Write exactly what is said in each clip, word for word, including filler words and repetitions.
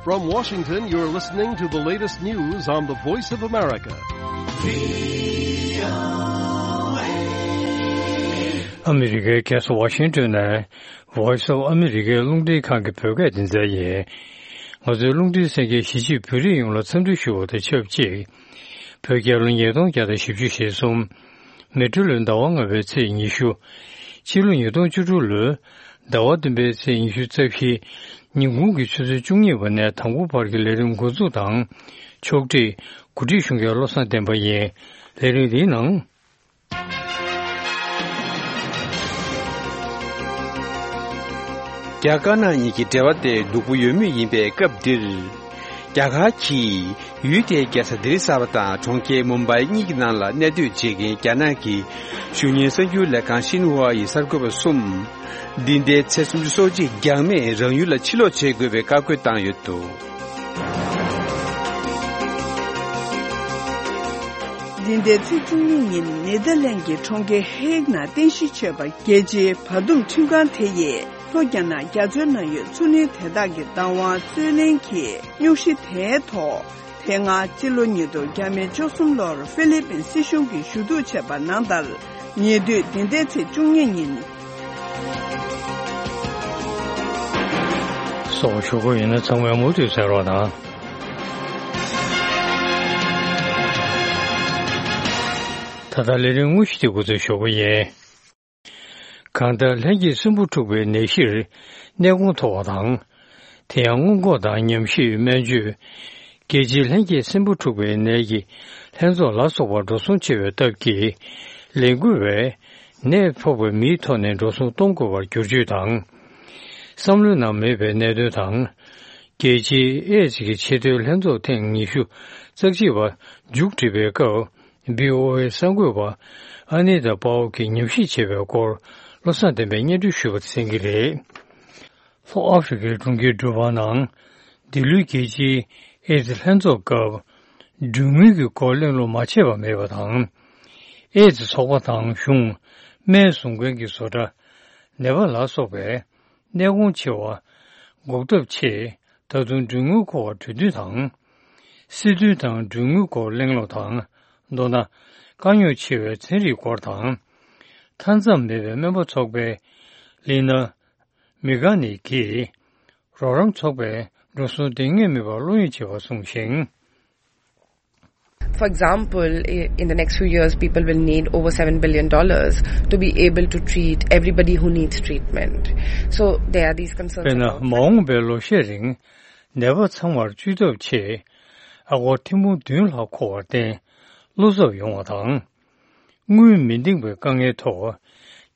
From Washington, you're listening to the latest news on the Voice of America. ཨ་མི་རི་ཀའི་རྒྱལ་ས་ཝ་ཤིང་ཏོན་ནས་Voice of America རླུང་འཕྲིན་ཁང་གི་བོད་སྐད་སྡེ་ཚན་ཡིན། ང་ཚོའི་རླུང་འཕྲིན་གསན་མཁན་གཞིས་བྱེས་བོད་རིགས་ཡོངས་ལ་འཚམས་འདྲི་ཞུ་བ་དང་ཆབས་ཅིག་བོད་རྒྱལ་ལོ་ཉིས་སྟོང་བརྒྱ་དང་བཞི་བཅུ་ཞེ་གསུམ། མེ་སྤྲེལ་ལོའི་ཟླ་བ་ལྔ་པའི་ཚེས་ཉི་ཤུ། ཕྱི་ལོ་ཉིས་སྟོང་བཅུ་དྲུག་ལོའི་ཟླ་བ་བདུན་པའི་ཚེས་ཉི་ཤུ་རྩ་བཞི། ཉིན་གུང་གི་ཆུ་ཚོད་བཅུ་གཉིས་པ་ནས་དང་པོ་བར་གྱི་ལས་རིམ་འགོ་འཛུགས་དང་། ཕྱོགས་སྒྲིག་གོ་སྒྲིག་ཞུ་མཁན་བློ་བཟང་བསྟན་པ་ཡིན། ལས་རིམ་འདིའི་ནང་། རྒྱ་དཀར་ནག་གཉིས་ཀྱི་འབྲེལ་བ་དེ་སྡུག་པོ་ཡོད་མུས་ཡིན་པའི་སྐབས་འདིར། རྒྱ་གར་གྱིས་ཡུལ་དེའི་རྒྱལ་ས་ལྡི་ལི་གསར་པ་དང་གྲོང་ཁྱེར་མུམ་བྷའི་གཉིས་ཀྱི་ནང་ལ་གནས་སྡོད་བྱེད་མཁན་རྒྱ་ནག་གི་གཞུང་གཉེར་གསར་འགྱུར་ལས་ཁང་ཤིན་ཧྭ་ཡི་གསར་འགོད་པ་གསུམ། འདི་ཟླའི་ཚེས་སུམ་ཅུ་སོ་གཅིག་འགྱངས་མེད་རང་ཡུལ་ལ་ཕྱིར་ལོག་བྱེད་དགོས་པའི་བཀའ་བཀོད་བཏང་ཡོད་འདུག་འདི་ཟླའི་ཚེས་བཅུ་གཉིས་ཉིན་ནེ་དར་ལན་གྱི་གྲོང་ཁྱེར་ཧེག་ནང་རྟེན་གཞི་བྱས་པ་རྒྱལ་སྤྱིའི་བར་འདུམ་ཁྲིམས་ཁང་དེ་ཡིས། ལྷོ་རྒྱ་ནག་རྒྱ་མཚོའི་ནང་ཡོད་མཚོ་གླིང་དེ་དག་གི་བདག་དབང་རྩོད་ལེན་གྱི་རྙོག་གཞི་དེའི་ཐོག་དེ་སྔ་སྤྱི་ལོ་ཉིས་སྟོང་ཉི་ཤུ་རྩ་གསུམ་ལོར་ཧྥི་ལི་པིན་སྲིད་གཞུང་གིས་ཞུ་གཏུག་བྱས་པ་ནང་ལྟར། ཉེ་དུས་འདི་ཟླའི་ཚེས་བཅུ་གཉིས་ཉིན། སོགས་ཞུ་དགོས་ཡིན་ན་ཚང་མས་མུ་མཐུད་གསན་རོགས་གནང་། ད་ལྟ་ལས་རིམ་དངོས་གཞི་དེ་འགོ་འཛུགས་ཞུ་གི་ཡིན། གང་ལྟར་ལྷན་སྐྱེས་སྲིན་འབུ་འཁྲུགས་པའི་ནད་གཞིར་གནས་གོང་མཐོ་བ་དང་། དེ་ཡང་སྔོན་འགོག་དང་ཉམས་ཞིབ་སྨན་བཅོས། རྒྱལ་སྤྱིའི་ལྷན་སྐྱེས་སྲིན་འབུ་འཁྲུགས་པའི་ནད་ཀྱི་ལྷན་ཚོགས་ལ་སོགས་པ་འགྲོ་སོང་ཆེ་བའི་སྟབས་ཀྱིས། ལས་འགུལ་བས་ནད་ཕོག་པའི་མིའི་ཐོག་ནས་འགྲོ་སོང་གཏོང་དགོས་པར་བསྒྱུར་བཅོས་དང་། བསམ་བློའི་ནང་མེད་པའི་གནད་དོན་དང་། རྒྱལ་སྤྱིའི་ཨེ་ཙི་གི་ཆེས་མཐོའི་ལྷན་ཚོགས་ཐེངས་ཉི་ཤུ་རྩ་གཅིག་པ་མཇུག་སྒྲིལ་བའི་སྐབས། བྷི་ཨོ་ཨེ་གསར་འགོད་པ་ཨ་ནི་ཏཱ་པའོ་གིས་ཉམས་ཞིབ་བྱས་པའི་སྐོར། བློ་བཟང་བསྟན་པས་སྙན་སྒྲོན་ཞུས་པ་གསན་གྱི་རེད། ལྷོ་ཨ་ཧྥེ་རི་ཁའི་གྲོང་ཁྱེར་འབྲུག་པ་ནང་འདི་ལོའི་རྒྱལ་སྤྱིའི་ཨེ་ཙི་ལྷན་ཚོགས་སྐབས། གྲོན་དངུལ་གྱི་སྐོར་གླེང་སློང་མ་བྱས་པ་མེད་པ་དང་། ཨེ་ཙི་ཚོགས་པ་དང་གཞུང་། སྨན་བཟོ་མཁན་གྱི་བཟོ་གྲྭ། ནད་པ་ལ་སོགས་པའི་གནས་གོང་ཆེ་བ་འགོག་ཐབས་ཆེད། ད་དུང་གྲོན་དངུལ་སྐོར་བ་གྲོས་བསྡུར་དང་། སྲིད་དོན་དང་གྲོན་དངུལ་སྐོར་གླེང་སློང་དང་། མདོར་ན། དཀའ་རྙོག་ཆེ་བའི་ཚན་རིག་སྐོར་དང་། མཐའ་མཚམས་མེད་པའི་སྨན་པ་ཚོགས་པའི་ལི་ན་མི་གྷ་ནི་གིས། རོགས་རམ་ཚོགས་པས་འགྲོ་སོང་འདང་ངེས་མེད་པར་བློ་གཡེང་བྱེད་པ་གསུངས་ཤིང་། For example, i- in the next few years, people will need over seven billion dollars to be able to treat everybody who needs treatment. So there are these concerns དཔེར་ན། about མ་འོངས་པའི་ལོ་ཤས་རིང་ནད་པ་ཚང་མར་བཅོས་ཐབས་ཆེད་ཨ་སྒོར་ཐེར་འབུམ་བདུན་ལྷག་མཁོ་བར་བརྟེན་བློ་འཚབ་ཡོང་བ་དང་། དངུལ་མི་འདེང་བའི་དཀའ་ངལ་ཐོག་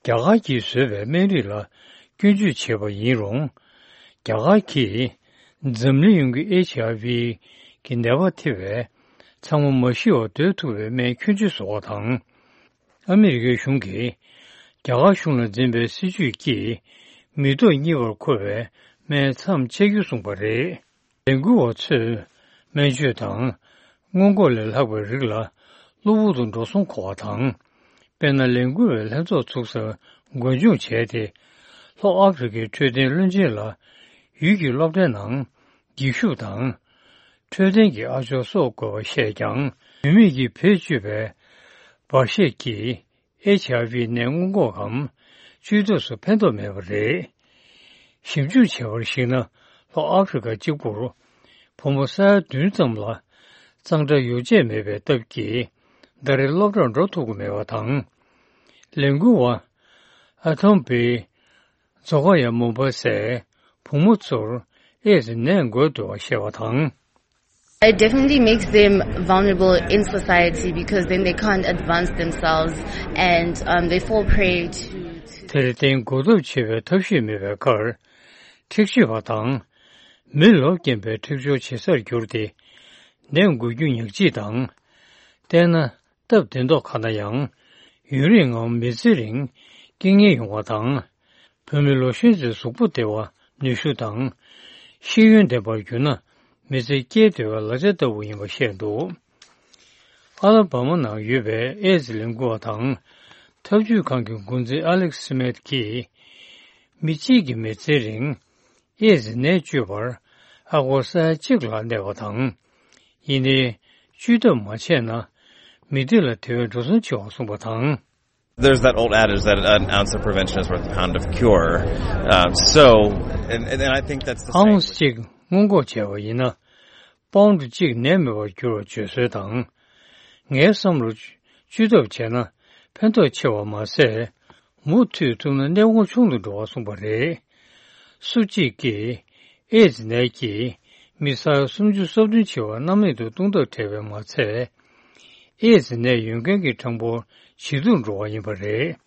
རྒྱ་གར་གྱིས་བཟོས་པའི་སྨན་རིགས་ལ་སྐྱོན་བརྗོད་བྱས་པ་ཡིན་རུང་། རྒྱ་གར་གྱིས་འཛམ་གླིང་ཡོངས་ཀྱི་ཨེཆ་ཨའི་ཝི་གི་ནད་པ་ཐེ་བའི་ཚང་མ་མ་ཤི་བར་སྡོད་ཐུབ་པའི་སྨན་ཁྱོན་ཆུད་བཟོ་བ་དང་། ཨ་མི་རི་ཀའི་གཞུང་གིས་རྒྱ་གར་གཞུང་ལ་འཛིན་པའི་སྲིད་ཇུས་ཀྱིས་མི་ཐོག་གཉིས་པར་མཁོ་བའི་སྨན་མཚམས་ཆད་རྒྱུ་གསུངས་པ་རེད། ལས་འགུལ་བ་ཚོས་སྨན་བཅོས་དང་སྔོན་འགོག་ལས་ལྷག་པའི་རིགས་ལ་གློ་བུར་དུ་འགྲོ་སོང་མཁོ་བ་དང་། དཔེར་ན། ལས་འགུལ་བའི་ལྷན་ཚོགས་ཚུགས་སར་འགོ་འཇུག་བྱས་ཏེ། ལྷོ་ཨ་ཧྥེ་རི་ཁའི་འཕྲོད་བསྟེན་བློན་ཆེན་ལ་ཡུལ་གྱི་སློབ་གྲྭའི་ནང་འགྱིག་ཤུབས་དང་། འཕྲོད་བསྟེན་གྱི་ཨ་ཅོག་གསོག་དགོས་པ་བཤད་ཀྱང་། བུད་མེད་ཀྱིས་བེད་སྤྱོད་པའི་འབར་གཤེར་གྱིས་ཨེཆ་ཨའི་ཝི་ནད་སྔོན་འགོག་གམ་བཅོས་ཐབས་སུ་ཕན་ཐོགས་མེད་པ་རེད། ཞིབ་འཇུག་བྱས་པར་གཞིགས་ན། ལྷོ་ཨ་ཧྥེ་རི་ཁ་གཅིག་པུར་བུ་མོ་ས་ཡ་བདུན་ཙམ་ལ་གཙང་སྦྲ་ཡོ་བྱད་མེད་པའི་སྟབས་ཀྱིས། ཟླ་རེར་སློབ་གྲྭར་འགྲོ་ཐུབ་ཀྱི་མེད་པ་དང་། ལས་འགུལ་བ་ཨ་ཐོམ་བི་ཛོ་ཀ་ཡ་མོ་བ་སའི་བུ་མོ་ཚོར་ཨེ་ཙི་ནད་འགོས་འདུག་པ་བཤད་པ་དང་། It definitely makes them vulnerable in society because then they can't advance themselves and, um, they fall prey to, to དེར་བརྟེན་འགོག་ཐབས་བྱེད་པའི་ཐབས་ཤེས་མེད་པའི་ཁར། འཁྲིག་སྤྱོད་པ་དང་། མི་ལོབས་སྐྱེན་པའི་འཁྲིག་སྦྱོར་བྱེད་སར་གྱུར་ཏེ། ནད་འགོས་རྒྱུ་ཉག་གཅིག་དང་། བལྟས་ན། སྟབས་བདེ་མདོག་ཁ་ན་ཡང་། ཡུན་རིང་ངམ་མི་ཚེ་རིང་རྐྱེན་ངན་ཡོང་བ་དང་། བུད་མེད་ལོ་གཞོན་ཚོའི་གཟུགས་པོ་བདེ་བ་ནུས་ཤུགས་དང་། ཤེས་ཡོན་ལྡན་པར་གྱུར་ན་མི་ཚེ་སྐྱེལ་བདེ་བའི་ལག་ཆ་ལྟ་བུ་ཡིན་པ་བཤད་འདུག་ཨ་ལ་བྷ་མ་ནང་ཡོད་པའི་ཨེ་ཙི་ལས་འགུལ་བ་དང་། ཐབས་ཇུས་ཁང་གི་འགོ་འཛིན་ཨ་ལེག་སི་མེད་ཀྱིས། མི་གཅིག་གི་མི་ཚེ་རིང་ཨེ་ཙི་ནད་བཅོས་པར་ ཨ་སྒོར་ས་ཡ་གཅིག་ལ་གནས་པ་དང་། ཡིན་ནའི། བཅོས་ཐབས་མ་བྱས་ན། མི་སྡེ་ལ་དེ་བས་འགྲོ་སོང་ཆེ་བ་གསུངས་པ་དང་། There's that old adage that an ounce of prevention is worth a pound of cure. Um, so, and, and, and I think that's the same. ཨའུན་སི་གཅིག་སྔོན་འགོག་བྱས་པ་ཡིན་ན། པའུན་ཌི་གཅིག་ནད་མེད་པར་འགྱུར་བར་བརྗོད་སྲོལ་དང་། ངའི་བསམ་བློར། བཅོས་ཐབས་བྱས་ན་ཕན་ཐོགས་ཆེ་བ་མ་ཟད། མུ་མཐུད་ཐུབ་ན་ནད་དབང་ཆུང་དུ་འགྲོ་བར་གསུངས་པ་རེད། སུ་གཅིག་གིས་ཨེ་ཛི་ནད་ཀྱིས་མི་ས་ཡ་སུམ་ཅུ་སོ་བདུན་བྱེ་བ་རྣམ་གླིང་དུ་སྟོང་ཐག་བྲལ་བས་མ་ཚད། ཨེ་ཛི་ནད་ཡོད་མཁན་གྱི་གྲངས་འབོར་ཇེ་སྡུག་འགྲོ་བ་ཡིན་པ་རེད།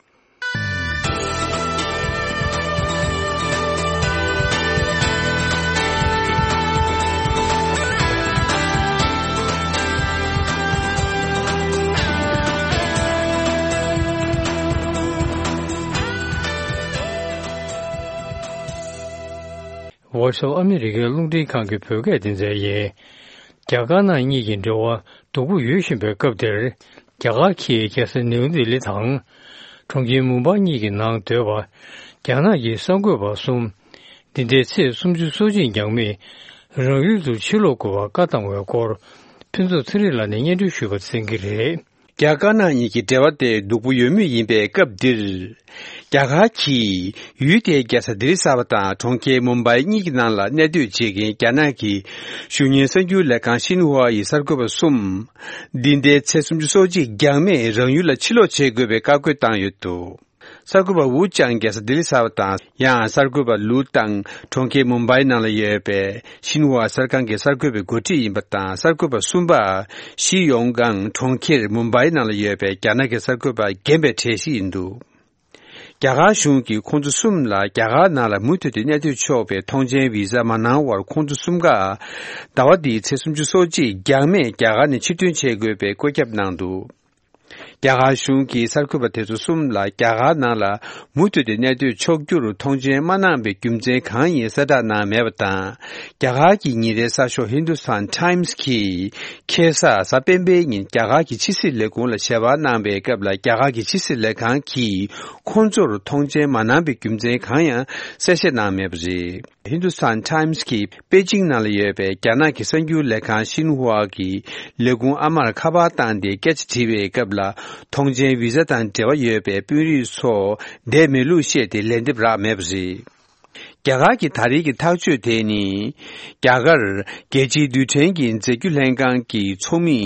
Voice of America རླུང་འཕྲིན་ཁང་གི་བོད་སྐད་སྡེ་ཚན་ཡིན། རྒྱ་དཀར་ནག་གཉིས་ཀྱི་འབྲེལ་བ་སྡུག་པོ་ཡོད་བཞིན་པའི་སྐབས་འདིར། རྒྱ་གར་གྱིས་རྒྱལ་ས་ནིའུ་ལྡི་ལི་དང་། གྲོང་ཁྱེར་མུམ་བྷའི་གཉིས་ཀྱི་ནང་སྡོད་པ། རྒྱ་ནག་གི་གསར་འགོད་པ་གསུམ། འདི་ཟླའི་ཚེས་སུམ་ཅུ་སོ་གཅིག་འགྱངས་མེད་རང་ཡུལ་དུ་ཕྱིར་ལོག་དགོས་པར་བཀའ་བཏང་བའི་སྐོར། ཕུན་ཚོགས་ཚེ་རིང་ལགས་ནས་སྙན་སྒྲོན་ཞུས་པ་གསན་གྱི་རེད། རྒྱ་དཀར་ནག་གཉིས་ཀྱི་འབྲེལ་བ་དེ་སྡུག་པོ་ཡོད་མུས་ཡིན་པའི་སྐབས་འདིར། རྒྱ་གར་གྱིས་ཡུལ་དེའི་རྒྱལ་ས་ལྡི་ལི་གསར་པ་དང་གྲོང་ཁྱེར་མུམ་བྷའི་གཉིས་ཀྱི་ནང་ལ་གནས་སྡོད་བྱེད་མཁན་རྒྱ་ནག་གི་གཞུང་གཉེར་གསར་འགྱུར་ལས་ཁང་ཤིན་ཧྭ་ཡི་གསར་འགོད་པ་གསུམ། འདི་ཟླའི་ཚེས་སུམ་ཅུ་སོ་གཅིག་འགྱངས་མེད་རང་ཡུལ་ལ་ཕྱིར་ལོག་བྱེད་དགོས་པའི་བཀའ་བཀོད་བཏང་ཡོད་འདུག་གསར་འགོད་པ་ཝུ་ཅང་རྒྱལ་ས་ལྡི་ལི་གསར་པ་དང་། ཡང་གསར་འགོད་པ་ལུའུ་ཏང་གྲོང་ཁྱེར་མུམ་བྷའི་ནང་ལ་ཡོད་པའི་ཤིན་ཧྭ་གསར་ཁང་གི་གསར་འགོད་པའི་འགོ་ཁྲིད་ཡིན་པ་དང་། གསར་འགོད་པ་གསུམ་པ་ཞི་ཡོང་ཀང་གྲོང་ཁྱེར་མུམ་བྷའི་ནང་ལ་ཡོད་པའི་རྒྱ་ནག་གི་གསར་འགོད་པ་རྒན་པའི་གྲས་ཤིག་ཡིན་འདུག་རྒྱ་གར་གཞུང་གིས་ཁོང་ཚོ་གསུམ་ལ་རྒྱ་གར་ནང་ལ་མུ་མཐུད་དུ་གནས་སྡོད་ཆོག་པའི་ཐོངས་མཆན་བི་ཟ་མ་གནང་བར། ཁོང་ཚོ་གསུམ་ཀ་ཟླ་བ་འདིའི་ཚེས་སུམ་ཅུ་སོ་གཅིག་འགྱངས་མེད་རྒྱ་གར་ནས་ཕྱིར་ཐོན་བྱེད་དགོས་པའི་བཀོད་ཁྱབ་གནང་འདུག་རྒྱ་གར་གཞུང་གིས་གསར་འགོད་པ་དེ་ཚོ་གསུམ་ལ་རྒྱ་གར་ནང་ལ་མུ་མཐུད་དུ་གནས་སྡོད་ཆོག་རྒྱུར་ཐོངས་མཆན་མ་གནང་བའི་རྒྱུ་མཚན་གང་ཡིན་གསལ་བསྒྲགས་གནང་མེད་པ་དང་། རྒྱ་གར་གྱི་ཉིན་རེའི་གསར་ཤོག་ཧིན་དུ་སྟན་ཊའིམ་སི་གིས་ཁ་སང་གཟའ་སྤེན་པའི་ཉིན་རྒྱ་གར་གྱི་ཕྱི་སྲིད་ལས་ཁུངས་ལ་ཞལ་པར་གནང་བའི་སྐབས་ལ། རྒྱ་གར་གྱི་ཕྱི་སྲིད་ལས་ཁང་གིས་ཁོང་ཚོར་ཐོངས་མཆན་མ་གནང་བའི་རྒྱུ་མཚན་གང་ཡང་གསལ་བཤད་གནང་མེད་པ་རེད། ཧིན་དུ་སྟན་ཊའིམ་སི་གིས་པེ་ཅིང་ནང་ལ་ཡོད་པའི་རྒྱ་ནག་གི་གསར་འགྱུར་ལས་ཁང་ཤིན་ཧྭ་གི་ལས་ཁུངས་ཨ་མར་ཁ་པར་བཏང་སྟེ་སྐད་ཆ་དྲིས་པའི་སྐབས་ལ། ཐོངས་མཆན་བི་ཟ་དང་འབྲེལ་བ་ཡོད་པའི་དཔོན་རིགས་ཚོ་བསྡད་མེད་ལུགས་བཤད་དེ་ལན་འདེབས་རག་མེད་པ་རེད། རྒྱ་གར་གྱི་ད་རེས་ཀྱི་ཐག་གཅོད་དེ་ནི། རྒྱ་གར་རྒྱལ་སྤྱིའི་རྡུལ་ཕྲན་གྱི་རྫས་འགྱུར་ལྷན་ཁང་གི་ཚོགས་མི་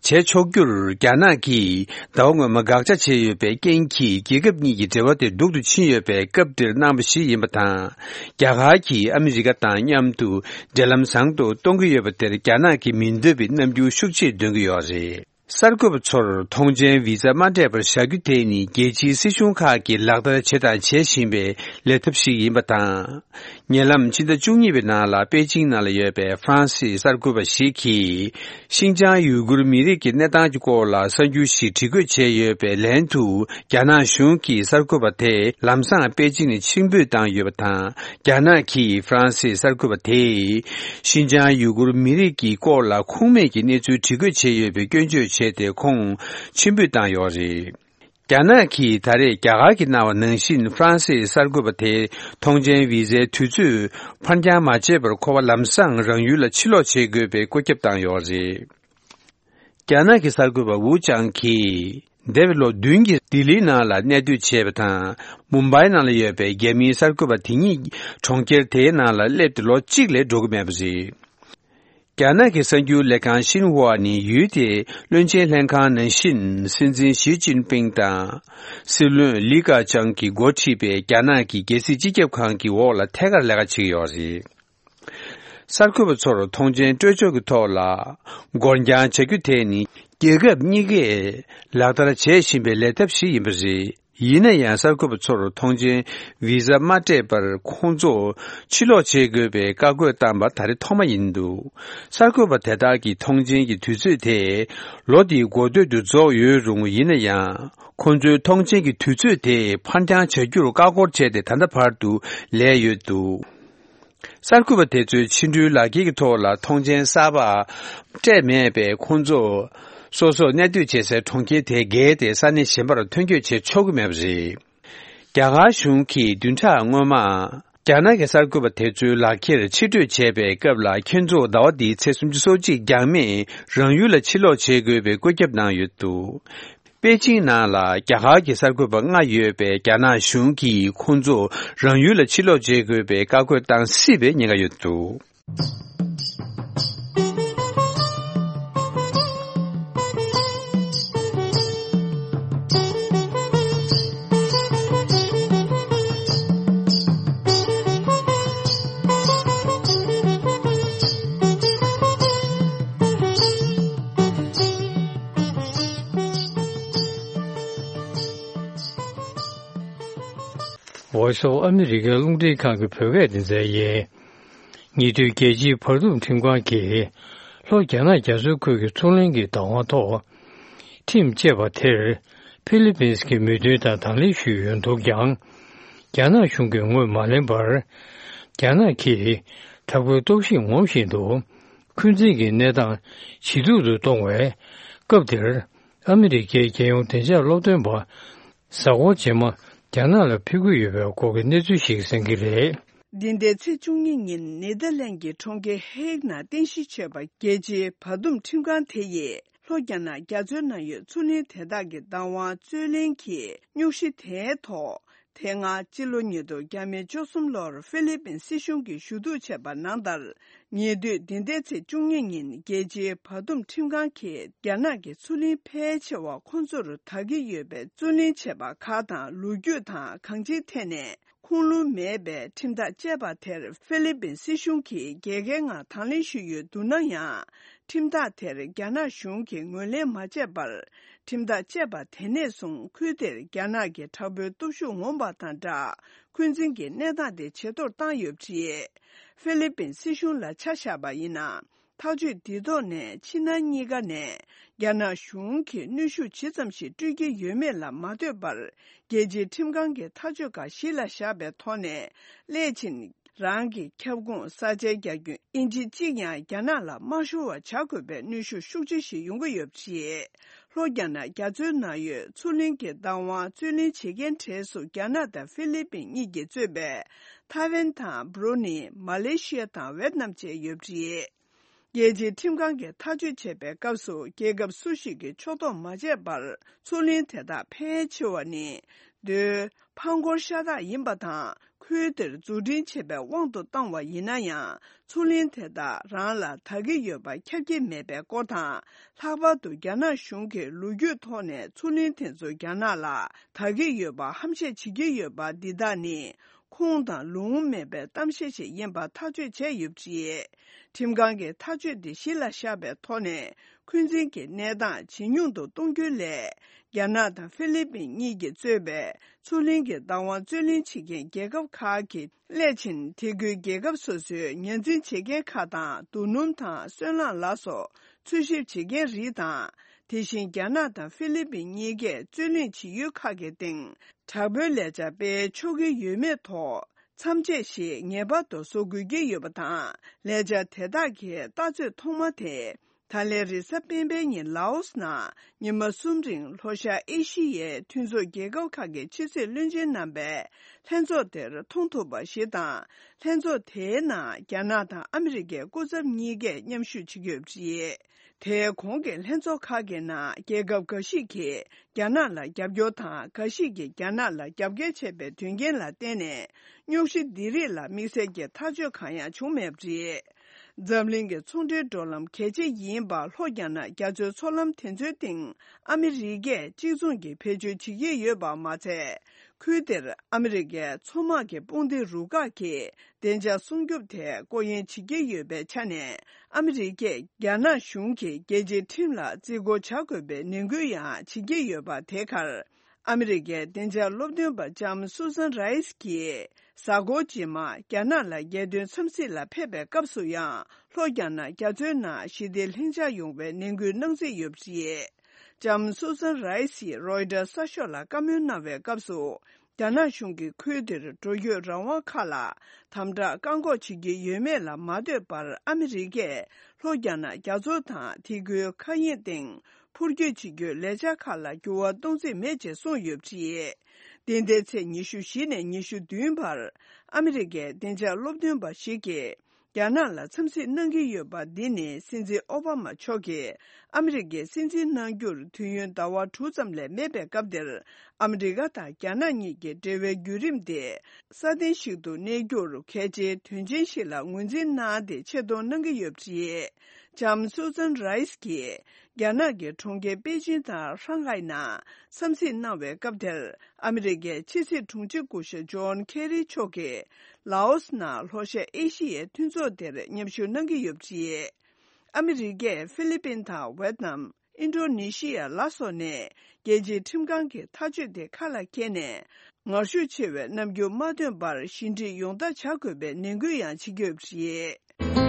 བྱེད་ཆོག་རྒྱུར་རྒྱ་ནག་གིས་ཟླ་བ་སྔོན་མ་དགག་བྱ་བྱས་ཡོད་པའི་རྐྱེན་གྱིས། རྒྱལ་ཁབ་གཉིས་ཀྱི་འབྲེལ་བ་དེ་སྡུག་ཏུ་ཕྱིན་ཡོད་པའི་སྐབས་འདིར་གནང་བ་ཞིག་ཡིན་པ་དང་། རྒྱ་གར་གྱིས་ཨ་མི་རི་ཀ་དང་མཉམ་དུ་འབྲེལ་ལམ་བཟང་དུ་གཏོང་གི་ཡོད་པ་དེར་རྒྱ་ནག་གིས་མི་འདོད་པའི་རྣམ་འགྱུར་ཤུགས་ཆེར་འདོན་གྱི་ཡོད་རེད། གསར་འགོད་པ་ཚོར་ཐོངས་མཆན་བི་ཟ་མ་སྤྲད་པར་བཞག་རྒྱུ་དེ་ནི། རྒྱལ་སྤྱིའི་སྲིད་གཞུང་ཁག་གིས་ལག་བསྟར་བྱས་དང་བྱེད་བཞིན་པའི་ལས་ཐབས་ཤིག་ཡིན་པ་དང་། ཉེ་ལམ་ཕྱི་ཟླ་བཅུ་གཉིས་པའི་ནང་ལ་པེ་ཅིང་ནང་ལ་ཡོད་པའི་ཧྥ་རན་སིའི་གསར་འགོད་པ་ཞིག་གིས། ཤིན་ཅང་ཡུ་གུར་མི་རིགས་ཀྱི་གནས་སྟངས་ཀྱི་སྐོར་ལ་གསར་འགྱུར་ཞིག་བྲིས་འགོད་བྱས་ཡོད་པའི་ལན་དུ། རྒྱ་ནག་གཞུང་གིས་གསར་འགོད་པ་དེ་ལམ་སང་པེ་ཅིང་ནས་ཕྱིར་འབུད་བཏང་ཡོད་པ་དང་། རྒྱ་ནག་གིས་ཧྥ་རན་སིའི་གསར་འགོད་པ་དེས། ཤིན་ཅང་ཡུ་གུར་མི་རིགས་ཀྱི་སྐོར་ལ་ཁུངས་མེད་ཀྱི་གནས་ཚུལ་བྲིས་འགོད་བྱས་ཡོད་པའི་སྐྱོན་བརྗོད་བྱས་ཏེ། ཁོང་ཕྱིར་འབུད་བཏང་ཡོད་རེད། རྒྱ་ནག་གིས་ད་རེས་རྒྱ་གར་གྱིས་གནང་བ་ནང་བཞིན། ཧྥ་རན་སིའི་གསར་འགོད་པ་དེ་ཐོངས་མཆན་བི་ཟའི་དུས་ཚོད་ཕར་འགྱངས་མ་བྱས་པར། ཁོ་པ་ལམ་སང་རང་ཡུལ་ལ་ཕྱིར་ལོག་བྱེད་དགོས་པའི་བཀོད་ཁྱབ་བཏང་ཡོད་རེད། རྒྱ་ནག་གི་གསར་འགོད་པ་ཝུ་ཅང་གིས། འདས་པའི་ལོ་བདུན་གྱི་ལྡི་ལིའི་ནང་ལ་གནས་སྡོད་བྱས་པ་དང་། མུམ་བྷའི་ནང་ལ་ཡོད་པའི་རྒྱ་མིའི་གསར་འགོད་པ་དེ་ཉིད་གྲོང་ཁྱེར་དེའི་ནང་ལ་སླེབས་ཏེ་ལོ་གཅིག་ལས་འགྲོ་གི་མེད་པ་རེད། རྒྱ་ནག་གི་གསར་འགྱུར་ལས་ཁང་ཤིན་ཧྭ་ནི། ཡུལ་དེའི་བློན་ཆེན་ལྷན་ཁང་ནང་བཞིན། སྲིད་འཛིན་ཞི་ཅིན་ཕིང་དང་། སྲིད་བློན་ལི་ཁེ་ཆང་གིས་འགོ་ཁྲིད་པའི་རྒྱ་ནག་གི་རྒྱལ་སྲིད་སྤྱི་ཁྱབ་ཁང་གི་འོག་ལ་ཐད་ཀར་ལས་ཀ་བྱེད་ཀྱི་ཡོད་རེད། གསར་འགོད་པ་ཚོར་ཐོངས་མཆན་སྤྲོད་ཕྱོགས་ཀྱི་ཐོག་ལ་འགོར་འགྱངས་བྱ་རྒྱུ་དེ་ནི། རྒྱལ་ཁབ་གཉིས་ཀས་ལག་བསྟར་བྱེད་བཞིན་པའི་ལས་ཐབས་ཤིག་ཡིན་པ་རེད། ཡིན་ན་ཡང་། གསར་འགོད་པ་ཚོར་ཐོངས་མཆན་བི་ཟ་མ་སྤྲད་པར་ཁོང་ཚོ་ཕྱིར་ལོག་བྱེད་དགོས་པའི་བཀའ་བཀོད་བཏང་པ་ད་རེས་ཐོག་མ་ཡིན་འདུག་གསར་འགོད་པ་དེ་དག་གི་ཐོངས་མཆན་གྱི་དུས་ཚོད་དེ་ལོ་འདིའི་འགོ་སྟོད་དུ་རྫོགས་ཡོད་རུང་། ཡིན་ན་ཡང་། ཁོང་ཚོའི་ཐོངས་མཆན་གྱི་དུས་ཚོད་དེ་ཕར་འགྱངས་བྱ་རྒྱུར་བཀའ་འཁོར་བྱས་ཏེ། ད་ལྟ་བར་དུ་ལས་ཡོད་འདུག་གསར་འགོད་པ་དེ་ཚོའི་ཕྱི་འགྲུལ་ལག་འཁྱེར་གྱི་ཐོག་ལ་ཐོངས་མཆན་གསར་པ་སྤྲད་མེད་པས། ཁོང་ཚོ་སོ་སོར་གནས་སྡོད་བྱེད་སའི་གྲོང་ཁྱེར་དེ་བརྒལ་ཏེ་ས་གནས་གཞན་པར་ཐོན་སྐྱོད་བྱེད་ཆོག་གི་མེད་པ་རེད། རྒྱ་གར་གཞུང་གིས་བདུན་ཕྲག་སྔོན་མ། རྒྱ་ནག་གི་གསར་འགོད་པ་དེ་ཚོའི་ལག་ཁྱེར་ཕྱིར་སྤྲོད་བྱས་པའི་སྐབས་ལ། ཁྱེད་ཚོ་ཟླ་བ་འདིའི་ཚེས་སུམ་ཅུ་སོ་གཅིག་འགྱངས་མེད་རང་ཡུལ་ལ་ཕྱིར་ལོག་བྱེད་དགོས་པའི་བཀོད་ཁྱབ་གནང་ཡོད་འདུག་པེ་ཅིང་ནང་ལ་རྒྱ་གར་གྱི་གསར་འགོད་པ་ལྔ་ཡོད་པའི་རྒྱ་ནག་གཞུང་གིས་ཁོང་ཚོ་རང་ཡུལ་ལ་ཕྱིར་ལོག་བྱེད་དགོས་པའི་བཀའ་བཀོད་བཏང་སྲིད་པའི་ཉེན་ཁ་ཡོད་འདུག Voice of America རླུང་འཕྲིན་ཁང་གི་བོད་སྐད་སྡེ་ཚན་ཡིན། ཉེ་དུས་རྒྱལ་སྤྱིའི་བར་འདུམ་ཁྲིམས་ཁང་གིས་ལྷོ་རྒྱ་ནག་རྒྱ་མཚོའི་ཁུལ་གྱི་མཚོ་གླིང་གི་བདག་དབང་ཐོག་ཁྲིམས་བཅད་པ་དེར་ཕི་ལི་པིན་གྱི་མོས་མཐུན་དང་དང་ལེན་ཞུས་ཡོད་འདུག་ཀྱང་། རྒྱ་ནག་གཞུང་གིས་ངོས་མ་ལེན་པར། རྒྱ་ནག་གིས་དྲག་པོའི་སྟོབས་ཤུགས་ངོམ་བཞིན་དུ་འཁོན་འཛིན་གྱི་གནས་སྟངས་ཇེ་སྡུག་ཏུ་གཏོང་བའི་སྐབས་དེར། ཨ་མི་རི་ཀའི་རྒྱལ་ཡོངས་བདེ་འཇགས་སློབ་སྟོན་པ་གཟའ་འཁོར་རྗེས་མ་རྒྱ་ནག་ལ་ཕེབས་ཀྱི་ཡོད་པའི་སྐོར་གྱི་གནས་ཚུལ་ཞིག་གསན་གྱི་རེད། འདི་ཟླའི་ཚེས་བཅུ་གཉིས་ཉིན་ནེ་དར་ལན་གྱི་གྲོང་ཁྱེར་ཧེག་ནང་རྟེན་གཞི་བྱས་པ་རྒྱལ་སྤྱིའི་བར་འདུམ་ཁྲིམས་ཁང་དེ་ཡིས་ལྷོ་རྒྱ་ནག་རྒྱ་མཚོའི་ནང་ཡོད་མཚོ་གླིང་དེ་དག་གི་བདག་དབང་རྩོད་ལེན་གྱི་རྙོག་གཞི་དེའི་ཐོག་དེ་སྔ་སྤྱི་ལོ་ཉིས་སྟོང་བཅུ་གསུམ་ལོར་ཧྥི་ལི་པིན་སྲིད་གཞུང་གིས་ཞུ་གཏུག་བྱས་པ་ནང་ལྟར། ཉེ་དུས་འདི་ཟླའི་ཚེས་བཅུ་གཉིས་ཉིན་རྒྱལ་སྤྱིའི་བར་འདུམ་ཁྲིམས་ཁང་གིས་རྒྱ་ནག་གི་མཚོ་གླིང་ཕལ་ཆེ་བ་ཁོང་ཚོར་བདག་གི་ཡོད་པའི་རྩོད་གླེང་བྱས་པ་ཁག་དང་ལོ་རྒྱུས་དང་གང་ཅིའི་ཐད་ནས་ཁུངས་ལུང་མེད་པའི་ཁྲིམས་ཐག་བཅད་པ་དེར་ཧྥི་ལི་པིན་སྲིད་གཞུང་གིས་རྒྱལ་ཁའི་ངང་དང་ལེན་ཞུས་ཡོད་འདུག་ན་ཡང་། ཁྲིམས་ཐག་དེར་རྒྱ་ནག་གཞུང་གིས་ངོས་ལེན་མ་བྱས་པར། ཁྲིམས་ཐག་བཅད་པ་དེ་ནས་བཟུང་ཁུལ་དེར་རྒྱ་ནག་གི་དྲག་པོའི་སྟོབས་ཤུགས་ངོམ་པ་དང་སྦྲགས། འཁོན་འཛིན་གྱི་གནས་སྟངས་དེ་ཇེ་མཐོར་བཏང་ཡོད་པ་རེད། ཧྥི་ལི་པིན་སྲིད་གཞུང་ལ་ཆ་བཞག་པ་ཡིན་ན། ཐག་གཅོད་འདིའི་ཐོག་ནས་ཕྱི་ནང་གཉིས་ཀ་ནས་རྒྱ་ནག་གཞུང་གིས་གནོན་ཤུགས་ཇི་ཙམ་ཞིག་སྤྲོད་ཀྱི་ཡོད་མེད་ལ་མ་ལྟོས་པར། རྒྱལ་སྤྱིའི་ཁྲིམས་ཁང་གི་ཐག་གཅོད་ཁག་གཞི་ལ་བཞག་པའི་ཐོག་ནས། སླད་ཕྱིན་རང་གི་ཁྱབ་ཁོངས་ས་ཆའི་རྒྱ་ཁྱོན་ཨིན་ཅི་གཅིག་ཡང་རྒྱ་ནག་ལ་མ་ཤོར་བ་བྱ་དགོས་པའི་གནོན་ཤུགས་ཤུགས་ཆེ་ཞིག་ཡོང་གི་ཡོད་པ་རེད། ལྷོ་རྒྱ་ནག་རྒྱ་མཚོའི་ནང་ཡོད་མཚོ་གླིང་གི་བདག་དབང་རྩོད་ལེན་བྱེད་མཁན་གྲས་སུ་རྒྱ་ནག་དང་ཧྥི་ལི་པིན་གཉིས་ཀྱིས་གཙོས་པའི་ཐའེ་ཝན་དང་བྷུ་རུ་ནི། མ་ལེ་ཤི་ཡ་དང་ཝེད་ནམ་བཅས་ཡོད་པ་རེད། རྒྱལ་སྤྱིའི་ཁྲིམས་ཁང་གིས་ཐག་གཅོད་བྱས་པའི་སྐབས་སུ་རྒྱལ་ཁབ་སུ་ཞིག་གིས་ཕྱོགས་གཏོགས་མ་བྱས་པར་མཚོ་གླིང་དེ་དག་ཕལ་ཆེ་བ་ནི་མདོའི་ཕར་འཁོར་ཤ་སྟག་ཡིན་པ་དང་། ཁུལ་དེར་འཛུགས་སྐྲུན་བྱས་པའི་དབང་དུ་བཏང་བ་ཡིན་ན་ཡང་། མཚོ་གླིང་དེ་དག་རང་ལ་བདག་གི་ཡོད་པ་ཁྱབ་ཀྱི་མེད་པའི་སྐོར་དང་། ལྷག་པར་དུ་རྒྱ་ནག་གཞུང་གིས་ལོ་རྒྱུས་ཐོག་ནས་མཚོ་གླིང་དེ་ཚོ་རྒྱ་ནག་ལ་བདག་གི་ཡོད་པ་ཧམ་བཤད་བྱེད་ཀྱི་ཡོད་པ་འདི་དག་ནི། ཁུངས་དང་ལུང་མེད་པའི་གཏམ་བཤད་ཞིག་ཡིན་པ་ཐག་གཅོད་བྱས་ཡོད་པ་རེད། ཁྲིམས་ཁང་གིས་ཐག་གཅོད་འདི་གཞི་ལ་བཞག་པའི་ཐོག་ནས། འཁོན་འཛིན་གྱི་གནས་སྟངས་ཇེ་ཉུང་དུ་གཏོང་རྒྱུའི་སླད། རྒྱ་ནག་དང་ཧྥི་ལི་པིན་གཉིས་ཀྱིས་གཙོས་པའི་མཚོ་གླིང་གི་བདག་དབང་རྩོད་ལེན་བྱེད་མཁན་རྒྱལ་ཁབ་ཁག་གིས། སླད་ཕྱིན་དེ་ཁུལ་རྒྱལ་ཁབ་སོ་སོའི་ཉར་འཛིན་བྱེད་མཁན་ཁག་དང་། རྡོ་སྣུམ་དང་སོལ་རླངས་ལ་སོགས་འཚོལ་ཞིབ་བྱེད་མཁན་རིགས་དང་། དེ་བཞིན་རྒྱ་ནག་དང་ཧྥི་ལི་པིན་གཉིས་ཀས་རྩོད་གླེང་བྱེད་ཡུལ་ཁག་གི་སྟེང་། དྲག་པོའི་ལས་འཆར་སྤེལ་ཆོག་གི་ཡོད་མེད་ཐོག་མཚམས་ཆད་ཞིག་ངེས་པར་དུ་བཟོ་དགོས་ཀྱི་ཡོད་པ་དང་། ལས་འཆར་དེ་དག་གི་ལྟ་ཚོད་ཐོག་མ་དེ། ད་ལན་རེས་གཟའ་སྤེན་པའི་ཉིན་ལའོ་སི་ནང་ཉི་མ་གསུམ་རིང་ལྷོ་ཤར་ཨེ་ཤི་ཡའི་མཐུན་ཚོགས་རྒྱལ་ཁབ་ཁག་གི་ཕྱི་སྲིད་བློན་ཆེན་རྣམ་པའི་ལྷན་ཚོགས་དེར་མཐོང་ཐུབ་པ་ཞིག་དང་། ལྷན་ཚོགས་དེའི་ནང་རྒྱ་ནག་དང་ཨ་མི་རི་ཀའི་སྐུ་ཚབ་གཉིས་ཀས་མཉམ་ཞུགས་བྱེད་ཀྱི་ཡོད་པ་རེད། དེའི་གོང་གི་ལྷན་ཚོགས་ཁག་གི་ནང་རྒྱལ་ཁབ་འགའ་ཞིག་གིས་རྒྱ་ནག་ལ་རྒྱབ་སྐྱོར་དང་། འགའ་ཞིག་གིས་རྒྱ་ནག་ལ་རྒྱབ་འགལ་བྱས་པའི་དོན་རྐྱེན་ལ་བརྟེན་ནས། རྙོག་གཞི་འདི་རིགས་ལ་དམིགས་བསལ་གྱི་ཐག་གཅོད་གང་ཡང་བྱུང་མེད་པ་རེད། འཛམ་གླིང་གི་ཚོང་འབྲེལ་འགྲོ་ལམ་གལ་ཆེ་ཡིན་པ་ལྷོ་རྒྱ་ནག་རྒྱ་མཚོའི་མཚོ་ལམ་དེ་ཚོའི་སྟེང་ཨ་མི་རི་ཀས་གཅིག་མཚུངས་ཀྱི་བེད་སྤྱོད་བྱེད་ཀྱི་ཡོད་པ་མ་ཚད། ཁུལ་དེར་ཨ་མི་རི་ཀའི་མཚོ་དམག་གི་དཔུང་སྡེ་རུ་ཁག་གིས་བདེ་འཇགས་སྲུང་སྐྱོབ་ཐད་སྐོར་གཡེང་བྱེད་ཀྱི་ཡོད་པའི་ཆ་ནས། ཨ་མི་རི་ཀས་རྒྱ་ནག་གཞུང་གིས་རྒྱལ་སྤྱིའི་ཁྲིམས་ལ་བརྩི་བཀུར་བྱ་དགོས་པའི་ནན་སྐུལ་ཡང་བྱེད་ཀྱི་ཡོད་པ། དེ་གར་ཨ་མི་རི་ཀའི་བདེ་འཇགས་སློབ་སྟོན་པ་ལྕམ་སུ་སན་རའེ་སི་གིས་གཟའ་འཁོར་རྗེས་མ་རྒྱ་ནག་ལ་རྒྱལ་དོན་འཚམས་གཟིགས་ལ་ཕེབས་པའི་སྐབས་སུ་ཡང་། ལྷོ་རྒྱ་ནག་རྒྱ་མཚོའི་ནང་ཞི་བདེ་ལྷིང་འཇགས་ཡོང་བའི་ནན་སྐུལ་གནང་རྩིས་ཡོད་པ་རེད། ལྕམ་སུ་སན་རའེ་སིས་རོའི་ཊར་གསར་ཤོག་ལ་བཀའ་མོལ་གནང་བའི་སྐབས་སུ། རྒྱ་ནག་གཞུང་གིས་ཁུལ་དེར་འགྲོ་སྐྱོད་རང་དབང་ཁག་ལ་དམ་དྲག་བཀག་འགོག་བྱེད་ཀྱི་ཡོད་མེད་ལ་མ་ལྟོས་པར། ཨ་མི་རི་ཀས་ལྷོ་རྒྱ་ནག་རྒྱ་མཚོ་དང་དེ་ཁུལ་མཁའ་དབྱིངས་སྟེང་འཕུར་སྐྱོད་བྱེད་རྒྱུའི་ལས་འཆར་ཁག་ལ་འགྱུར་བ་གཏོང་རྩིས་མེད་ཅེས་གསུངས་ཡོད་པ་རེད། འདི་ཟླའི་ཚེས་ཉི་ཤུ་བཞི་ནས་ཉི་ཤུ་བདུན་བར་ཨ་མི་རི་ཀའི་བདེ་འཇགས་སློབ་སྟོན་པ་ཞིག་གིས་རྒྱ་ནག་ལ་འཚམས་གཟིགས་གནང་གི་ཡོད་པ་འདི་ནི་སྲིད་འཛིན་ཨོ་བྷ་མ་མཆོག་གིས་ཨ་མི་རི་ཀའི་སྲིད་འཛིན་གནང་རྒྱུར་དུས་ཡུན་ཟླ་བ་དྲུག་ཙམ་ལས་མེད་པའི་སྐབས་འདིར། ཨ་མི་རི་ཀ་དང་རྒྱ་ནག་གཉིས་ཀྱི་འབྲེལ་བའི་བརྒྱུད་རིམ་དེ་སྲ་བརྟན་ཞིག་ཏུ་གནས་རྒྱུར་གལ་ཆེའི་དོན་ཆེན་ཞིག་ལ་ངོས་འཛིན་གནང་སྟེ་ཆེད་གཏོང་གནང་གི་ཡོད་པ་རེད། ལྕམ་སུ་ཛན་རའེ་སི་ཀྱིས་རྒྱ་ནག་གི་གྲོང་ཁྱེར་པེ་ཅིན་དང་ཧྲང་ཧའེ་ནང་འཚམས་གཟིགས་གནང་བའི་སྐབས་དེར། ཨ་མི་རི་ཀའི་ཕྱི་སྲིད་དྲུང་ཆེ་སྐུ་ཞབས་ཇོན་ཁེ་རི་མཆོག་གིས་ལའོ་སི་ནང་ལྷོ་ཤར་ཨེ་ཤི་ཡའི་མཐུན་ཚོགས་དེར་མཉམ་ཞུགས་གནང་གི་ཡོད་པ་རེད། ཨ་མི་རི་ཀས་ཧྥི་ལི་པིན་དང་ཝེད་ནམ། ཨིན་ཌོ་ནེ་ཤི་ཡ་ལ་སོགས་ནས་རྒྱལ་སྤྱིའི་ཁྲིམས་ཁང་གི་ཐག་གཅོད་དེ་ཁ་ལ་འཁྱེར་ནས། ངར་ཤུགས་ཆེ་བའི་རྣམ་འགྱུར་མ་སྟོན་པར་ཞི་འགྲིག་ཡོང་ཐབས་བྱ་དགོས་པའི་ནན་སྐུལ་ཡང་བྱེད་ཀྱི་ཡོད་པ་རེད།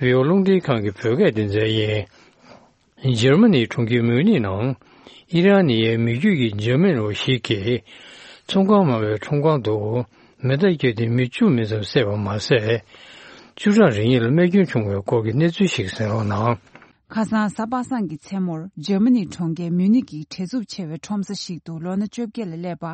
རི་བོ་རླུང་འཕྲིན་ཁང་གི་བོད་སྐད་སྡེ་ཚན་ཡིན། འཇར་མ་ནིའི་གྲོང་ཁྱེར་མིའུ་ནིག་ནང་ཨི་རན་ནི་ཡའི་མི་རྒྱུད་ཀྱི་འཇར་མན་པ་ཞིག་གིས་ཚོང་ཁང་མ་བའི་ཁྲོམ་ཁང་དུ་མེ་མདའ་བརྒྱབ་སྟེ་མི་བཅུ་མིན་ཙམ་བསད་པ་མ་ཟད། བཅུ་ཕྲག་རེ་གཉིས་ལ་རྨས་སྐྱོན་བྱུང་བའི་སྐོར་གྱི་གནས་ཚུལ་ཞིག་གསན་རོགས་གནང་། ཁ་སང་གཟའ་པ་སངས་ཀྱི་མཚན་མོར་འཇར་མ་ནིའི་གྲོང་ཁྱེར་མིའུ་ནིག་གི་བྲེལ་འཚུབ་ཆེ་བའི་ཁྲོམ་ས་ཞིག་ཏུ་ལོ་ན་བཅོ་བརྒྱད་ལ་སླེབས་པ།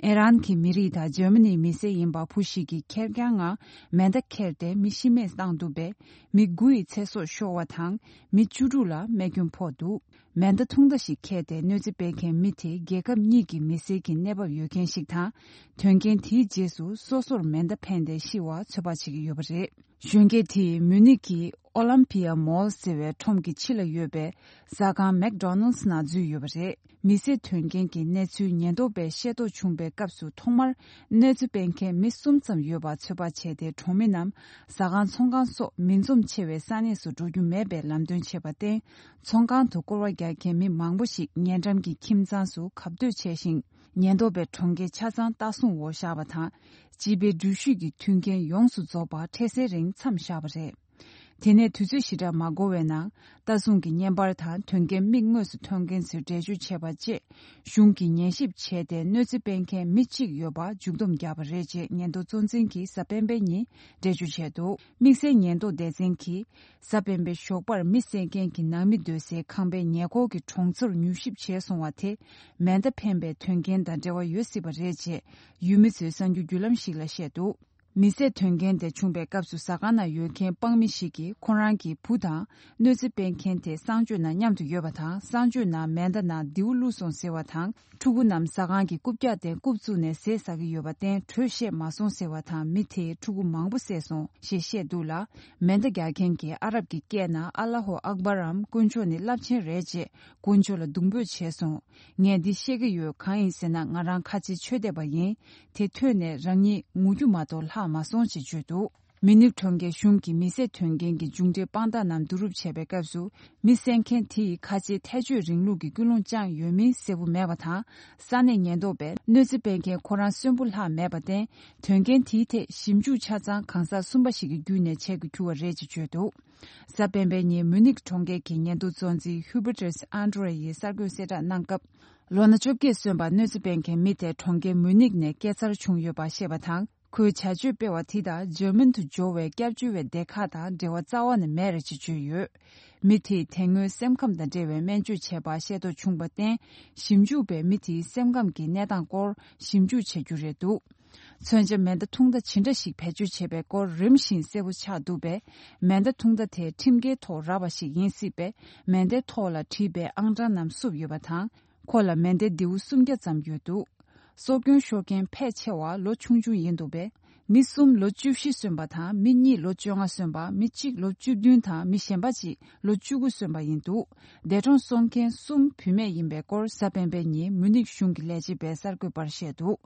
ཨི་རན་གྱི་མི་རིགས་དང་འཇར་མ་ནིའི་མི་སེར་ཡིན་པ་བུ་ཞིག་གིས་ཁེར་རྐྱང་ངང་མེ་མདའ་ཁྱེར་ཏེ་མི་ཤི་རྨས་བཏང་འདུག་པས། མི་དགུ་ཡི་ཚེ་སྲོག་ཤོར་བ་དང་། མི་བཅུ་དྲུག་ལ་རྨས་སྐྱོན་ཕོག་འདུག་མེ་མདའ་ཐུང་མདའ་ཞིག་ཁྱེར་ཏེ་གནོད་འཚེ་སྤེལ་མཁན་མི་དེ་རྒྱལ་ཁབ་གཉིས་ཀྱི་མི་སེར་གྱི་གནས་བབ་ཡོད་མཁན་ཞིག་དང་། དོན་རྐྱེན་དེའི་རྗེས་སུ་སོ་སོར་མེ་མདའ་འཕེན་ཏེ་ཤི་བ་ཚོད་དཔག་བྱེད་ཀྱི་ཡོད་པ་རེད། གཞོན་སྐྱེས་དེས་མུ་ནིག་གི་ཨོ་ལམ་པི་ཡ་མོལ་ཟེར་བའི་ཁྲོམ་གྱི་ཕྱི་ལ་ཡོད་པའི་ཟ་ཁང་མེག་ཌོ་ནལ་ནང་འཛུལ་ཡོད་པ་རེད། མི་བསད་དོན་རྐྱེན་གྱི་གནས་ཚུལ་ཉེན་རྟོག་པས་ཤེས་རྟོགས་བྱུང་པའི་སྐབས་སུ་ཐོག་མར་གནོད་འཚེ་སྤེལ་མཁན་མི་གསུམ་ཙམ་ཡོད་པ་ཚོད་དཔག་བྱས་ཏེ། གྲོང་མི་རྣམས་ཟ་ཁང་ཚོང་ཁང་སོགས་མི་འཛོམས་ཆེ་བའི་ས་གནས་སུ་འགྲོ་རྒྱུ་མེད་པའི་ལམ་སྟོན་བྱས་པར་བརྟེན། ཚོང་ཁང་དུ་སྐོར་བ་རྒྱག་མཁན་མི་མང་པོ་ཞིག་ཉེ་འགྲམ་གྱི་ཁྱིམ་ཚང་སུ་གབ་སྡོད་བྱས་ཤིང་། ཉེན་རྟོག་པས་གྲོང་ཁྱེར་ཆ་ཚང་ལྟ་སྲུང་འོག་བཞག་པ་དང་། སྤྱི་པའི་འགྲུལ་བཞུད་ཀྱི་མཐུན་རྐྱེན་ཡོངས་སུ་རྫོགས་པར་འཕྲལ་སེལ་རིང་མཚམས་བཞག་པ་རེད། དེ་ནས་དུས་ཚོད་ཞེ་དྲག་མ་འགོར་བའི་ནང་། ལྟ་སྲུང་གི་བརྙན་པར་དང་དོན་རྐྱེན་མིག་དངོས་སུ་མཐོང་མཁན་ཚོས་འགྲེལ་བརྗོད་བྱས་པ་བཅས། གཞུང་གིས་ཉན་ཞིབ་བྱས་ཏེ། གནོད་འཚེ་སྤེལ་མཁན་མི་གཅིག་ཡོད་པ་མཇུག་བསྡོམས་བརྒྱབ་པ་རེད་ཅེས་ཉེན་རྟོག་གཙོ་འཛིན་གྱིས་གཟའ་སྤེན་པའི་ཉིན་འགྲེལ་བརྗོད་བྱས་འདུག་དམིགས་བསལ་ཉེན་རྟོག་སྡེ་ཚན་གྱིས། གཟའ་སྤེན་པའི་ཞོགས་པར་མི་བསད་མཁན་གྱི་ནང་མི་སྡོད་སའི་ཁང་པའི་ཉེ་འཁོར་གྱི་གྲོང་ཚོར་མྱུལ་ཞིབ་བྱས་སོང་བ་དེ། མེ་མདའ་འཕེན་པའི་དོན་རྐྱེན་དང་འབྲེལ་བ་ཡོད་སྲིད་པ་རེད་ཅེས། ཡུལ་མི་ཚོས་གསར་འགྱུར་བརྒྱུད་ལམ་ཞིག་ལ་བཤད་འདུག་མི་བསད་དོན་རྐྱེན་དེ་བྱུང་པའི་སྐབས་སུ་ཟ་ཁང་ནང་ཡོད་མཁན་དཔང་མི་ཞིག་གིས་ཁོ་རང་གི་བུ་དང་གནོད་འཚེ་སྤེལ་མཁན་དེ་གསང་སྤྱོད་ནང་མཉམ་དུ་ཡོད་པ་དང་། གསང་སྤྱོད་ནང་མེ་མདའ་ནང་མདེའུ་བླུགས་སོང་ཟེར་བ་དང་། ཕྲུ་གུ་རྣམས་ཟ་ཁང་གི་རྐུབ་བཀྱག་སྟེང་རྐུབ་བཙུགས་ནས་ཟས་ཟ་གི་ཡོད་པར་བརྟེན་དྲོད་བཤད་མ་སོང་ཟེར་བ་དང་། མི་དེས་ཕྲུ་གུ་མང་པོ་བསད་སོང་ཞེས་བཤད་འདུག་ལ། མེ་མདའ་རྒྱག་མཁན་གྱིས་ཨ་རབ་ཀྱི་སྐད་ནང་ཨ་ལ་ཧོ་ཨག་བར་འམ། དཀོན་མཆོག་ནི་རླབས་ཆེན་རེད་ཅེས་དཀོན་མཆོག་ལ་གདུང་འབོད་བྱས་སོང་། ངས་འདི་བཤད་ཀྱི་ཡོད། གང་ཡིན་ཟེར་ན། ང་རང་ཁ་ཆེའི་ཆོས་དད་པ་ཡིན། དེ་ཐོས་ནས་རང་ཉིད་ངུ་རྒྱུ་མ་གཏོགས་ལྷག་མ་སོང་ཞེས་བརྗོད་འདུག་མི་ནིག་གྲོང་ཁྱེར་གཞུང་གིས་མི་བསད་དོན་རྐྱེན་གྱི་མཇུག་འབྲས་དཔང་རྟགས་རྣམས་བསྡུ་རུབ་བྱས་པའི་སྐབས་སུ། མི་བསད་མཁན་དེ་ཡིས་ཁ་ཆེའི་ཐལ་སྤྱོད་རིང་ལུགས་ཀྱི་ཀུན་སློང་བཅངས་ཡོད་མིན་གསལ་པོ་མེད་པ་དང་། ས་གནས་ཉེན་རྟོག་པས་གནོད་འཚེ་སྤེལ་མཁན་ཁོ་རང་གསོན་པོ་ལྷག་མེད་པར་བརྟེན། དོན་རྐྱེན་དེའི་ཐད་ཞིབ་འཇུག་ཆ་ཚང་གང་ཟག་གསུམ་པ་ཞིག་གི་བརྒྱུད་ནས་བྱེད་དགོས་གྱུར་བ་རེད་ཅེས་བརྗོད་འདུག་གཟའ་སྤེན་པའི་ཉིན་མུ་ནིག་གྲོང་ཁྱེར་གྱི་ཉེན་རྟོག་གཙོ་འཛིན་ཧུ་བྷར་ཏེས་ཨན་ཏྲེ་ཡིས་གསར་འགོད་གསལ་བསྒྲགས་གནང་སྐབས། ལོ་ན་བཅོ་བརྒྱད་སོན་པ་གནོད་འཚེ་སྤེལ་མཁན་མི་དེ་གྲོང་ཁྱེར་མུ་ནིག་ནས་སྐྱེས་འཚར་བྱུང་ཡོད་པ་བཤད་པ་དང་། ཁོས་བྱ་སྤྱོད་སྤེལ་བ་དེ་དག་འཇར་མན་དུ་འབྱོར་བའི་སྐྱབས་བཅོལ་བའི་སྡེ་ཁག་དང་འབྲེལ་བ་རྩ་བ་ནས་མེད་རེད་ཅེས་བརྗོད་ཡོད། མི་དེས་དེ་སྔོན་སེམས་ཁམས་དང་འབྲེལ་བའི་སྨན་བཅོས་བྱས་པ་ཤེས་རྟོགས་བྱུང་བར་བརྟེན། ཞིབ་འཇུག་པས་མི་དེའི་སེམས་ཁམས་ཀྱི་གནས་སྟངས་སྐོར་ཞིབ་འཇུག་བྱ་རྒྱུ་རེད་འདུག་མཚོན་ཆ་མེ་མདའ་ཐུང་མདའ་ཇི་འདྲ་ཞིག་བེད་སྤྱོད་བྱས་པའི་སྐོར་རིམ་བཞིན་གསལ་པོ་ཆགས་འདུག་པས། མེ་མདའ་ཐུང་མདའ་དེ་ཁྲིམས་འགལ་ཐོག་རག་པ་ཞིག་ཡིན་སྲིད་པས། མེ་མདའི་ཐོག་ལ་བྲིས་པའི་ཨང་གྲངས་རྣམས་བསུབས་ཡོད་པ་དང་། ཁོ་ལ་མེ་མདའི་མདེའུ་སུམ་བརྒྱ་ཙམ་ཡོད་འདུག་སྲོག་སྐྱོན་ཤོར་མཁན་ཕལ་ཆེ་བ་ལོ་ཆུང་ཆུང་ཡིན་འདུག་པས། མི་གསུམ་ལོ་བཅུ་བཞི་སོན་པ་དང་། མི་གཉིས་ལོ་བཅོ་ལྔ་སོན་པ། མི་གཅིག་ལོ་བཅུ་བདུན་དང་། མི་གཞན་པ་གཅིག་ལོ་བཅུ་དགུ་སོན་པ་ཡིན་འདུག་འདས་གྲོངས་སོང་མཁན་གསུམ་བུད་མེད་ཡིན་པའི་སྐོར་གཟའ་སྤེན་པའི་ཉིན་མུ་ནིག་གཞུང་གི་ལས་བྱེད་པས་གསར་འགོད་པར་བཤད་འདུག་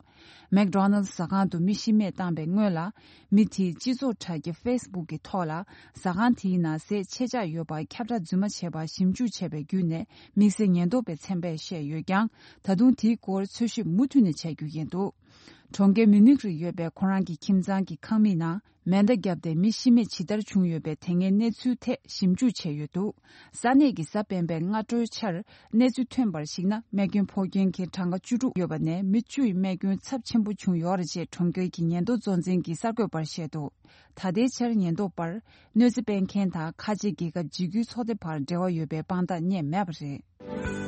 མེག་ཌོ་ནལ་ཟ་ཁང་དུ་མི་ཤི་རྨས་བཏང་པའི་སྔོན་ལ། མི་དེས་སྤྱི་ཚོགས་དྲ་རྒྱ་ཕེ་སི་བུག་གི་ཐོག་ལ། ཟ་ཁང་དེའི་ནང་ཟས་ཆད་ཆག་ཡོད་པར་ཁྱབ་བསྒྲགས་རྫུན་མ་བྱས་པར་ཞིབ་འཇུག་བྱས་པའི་བརྒྱུད་ནས། དམིགས་བསལ་ཉེན་རྟོག་པའི་ཚན་པས་བཤད་ཡོད་ཀྱང་། ད་དུང་དེའི་སྐོར་འཚོལ་ཞིབ་མུ་མཐུད་ནས་བྱ་རྒྱུ་ཡིན་འདུག་གྲོང་ཁྱེར་མིའུ་ནིག་རུ་ཡོད་པའི་ཁོ་རང་གི་ཁྱིམ་ཚང་གི་ཁང་མིག་ནང་མེ་མདའ་བརྒྱབ་སྟེ་མི་ཤི་རྨས་ཇི་ལྟར་བྱུང་ཡོད་པའི་དེ་སྔའི་གནས་ཚུལ་ཐད་ཞིབ་འཇུག་བྱས་ཡོད་འདུག་ས་གནས་ཀྱི་གཟའ་སྤེན་པའི་སྔ་དྲོའི་ཆར་གནས་ཚུལ་ཐོན་པར་གཞིགས་ན། རྨས་སྐྱོན་ཕོག་མཁན་གྱི་གྲངས་ཀ་བཅུ་དྲུག་ཡོད་པ་ནས་མི་བཅུ་ཡི་རྨས་སྐྱོན་ཚབས་ཆེན་པོ་བྱུང་ཡོད་རེད་ཅེས་གྲོང་ཁྱེར་གྱི་ཉེན་རྟོག་གཙོ་འཛིན་གྱིས་གསར་འགོད་པར་བཤད་འདུག་ད་ལྟའི་ཆར་ཉེན་རྟོག་པར་གནོད་འཚེ་སྤེལ་མཁན་དང་ཁ་ཆེ་རྒྱལ་ཁབ་འཇིགས་སྐུལ་ཚོགས་སྡེ་བར་འབྲེལ་བ་ཡོད་པའི་དཔང་རྟགས་རྙེད་མེད་པ་རེད།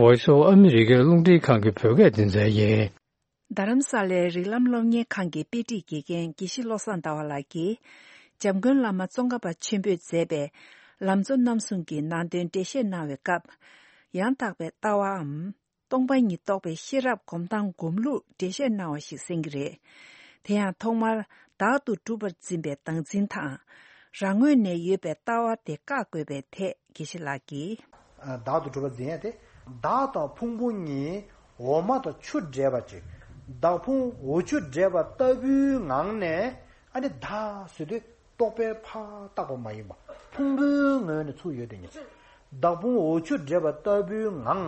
Voice of America རླུང་འཕྲིན་ཁང་གི་བོད་སྐད་སྡེ་ཚན་ཡིན། རྡ་རམ་ས་ལའི་རིགས་ལམ་སློབ་གཉེར་ཁང་གི་དཔེ་ཁྲིད་དགེ་རྒན་དགེ་བཤེས་བློ་བཟང་ཟླ་བ་ལགས་ཀྱིས། འཇམ་མགོན་བླ་མ་ཙོང་ཁ་པ་ཆེན་པོས་མཛད་པའི་ལམ་གཙོ་རྣམ་གསུམ་གྱི་ནང་དོན་འགྲེལ་བཤད་གནང་བའི་སྐབས། ཡང་དག་པའི་ལྟ་བའམ། སྟོང་པ་ཉིད་རྟོགས་པའི་ཤེས་རབ་སྒོམ་སྟངས་སྒོམ་ལུགས་འགྲེལ་བཤད་གནང་བ་ཞིག་གསན་གྱི་རེད། དེ་ཡང་ཐོག་མར་བདག་ཏུ་གྲུབ་པར་འཛིན་པའི་བདག་འཛིན་དང་། རང་ངོས་ནས་ཡོད་པའི་ལྟ་བ་དེ་བཀག་དགོས་པའི་ཐད་དགེ་བཤེས་ལགས་ཀྱིས། བདག་ཏུ་གྲུབ་པར་འཛིན་ཡ་དེ། བདག་དང་ཕུང་པོ་གཉིས་འོ་མ་དང་ཆུ་འདྲེས་པ་ཅིག་བདག་ཕུང་འོ་ཆུ་འདྲེས་པ་ལྟ་བུའི་ངང་ནས། ཨ་ནི་བདག་ཟེར་དུས་རྟོག་པས་ཕར་བཏགས་པ་མ་ཡིན་པ། ཕུང་པོའི་ངོས་ནས་ཚུར་ཡོད་དེ་ཉིད། བདག་ཕུང་འོ་ཆུ་འདྲེས་པ་ལྟ་བུའི་ངང་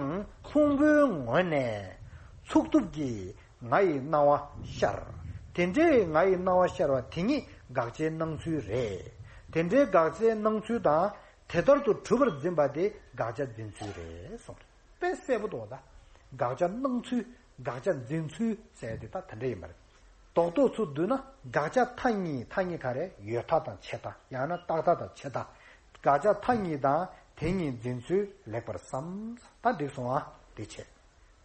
ཕུང་པོའི་ངོས་ནས་ཚུགས་ཐུབ་ཀྱི་ང་ཡི་སྣང་བ་ཤར། དེ་འདྲའི་ང་ཡི་སྣང་བ་ཤར་བ་དེ་ཉིད་དགག་བྱའི་སྣང་ཚུལ་རེད། དེ་འདྲའི་དགག་བྱའི་སྣང་ཚུལ་དང་དེ་ལྟར་དུ་གྲུབ་པར་འཛིན་པ་དེ་དགག་བྱ་འཛིན་ཚུལ་རེད་གསུངས། དཔེ་གསལ་པོ་འདུག་བ་ད། དགག་བྱ་སྣང་ཚུལ། དགག་བྱ་འཛིན་ཚུལ་ཟེར་དེ་ད་དེ་འདྲ་ཡིན་པ་རེད། རྡོག་རྡོག་ཚུར་བསྡུས་ན་དགག་བྱ་མཐའ་གཉིས། མཐའ་གཉིས་ག་རེ། ཡོད་མཐའ་དང་ཆད་མཐའ། ཡང་ན་རྟག་མཐའ་དང་ཆད་མཐའ། དགག་བྱ་མཐའ་གཉིས་དང་དེ་གཉིས་འཛིན་ཚུལ་ལེགས་པར་བསམ། ད་འགྲིག་སོང་ཨ། དེ་བྱས།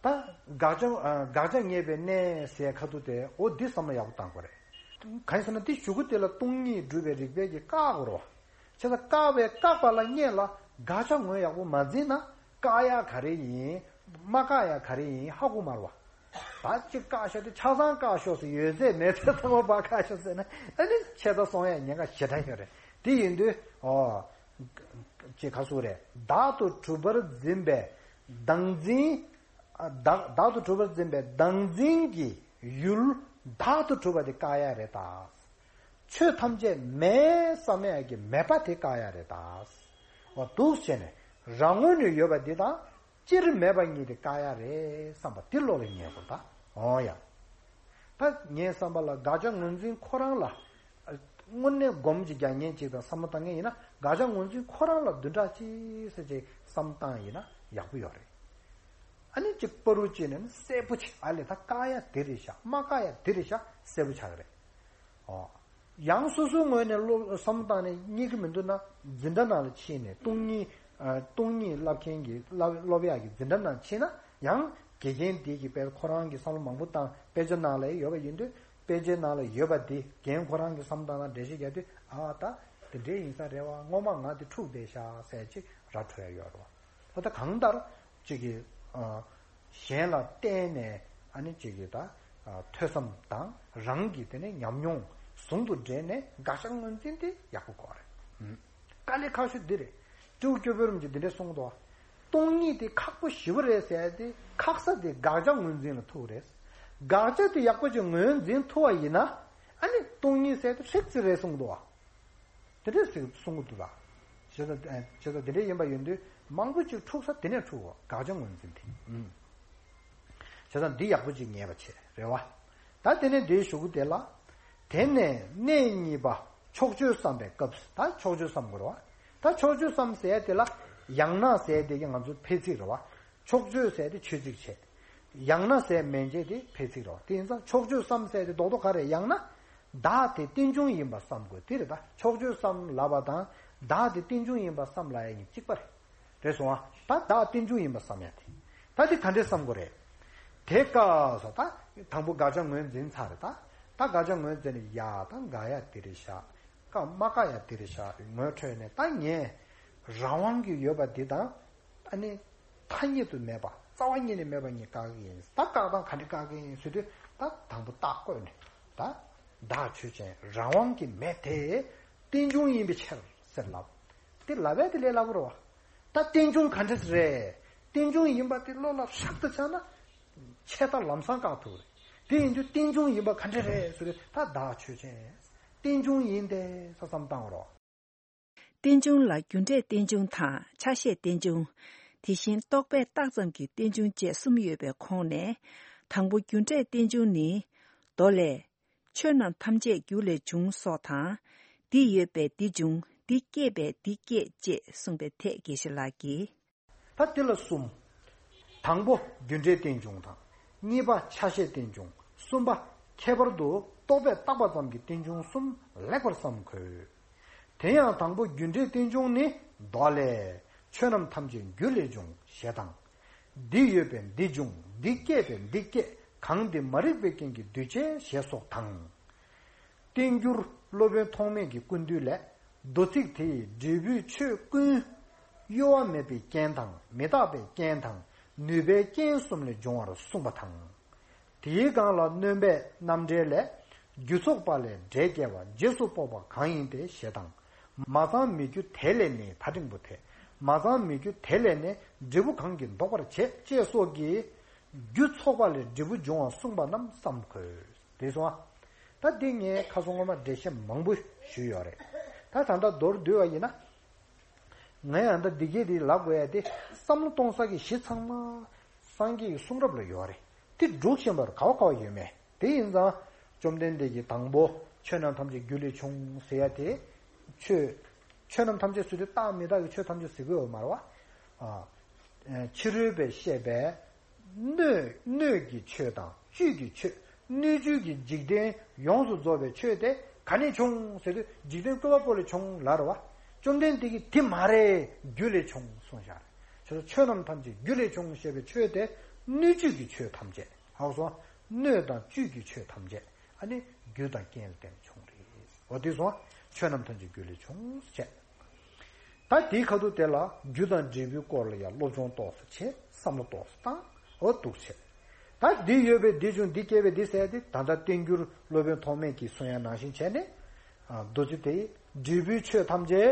ད་དགག་བྱ་ཨ། དགག་བྱ་ངེས་པའི་གནས་ཟེར་ཁ་ཐུག་དེ། འོ་འདི་བསམ་བློ་ཡག་པོ་བཏང་དགོས་རེད། གང་ཡིན་ཟེར་ན་དེ་གཞུག་གུ་དེ་ལ་སྟོང་ཉིད་སྒྲུབ་པའི་རིགས་པས་ཀྱིས་བཀག་དགོས་རེད་བ། བྱས་ཙང་བཀག་པའི་བཀག་པ་ལ་སྔོན་ལ་དགག་བྱ་ངོས་ཡག་པོ་མ་འཛིན་ན་བཀག་ཡ་ག་རེ་ཡིན། མ་བཀག་ཡ་ག་རེ་ཡིན་ཧ་གོ་མ་རེད་བ། ད་ཅིག་བཀག་ཤོག་དེ་ཆ་ཚང་བཀག་ཤོག་ཟེར། ཡོད་ཚད་མེད་ཚད་ཚང་མ་ཕར་བཀག་ཤོག་ཟེར་ན། ཨ་ནི་ཆད་མཐའ་སོང་ཡ་ཉེན་ཁ་ཞེ་དྲག་ཡོད་རེད། དེ་ཡིན་དུས་ཨོ། ཅིག་ག་ཟེར་རེད། བདག་ཏུ་གྲུབ་པར་འཛིན་པའི་བདག་འཛིན། བདག་བདག་ཏུ་གྲུབ་པར་འཛིན་པའི་བདག་འཛིན་གྱི་ཡུལ་བདག་ཏུ་གྲུབ་པ་དེ་བཀག་ཡ་རེད་ད། ཆོས་ཐམས་ཅད་མེད་བསམ་ཡ་གི་མེད་པ་དེ་བཀག་ཡ་རེད་ད། འོ་འདུག་བྱས་ནས་རང་ངོས་ནས་ཡོད་པ་འདི་དང་སྤྱིར་མེད་པ་གཉིས་དེ་བཀག་ཡ་རེད་བསམ་པ་འདི་བློ་ལ་ངེས་དགོས་ད། འོ་ཡ། ད་ངའི་བསམ་པ་ལ་དགག་བྱ་ངོས་འཛིན་ཁོ་རང་ལ་དངོས་གནས་སྒོམ་གྱི་རྒྱག་མཁན་ཅིག་དང་བསམ་བློ་བཏང་མཁན་ཡིན་ན། དགག་བྱ་ངོས་འཛིན་ཁོ་རང་ལ་བདུན་ཕྲག་གཅིག་ཙམ་ཅིག་བསམ་བཏང་ཡིན་ན་ཡག་པོ་ཡོད་རེད། ཨ་ནི་ཅིག་བར་དུ་བཅད་ནས་ནི་གསལ་པོ་ཆགས། ཨ་ལས་ད་བཀག་ཡ་དེ་རེད་ཤག་མ་བཀག་ཡ་དེ་རེད་ཤག་གསལ་པོ་ཆགས་ཀྱི་རེད། ཨོ། ཡང་སོ་སོའི་ངོས་ནས་བློ་བསམ་བཏང་ནས་རྙེད་ཀྱི་མི་འདུག་ན། འཛིན་གྲྭ་ནང་ལ་ཕྱིན་ནས་སྟོང་ཉིད། ཨ། སྟོང་ཉིད་བསླབ་མཁན་གྱི་བསླབ་སློབ་ཡག་གི་འཛིན་གྲྭ་ནང་ཕྱིན་ན་ཡང་། དགེ་རྒན་དེ་གིས་དཔེ་ཁོ་རང་གི་བསམ་བློ་མང་པོ་བཏང་། དཔེ་ཆ་ནང་ལ་ཡོད་པ་ཡིན་དུས། དཔེ་ཆའི་ནང་ལ་ཡོད་པ་དེ་རྒན་ཁོ་རང་གིས་བསམ་བཏང་ན་འགྲེལ་བཤད་རྒྱག་དུས། ཨ། ད་དེ་འདྲའི་ཡིན་ས་རེད་བ། སྔོན་མ་ང་དེ་འཁྲུགས་བསྡད་ཤག་ཟེར་ཅིག་ར་འཕྲོད་ཡ་ཡོད་རེད་བ། ཨོ། ད་གང་ལྟར་ཅིག་གིས། ཨ། གཞན་ལ་བརྟེན་ནས། ཨ་ནི་ཅིག་གིས་ད། ཨ། ཐོས་བསམ་དང་རང་གི་དེ་ནས་ཉམས་མྱོང་ཟུང་དུ་འབྲེལ་ནས་དགག་བྱ་ངོས་འཛིན་དེ་ཡག་པོ་དགོས་རེད། ཨུམ། དཀའ་ལས་ཁག་ཤོས་འདི་རེད། སྤྲེའུ་སྐྱོ་བོའི་རིམ་གྱིས་འདི་འདྲས་གསུངས་འདུག་སྟོང་ཉིད་དེ་ཁག་པོ་ཞེ་པོ་རེད་ཟེར་ཏེ། ཁག་ས་དེ་དགག་བྱ་ངོས་འཛིན་ལ་ཐུག་རེད། དགག་བྱ་དེ་ཡག་པོ་ཅིག་ངོས་འཛིན་ཐུབ་པ་ཡིན་ན། ཨ་ནི་སྟོང་ཉིད་ཟེར་དེ་ཧྲིག་ཙི་རེད་གསུངས་འདུག་དེ་འདྲས་ཟེར་གསུང་གི་འདུག་ད། བྱས་ཙང་། བྱས་ཙང་དེ་འདྲས་ཡིན་པ་ཡིན་དུས་མང་པོ་ཅིག་འཁྲུག་ས་དེ་ནས་འཁྲུག་གོ། དགག་བྱ་ངོས་འཛིན་དེ། ཨུམ། བྱས་ཙང་འདི་ཡག་པོ་ཅིག་ངེས་པ་བྱས་རེད་བ། ད་དེ་ནས་འདིའི་གཞུག་གུ་དེ་ལ། དེ་ནས་གནས་གཉིས་པ་ཕྱོགས་ཆོས་བསམ་པའི་སྐབས། ད་ཕྱོགས་ཆོས་བསམ་དགོས་རེད་བ། ད་ཕྱོགས་ཆོས་བསམ་ཟེར་དེ་ལ། ཡང་ན་ཟེར་དེ་གི་ང་ཚོ་ཕལ་ཚིག་རེད་བ། ཕྱོགས་ཆོས་ཟེར་དེ་ཆོས་ཚིག་བྱས། ཡང་ན་ཟེར་མན་ཆད་དེ་ཕལ་ཚིག་རེད་བ། དེ་ཡིན་ཙང་ཕྱོགས་ཆོས་བསམ་ཟེར་དེ་རྡོག་རྡོག་ག་རེ། ཡང་ན། བདག་དེ་རྟེན་འབྱུང་ཡིན་པ་བསམ་དགོས། དེ་རེད་ད། ཕྱོགས་ཆོས་བསམ་ལབ་པ་དང་བདག་དེ་རྟེན་འབྱུང་ཡིན་པ་བསམ་ལབ་ཡ་གཉིས་གཅིག་པ་རེད། རེད་སོང་ཨ། ད་བདག་རྟེན་འབྱུང་ཡིན་པ་བསམ་ཡ་དེ། ད་དེ་ག་འདྲས་བསམ་དགོས་རེད། དེ་སྐབས་སུ་ད་དང་པོ་དགག་བྱ་ངོས་འཛིན་ཚར་རེད་ད། ད་དགག་བྱ་ངོས་འཛིན་ནས་ཡ་ད་དགག་ཡ་དེ་རེད་ཤག་བཀག་མ་བཀག་ཡ་དེ་རེད་ཤག་ངོས་འཕྲོད་ནས། ད་ངས་རང་དབང་གི་ཡོད་པ་འདི་དང་། ཨ་ནི་ཐ་སྙད་དུ་མེད་པ། རྩ་བ་ཉིད་ནས་མེད་པ་གཉིས་བཀག་གི་ཡིན། ད་བཀག་སྟངས་ག་འདྲ་བཀག་གི་ཡིན་ཟེར་དུས། ད་དང་པོ་རྟགས་བཀོད་ནས། ད་བདག་ཆོས་ཅན། རང་དབང་གི་མེ་དེ་རྟེན་འབྱུང་ཡིན་པའི་ཕྱིར་ཟེར་ལབ། དེ་ལབ་པས་དེ་ལས་སླ་པོ་རེད་བ། ད་རྟེན་འབྱུང་ག་འདྲ་རེད། རྟེན་འབྱུང་ཡིན་པ་དེ་བློ་ལ་ཧྲག་ཏུ་ཆགས་ན་ཆད་ལྟ་ལམ་སང་བཀག་ཐུབ་རེད། དེ་ཡིན་དུས་རྟེན་འབྱུང་ཡིན་པ་ག་འདྲ་རེད་ཟེར་དུས་ད་བདག་ཆོས་ཅན། རྟེན་འབྱུང་ཡིན་ཏེ་ས་བསམ་བཏང་རོགས། རྟེན་འབྱུང་ལ་རྒྱུ་འབྲས་རྟེན་འབྱུང་དང་ཆ་ཤས་རྟེན་འབྱུང་། དེ་བཞིན་རྟོག་པས་བཏགས་ཙམ་གྱི་རྟེན་འབྱུང་བཅས་གསུམ་ཡོད་པའི་ཁོངས་ནས། དང་པོ་རྒྱུ་འབྲས་རྟེན་འབྱུང་ནི། མདོ་ལས། ཆོས་རྣམས་ཐམས་ཅད་རྒྱུ་ལས་བྱུང་སོགས་དང་། འདི་ཡོད་པས་འདི་འབྱུང་། འདི་སྐྱེས་པས་འདི་སྐྱེས་ཅེས་གསུངས་པའི་ཐད་དགེ་བཤེས་ལགས་ཀྱིས། ད་དེ་ལ་གསུམ། དང་པོ་རྒྱུ་འབྲས་རྟེན་འབྱུང་དང་། གཉིས་པ་ཆ་ཤས་རྟེན་འབྱུང་། གསུམ་པ་ཁྱད་པར་དུ་རྟོག་པས་བཏགས་པ་ཙམ་གྱི་རྟེན་འབྱུང་གསུམ་ལེགས་པར་བསམ་དགོས། དེ་ཡང་དང་པོ་རྒྱུ་འབྲས་རྟེན་འབྱུང་ནི་མདོ་ལས། ཆོས་རྣམས་ཐམས་ཅད་རྒྱུ་ལས་བྱུང་ཞེས་དང་། འདི་ཡོད་པས་འདི་འབྱུང་། འདི་སྐྱེས་པས་འདི་སྐྱེས། གང་འདི་མ་རིག་པའི་རྐྱེན་གྱིས་འདུས་བྱས་ཞེས་སོགས་དང་། བསྟན་འགྱུར་སློབ་དཔོན་ཐོགས་མེད་ཀྱི་ཀུན་བཏུས་ལས། མདོ་ཚིག་དེ་ཡི་འབྲས་བུའི་ཆོས་ཀུན། གཡོ་བ་མེད་པའི་རྐྱེན་དང་མི་རྟག་པའི་རྐྱེན་དང་ནུས་པའི་རྐྱེན་གསུམ་ལས་འབྱུང་བར་གསུངས་པ་དང་། དེའི་སྒང་ལ་སྣོན་པའི་རྣམ་འགྲེལ་ལས། རྒྱུ་ཚོགས་པ་ལས་འབྲས་སྐྱེ་བ། རྗེས་སུ་དཔོག་པ་གང་ཡིན་ཏེ་ཞེས་དང་། མ་ཚང་མི་རྒྱུ་དེ་ལས་ནི་ད་འབྲིང་པོ་དེ། མ་ཚང་མི་རྒྱུ་དེ་ལས་ནི་འབྲས་བུ་གང་གིས་ལྡོག་པར་བྱེད་ཅེས་སོགས་ཀྱིས། རྒྱུ་ཚོགས་པ་ལས་འབྲས་བུ་འབྱུང་བ་གསུངས་པ་རྣམས་བསམ་དགོས། དེ་སོང་ཨ། ད་འདི་ངས་ཁ་སང་སྔོན་མ་འགྲེལ་བཤད་མང་པོ་ཞུས་ཡོད་རེད། ད་ད་ལྟ་མདོར་བསྡུས་པ་ཡིན་ན། ང་ཡང་ད་འདི་གས་དེ་ལབ་དགོས་ཡ་དེ་བསམ་བློ་གཏོང་ས་གི་གཞི་ཚང་མ་སངས་རྒྱས་ཀྱི་གསུང་རབ་ལ་ཡོད་རེད། དེ་སྒྲུབ་བཞིན་པར་ག་བ་ག་བ་ཡོད་མེད་དེ་ཡིན་ཙང་། བཅོམ་ལྡན་འདས་ཀྱིས་དང་པོ་ཆོས་རྣམས་ཐམས་ཅད་རྒྱུ་ལས་བྱུང་ཟེར་ཡ་དེ། ཆོས། ཆོས་རྣམས་ཐམས་ཅད་ཟེར་དུས་རྟག་མི་རྟག་གི་ཆོས་ཐམས་ཅད་ཟེར་གི་ཡོད་མ་རེད་བ། ཨ། ཕྱི་རོལ་པས་བཤད་པའི། སྣོད། སྣོད་ཀྱི་ཆོས་དང་བཅུད་ཀྱི་ཆོས། སྣོད་བཅུད་ཀྱི་འཇིག་རྟེན་ཡོངས་སུ་རྫོགས་པའི་ཆོས་དེ་ག་ནས་བྱུང་ཟེར་དུས་འཇིག་རྟེན་བཀོད་པ་པོ་ལས་བྱུང་ལབ་རེད་བ། བཅོམ་ལྡན་འདས་ཀྱིས་དེ་མ་རེད། རྒྱུ་ལས་བྱུང་གསུངས་བཞག་རེད། བྱས་ཙང་ཆོས་རྣམས་ཐམས་ཅད་རྒྱུ་ལས་བྱུང་ཞེས་པའི་ཆོས་དེ་སྣོད་བཅུད་ཀྱི་ཆོས་ཐམས་ཅད། ཧ་གོ་སོང་། སྣོད་དང་བཅུད་ཀྱི་ཆོས་ཐམས་ཅད་ཨ་ནི་རྒྱུ་དང་རྐྱེན་ལ་བརྟེན་ནས་བྱུང་རེད། འོ་དེ་སོང་ཆོས་རྣམས་ཐམས་ཅད་རྒྱུ་ལས་བྱུང་ཟེར་བྱས། ད་དེའི་ཁ་ཐུག་དེ་ལ་རྒྱུ་དང་འབྲས་བུའི་སྐོར་ལ་ཡང་སློབ་སྦྱོང་ཏོག་ཙམ་བྱེད། བསམ་བློ་ཏོག་ཙམ་བཏང་། འོ་འདུག་བྱེད། ད་འདི་ཡོད་པས་འདི་བྱུང་། འདི་སྐྱེས་པས་འདི་ཟེར་ཏེ། ད་ལྟ་བསྟན་འགྱུར་སློབ་དཔོན་ཐོགས་མེད་ཀྱིས་གསུང་ཡ་ནང་བཞིན་བྱས་ནས། ཨ། མདོ་ཚིག་དེ་ཡི་འབྲས་བུའི་ཆོས་ཐམས་ཅད་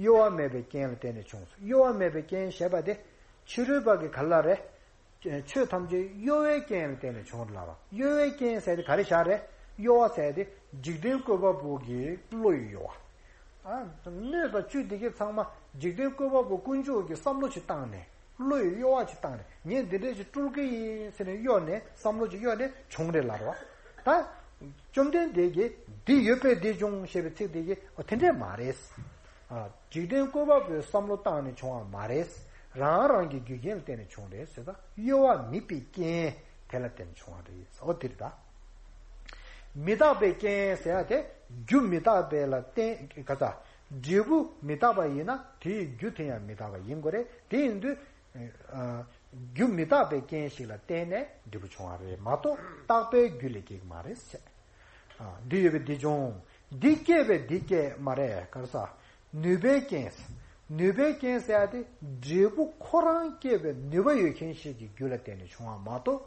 གཡོ་བ་མེད་པའི་རྐྱེན་ལ་བརྟེན་ནས་བྱུང་། གཡོ་བ་མེད་པའི་རྐྱེན་ཞེས་པ་དེ་ཕྱི་རོལ་པ་གི་ག་ལ་རེད། ཆོས་ཐམས་ཅད་གཡོ་བའི་རྐྱེན་ལ་བརྟེན་ནས་བྱུང་ལབ་པ། གཡོ་བའི་རྐྱེན་ཟེར་དེ་ག་རེ་བཞག་རེད། གཡོ་བ་ཟེར་དེ་འཇིག་རྟེན་བཀོད་པ་པོ་གི་བློ་ཡི་གཡོ་བ། ཨ། སྣོད་དང་བཅུད་འདི་གའི་ཚང་མ་འཇིག་རྟེན་བཀོད་པ་པོ་དཀོན་མཆོག་གི་བསམ་བློ་ཞིག་བཏང་ནས། བློ་ཡི་གཡོ་བ་ཞིག་བཏང་ནས། ངས་འདི་འདྲས་ཞིག་སྤྲུལ་གི་ཡིན་ཟེར་ནས་གཡོ་ནས། བསམ་བློ་ཞིག་གཡོ་ནས་བྱུང་རེད་ལབ་རེད་བ། ད་བཅོམ་ལྡན་འདས་ཀྱིས་འདི་ཡོད་པས་འདི་བྱུང་ཞེས་པའི་ཚིག་དེ་གིས། འོ་དེ་འདྲས་མ་རེད། ཨ། འཇིག་རྟེན་བཀོད་པ་པོའི་བསམ་བློ་བཏང་ནས་བྱུང་བ་མ་རེད། རང་རང་གི་རྒྱུ་རྐྱེན་ལ་བརྟེན་ནས་བྱུང་རེད་ཟེར། ད་གཡོ་བ་མེད་པའི་རྐྱེན་དེ་ལ་བརྟེན་ནས་བྱུང་བ་རེད། འོ་དེ་རེད་ད། མི་རྟག་པའི་རྐྱེན་ཟེར་ཡ་དེ་རྒྱུ་མི་རྟག་པའི་ལ་བརྟེན། ག་ས། འབྲས་བུ་མི་རྟག་པ་ཡིན་ན་དེའི་རྒྱུ་དེ་ཡང་མི་རྟག་པ་ཡིན་དགོས་རེད། དེ་ཡིན་དུས། ཨ། རྒྱུ་མི་རྟག་པའི་རྐྱེན་ཞིག་ལ་བརྟེན་ནས་འབྲས་བུ་བྱུང་བ་རེད་མ་གཏོགས་རྟག་པའི་རྒྱུ་ལས་སྐྱེ་གི་མ་རེད་ཟེར། ཨ། འདི་ཡོད་པས་འདི་བྱུང་། འདི་སྐྱེས་པས་འདི་སྐྱེས་མ་རེད། ག་རེ་ཟ། ནུས་པའི་རྐྱེན། ནུས་པའི་རྐྱེན་ཟེར་ཡ་དེ་འབྲས་བུ་ཁོ་རང་སྐྱེད་པའི་ནུས་པ་ཡོད་མཁན་ཞིག་གི་རྒྱུ་ལ་བརྟེན་ནས་བྱུང་བ་མ་གཏོགས།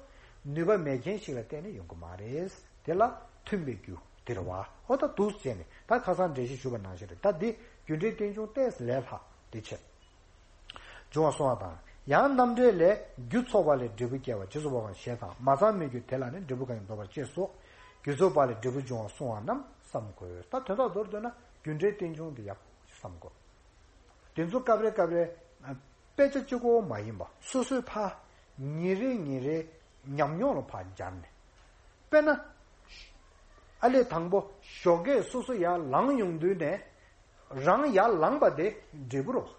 ནུས་པ་མེད་མཁན་ཞིག་ལ་བརྟེན་ནས་ཡོང་གི་མ་རེད། དེ་ལ་མཐུན་པའི་རྒྱུ་དེ་རེད་བ། འོ་ད་འདུག་བྱས་ནས་ད་ཁ་སང་འགྲེལ་བཤད་ཞུས་པ་ནང་བཞིན་རེད། ད་འདི་རྒྱུ་འབྲས་རྟེན་འབྱུང་ཏོག་ཙམ་ལས་ལྷག་དེ་བྱས། འབྱུང་བ་གསུང་བ་དང་། ཡང་རྣམ་འགྲེལ་ལས། རྒྱུ་ཚོགས་པ་ལས་འབྲས་བུ་སྐྱེ་བ། རྗེས་སུ་དཔོག་པ་ཞེས་དང་། མ་ཚང་མི་རྒྱུ་དེ་ལ་ནི་འབྲས་བུ་གང་ཡིན་ལྡོག་པར་བྱེད་སོགས། རྒྱུ་ཚོགས་པ་ལས་འབྲས་བུ་འབྱུང་བ་གསུང་བ་རྣམས་བསམ་དགོས། ད་དོན་དག་མདོར་བསྡུས་ན་རྒྱུ་འབྲས་རྟེན་འབྱུང་དེ་ཡག་པོ་བསམ་དགོས། དེ་ཚོ་སྐབས་རེ་སྐབས་རེ་དཔེ་ཆ་གཅིག་པོ་མ་ཡིན་པ་སོ་སོའི་ཕར་ཉིན་རེ་ཉིན་རེ་ཉམས་མྱོང་ལ་ཕར་སྦྱར་ནས། དཔེར་ན། ཨ་ལས་དང་པོ་ཞོགས་ཀས་སོ་སོ་ཡར་ལངས་ཡོང་དུས་ནས། རང་ཡར་ལངས་པ་དེ་འབྲས་བུ་རེད།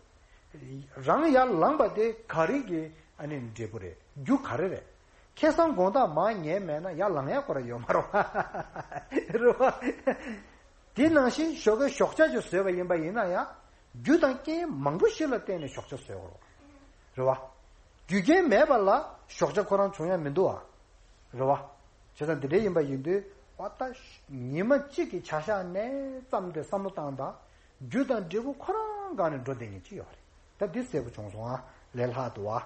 རང་ཡར་ལངས་པ་དེ་ག་རེ་གི་ཨ་ནི་འབྲས་བུ་རེད། རྒྱུ་ག་རེ་རེད། ཁ་སང་དགོང་དག་མར་ཉལ་མེད་ན་ཡར་ལངས་ཡག་ཁོ་རང་ཡོད་མ་རེད་བ། རེད་བ། དེ་ནང་བཞིན་ཞོགས་ཀས་ཞོགས་ཇ་ཅིག་བཟོས་པ་ཡིན་པ་ཡིན་ན་ཡང་། རྒྱུ་དང་རྐྱེན་མང་པོ་ཞིག་ལ་བརྟེན་ནས་ཞོགས་ཇ་བཟོས་ཡོད་རེད་བ། རྒྱུ་རྐྱེན་མེད་པ་ལ་ཞོགས་ཇ་ཁོ་རང་བྱུང་ཡ་མི་འདུག་བ། རེད་བ། བྱས་ཙང་འདི་འདྲ་ཡིན་པ་ཡིན་དུས། འོ་ད་ཉི་མ་གཅིག་གི་བྱ་གཞག་ནས་བརྩམས་ཏེ་བསམ་བློ་བཏང་དང་། རྒྱུ་དང་འབྲས་བུ་ཁོ་རང་སྒང་ནས་འགྲོ་བསྡད་མཁན་ཅིག་ཡོད་རེད། ད་འདི་གསལ་པོ་བྱུང་སོང་ཨ། ལས་སླ་འདུག་ཨ།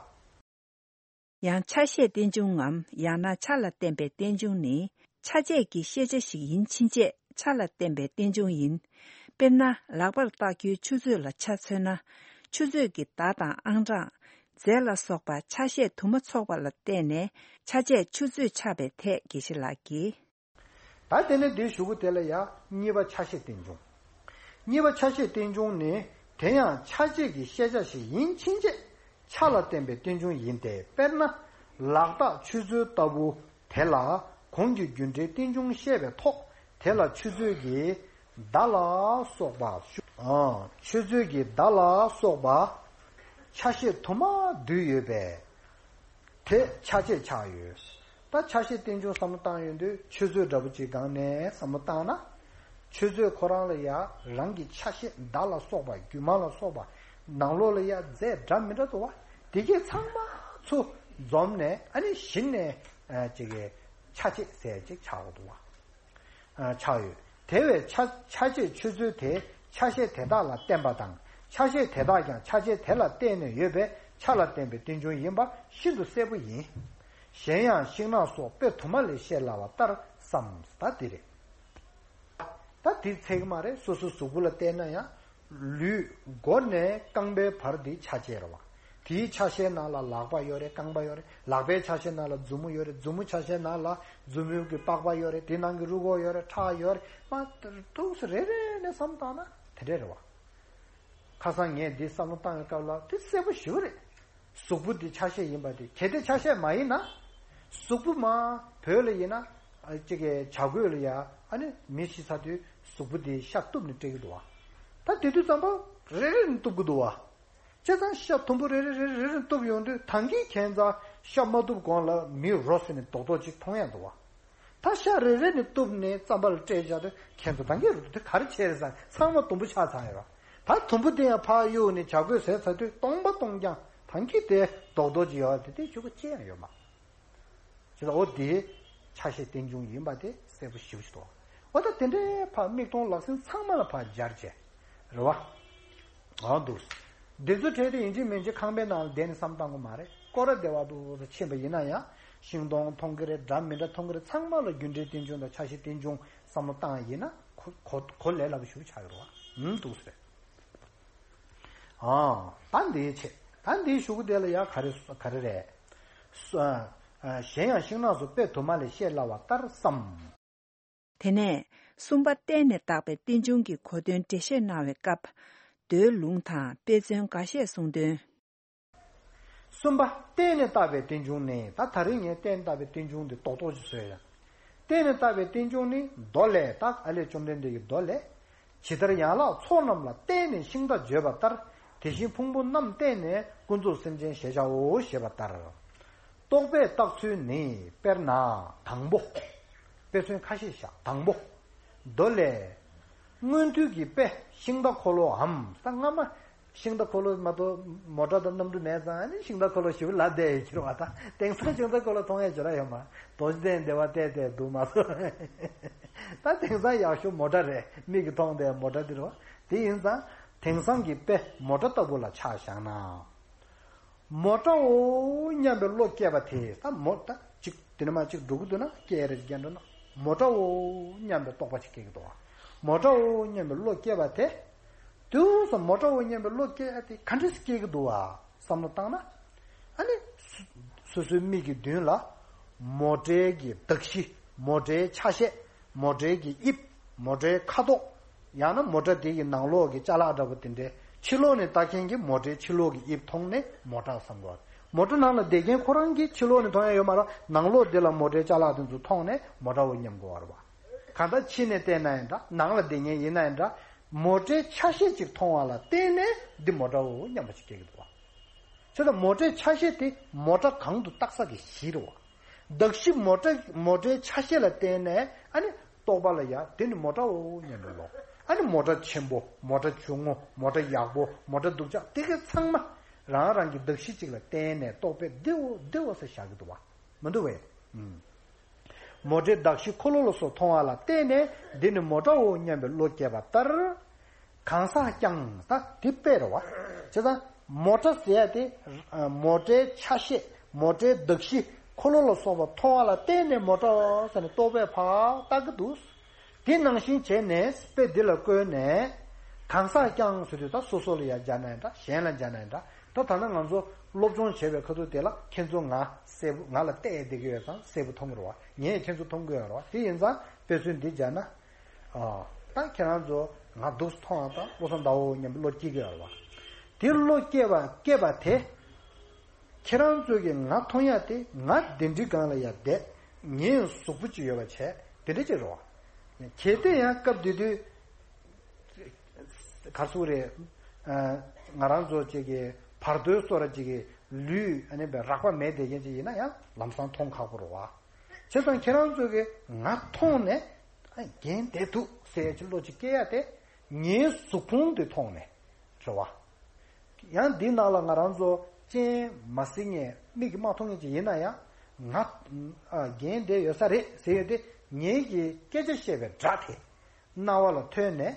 ཡང་ཆ་ཤས་རྟེན་འབྱུང་ངམ། ཡང་ན་ཆ་ལ་བརྟེན་པའི་རྟེན་འབྱུང་ནི། ཆ་བྱད་ཀྱི་ཤེས་བྱ་ཞིག་ཡིན་ཕྱིན་ཆད་ཆ་ལ་བརྟེན་པའི་རྟེན་འབྱུང་ཡིན། དཔེར་ན། ལག་པར་བཏགས་རྒྱུའི་ཆུ་ཚོད་ལ་ཆ་མཚོན་ན། ཆུ་ཚོད་ཀྱི་བརྡ་དང་ཨང་གྲངས། རྫས་ལ་སོགས་པ་ཆ་ཤས་དུ་མ་ཚོགས་པ་ལ་བརྟེན་ནས་ཆ་བྱད་ཆུ་ཚོད་ཆགས་པའི་ཐད་དགེ་བཤེས་ལགས་ཀྱིས། ད་དེ་ནས་འདིའི་གཞུག་གུ་དེ་ལ་ཡང་གཉིས་པ་ཆ་ཤས་རྟེན་འབྱུང་། གཉིས་པ་ཆ་ཤས་རྟེན་འབྱུང་ནི་དེ་ཡང་ཆ་བྱད་ཀྱི་ཤེས་བྱ་ཞིག་ཡིན་ཕྱིན་ཆད་ཆ་ལ་བརྟེན་པའི་རྟེན་འབྱུང་ཡིན་ཏེ། དཔེར་ན། ལག་རྟགས་ཆུ་ཚོད་ལྟ་བུ་དེ་ལ་གོང་གི་རྒྱུ་འབྲས་རྟེན་འབྱུང་བཤད་པའི་ཐོག་དེ་ལ་ཆུ་ཚོད་ཀྱི་བརྡ་ལ་སོགས་པ། ཨ། ཆུ་ཚོད་ཀྱི་བརྡ་ལ་སོགས་པ་ཆ་ཤས་དུ་མ་འདུས་ཡོད་པས། དེ་ཆ་བྱད་ཆགས་ཡོད། ད་ཆ་ཤས་རྟེན་འབྱུང་བསམ་བློ་བཏང་ཡོང་དུས་ཆུ་ཚོད་འདྲ་པོ་ཅིག་སྒང་ནས་བསམ་བློ་བཏང་ན། ཆུ་ཚོད་ཁོ་རང་ལ་ཡ་རང་གི་ཆ་ཤས་བརྡ་ལ་སོགས་པ་རྒྱུ་མ་ལ་སོགས་པ་ནང་ལོགས་ལ་ཡ་རྫས་འདྲ་མི་འདྲ་འདུག་བ། དེ་གས་ཚང་མ་ཚུར་འཛོམས་ནས་ཨ་ནི་གཞི་ནས་ཨ་ཅིག་གི་ཆ་བྱད་ཟེར་ཅིག་ཆགས་འདུག་བ། ཨ་ཆགས་ཡོད། དེ་བས་ཆ་ཆ་བྱད་ཆུ་ཚོད་དེ་ཆ་ཤས་དེ་དག་ལ་བརྟེན་པ་དང་། ཆ་ཤས་དེ་དག་ཀྱང་ཆ་བྱད་དེ་ལ་བརྟེན་ནས་ཡོད་པས་ཆ་ལ་བརྟེན་པའི་རྟེན་འབྱུང་ཡིན་པ་ཤིན་ཏུ་གསལ་པོ་ཡིན། གཞན་ཡང་ཤིང་ནགས་སོགས་དཔེ་དུ་མ་ལས་བཤད་སླ་བ་ལྟར་བསམ། ད་འདི་རེད། ད་འདི་ཚད་ཀྱི་མ་རེད། སོ་སོའི་གཟུགས་པོ་ལ་བལྟས་ན་ཡང་། ལུས་མགོ་ནས་རྐང་པའི་བར་འདི་ཆ་བྱད་རེད་བ། དེའི་ཆ་ཤས་ནང་ལ་ལག་པ་ཡོད་རེད། རྐང་པ་ཡོད་རེད། ལག་པའི་ཆ་ཤས་ནང་ལ་མཛུབ་མོ་ཡོད་རེད། མཛུབ་མོ་ཆ་ཤས་ནང་ལ་མཛུབ་མོའི་གི་པགས་པ་ཡོད་རེད། དེ་ནང་གི་རུས་ཁོག་ཡོད་རེད། ཁྲག་ཡོད་རེད། མ་ཏུག་ཙམ་རེ་རེ་ནས་བསམ་བཏང་ན་དེ་འདྲས་རེད་བ། ཁ་སང་ངས་འདི་བསམ་བློ་བཏང་བའི་སྐབས་ལ་དེ་གསལ་པོ་ཞེ་པོ་རེད། གཟུགས་པོ་འདི་ཆ་ཤས་ཡིན་པ་དེ། གལ་ཏེ་ཆ་ཤས་མ་ཡིན་ན། གཟུགས་པོ་མ་བོད་ལ་ཡིན་ན། ཨ་ཅིག་གི་བྱ་རྒོད་ལ་ཡ་ཨ་ནི་མི་ཤི་ཚར་དུས་གཟུགས་པོ་འདི་ཤ་གཏུབ་ནས་སྤྲད་ཀྱི་འདུག་བ། ད་དེ་དུས་ཙམ་པ་རེ་རེ་ནས་གཏུབ་ཀྱི་འདུག་བ། བྱས་ཙང་ཤ་དུམ་བུ་རེ་རེ་རེ་རེ་རེ་གཏུབ་ཡོང་དུས་ད་གིན་ཁྱད་མཚར་ཤ་མ་གཏུབ་གོང་ལ་མི་རོ་ཟེར་ནས་རྡོག་རྡོག་ཅིག་མཐོང་ཡ་འདུག་བ། ད་ཤ་རེ་རེ་ནས་གཏུབ་ནས་རྩམ་པ་ལ་སྤྲད་བཞག་དུས་ཁྱེད་ཚོ་ད་གིན་རུ་དེ་ག་རེ་བྱས་རེད་ཟེར། ཚང་མ་དུམ་བུ་ཆགས་ཚར་ཡོད་ར། ད་དུམ་བུ་དེ་ཡང་ཕར་གཡུག་ནས་བྱ་རྒོད་ཟས་ཚར་དུས་སྟོང་པ་སྟོང་རྐྱང་ད་གིན་དེ་རྡོག་རྡོག་ཅིག་ཡོད་ར། དེ་དེ་ཆུ་ག་ཅི་ཡང་ཡོད་མ། ཅི་ལ་འོ་དེ་ཆ་ཤས་རྟེན་འབྱུང་ཡིན་པ་དེ་གསལ་པོ་ཞེ་པོ་ཞིག་འདུག་འོ་ད་དེ་འདྲའི་ཕར་མིག་མཐོང་ལག་ཟིན་ཚང་མ་ལ་ཕར་སྦྱར་བྱས་རེད་བ། འོ་འདུག་འདི་ཚོ་བྲལ་ཏེ་ཡིན་གཅིག་མིན་གཅིག་ཁང་པའི་ནང་ལ་བསྡད་ནས་བསམ་བཏང་གི་མ་རེད། སྐོར་ར་བདེ་བ་འདུག་ཟེར་ཕྱིན་པ་ཡིན་ན་ཡང་ཤིང་སྡོང་མཐོང་གི་རེད། འདྲ་མི་འདྲ་མཐོང་གི་རེད། ཚང་མ་ལ་རྒྱུ་འབྲས་རྟེན་འབྱུང་དང་ཆ་ཤས་རྟེན་འབྱུང་བསམ་བློ་བཏང་ཡིན་ན་གོ་གོ་གོ་ལས་སླ་པོ་ཞེ་པོ་ཆགས་ཡོད་རེད་བ། འདུག་ཟེར། ཨ། ད་འདིའི་ཆེད། ད་འདིའི་གཞུག་གུ་དེ་ལ་ཡང་ག་རེ་ག་རེ་རེད། སུ། ཨ། གཞན་ཡང་ཤིང་ནགས་སུ་དཔེ་དུ་མ་ལས་བཤད་སླ་བ་ལྟར་བསམ། དེ་ནས་གསུམ་པ་བརྟེན་ནས་བཏགས་པའི་རྟེན་འབྱུང་གི་གོ་དོན་འགྲེལ་བཤད་གནང་བའི་སྐབས། མདོའི་ལུང་དང་དཔེ་མཚོན་འགའ་ཤས་གསུངས་དོན། གསུམ་པ་བརྟེན་ནས་བཏགས་པའི་རྟེན་འབྱུང་ནི། ད་ད་རིང་ངས་བརྟེན་བཏགས་པའི་རྟེན་འབྱུང་འདི་རྡོག་རྡོག་ཅིག་བཟོས་ཡ། བརྟེན་ནས་བཏགས་པའི་རྟེན་འབྱུང་ནི་མདོ་ལས། ད་ཨ་ལས་བཅོམ་ལྡན་འདས་ཀྱི་མདོ་ལས། ཇི་ལྟར་ཡན་ལག་ཚོགས་རྣམས་ལ་བརྟེན་ནས་ཤིང་རྟ་བརྗོད་པ་ལྟར། དེ་བཞིན་ཕུང་པོ་རྣམས་བརྟེན་ནས་ཀུན་རྫོབ་སེམས་ཅན་ཞེས་བྱའོ་ཞེས་པ་ལྟར། རྟོག་པས་བཏགས་ཚུལ་ནི། དཔེར་ན་དང་པོ། དཔེ་མཚོན་ཁ་ཤས་བཞག་དང་པོ། མདོ་ལས། མངོན་མཐོ་གི་དཔེ་ཤིང་རྟ་འཁོར་ལོའམ། ད་སྔ་མ་ཤིང་རྟ་འཁོར་ལོ་མ་གཏོགས་མོ་ཊ་དང་གནམ་གྲུ་མེད་ཙང་ནི་ཤིང་རྟ་འཁོར་ལོ་ཞེ་པོ་ལབ་བསྡད་ཡོད་ཀྱི་རེད་བ། ད་དེང་སང་ཤིང་རྟ་འཁོར་ལོ་མཐོང་ཡས་ཅིག་ར་ཡོད་མ། རྡོ་རྗེ་གདན་སྡེ་བ་བལྟས་བལྟས་འདུག་མ་གཏོགས། ད་དེང་སང་ཡག་ཤོས་མོ་ཊ་རེད། མིག་གིས་མཐོང་བསྡད་མོ་ཊ་འདི་རེད་བ། དེ་ཡིན་ཙང་དེང་སང་གི་དཔེ་མོ་ཊ་ལྟ་བུ་ལ་ཆ་བཞག་ན། མོ་ཊའོ་སྙམ་པའི་བློ་སྐྱེས་པ་དེ། ད་མོ་ད་ཅིག་དེ་ནས་མར་ཅིག་འགྲོ་གི་འདུག་ན། སྐད་རེ་ཅིག་རྒྱག་འགྲོ་ན་མོ་ཊའོ་སྙམ་པའི་རྟོག་པ་ཅིག་སྐྱེ་གི་འདུག་བ། མོ་ཊའོ་སྙམ་པའི་བློ་སྐྱེས་པ་དེ། དུས་སུ་མོ་ཊའོ་སྙམ་པའི་བློ་སྐྱེས་ཏེ་ག་འདྲས་སྐྱེ་གི་འདུག་བ་བསམ་བློ་བཏང་ན། ཨ་ནི། སོ་སོའི་མིག་གི་མདུན་ལ། མོ་ཊའི་གི་གདགས་གཞི། མོ་ཊའི་ཆ་ཤས། མོ་ཊའི་གི་དབྱིབས། མོ་ཊའི་ཁ་དོག་ཡང་ན་མོ་ཊ་དེ་གི་ནང་ལོགས་ཀྱི་ཅ་ལག་འདྲ་པོ་དེ་འདྲའི་ཕྱི་ལོགས་ནས་ལྟ་མཁན་གྱིས་མོ་ཊའི་ཕྱི་ལོགས་ཀྱི་དབྱིབས་མཐོང་ནས་མོ་ཊ་བསམ་དགོས། མོ་ཊ་ནང་ལ་བསྡད་མཁན་ཁོ་རང་གིས་ཕྱི་ལོགས་ནས་མཐོང་ཡ་ཡོད་མ་རེད། ནང་ལོགས་འདི་ལ་མོ་ཊའི་ཅ་ལག་དེ་ཚོ་མཐོང་ནས་མོ་ཊའོ་སྙམ་དགོས་པ་རེད་བ། གང་ལྟར་ཕྱི་ནས་བལྟས་ན་ཡང་འདྲ། ནང་ལ་བསྡད་མཁན་ཡིན་ན་ཡང་འདྲ། མོ་ཊའི་ཆ་ཤས་ཅིག་མཐོང་བ་ལ་བརྟེན་ནས་འདི་མོ་ཊའོ་སྙམ་པ་ཅིག་སྐྱེ་གི་འདུག་བ། བྱས་ཙང་མོ་ཊའི་ཆ་ཤས་དེ་མོ་ཊ་གང་དུ་བཏགས་ས་གི་གཞི་རེད་བ། གདགས་གཞི་མོ་ཊ་མོ་ཊའི་ཆ་ཤས་ལ་བརྟེན་ནས་ཨ་ནི་རྟོག་པ་ལ་ཡ་དེ་ནི་མོ་ཊའོ་སྙམ་པའི་བློ། ཨ་ནི་མོ་ཊ་ཆེན་པོ། མོ་ཊ་ཆུང་ངུ། མོ་ཊ་ཡག་པོ། མོ་ཊ་སྡུག་ཅག་དེ་ག་ཚང་མ་རང་རང་གི་གདགས་གཞི་གཅིག་ལ་བརྟེན་ནས་རྟོག་པས་འདི་འོ་འདི་འོ་ཟེར་བཞག་གི་འདུག་བ། མི་འདུག་བས། ཨུམ། མོ་ཊའི་གདགས་གཞི་འཁོར་ལོ་ལ་སོགས་མཐོང་བ་ལ་བརྟེན་ནས་འདི་ནི་མོ་ཊའོ་སྙམ་པའི་བློ་སྐྱེས་པ་ལྟར། གང་ཟག་ཀྱང་ད་དེ་དཔེ་རེད་བ། བྱས་ཙང་མོ་ཊ་ཟེར་ཡ་དེ། མོ་ཊའི་ཆ་ཤས། མོ་ཊའི་གདགས་གཞི། འཁོར་ལོ་ལ་སོགས་པ་མཐོང་བ་ལ་བརྟེན་ནས་མོ་ཊའོ་ཟེར་ནས་རྟོག་པས་ཕར་བཏགས་ཀྱི་འདུག་དེ་ནང་བཞིན་བྱས་ནས་དཔེ་འདི་ལ་བཀོད་ནས། གང་ཟག་རྐྱང་ཟེར་དུས་ད་སོ་སོ་ལ་ཡང་སྦྱར་ན་ཡང་འདྲ། གཞན་ལ་སྦྱར་ན་ཡང་འདྲ། ད་ད་ལྟ་ང་ཚོ་སློབ་སྦྱོང་བྱེད་པའི་ཁ་ཐུག་དེ་ལ་ཁྱེད་ཚོ་ང་གསལ་པོ་ང་ལ་བལྟས་བསྡད་ཀྱི་ཡོད་ཙང་གསལ་པོ་མཐོང་གི་རེད་བ། ངས་ཁྱེད་ཚོ་མཐོང་གི་ཡོད་རེད་བ། དེ་ཡིན་ཙང་དཔེ་མཚོན་འདི་སྦྱར་ན། ཨ། ད་ཁྱེད་རང་ཚོ་ང་འདུག་སེ་མཐོང་བ་དང་བློ་བཟང་ཟླ་བ་མཉམ་པོ་བློ་སྐྱེ་གི་ཡོད་རེད་བ། དེ་བློ་སྐྱེ་བ་སྐྱེ་བ་དེ། ཁྱེད་རང་ཚོ་གིས་ང་མཐོང་ཡ་དེ་ང་གདན་ཁྲི་སྒང་ལ་ཡར་བསྡད། ངའི་གཟུགས་པོ་ཅིག་ཡོད་པ་བྱས་དེ་འདྲ་ཅིག་རེད་བ། གལ་ཏེ་ཡང་སྐབས་དེ་དུས་ག་རེ་ཟེར་དགོས་རེད། ཨ། ང་རང་ཚོ་ཅིག་གི་བར་དོའི་བཟོ་འདྲ་ཅིག་གི་ལུས་ཨ་ནི་རགས་པ་མེད་བསྡད་མཁན་ཅིག་ཡིན་ན་ཡང་ལམ་སང་མཐོང་ཁག་པོ་རེད་བ། བྱས་ཙང་ཁྱེད་རང་ཚོ་གིས་ང་མཐོང་ནས་ཨ་རྒན་བསྡད་འདུག་ཟེར་ཡ་ཅིག་བློ་ཅིག་སྐྱེ་ཡ་དེ་ངའི་གཟུགས་ཕུང་དེ་མཐོང་ནས་རེད་བ། ཡང་འདི་ནང་ལ་ང་རང་ཚོ་སྤྱན་མ་གཟིགས་མཁན་མིག་གིས་མ་མཐོང་མཁན་ཅིག་ཡིན་ན་ཡང་ང་ཨ་རྒན་བསྡད་ཡོད་ས་རེད་ཟེར་ཡོད་དེ། ངེད་ཀྱི་སྐད་ཆ་བཤད་པའི་སྒྲ་དེ་རྣ་བ་ལ་ཐོས་ནས་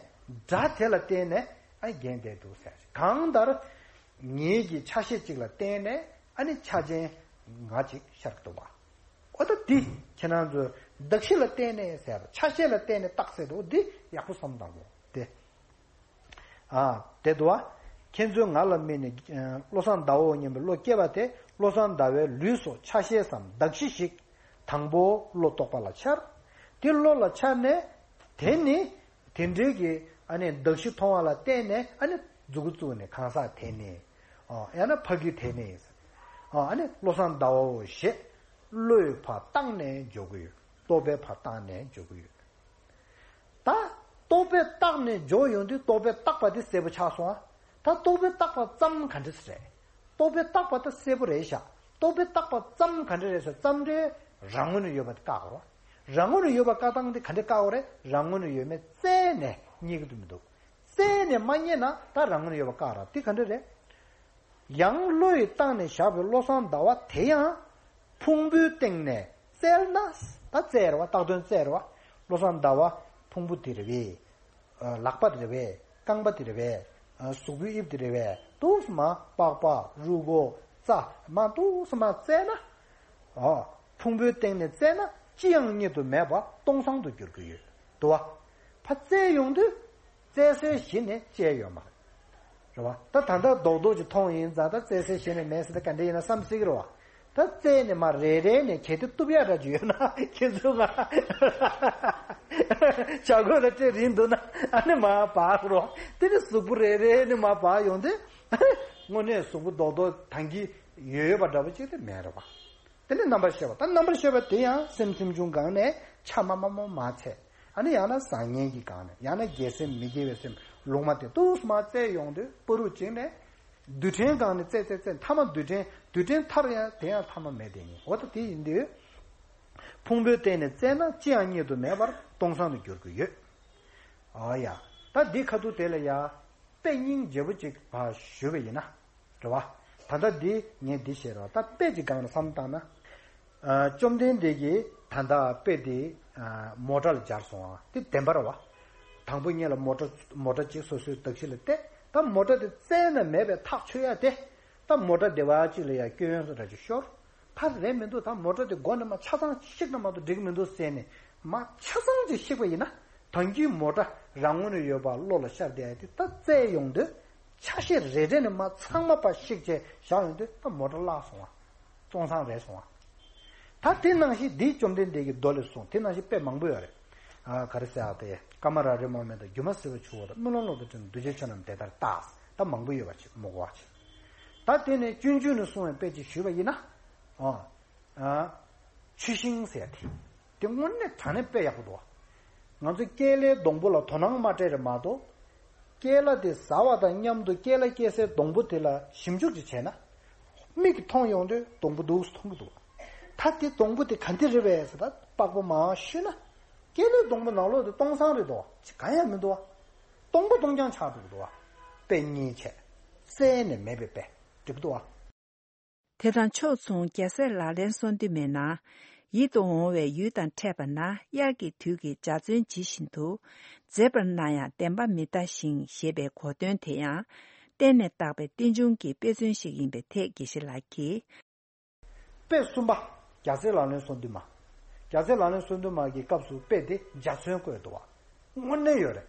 སྒྲ་དེ་ལ་བརྟེན་ནས་ཨ་རྒན་བསྡད་འདུག་ཟེར། གང་ལྟར་ངེད་ཀྱི་ཆ་ཤས་གཅིག་ལ་བརྟེན་ནས་ཨ་ནི་ཆ་ཅན་ང་གཅིག་ཤར་གྱི་འདུག་བ། འོ་ད་འདི་ཁྱེད་རང་ཚོས་གདགས་གཞི་ལ་བརྟེན་ནས་ཟེར། ཆ་ཤས་ལ་བརྟེན་ནས་བཏགས་ཟེར་དུས་འདི་ཡག་པོ་བསམ་བཏང་དགོས་དེ། ཨ། དེ་འདུག་བ། ཁྱེད་ཚོས་ང་ལ་དམིགས་ནས་བློ་བཟང་ཟླ་བ་མཉམ་པོ་བློ་སྐྱེ་བ་དེ་བློ་བཟང་ཟླ་བའི་ལུས་སོགས་ཆ་ཤས་སམ་གདགས་གཞི་ཞིག་དང་པོ་བློ་རྟོག་པ་ལ་འཆར། དེ་བློ་ལ་འཆར་ནས་དེ་ནི་དེ་འདྲའི་གི་ཨ་ནི་གདགས་གཞི་མཐོང་བ་ལ་བརྟེན་ནས་ཨ་ནི་མཛུ་གུ་བཙུགས་ནས་གང་ཟག་དེ་ནི། ཨ། ཡང་ན་ཕ་གི་དེ་ནི། ཨ། ཨ་ནི་བློ་བཟང་ཟླ་བའོ་ཞེས་བློས་ཕར་བཏགས་ནས་འཇོག་གི་ཡོད། རྟོག་པས་ཕར་བཏགས་ནས་འཇོག་གི་ཡོད། ད་རྟོག་པས་བཏགས་ནས་འཇོག་ཡོང་དུས་རྟོག་པས་བཏགས་པ་དེ་གསལ་པོ་ཆགས་སོང་ཨ། ད་རྟོག་པས་བཏགས་པ་ཙམ་ག་འདྲ་ཞིག་རེད། རྟོག་པས་བཏགས་པ་ད་གསལ་པོ་རེད་ཤག་རྟོག་པས་བཏགས་པ་ཙམ་ག་འདྲ་རེད་ཟེར། ཙམ་རེ་རང་ངོས་ནས་ཡོད་པ་དེ་བཀག་དགོས་རེད། རང་ངོས་ནས་ཡོད་པ་བཀག་སྟངས་དེ་ག་འདྲ་བཀག་དགོས་རེད། རང་ངོས་ནས་ཡོད་མེད་རྩད་ནས་རྙེད་ཀྱི་འདུག་མི་འདུག་རྩད་ནས་མ་རྙེད་ན་ད་རང་ངོས་ནས་ཡོད་པ་བཀག་ར། དེ་ག་འདྲ་རེད། ཡང་བློ་ཡིས་བཏགས་ནས་བཞག་པའི་བློ་བཟང་ཟླ་བ་དེ་ཡང་ཕུང་པོའི་སྟེང་ནས་བཙལ་ན། ད་བཙལ་རེད་བ། བཏགས་དོན་བཙལ་རེད་བ། བློ་བཟང་ཟླ་བ་ཕུང་པོ་དེ་རེད་པས། ཨ། ལག་པ་དེ་རེད་པས། རྐང་པ་དེ་རེད་པས། ཨ། གཟུགས་པོའི་དབྱིབས་དེ་རེད་པས། འདུག་སེ་མར་པགས་པ་རུས་ཁོག་རྩ་མར་འདུག་སེ་མར་བཙལ་ན། ཨ། ཕུང་པོའི་སྟེང་ནས་བཙལ་ན་ཅི་ཡང་རྙེད་དུ་མེད་པ་སྟོང་སང་དུ་འགྱུར་གྱི་ཡོད་དོ། ཕར་བཙལ་ཡོང་དུས་བཙལ་སའི་གཞི་ནས་བཅད་ཡོད་མ་རེད། རེད་བ། ད་ད་ལྟ་རྡོག་རྡོག་ཅིག་མཐོང་ཡིན་ཙང་ད་བཙལ་སའི་གཞི་ནས་མེད་ཟེར་ད་ག་འདྲ་ཡིན་ན་བསམ་སྲིད་ཀྱི་རེད་བ། ད་བཙལ་ནས་མར་རེ་རེ་ནས་གལ་ཏེ་གཏུབ་ཡག་འདྲ་ཅིག་ཡོད་ན་ཁྱེད་ཚོ་ང་བྱ་རྒོད་ལ་སྤྲད་རིན་འདུག་ན་ཨ་ནི་མར་འབག་རོགས། དེ་ནི་གཟུགས་པོ་རེ་རེ་ནས་མར་འབག་ཡོང་དུས་དངོས་གནས་གཟུགས་པོ་རྡོག་རྡོག་ཐང་གི་ཡོད་པ་འདྲ་པོ་ཅིག་དེ་མེད་རེད་བ། དེ་ནས་རྣམ་པར་ཤེས་པ། ད་རྣམ་པར་ཤེས་པ་དེ་ཡང་སེམས་སེམས་བྱུང་སྒང་ནས་ཆ་མ་མ་མ་མ་ཚད། ཨ་ནི་ཡང་ན་བཟང་ངན་གྱི་སྒང་ནས། ཡང་ན་དགེ་སེམས་མི་དགེ་བའི་སེམས་ལུང་མ་དེ་འདུག་སེ་མར་བཙལ་ཡོང་དུས་བར་དུ་གཅིག་ནས་རྡུལ་ཕྲན་སྒང་ནས་བཙལ་བཙལ་བཙལ་མཐའ་མ་རྡུལ་ཕྲན་རྡུལ་ཕྲན་མཐར་ཡང་དེ་ཡང་མཐའ་མ་མེད་དེ་ཡིན། འོ་ད་དེ་ཡིན་དུས་ཕུང་པོའི་སྟེང་ནས་བཙལ་ན་ཅི་ཡང་རྙེད་དུ་མེད་པར་སྟོང་སང་དུ་འགྱུར་གྱི་ཡོད། ཨ་ཡ། ད་འདི་ཁ་ཐུག་དེ་ལ་ཡ། དཔེ་སྙིང་རྗེ་པོ་ཅིག་ཕར་ཞུས་པ་ཡིན་ན། རེད་བ། ད་ལྟ་འདི་ངས་འདི་བཤད་རོགས། ད་དཔེ་ཅིག་སྒང་ནས་བསམ་བཏང་ན། ཨ། བཅོམ་ལྡན་འདས་ཀྱིས་ད་ལྟ་དཔེ་འདི། ཨ། མོ་ཊ་ལ་སྦྱར་སོང་བ་དེ་བདེན་པ་རེད་བ། དང་པོ་ཉིད་ལ་མོ་ཊ་མོ་ཊ་ཅིག་སོ་སོའི་གདགས་གཞི་ལ་གཏད། ད་མོ་ཊ་དེ་བཙལ་ན་མེད་པའི་ཐག་ཆོད་ཡ་དེ། ད་མོ་ཊ་སྡེ་བ་གཅིག་ལ་ཡ་སྐྱོན་ཡོན་སོགས་འདྲ་ཅིག་ཤོར། ཕར་རེད་མི་འདུག་ད་མོ་ཊ་དེ་མགོ་ནས་མར་ཆ་ཚང་བཤིག་ན་མ་གཏོགས་འགྲིག་མི་འདུག་ཟེར་ནས་མར་ཆ་ཚང་ཅིག་བཤིག་པ་ཡིན་ན། ད་གིན་མོ་ཊ་རང་ངོས་ནས་ཡོད་པ་བློ་ལ་ཤར་བསྡད་ཡ་དེ་ད་བཙལ་ཡོང་དུས་ཆ་ཤས་རེ་རེ་ནས་མར་ཚང་མ་ཕར་བཤིག་བྱས་བཞག་ཡོང་དུས་ད་མོ་ཊ་བརླག་སོང་བ། སྟོང་སང་རེད་སོང་བ། ད་དེ་ནང་བཞིན་འདི་བཅོམ་ལྡན་འདས་ཀྱི་མདོ་ལས་གསུངས། དེ་ནང་བཞིན་དཔེ་མང་པོ་ཡོད་རེད། ཨ། ག་རེ་ཟེར་ཨ། དེ་ཀ་མ་ར་རི་མ་མེ་དང་སྒྱུ་མ་ཟིལ་པ་ཆུ་བོ་དང་དམུས་ལོང་གླང་དུ་འདྲེན་གདུལ་བྱའི་ཆོས་རྣམས་དེ་ལྟར་བརྟགས། ད་མང་པོ་ཡོད་པ་ཅིག་མི་གོ་བ་ཅིག་ད་དེ་ནས་སྤྱོད་འཇུག་ནས་གསུངས་པའི་དཔེ་ཅིག་ཞུས་པ་ཡིན་ན། ཨ། ཨ། ཆུ་ཤིང་ཟེར་དེ། དེ་དངོས་གནས་དྲང་གནས་དཔེ་ཡག་པོ་འདུག་ང་ཚོ་ཀེ་ལའི་སྡོང་པོ་ལ་དོ་སྣང་མ་སྤྲད་རེད་མ་གཏོགས། ཀེ་ལ་དེ་ཟ་བ་དང་མཉམ་དུ་ཀེ་ལ་སྐྱེ་སའི་སྡོང་པོ་དེ་ལ་ཞིབ་འཇུག་ཅིག་བྱས་ན། མིག་གིས་མཐོང་ཡོང་དུས་སྡོང་པོ་འདུག་སེ་མཐོང་གི་འདུག་ད་དེ་སྡོང་པོ་དེ་ག་འདི་རེད་པས་ཟེར་ད་པགས་པ་མར་བཤུས་ན། ཀེ་ལའི་སྡོང་པོ་ནང་ལོགས་དེ་སྟོང་སང་རེད་དོ། ཅི་གང་ཡང་མི་འདུག་བ། སྟོང་པ་སྟོང་རྐྱང་ཆགས་འགྲོ་གི་འདུག་བ། དཔེ་རྙིང་བྱས། བཙལ་ནས་མེད་པའི་དཔེ་འགྲིག་གི་འདུག་བ། དེ་དང་ཕྱོགས་མཚུངས་རྒྱལ་སྲས་ལག་ལེན་གསུམ་དུ་མའི་ནང་། ཡིད་དུ་འོང་བའི་ཡུལ་དང་འཕྲད་པ་ན་དབྱར་གྱི་དུས་ཀྱི་འཇའ་ཚོན་ཇི་བཞིན་དུ། མཛེས་པར་སྣང་ཡང་བདེན་པ་མི་གདའ་ཞིང་ཞེས་པའི་གོ་དོན་དེ་ཡང་། བརྟེན་ནས་བཏགས་པའི་རྟེན་འབྱུང་གི་དཔེ་མཚོན་ཞིག་ཡིན་པའི་ཐད་དགེ་བཤེས་ལགས་ཀྱིས། དཔེ་གསུམ་པ། རྒྱལ་སྲས་ལག་ལེན་གསུམ་དུ་མ། རྒྱལ་སྲས་ལག་ལེན་གསུམ་དུ་མ་གི་སྐབས་སུ་དཔེ་དེ་འཇའ་ཚོན་བཀོད་འདུག་བ། དངོས་གནས་ཡོད་རེད།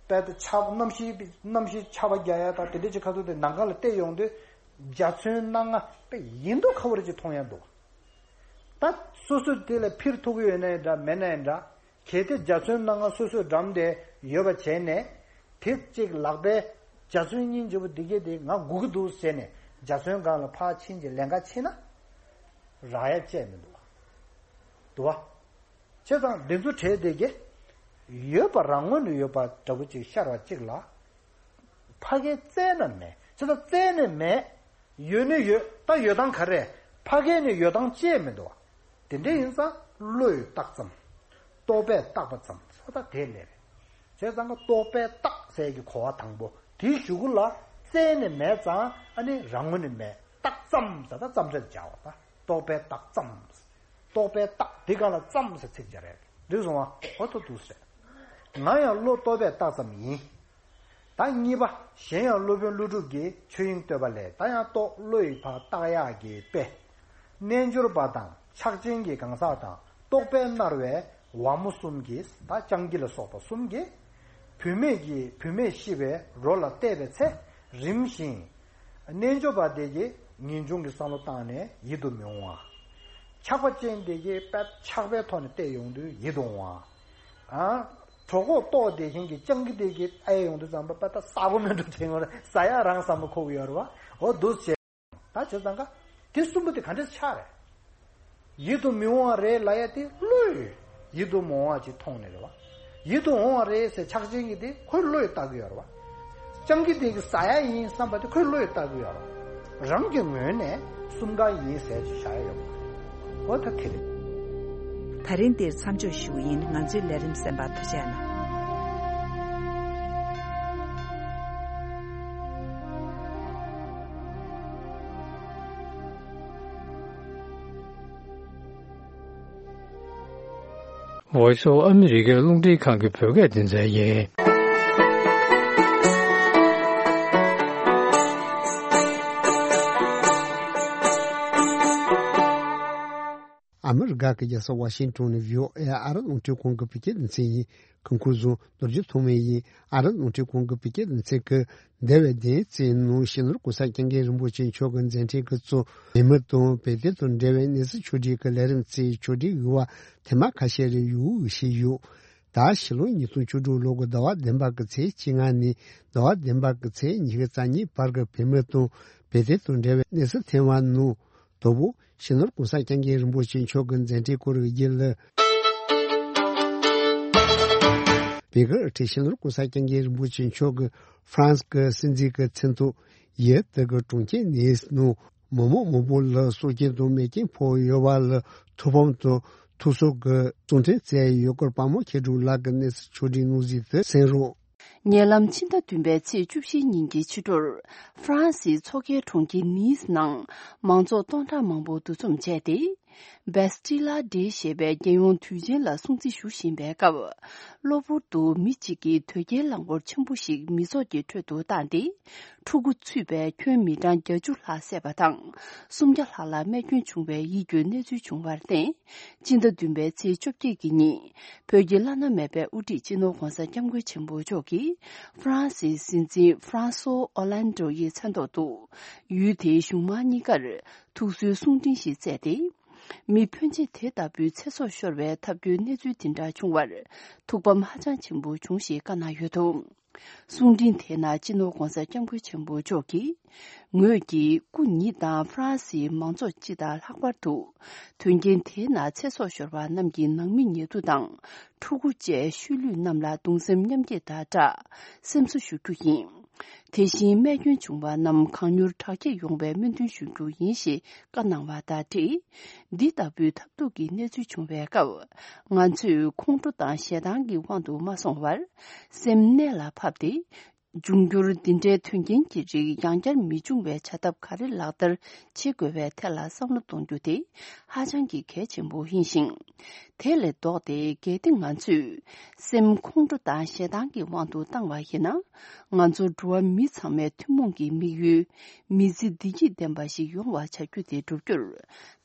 དཔལ་དུ་ཆར་གནམ་གཤིས་གནམ་གཤིས་ཆར་པ་རྒྱག་ཡ་དང་དེ་འདྲ་ཅིག་ཁ་ཐུག་དེ་ནམ་མཁའ་ལ་བལྟས་ཡོང་དུས་འཇའ་ཚོན་སྣ་ལྔ་དཔེ་ཡིན་མདོག་ཁ་པོ་རེ་ཅིག་མཐོང་ཡ་འདུག་ད་སོ་སོས་དེ་ལ་འཕུར་ཐུབ་ཀྱི་ཡོད་ན་ཡང་འདྲ་མེད་ན་ཡང་འདྲ། གལ་ཏེ་འཇའ་ཚོན་སྣ་ལྔ་སོ་སོས་འགྲམ་དེ་ཡོད་པ་བྱས་ནས་དེ་གཅིག་ལག་པའི་འཇའ་ཚོན་སྙིང་རྗེ་པོ་འདི་གས་དེ་ང་སྒུག་གི་འདུག་ཟེར་ནས་འཇའ་ཚོན་སྒང་ལ་ཕར་ཕྱིན་གྱི་ལན་ཁ་ཕྱིན་ན་རག་ཡ་བཅས་མི་འདུག་བ། འདུག་བ། བྱས་ཙང་འདི་ཚོ་གྲས་དེ་གས་ཡོད་པ་རང་ངོས་ནས་ཡོད་པ་འདྲ་པོ་ཅིག་ཤར་བ་གཅིག་ལ་ཕ་གིར་བཙལ་ན་མེད། བྱས་ཙང་བཙལ་ནས་མེད། ཡོད་ནི་ཡོད། ད་ཡོད་སྟངས་ག་རེ། ཕ་གི་ནི་ཡོད་སྟངས་བཅས་མི་འདུག་དེ་འདྲ་ཡིན་ཙང་བློས་བཏགས་ཙམ། རྟོག་པས་བཏགས་པ་ཙམ་ཟེར་ད་དེ་ལས་རེད། བྱས་ཙང་ག་རྟོག་པས་བཏགས་ཟེར་གྱི་གོ་བ་དང་པོ་དེའི་གཞུག་གུ་ལ་བཙལ་ནས་མེད་ཙང་ཨ་ནི་རང་ངོས་ནས་མེད། བཏགས་ཙམ་ཟེར་ད་ཙམ་རེད་སྦྱར་བ་ད་རྟོག་པས་བཏགས་ཙམ། རྟོག་པས་བཏགས་དེ་ག་ལ་ཙམ་ཟེར་ཚིག་སྦྱར་རེད། འདི་སོང་བ་འོ་ཐོ་འདུག་ཟེར། ང་ཡང་བློ་རྟོག་པས་བཏགས་ཙམ་ཡིན། ད་གཉིས་པ། གཞན་ཡང་སློབ་དཔོན་ཀླུ་སྒྲུབ་ཀྱི་ཆོས་དབྱིངས་བསྟོད་པ་ལས། ད་ཡང་རྟོག་བློ་ཡི་བར་བཏགས་ཡག་གི་དཔེ། རྣལ་འབྱོར་པ་དང་ཕྱག་ཆེན་གྱི་གང་ཟག་དང་རྟོག་པས་མནར་བའི་ཝ་མོ་གསུམ་གྱིས། ད་སྤྱང་ཀི་ལ་སོགས་པ་གསུམ་གྱིས་བུད་མེད་ཀྱི་བུད་མེད་ཤི་བའི་རོ་ལ་བལྟས་པའི་ཚེ་རིམ་བཞིན། རྣལ་འབྱོར་པ་དེ་གིས་ངེས་འབྱུང་གི་བསམ་བློ་བཏང་ནས་ཡིད་དུ་མི་འོང་བ། ཆགས་པ་ཅན་དེ་གིས་དཔེ་ཆགས་པའི་ཐོག་ནས་བལྟས་ཡོང་དུས་ཡིད་དུ་འོང་བ། ཨ། གྲོད་ཁོག་ལྟོགས་བསྡད་མཁན་གྱི་སྤྱང་ཀི་དེ་གིས་ཨེ་ཡོང་དུས་ཙམ་པ་དཔེ་ད་ཟ་གོ་མེད་འགྲོ་དྲན་ཡོང་རེད། ཟ་ཡག་རང་བསམ་བློ་འཁོར་གི་ཡོད་རེད་བ། འོ་འདུག་བྱས། ད་བྱས་ཙང་ཀ་དེ་གསུམ་པོ་དེ་ག་འདྲས་ཆགས་རེད། ཡིད་དུ་མི་འོང་བ་རེད་ལབ་ཡ་དེ་བློས་ཡིད་དུ་མི་འོང་བ་ཅིག་མཐོང་ནས་རེད་བ། ཡིད་དུ་འོང་བ་རེད་ཟེར་ཆགས་ཅན་གྱི་དེ་ཁོའི་བློས་བཏགས་ཀྱི་ཡོད་རེད་བ། སྤྱང་ཀི་དེ་གི་ཟ་ཡ་ཡིན་བསམ་པ་དེ་ཁོའི་བློས་བཏགས་ཀྱི་ཡོད་རེད་བ། རང་གི་ངོས་ནས་གསུམ་ཀ་ཡིན་ཟེར་ཅིག་བཞག་ཡ་ཡོད་པ། འོ་ད་དེ་རེད། ད་རིང་འདིར་མཚམས་འཇོག་ཞུ་གི་ཡིན། ང་ཚོའི་ལས་རིམ་གསན་པར་ཐུགས་རྗེ་གནང་། Voice of America རླུང་འཕྲིན་ཁང་གི་བོད་སྐད་སྡེ་ཚན་ཡིན། ཨ་མི་རི་ཀ་གི་རྒྱལ་ས་ཝ་ཤིང་ཏོན་ནས་བྷི་ཨོ་ཨེ་ཨ་རི་རླུང་འཕྲིན་ཁང་གི་བོད་སྐད་སྡེ་ཚན་ཡིན། སྐུ་ཁམས་བཟང་། རྡོ་རྗེ་ཐོགས་མེད་ཡིན། ཨ་རི་རླུང་འཕྲིན་ཁང་གི་བོད་སྐད་སྡེ་ཚན་གྱི་འདས་པའི་བདུན་ཚེས་ནང་སྤྱི་ནོར་གོང་ས་སྐྱབས་མགོན་རིན་པོ་ཆེ་མཆོག་གི་མཛད་འཕྲིན་གྱི་གཙོ་བོད་མི་དང་བོད་དོན་དང་འབྲེལ་བའི་གནས་ཚུལ་ཕྱོགས་སྒྲིག་གི་ལས་རིམ་ཚོའི་ཕྱོགས་སྒྲིག་ཡོད་པ་ཐེངས་མ་ཁ་ཤས་རེ་ཡོད་ཞུས་ཡོད། ད་ཕྱི་ལོ་ཉིས་སྟོང་བཅུ་དྲུག་ལོ་གི་ཟླ་བ་བདུན་པ་གི་ཚེས་བཅོ་ལྔ་ནས་ཟླ་བ་བདུན་པ་གི་ཚེས་ཉི་ཤུ་རྩ་གཉིས་བར་གྱི་བོད་མི་དང་བོད་དོན་དང་འབྲེལ་བའི་གནས་ཚུལ་ཐེངས་མ་ནང་དང་པོ། སྤྱི་ནོར་གོང་ས་སྐྱབས་མགོན་རིན་པོ་ཆེ་མཆོག་གི་མཛད་འཕྲིན་སྐོར་གྱི་རྒྱུན་ལས། བོད་ཀྱི་སྤྱི་ནོར་གོང་ས་སྐྱབས་མགོན་རིན་པོ་ཆེ་མཆོག་གི་ཧྥ་རན་སི་གི་སྲིད་འཛིན་གྱི་མཚན་ཐོག་ཡུལ་དེ་གི་གྲོང་ཁྱེར་ནིས་ནང་མི་མང་མང་པོ་ལ་སྲོག་སྐྱོན་དང་རྨས་སྐྱོན་ཕོག་ཡོད་པ་ལ་ཐུགས་ཕམ་དང་ཐུགས་གཟོ་གི་གསུང་འཕྲིན་བསྩལ་ཡོད་སྐོར་དཔལ་མོ་མཁས་གྲུབ་ལགས་ཀྱི་གནས་ཚུལ་ཕྱོགས་སྒྲིག་གནང་གཟིགས་དེ་གསན་རོགས། ཉེ་ལམ་ཕྱི་ཟླ་བདུན་པའི་ཚེས་བཅུ་བཞི་ཉིན་གྱི་ཕྱི་དྲོར། ཧྥ་རན་སིའི་མཚོ་ཁའི་གྲོང་ཁྱེར་ནིས་ནང་མང་ཚོགས་སྟོང་ཕྲག་མང་པོ་འདུ་འཛོམས་བྱས་ཏེ། བེ་སི་ཏི་ལ་ཌེ་ཞེས་པའི་རྒྱལ་ཡོངས་དུས་ཆེན་ལ་སྲུང་བརྩི་ཞུ་བཞིན་པའི་སྐབས། གློ་བུར་དུ་མི་གཅིག་གིས་དོས་སྐྱེལ་རླངས་འཁོར་ཆེན་པོ་ཞིག་མི་ཚོགས་ཀྱི་ཁྲོད་དུ་བཏང་སྟེ། ཕྲུ་གུ་ཚུད་པའི་ཁྱོན་མི་གྲངས་བརྒྱད་ཅུ་ལྷག་བསད་པ་དང་། སུམ་བརྒྱ་ལྷག་ལ་རྨས་སྐྱོན་བྱུང་བའི་ཡིད་སྐྱོའི་གནས་ཚུལ་བྱུང་བར་བརྟེན། སྤྱི་ཟླ་བདུན་པའི་ཚེས་བཅོ་བརྒྱད་ཀྱི་ཉིན། བོད་ཀྱི་བླ་ན་མེད་པའི་དབུ་ཁྲིད་སྤྱི་ནོར་༧གོང་ས་༧སྐྱབས་མགོན་ཆེན་པོ་མཆོག་གིས་ཧྥ་རན་སིའི་སྲིད་འཛིན་ཧྥ་རན་སོ་ཨོ་ལན་ཌོ་ཡི་མཚན་ཐོག་ཏུ། ཡུལ་དེའི་གཞུང་མང་གཉིས་ཀར་ཐུགས་གསོའི་གསུང་འཕྲིན་ཞིག་བསྩལ་ཏེ། མི་ཕོན་ཆེ་དེ་ལྟ་བུའི་ཚེ་སྲོག་ཤོར་བའི་ཐབས་སྐྱོའི་གནས་ཚུལ་དེ་འདྲ་བྱུང་བར་ཐུགས་ཕམ་ཧ་ཅང་ཆེན་པོ་བྱུང་ཞེས་བཀའ་གནང་ཡོད་འདུག། གསུང་འཕྲིན་དེའི་ནང་སྤྱི་ནོར་༧གོང་ས་༧སྐྱབས་མགོན་ཆེན་པོ་མཆོག་གིས། ངོས་ཀྱིས་སྐུ་ཉིད་དང་ཧྥ་རན་སིའི་མང་ཚོགས་སྤྱི་དང་ལྷག་པར་དུ། དོན་རྐྱེན་དེའི་ནང་ཚེ་སྲོག་ཤོར་བ་རྣམས་ཀྱི་ནང་མི་ཉེ་དུ་དང་། ཕྲུ་གུ་བཅས་ཤུལ་ལུས་རྣམས་ལ་གདུང་སེམས་མཉམ་སྐྱེད་དང་སྦྲགས། སེམས་གསོ་ཞུ་རྒྱུ་ཡིན། དེ་བཞིན་རྨས་སྐྱོན་བྱུང་བ་རྣམས་གང་མྱུར་དྲག་སྐྱེད་ཡོང་བའི་སྨོན་འདུན་ཞུ་རྒྱུ་ཡིན་ཞེས་བཀའ་གནང་བ་དང་འབྲེལ། འདི་ལྟ་བུའི་ཐབས་སྡུག་གི་གནས་ཚུལ་བྱུང་བའི་སྐབས། ང་ཚོས་ཁོང་ཁྲོ་དང་ཞེ་སྡང་གི་དབང་དུ་མ་སོང་བར། སེམས་གནད་ལ་ཕབ་སྟེ། འབྱུང་འགྱུར་འདི་འདྲའི་དོན་རྐྱེན་གྱི་རིགས་ཡང་བསྐྱར་མི་འབྱུང་བའི་བྱ་ཐབས་ག་རེ་ལག་བསྟར་བྱེད་དགོས་པའི་ཐད་ལ་བསམ་བློ་གཏོང་རྒྱུ་དེ་ཧ་ཅང་གི་གལ་ཆེན་པོ་ཡིན་ཞིང་། དེ་ལས་ལྡོག་སྟེ། གལ་ཏེ་ང་ཚོས་སེམས་ཁོང་ཁྲོ་དང་ཞེ་སྡང་གི་དབང་དུ་བཏང་བ་ཡིན་ན། ང་ཚོ་འགྲོ་བ་མི་ཚང་མའི་ཐུན་མོང་གི་དམིགས་ཡུལ། མི་ཚེ་བདེ་སྐྱིད་ལྡན་པ་ཞིག་ཡོང་བ་བྱ་རྒྱུ་དེ་བསྒྲུབ་རྒྱུར་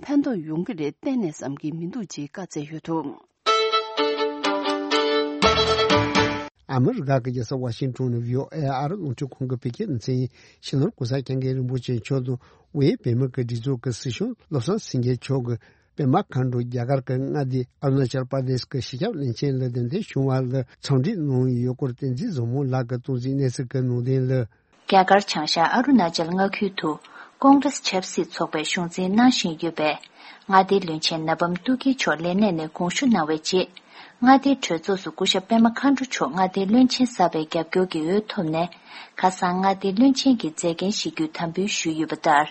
ཕན་ཐོགས་ཡོང་གི་རེད་གཏན་ནས་བསམ་གྱི་མི་འདུག་ཅེས་བཀའ་སྩལ་ཡོད་འདུག། ཨ་མི་རི་ཀ་གི་རྒྱལ་ས་ཝ་ཤིང་ཊོན་ནས་བྷི་ཨོ་ཨེ་ཨ་རི་རླུང་འཕྲིན་ཁང་གི་བོད་སྐད་སྡེ་ཚན་ཡིན། སྤྱི་ནོར་༸གོང་ས་༸སྐྱབས་མགོན་རིན་པོ་ཆེ་མཆོག་དང་དབུས་བོད་མི་གི་སྒྲིག་འཛུགས་ཀྱི་སྲིད་སྐྱོང་བློ་བཟང་སེང་གེ་མཆོག་གིས་པད་མ་མཁའ་འགྲོ་རྒྱ་གར་གྱི་མངའ་སྡེ་ཨ་རུ་ན་ཅལ་པར་དེ་ཤི་གི་སྤྱི་ཁྱབ་བློན་ཆེན་ལ་གདན་འདྲེན་བྱུང་བ་ལ་འཚམས་འདྲི་གནང་ཡོད་སྐོར་བསྟན་འཛིན་བཟང་མོ་ལགས་ཀྱིས་གཏོང་ཟིན་གནས་ཚུལ་གྱི་ནང་དོན་ལ། རྒྱ་གར་བྱང་ཤར་ཨ་རུ་ན་ཅལ་མངའ་ཁུལ་དུ་ཀོང་རེས་ཆབ་སྲིད་ཚོགས་པའི་གཞུང་འཛིན་གནང་བཞིན་ཡོད་པའི་མངའ་སྡེའི་བློན་ཆེན་ན་བམ་ཏུ་ཀི་མཆོག་ལས་གནས་ནས་དགོངས་ཞུ་གནང་བའི་རྗེས། མངའ་སྡེའི་གྲོས་ཚོགས་སུ་སྐུ་ཞབས་པད་མ་མཁའ་འགྲོ་མཆོག་མངའ་སྡེའི་བློན་ཆེན་གསར་པའི་རྒྱབ་སྐྱོར་གྱི་འོས་ཐོབ་ནས། ཁ་སང་མངའ་སྡེའི་བློན་ཆེན་གྱི་མཛད་འགན་བཞེས་རྒྱུའི་དམ་འབུལ་ཞུས་ཡོད་པ་ལྟར།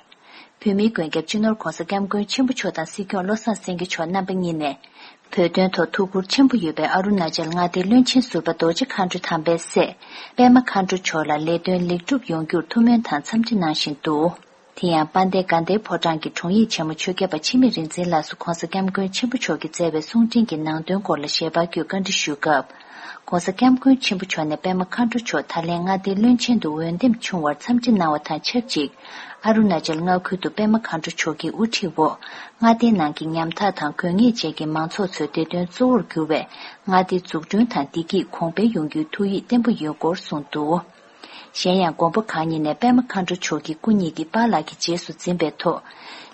བོད་མིའི་མགོན་སྐྱབས་སྤྱི་ནོར་༸གོང་ས་༸སྐྱབས་མགོན་ཆེན་པོ་མཆོག་དང་སྲིད་སྐྱོང་བློ་བཟང་སེང་གེ་མཆོག་རྣམ་པ་གཉིས་ནས། བོད་དོན་ཐོག་ཐུགས་ཁུར་ཆེན་པོ་ཡོད་པའི་ཨ་རུ་ན་ཅལ་མངའ་སྡེའི་བློན་ཆེན་ཟུར་པ་རྡོ་རྗེ་མཁའ་འགྲོ་དམ་པའི་སྲས་པད་མ་མཁའ་འགྲོ་མཆོག་ལ་ལས་དོན་ལེགས་གྲུབ་ཡོང་རྒྱུར་ཐུགས་སྨོན་དང་འཚམས་འདྲི་གནང་བཞིན་འདུག་དེ་ཡང་དཔལ་ལྡན་དགའ་ལྡན་ཕོ་བྲང་གི་དྲུང་ཡིག་ཆེན་མོ་ཆོས་སྐྱབས་པ་འཆི་མེད་རིག་འཛིན་ལགས་སུ་༸གོང་ས་༸སྐྱབས་མགོན་ཆེན་པོ་མཆོག་གིས་བསྩལ་བའི་གསུང་འཕྲིན་གྱི་ནང་དོན་སྐོར་ལ་ཞལ་པར་བརྒྱུད་བཀའ་འདྲི་ཞུས་སྐབས། ༸གོང་ས་༸སྐྱབས་མགོན་ཆེན་པོ་མཆོག་ནས་པད་མ་མཁའ་འགྲོ་མཆོག་ད་ལན་མངའ་སྡེའི་བློན་ཆེན་དུ་འོས་འདེམས་བྱུང་བར་འཚམས་འདྲི་གནང་བ་དང་ཆབས་ཅིག་ཨ་རུ་ན་ཅལ་མངའ་ཁུལ་དུ་པད་མ་མཁའ་འགྲོ་མཆོག་གི་དབུ་ཁྲིད་འོག་མངའ་སྡེའི་ནང་གི་ཉམ་ཐག་དང་དགོས་ངེས་ཅན་གྱི་མང་ཚོགས་ཚོའི་བདེ་དོན་གཙོ་བོར་གྱུར་བའི་མངའ་སྡེ་འཛུགས་སྐྲུན་དང་བདེ་སྐྱིད་གོང་འཕེལ་ཡོང་རྒྱུའི་ཐུགས་ཡིད་བརྟན་པོ་ཡོད་སྐོར་གསུངས་འདུག་གཞན་ཡང་མགོན་པོ་གང་ཉིད་ནས་པད་མ་མཁའ་འགྲོ་མཆོག་གི་སྐུ་ཉིད་ཀྱི་པཱ་ལགས་ཀྱི་རྗེས་སུ་འཛིན་པའི་ཐོག་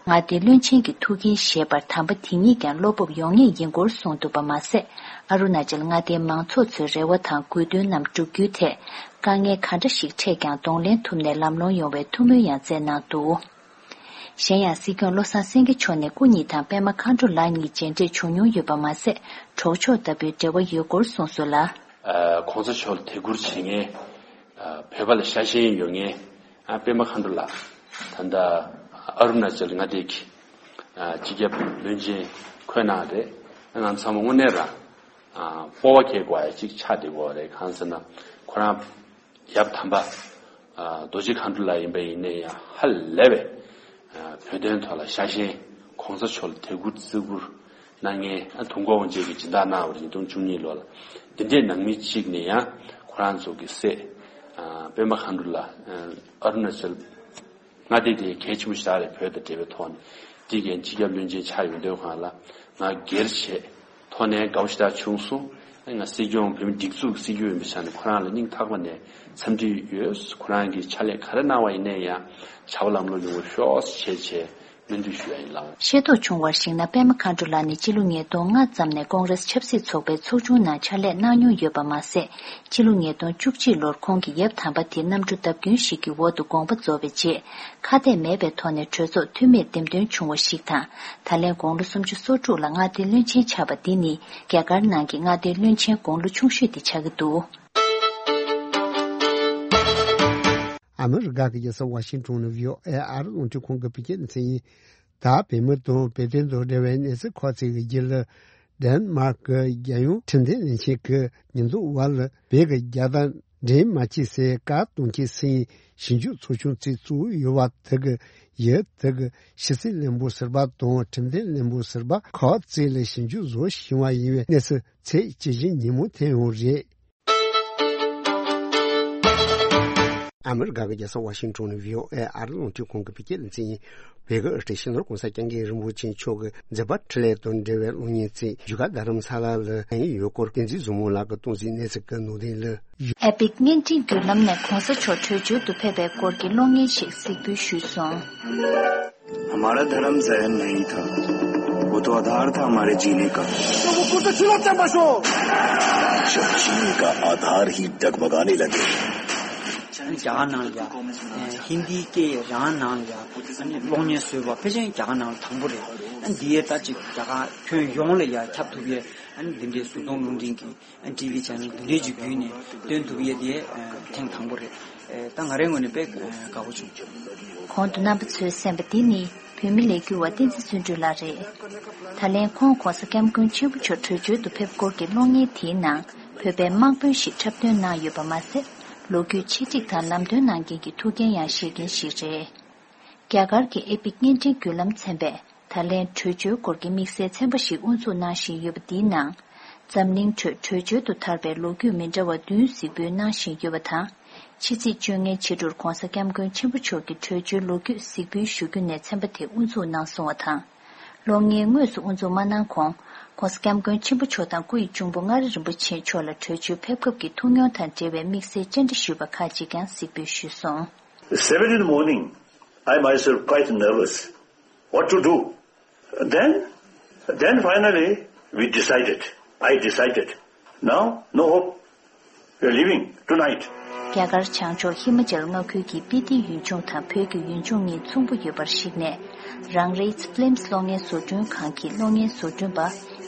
མངའ་སྡེའི་བློན་ཆེན་གྱི་ཐུགས་འགན་བཞེས་པར་དམ་པ་དེ་ཉིད་ཀྱང་བློ་སྤོབས་ཡོང་ངེས་ཡིན་སྐོར་གསུངས་འདུག་པ་མ་ཟད། ཨ་རུ་ན་ཅལ་མངའ་སྡེའི་མང་ཚོགས་ཚོའི་རེ་བ་དང་དགོས་འདུན་རྣམས་བསྒྲུབ་རྒྱུའི་ཐད་དཀའ་ངལ་ག་འདྲ་ཞིག་འཕྲད་ཀྱང་གདོང་ལེན་ཐུབ་ནས་ལམ་ལྷོང་ཡོང་བའི་ཐུགས་སྨོན་ཡང་བསྩལ་གནང་འདུག་གཞན་ཡང་སྲིད་སྐྱོང་བློ་བཟང་སེང་གེ་མཆོག་ནས་སྐུ་ཉིད་དང་པད་མ་མཁའ་འགྲོ་ལགས་གཉིས་མཇལ་འཕྲད་བྱུང་མྱོང་ཡོད་པ་མ་ཟད། གྲོགས་མཆོག་ལྟ་བུའི་འབྲེལ་བ་ཡོད་སྐོར་གསུངས་སོང་ལ། ཨ། ༸གོང་ས་མཆོག་ལ་དད་བཀུར་བྱེད་མཁན། ཨ། བོད་པ་ལ་ཤ་ཞེན་ཡོད་མཁན། ཨ། པད་མ་མཁའ་འགྲོ་ལགས་ད་ལྟ་ཨ་རུ་ན་ཅལ་མངའ་སྡེ་གི། ཨ། སྤྱི་ཁྱབ་བློན་ཆེན་འཁོད་གནང་རེད། ང་ཚང་མ་དངོས་གནས་རང་། ཨ། སྤོབས་པ་སྐྱེ་དགོས་ཡ་གཅིག་ཆགས་བསྡད་ཡོད་རེད། གང་ཟེར་ན་ཁོ་རང་ཡབ་དམ་པ། ཨ། རྡོ་རྗེ་མཁའ་འགྲོ་ལགས་ཡིན་པ་ཡིན་ན་ཡང་ཧ་ལས་པའི། ཨ། བོད་དོན་ཐོག་ལ་ཤ་ཞེན། ༸གོང་ས་མཆོག་ལ་དད་བཀུར་བརྩི་བཀུར་གནང་མཁན། ཨ། དུས་འཁོར་དབང་ཆེན་གྱི་སྦྱིན་བདག་གནང་བ་རེད། ཉིས་སྟོང་བཅུ་གཉིས་ལོ་ལ། འདི་འདྲའི་ནང་མི་གཅིག་ནས་ཡང་ཁོ་རང་ཚོ་གི་སྲས། ཨ། པད་མ་མཁའ་འགྲོ་ལགས། ཨ། ཨ་རུ་ན་ཅལ་མངའ་སྡེ་དེ་གལ་ཆེན་པོ་ཞིག་རེད། བོད་དང་འབྲེལ་བའི་ཐོག་ནས། དེ་གའི་སྤྱི་ཁྱབ་བློན་ཆེན་ཆགས་ཡོང་དུས་སྒང་ལ་ང་སྒེར་བྱས་ཐོག་ནས་དགའ་པོ་ཞེ་དྲག་བྱུང་སོང་། ང་སྲིད་སྐྱོང་བོད་མི་སྒྲིག་འཛུགས་སྲིད་སྐྱོང་ཡིན་པའི་ཆ་ནས་ཁོ་རང་ལ་སྙིང་ཐག་པ་ནས་འཚམས་འདྲི་ཡོད། ཁོ་རང་གིས་ཕྱག་ལས་ག་རེ་གནང་བ་ཡིན་ནའི་ཡང་བྱ་བ་ལམ་ལྷོང་ཡོང་བར་ཤོག་ཅེས་བྱས་སྨོན་འདུན་ཞུ་ཡ་ཡིན་ལགས། ཤེས་རྟོགས་བྱུང་བར་གཞིགས་ན་པད་མ་མཁའ་འགྲོ་ལགས་ནི་སྤྱི་ལོ་ཉིས་སྟོང་ལྔ་ཙམ་ནས་ཀོང་རེས་ཆབ་སྲིད་ཚོགས་པའི་ཚོགས་ཆུང་ནང་ཕྱག་ལས་གནང་མྱོང་ཡོད་པ་མ་ཟད། སྤྱི་ལོ་ཉིས་སྟོང་བཅུ་གཅིག་ལོར་ཁོང་གི་ཡབ་དམ་པ་དེ་གནམ་གྲུ་བརྡབ་སྐྱོན་ཞིག་གི་འོག་ཏུ་དགོངས་པ་རྫོགས་པའི་རྗེས། ཁ་གཏད་མེད་པའི་ཐོག་ནས་གྲོས་ཚོགས་འཐུས་མིར་འདེམས་ཐོན་བྱུང་བ་ཞིག་དང་། ད་ལན་དགུང་ལོ་སུམ་ཅུ་སོ་དྲུག་ལ་མངའ་སྡེའི་བློན་ཆེན་ཆགས་པ་འདི་ནི་རྒྱ་གར་ནང་གི་མངའ་སྡེའི་བློན་ཆེན་དགུང་ལོ་ཆུང་ཤོས་དེ་ཆགས་ཀྱི་འདུག་ཨ་མི་རི་ཀ་གི་རྒྱལ་ས་ཝ་ཤིང་ཊོན་ནས་བྷི་ཨོ་ཨེ་ཨ་རི་རླུང་འཕྲིན་ཁང་གི་བོད་སྐད་སྡེ་ཚན་ཡིན། ད་བོད་མི་དང་བོད་དོན་དང་འབྲེལ་བའི་གནས་ཚུལ་ཁག་ཅིག་གི་རྒྱུད་ལ། ཌེན་མཱརཀ་གི་རྒྱལ་ཡོངས་ཁྲིམས་འཛིན་ལས་ཁང་གིས་ཉེན་རྟོག་པ་ལ་བོད་ཀྱི་རྒྱལ་དར་འདྲེན་མ་བྱེད་ཟེར་བཀའ་གཏོང་མཁན་སུ་ཡིན་ཞིབ་འཇུག་ཚོགས་ཆུང་གཅིག་བཙུགས་ཡོད་པ་དེ་གི་ཡུལ་དེ་གི་ཕྱི་སྲིད་བློན་པོ་ཟུར་པ་དང་ཁྲིམས་འཛིན་བློན་པོ་ཟུར་པ་ཁག་ཅིག་ལ་ཞིབ་འཇུག་བཟོ་བཞིན་པ་ཡིན་པའི་གནས་ཚུལ་ཚེས་བཅུ་བཞི་ཉིན་མོ་ཐོན་ཡོད་རེད། ཨ་མི་རི་ཀ་གི་རྒྱལ་ས་ཝ་ཤིང་ཊོན་ནས་བྷི་ཨོ་ཨེ་ཨ་རི་རླུང་འཕྲིན་ཁང་གི་བོད་སྐད་སྡེ་ཚན་ཡིན། བོད་ཀྱི་སྤྱི་ནོར་༸གོང་ས་༸སྐྱབས་མགོན་རིན་པོ་ཆེ་མཆོག་གི་མཛད་པ་འཕྲིན་ལས་དང་འབྲེལ་བའི་གློག་བརྙན་གཅིག་བཞུགས་སྒར་རྡ་རམ་ས་ལ་ལ་གནང་ཡོད་སྐོར་བསྟན་འཛིན་བཟང་མོ་ལགས་ཀྱིས་གཏོང་ཟིན་གནས་ཚུལ་གྱི་ནང་དོན་ལ། ཨེ་པིག་བརྙན་འཕྲིན་བརྒྱུད་ལམ་ནས་༸གོང་ས་མཆོག་བྲོས་བྱོལ་དུ་ཕེབས་པའི་སྐོར་གྱི་གློག་བརྙན་ཞིག་གཟིགས་འབུལ་ཞུས་སོང་། हमारा धर्म जहर नहीं था, वो तो आधार था हमारे जीने का। तो वो कुर्ता छिलो चंपा शो। जब जीने का आधार ही डगमगाने लगे। རྒྱ་གར་ནང་ལ་ཡ། ཧིན་དིའི་སྐད་རང་ནང་ལ་ཡ། གློག་བརྙན་བཟོས་པ་ཕལ་ཆེར་རྒྱ་གར་ནང་ལ་དང་པོ་རེད། འདི་ཡས་ད་ཅིག་རྒྱ་གར་ཁྱོན་ཡོངས་ལ་ཡ་ཁྱབ་ཐུབ་ཡས། འདི་འདྲའི་གཟུགས་མཐོང་རླུང་འཕྲིན་གྱི་ཊི་ཝི་ཆེ་ནལ་འདི་འདྲའི་ཅིག་བརྒྱུད་ནས་སྟོན་ཐུབ་ཡས་དེ་ཐེངས་དང་པོ་རེད། ད་ང་རའི་ངོས་ནས་དཔེ་དགའ་པོ་བྱུང་། གོང་དུ་རྣམ་པ་ཚོས་གསན་པ་འདི་ནི་བོད་མི་ལས་འགུལ་བ་བསྟན་འཛིན་བརྩོན་འགྲུས་ལགས་རེད། ད་ལན་ཁོང་༸གོང་ས་༸སྐྱབས་མགོན་ཆེན་པོ་མཆོག་བྲོས་བྱོལ་དུ་ཕེབས་སྐོར་གྱི་གློག་བརྙན་དེའི་ནང་བོད་པའི་དམག་དཔོན་ཞིག་འཁྲབ་སྟོན་གནང་ཡོད་པ་མ་ཟད། ལོ་རྒྱུས་ཆེད་སྒྲིག་དང་ལམ་སྟོན་གནང་མཁན་གྱི་ཐུགས་འགན་ཡང་བཞེས་མཁན་ཞིག་རེད། རྒྱ་གར་གྱི་ཨེ་པིག་བརྙན་འཕྲིན་བརྒྱུད་ལམ་ཚན་པས་ད་ལན་བྲོས་བྱོལ་སྐོར་གྱི་དམིགས་བསལ་ཚན་པ་ཞིག་དབུ་འཛུགས་གནང་བཞིན་ཡོད་པ་འདིའི་ནང་། འཛམ་གླིང་ཁྲོད་བྲོས་བྱོལ་དུ་དར་བའི་ལོ་རྒྱུས་མི་འདྲ་བ་བདུན་གཟིགས་འབུལ་གནང་བཞིན་ཡོད་པ་དང་། ཕྱི་ཚེས་བཅོ་ལྔའི་ཕྱི་དྲོར་༸གོང་ས་༸སྐྱབས་མགོན་ཆེན་པོ་མཆོག་གི་བྲོས་བྱོལ་ལོ་རྒྱུས་གཟིགས་འབུལ་ཞུ་རྒྱུ་ནས་ཚན་པ་དེ་དབུ་འཛུགས་གནང་སོང་བ་དང་། གློག་བརྙན་དངོས་སུ་དབུ་འཛུགས་མ་གནང་གོང་ ༸གོང་ས་༸སྐྱབས་མགོན་ཆེན་པོ་མཆོག་དང་སྐུ་ཡི་གཅུང་པོ་མངའ་རིས་རིན་པོ་ཆེ་མཆོག་ལ་བྲོས་བྱོལ་ཕེབས་སྐབས་ཀྱི་ཐུགས་མྱོང་དང་འབྲེལ་བའི་དམིགས་བསལ་བཅར་འདྲི་ཞུས་པ་ཁག་ཅིག་ཀྱང་གཟིགས་འབུལ་ཞུས་སོང་། Seven in the morning, I myself quite nervous. What to do? Then, then finally, we decided. I decided. Now, no hope. We're leaving tonight. རྒྱ་གར་བྱང་ཕྱོགས་ཧི་མ་ཅལ་མངའ་ཁུལ་གྱི་སྤི་ཏི་ཡུལ་ལྗོངས་དང་བོད་ཀྱི་ཡུལ་ལྗོངས་གཉིས་མཚུངས་པོ་ཡོད་པར་གཞིགས་ནས། རང་རེའི་ཕི་ལིམ་སི་གློག་བརྙན་བཟོ་སྐྲུན་ཁང་གི་གློག་བརྙན་བཟོ་སྐྲུན་པ་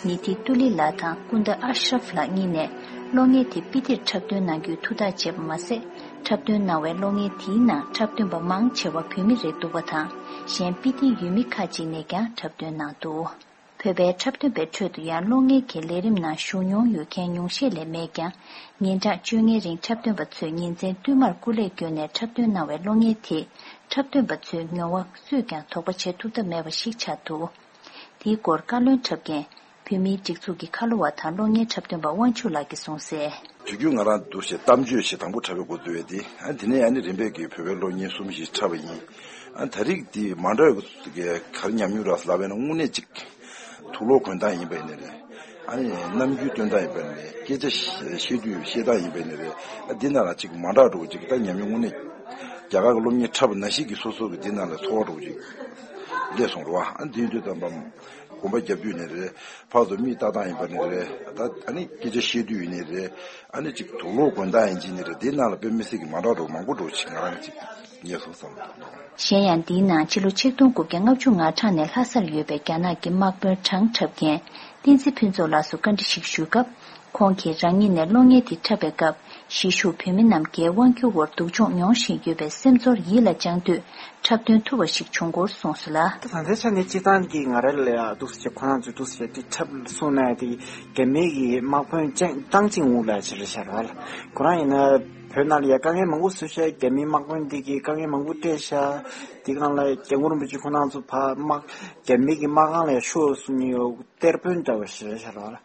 ནི་ཐི་ཏུ་ལི་ལགས་དང་ཀུན་ཏ་ཨ་ཤ་རབ་ལགས་གཉིས་ནས་གློག་བརྙན་དེ་སྤི་ཏིར་འཁྲབ་སྟོན་གནང་རྒྱུའི་ཐུགས་ཐག་བཅད་པ་མ་ཟད། འཁྲབ་སྟོན་གནང་བའི་གློག་བརྙན་དེའི་ནང་འཁྲབ་སྟོན་པ་མང་ཆེ་བ་བོད་མི་རེད་འདུག་པ་དང་། གཞན་སྤི་ཏིའི་ཡུལ་མི་ཁག་ཅིག་ནས་ཀྱང་འཁྲབ་སྟོན་གནང་འདུག་བོད་པའི་འཁྲབ་སྟོན་པའི་ཁྲོད་དུ་ཡང་གློག་བརྙན་གྱི་ལས་རིམ་ནང་ཞུགས་མྱོང་ཡོད་མཁན་ཉུང་ཤས་ལས་མེད་ཀྱང་། ཉིན་གྲངས་བཅོ་ལྔའི་རིང་འཁྲབ་སྟོན་པ་ཚོས་ཉིན་མཚན་བསྟུད་མར་སྐུ་ལས་བསྐྱོན་ནས་འཁྲབ་སྟོན་གནང་བའི་གློག་བརྙན་དེས་འཁྲབ་སྟོན་པ་ཚོའི་མྱོང་བ་སུས་ཀྱང་དོགས་པ་བྱེད་ཐུབ་ཐབས་མེད་པ་ཞིག་ཆགས་འདུག་དེའི་སྐོར་བཀའ་བློན་འཁྲབ་མཁན་བོད་མིའི་སྒྲིག་འཛུགས་ཀྱི་ཁ་ལོ་བ་དང་གློག་བརྙན་འཁྲབ་སྟོན་པ་དབང་ཕྱུག་ལགས་ཀྱིས་གསུངས་གསལ། དུས་རྒྱུན་ང་རང་འདུག་ཞེས་གཏམ་བརྗོད་ཞེས་དང་པོ་འཁྲབ་པའི་འགོ་བསྡུ་བས་ཏེ། ཨ་དེ་ནས་ཨ་ནི་རིམ་པས་ཀྱི་བོད་པའི་གློག་བརྙན་གསུམ་ཞིག་འཁྲབ་པ་ཡིན། ཨ་ད་རིགས་འདི་མ་འདྲ་བའི་ག་རེ་ཉམས་མྱོང་རག་ལབ་པས་ན་དངོས་གནས་ཅིག་དུག་ལོག་གོན་སྟངས་ཡིན་པ་ཡིན་ནའི་རེད། ཨ་ནི་རྣམ་འགྱུར་སྟོན་སྟངས་ཡིན་པ་ཡིན་ནའི་རེད། སྐད་ཆ་བཤད་དུས་བཤད་སྟངས་ཡིན་པ་ཡིན་ནའི་རེད། ཨ་འདི་ན་ལ་ཅིག་མ་འདྲ་འགྲོ་ཅིག་ད་ཉམས་མྱོང་དངོས་གནས་རྒྱ་གར་གྱི་གློག་བརྙན་འཁྲབ་པ་ནང་བཞིན་གྱི་སོ་སོ་གི་འདི་ན་ལ་ཚོར་བ་འགྲོ་ཅིག་སླེབས་སོང་རེད་བ། ཨ་འདི་ཡིན་དུས་ཙམ་པ། གོམ་པ་རྒྱབ་དུས་ནས་རེད། ཕར་ཚུར་མིག་ལྟ་སྟངས་ཡིན་པ་ནས་རེད། ད་ཨ་ནི་སྐད་ཆ་བཤད་དུས་ཡིན་ནས་རེད། ཨ་ནི་ཅིག་དུག་ལོག་གོན་སྟངས་ཡིན་གཅིག་ནས་རེད། དེའི་ནང་ལ་དཔེ་མི་སྲིད་ཀྱི་མ་འདྲ་འགྲོ་མང་པོ་འགྲོ་ཅིག་ང་རང་ཅིག་ངེས་སོང་བསམ་འདུག་གཞན་ཡང་འདིའི་ནང་ཕྱི་ལོ་ཆིག་སྟོང་དགུ་བརྒྱ་ལྔ་བཅུ་ང་གྲངས་ནས་ལྷ་སར་ཡོད་པའི་རྒྱ་ནག་གི་དམག་དཔོན་གྲངས་འཁྲབ་མཁན་བསྟན་འཛིན་ཕུན་ཚོགས་ལགས་སུ་བཀའ་འདྲི་ཞིག་ཞུས་སྐབས། ཁོང་གིས་རང་ཉིད་ནས་གློག་བརྙན་དེ་འཁྲབ་པའི་སྐབས། གཞིས་བཞུགས་བོད་མི་རྣམས་རྒྱའི་དབང་སྒྱུར་འོག་སྡུག་སྦྱོང་མྱོང་བཞིན་ཡོད་པའི་སེམས་ཚོར་ཡིད་ལ་བཅངས་དུས་འཁྲབ་སྟོན་ཐུབ་པ་ཞིག་བྱུང་སྐོར་གསུངས་སོང་ལ། ད་ལྟའི་ཆ་ནས་སྤྱིར་བཏང་གི་ང་རང་ལ་ཡང་འདུག་སེ་བྱས་ཁོ་རང་ཚོས་འདུག་སེ་བྱས་དེ་འཁྲབ་སོང་ན་དེ་རྒྱ་མི་གི་དམག་དཔོན་ཅང་ཏང་ཅིང་ཝུ་ལ་ཕྱིར་བཞག་པ་ལ། ཁོ་རང་ཡིན་ན་བོད་ནང་ལ་ཡང་དཀའ་ངལ་མང་པོ་བཟོས་ཤག་རྒྱ་མིའི་དམག་དཔོན་འདི་གིས་དཀའ་ངལ་མང་པོ་སྤྲད་ཤག་དེ་སྒང་ལ་སྐྱབས་མགོན་རིན་པོ་ཆེ་ཁོ་རང་ཚོ་ཕར་དམག་རྒྱ་མི་གི་དམག་ཁང་ལ་ཡང་ཤོག་གསུང་མྱོང་ཡོད། གཏེར་དཔོན་འདྲ་བ་ཞིག་རེད་ཤག་ར་བ་ལ།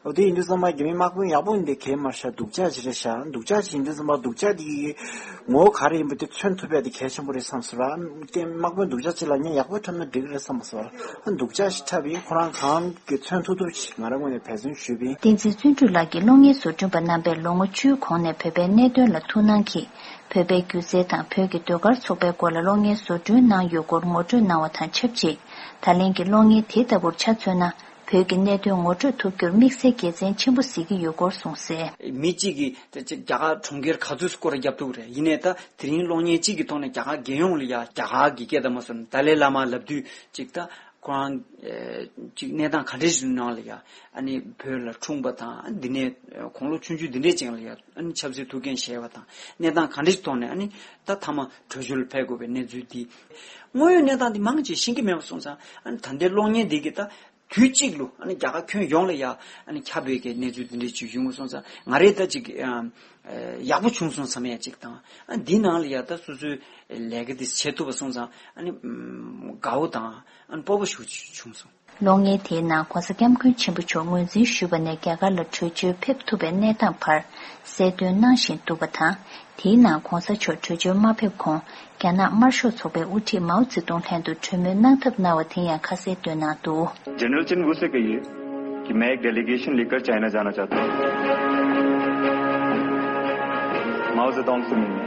འོ་དེ་ཡིན་དུས་ཙམ་པ་རྒྱ་མི་དམག་དཔོན་ཡག་པོ་ཡིན་དེ་གས་མ་རེད་ཤག་སྡུག་ཅག་ཅིག་རེད་ཤག་སྡུག་ཅག་ཅིག་ཡིན་དུས་ཙམ་པ་སྡུག་ཅག་དེ་གི་ངོ་བོ་ག་རེ་ཡིན་པ་དེ་མཚོན་ཐུབ་ཡ་དེ་གལ་ཆེན་པོ་རེད་བསམ་སོང་ར། དེ་དམག་དཔོན་སྡུག་ཅག་ཅིག་ལ་ངས་ཡག་པོ་འཁྲབ་ན་འགྲིག་གི་རེད་བསམ་སོང་ར། སྡུག་ཅག་ཞིག་འཁྲབ་ཡིན་ཁོ་རང་གང་གི་མཚོན་ཐུབ་ཐུབ་ཅིག་ང་རང་ངོས་ནས་འབད་བརྩོན་ཞུས་པ་ཡིན། བསྟན་འཛིན་བརྩོན་འགྲུས་ལགས་ཀྱིས་གློག་བརྙན་བཟོ་སྐྲུན་པ་རྣམ་པས་ལོ་ངོ་བཅུའི་གོང་ནས་བོད་པའི་གནད་དོན་ལ་ཐུགས་སྣང་གིས། བོད་པའི་སྒྱུ་རྩལ་དང་བོད་ཀྱི་ཟློས་གར་ཚོགས་པའི་སྐོར་ལ་གློག་བརྙན་བཟོ་སྐྲུན་གནང་ཡོད་སྐོར་ངོ་སྤྲོད་གནང་བ་དང་ཆབས་ཅིག་ད་ལན་གྱི་གློག་བརྙན་དེ་ལྟ་བུར་ཆ་མཚོན་ན། བོད་ཀྱི་གནད་དོན་ངོ་སྤྲོད་ཐུབ་རྒྱུར་དམིགས་བསལ་དགེ་མཚན་ཆེན་པོ་གཟིགས་ཀྱི་ཡོད་སྐོར་གསུངས་གསལ། མི་གཅིག་གིས་ད་ཅིག་རྒྱ་གར་གྲོང་ཁྱེར་ག་ཚོད་སྐོར་རྒྱབ་ཐུབ་རེད། ཡིན་ནའི་ད་དེ་རིང་གློག་བརྙན་གཅིག་གི་ཐོག་ནས་རྒྱ་གར་རྒྱལ་ཡོངས་ལ་ཡ་རྒྱ་གར་གྱི་སྐད་དང་མ་སོན་ཏཱ་ལའི་བླ་མ་ལབ་དུས་ཅིག་ད། ཁོ་རང་ཨེ་ཅིག་གནས་སྟངས་ག་འདྲ་ཞིག་ནང་ལ་ཡ་ཨ་ནི་བོད་ལ་འཁྲུངས་པ་དང་འདི་ནས་དགུང་ལོ་ཆུང་ཆུང་འདི་འདྲས་ཅན་ལ་ཡ་ཨ་ནི་ཆབ་སྲིད་ཐུགས་འགན་བཞེས་པ་དང་གནས་སྟངས་ག་འདྲ་ཞིག་ཐོག་ནས་ཨ་ནི་ད་མཐའ་མ་བྲོས་བྱོལ་ཕེབས་དགོས་པའི་གནས་ཚུལ་འདི་དངོས་ཡོད་གནས་སྟངས་འདི་མང་ཆེ་ཤེས་ཀྱི་མེད་པ་སོང་ཙང་ཨ་ནི་ད་ལྟའི་གློག་བརྙན་འདི་གི་ད་དུས་གཅིག་ལུ་ཨ་ནི་རྒྱ་གར་ཁྱོན་ཡོངས་ལ་ཡ་ཨ་ནི་ཁྱབ་པའི་གི་གནས་ཚུལ་འདི་འདྲས་ཅིག་ཡོང་བ་སོང་ཙང་ང་རས་ད་ཅིག་ཨ་ཡག་པོ་བྱུང་སོང་བསམ་ཡ་ཅིག་དང་ཨ་འདི་ནང་ལ་ཡ་ད་སོ་སོའི་ལས་ཀ་འདི་བྱེད་ཐུབ་པ་སོང་ཙང་ཨ་ནི་དགའ་བོ་དང་། ཨན་སྤོབས་པ་ཞུ་བྱུང་སོང་། གློག་བརྙན་དེའི་ནང་༸གོང་ས་༸སྐྱབས་མགོན་ཆེན་པོ་མཆོག་ངོས་འཛིན་ཞུས་པ་ནས་རྒྱ་གར་ལ་བྲོས་བྱོལ་ཕེབས་ཐུབ་པའི་གནས་སྟངས་བར་གསལ་སྟོན་གནང་བཞིན་འདུག་པ་དང་། དེའི་ནང་༸གོང་ས་མཆོག་བྲོས་བྱོལ་མ་ཕེབས་གོང་རྒྱ་ནག་དམར་ཤོག་ཚོགས་པའི་དབུ་ཁྲིད་མའོ་ཙེ་ཏུང་ལྷན་དུ་གྲོས་མོལ་གནང་ཐབས་གནང་བ་དེ་ཡང་ཁ་གསལ་སྟོན་གནང་འདུག། जनरल चिन वुसे कहिए कि मैं एक डेलीगेशन लेकर चाइना जाना चाहता हूँ। माओ जेडोंग से मिलने।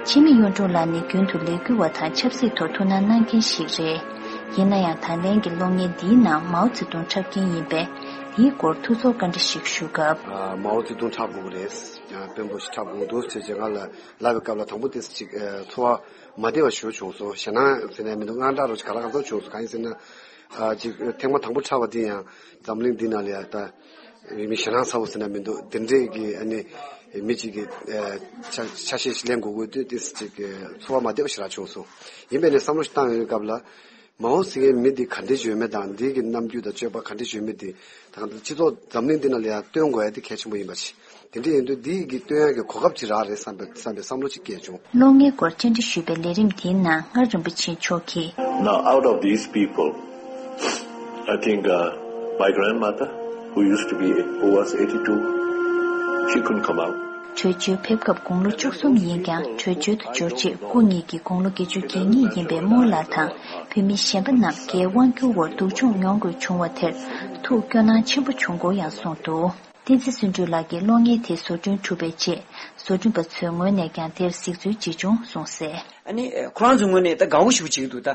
འཆི་མེད་གཡུང་དྲུང་ལགས་ནི་རྒྱུན་དུ་ལས་འགུལ་བ་དང་ཆབ་སྲིད་ཐོག་ཐུགས་སྣང་གནང་མཁན་ཞིག་རེད། ཡིན་ན་ཡང་ད་ལན་གྱི་གློག་བརྙན་འདིའི་ནང་མའོ་ཙེ་ཏུང་འཁྲབ་མཁན་ཡིན་པས། དེའི་སྐོར་ཐུགས་ཚོར་བཀའ་འདྲི་ཞིག་ཞུ་སྐབས། ཨ། མའོ་ཙེ་ཏུང་འཁྲབ་དགོས་ཀྱི་རེད། ཨ། དཔོན་པོ་ཞིག་འཁྲབ་དགོས་འདུག་ཅེས་ང་ལ་ལབ་པའི་སྐབས་ལ་དང་པོ་དེ་ཅིག་ཨ། ཚོར་བ་མ་བདེ་བ་ཞེ་པོ་བྱུང་སོང་། ཞེད་སྣང་ཟེར་ན་མི་འདུག་དངངས་སྐྲག་རོ་ཅིག་ག་ལ་ག་ཚོད་བྱུང་སོང་། གང་ཡིན་ཟེར་ན། ཨ། ཅིག་ཐེངས་མ་དང་པོ་འཁྲབ་པ་དེ་ཡང་འཛམ་གླིང་འདི་ནང་ལ་ཡ་ད་མི་ཞེད་སྣང་ཚ་བོ་ཟེར་ན་མི་འདུག་དེ་འདྲས་ཀྱི་ཨ་ནི་མི་གཅིག་གི་ཨ། ཆ་ཆ་ཤས་ཤིག་ལེན་དགོས་དགོས་དུས་དེ་ཅིག་ཚོར་བ་མ་བདེ་བ་ཞེ་དྲག་བྱུང་སོང་། ཡིན་པས་ནས་བསམ་བློ་ཞིག་བཏང་ཡོང་བའི་སྐབས་ལ། མའོ་ཟེར་མཁན་མི་འདི་ག་འདྲས་ཡོད་མེད་དང་འདི་གི་རྣམ་འགྱུར་དང་སྤྱོད་པ་ག་འདྲས་ཡོད་མེད་འདི་ད་ག་སྤྱི་ཚོགས་འཛམ་གླིང་འདི་ནང་ལ་ཡང་སྟོན་དགོས་ཡ་འདི་གལ་ཆེན་པོ་ཡིན་པ་ཆེ། དེ་འདྲས་ཡིན་དུས་འདི་གི་སྟོན་ཡ་གི་གོ་སྐབས་ཅིག་རག་རེད་བསམ་པའི་བསམ་པའི་བསམ་བློ་ཅིག་སྐྱེས་བྱུང་། གློག་བརྙན་སྐོར་བཅར་འདྲི་ཞུས་པའི་ལས་རིམ་དེའི་ནང་མངའ་རིན་པོ་ཆེ་མཆོག་གིས། Now, out of these people, I think, uh, my grandmother, who used to be, who was eighty-two, she couldn't come out. བྲོས་བྱོལ་ཕེབས་སྐབས་དགུང་ལོ་བཅུ་གསུམ་ཡིན་ཀྱང་། བྲོས་བྱོལ་དུ་འབྱོར་རྗེས་སྐུ་ཉིད་ཀྱི་དགུང་ལོ་བརྒྱད་ཅུ་གྱ་གཉིས་ཡིན་པའི་རྨོ་ལགས་དང་བོད་མི་གཞན་པ་རྣམས་རྒྱའི་དབང་བསྒྱུར་འོག་སྡུག་སྦྱོང་མྱོང་དགོས་བྱུང་བ་དེར་ཐུགས་སྐྱོ་སྣང་ཆེན་པོ་བྱུང་སྐོར་ཡང་གསུངས་འདུག་བསྟན་འཛིན་བརྩོན་འགྲུས་ལགས་ཀྱིས་གློག་བརྙན་དེ་བཟོ་སྐྲུན་གྲུབ་པའི་རྗེས། བཟོ་སྐྲུན་པ་ཚོའི་ངོས་ནས་ཀྱང་དེར་གཟིགས་ཚུལ་ཅིག་བྱུང་གསུངས་གསལ། ཨ་ནི་ཁོ་རང་ཚོའི་ངོས་ནས་ད་དགའ་བོ་ཞེ་པོ་བྱེད་ཀྱི་འདུག་ད་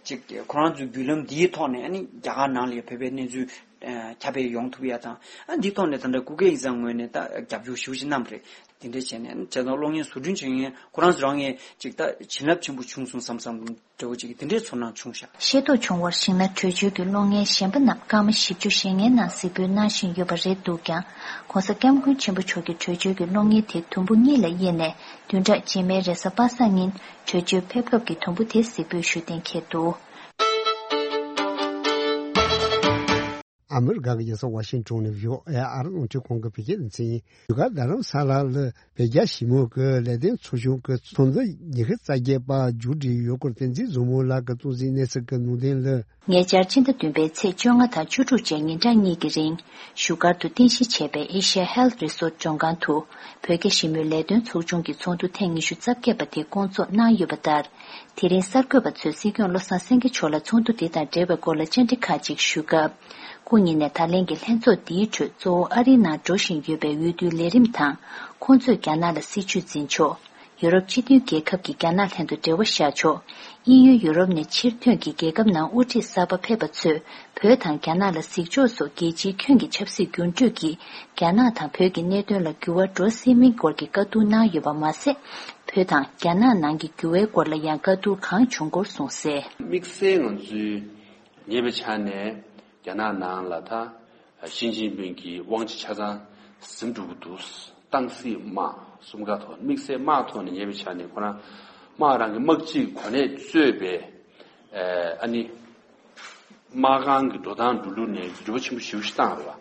ཅིག་ཁོ་རང་ཚོའི་བརྒྱུད་ལམ་འདིའི་ཐོག་ནས་ཨ་ནི་རྒྱ་གར་ནང་ལ་ཡང་བོད་པའི་གནས་ཚུལ་ཁྱབ་སྤེལ་ཡོང་ཐུབ་ཡ་དང་། ཨ་འདིའི་ཐོག་ནས་ད་ལྟ་སྐུ་སྒེར་ཡིག་ཚང་ངོས་ནས་ད་རྒྱབ་སྐྱོར་ཞེ་པོ་ཅིག་གནང་བ་རེད། དེ་འདྲ་བྱས་ནས་བྱས་ཙང་གློག་བརྙན་བཟོ་སྐྲུན་བྱེད་མཁན་ཁོ་རང་ཚོ་རང་ངས་ཅིག་ད་བྱིན་རླབས་ཆེན་པོ་བྱུང་སོང་བསམ་བསམ་འདྲ་བོ་ཅིག་དེ་འདྲའི་ཚོར་སྣང་བྱུང་ཤག་ཤེས་རྟོགས་བྱུང་བར་གཞིགས་ན། བྲོས་བྱོལ་གྱི་གློག་བརྙན་གཞན་པ་རྣམས་སྐར་མ་བཞི་བཅུ་ཞེ་ལྔའི་ནང་གཟིགས་འབུལ་གནང་བཞིན་ཡོད་པ་རེད་འདུག་ཀྱང་། ྋགོང་ས་ྋསྐྱབས་མགོན་ཆེན་པོ་མཆོག་གི་བྲོས་བྱོལ་གྱི་གློག་བརྙན་དེ་དུམ་བུ་གཉིས་ལ་དབྱེ་ནས། བདུན་ཕྲག་རྗེས་མའི་རེས་གཟའ་པ་སངས་ཉིན་བྲོས་བྱོལ་ཕེབས་སྐབས་ཀྱི་དུམ་བུ་དེ་གཟིགས་འབུལ་ཞུ་གཏན་འཁེལ་འདུག་ཨ་མི་རི་ཀ་གི་རྒྱལ་ས་ཝ་ཤིང་ཊོན་ནས་བྷི་ཨོ་ཨེ་ཨ་རི་རླུང་འཕྲིན་ཁང་གི་བོད་སྐད་སྡེ་ཚན་ཡིན། བཞུགས་སྒར་རྡ་རམ་ས་ལ་ལ་བོད་རྒྱ་ཞི་མོལ་གྱི་ལས་དོན་ཚོགས་ཆུང་གི་ཚོགས་འདུ་ཉི་ཤུ་རྩ་བརྒྱད་པ་མཇུག་སྒྲིལ་ཡོད་སྐོར་བསྟན་འཛིན་བཟང་མོ་ལགས་ཀྱིས་གཏོང་ཟིན་གནས་ཚུལ་གྱི་ནང་དོན་ལ། ཉེ་ཆར་ཕྱི་ཟླ་བདུན་པའི་ཚེས་བཅོ་ལྔ་དང་བཅུ་དྲུག་བཅས་ཉིན་གྲངས་གཉིས་ཀྱི་རིང་། བཞུགས་སྒར་དུ་རྟེན་གཞི་བྱས་པའི་ཨེ་ཤ་ཡ་ཧེལ་ཐི་རི་སོར་ཊི་མགྲོན་ཁང་དུ། བོད་རྒྱ་ཞི་མོལ་ལས་དོན་ཚོགས་ཆུང་གི་ཚོགས་འདུ་ཐེངས་ཉི་ཤུ་རྩ་བརྒྱད་པ་དེ་བསྐོང་ཚོགས་གནང་ཡོད་པ་ལྟར། དེ་རིང་གསར་འགོད་པ་ཚོས་སྲིད་སྐྱོང་བློ་བཟང་སེང་གེ་མཆོག་ལ་ཚོགས་འདུ་འདི་དང་འབྲེལ་བའི་སྐོར་ལ་བཅར་འདྲི་ཁག་ཅིག་ཞུས་སྐབས། སྐུ་ཉིད་ནས་ད་ལན་གྱི་ལྷན་ཚོགས་འདིའི་ཁྲོད་གཙོ་བོ་ཨ་རིའི་ནང་འགྲོ་བཞིན་ཡོད་པའི་འོས་བསྡུའི་ལས་རིམ་དང་། ཁོང་ཚོས་རྒྱ་ནག་ལ་སྲིད་ཇུས་འཛིན་ཕྱོགས། ཡུ་རོབ་སྤྱི་མཐུན་རྒྱལ་ཁབ་ཀྱིས་རྒྱ་ནག་ལྷན་དུ་འབྲེལ་བ་བཞག་ཕྱོགས། དབྱིན་ཡུལ་ཡུ་རོབ་ནས་ཕྱིར་ཐོན་གྱིས་རྒྱལ་ཁབ་ནང་དབུ་ཁྲིད་གསར་པ་ཕེབས་པ་ཚོས་བོད་དང་རྒྱ་ནག་ལ་གཟིགས་ཕྱོགས་སོགས་རྒྱལ་སྤྱིའི་ཁྱོན་གྱི་ཆབ་སྲིད་འགྱུར་འགྲོས་ཀྱིས་རྒྱ་ནག་དང་བོད་ཀྱི་གནད་དོན་ལ་འགྱུར་བ་འགྲོ་སྲིད་མིན་སྐོར་གྱི་བཀའ་བསྡུར་གནང་ཡོད་པ་མ་ཟད། བོད་དང་རྒྱ་ནག་ནང་གི་འགྱུར་བའི་སྐོར་ལ་ཡང་བཀའ་བསྡུར་གང་བྱུང་སྐོར་གསུངས་གསལ། དམིགས་བསལ་ང་ཚོའི་ཉེ་བའི་ཆ་ནས་རྒྱ་ནག་ནང་ལ་ད་ཞི་ཅིན་ཕིང་གི་དབང་ཆ་ཆ་ཚང་ཟིན་འགྲོ་གི་འདུག་ཏང་སྲིད་དམག་གསུམ་ཀ་ཐོག་དམིགས་བསལ་དམག་ཐོག་ནས་ཉེ་བའི་ཆ་ནས་ཁོ་རང་དམག་རང་གི་དམག་སྤྱིའི་གོ་གནས་གཙོས་པའི་ཨ་ནི། དམག་ཁང་གི་འགྲོ་སྟངས་འགྲོ་ལུགས་ནས་འགྱུར་བ་ཆེན་པོ་ཞེ་པོ་ཞིག་བཏང་རེད་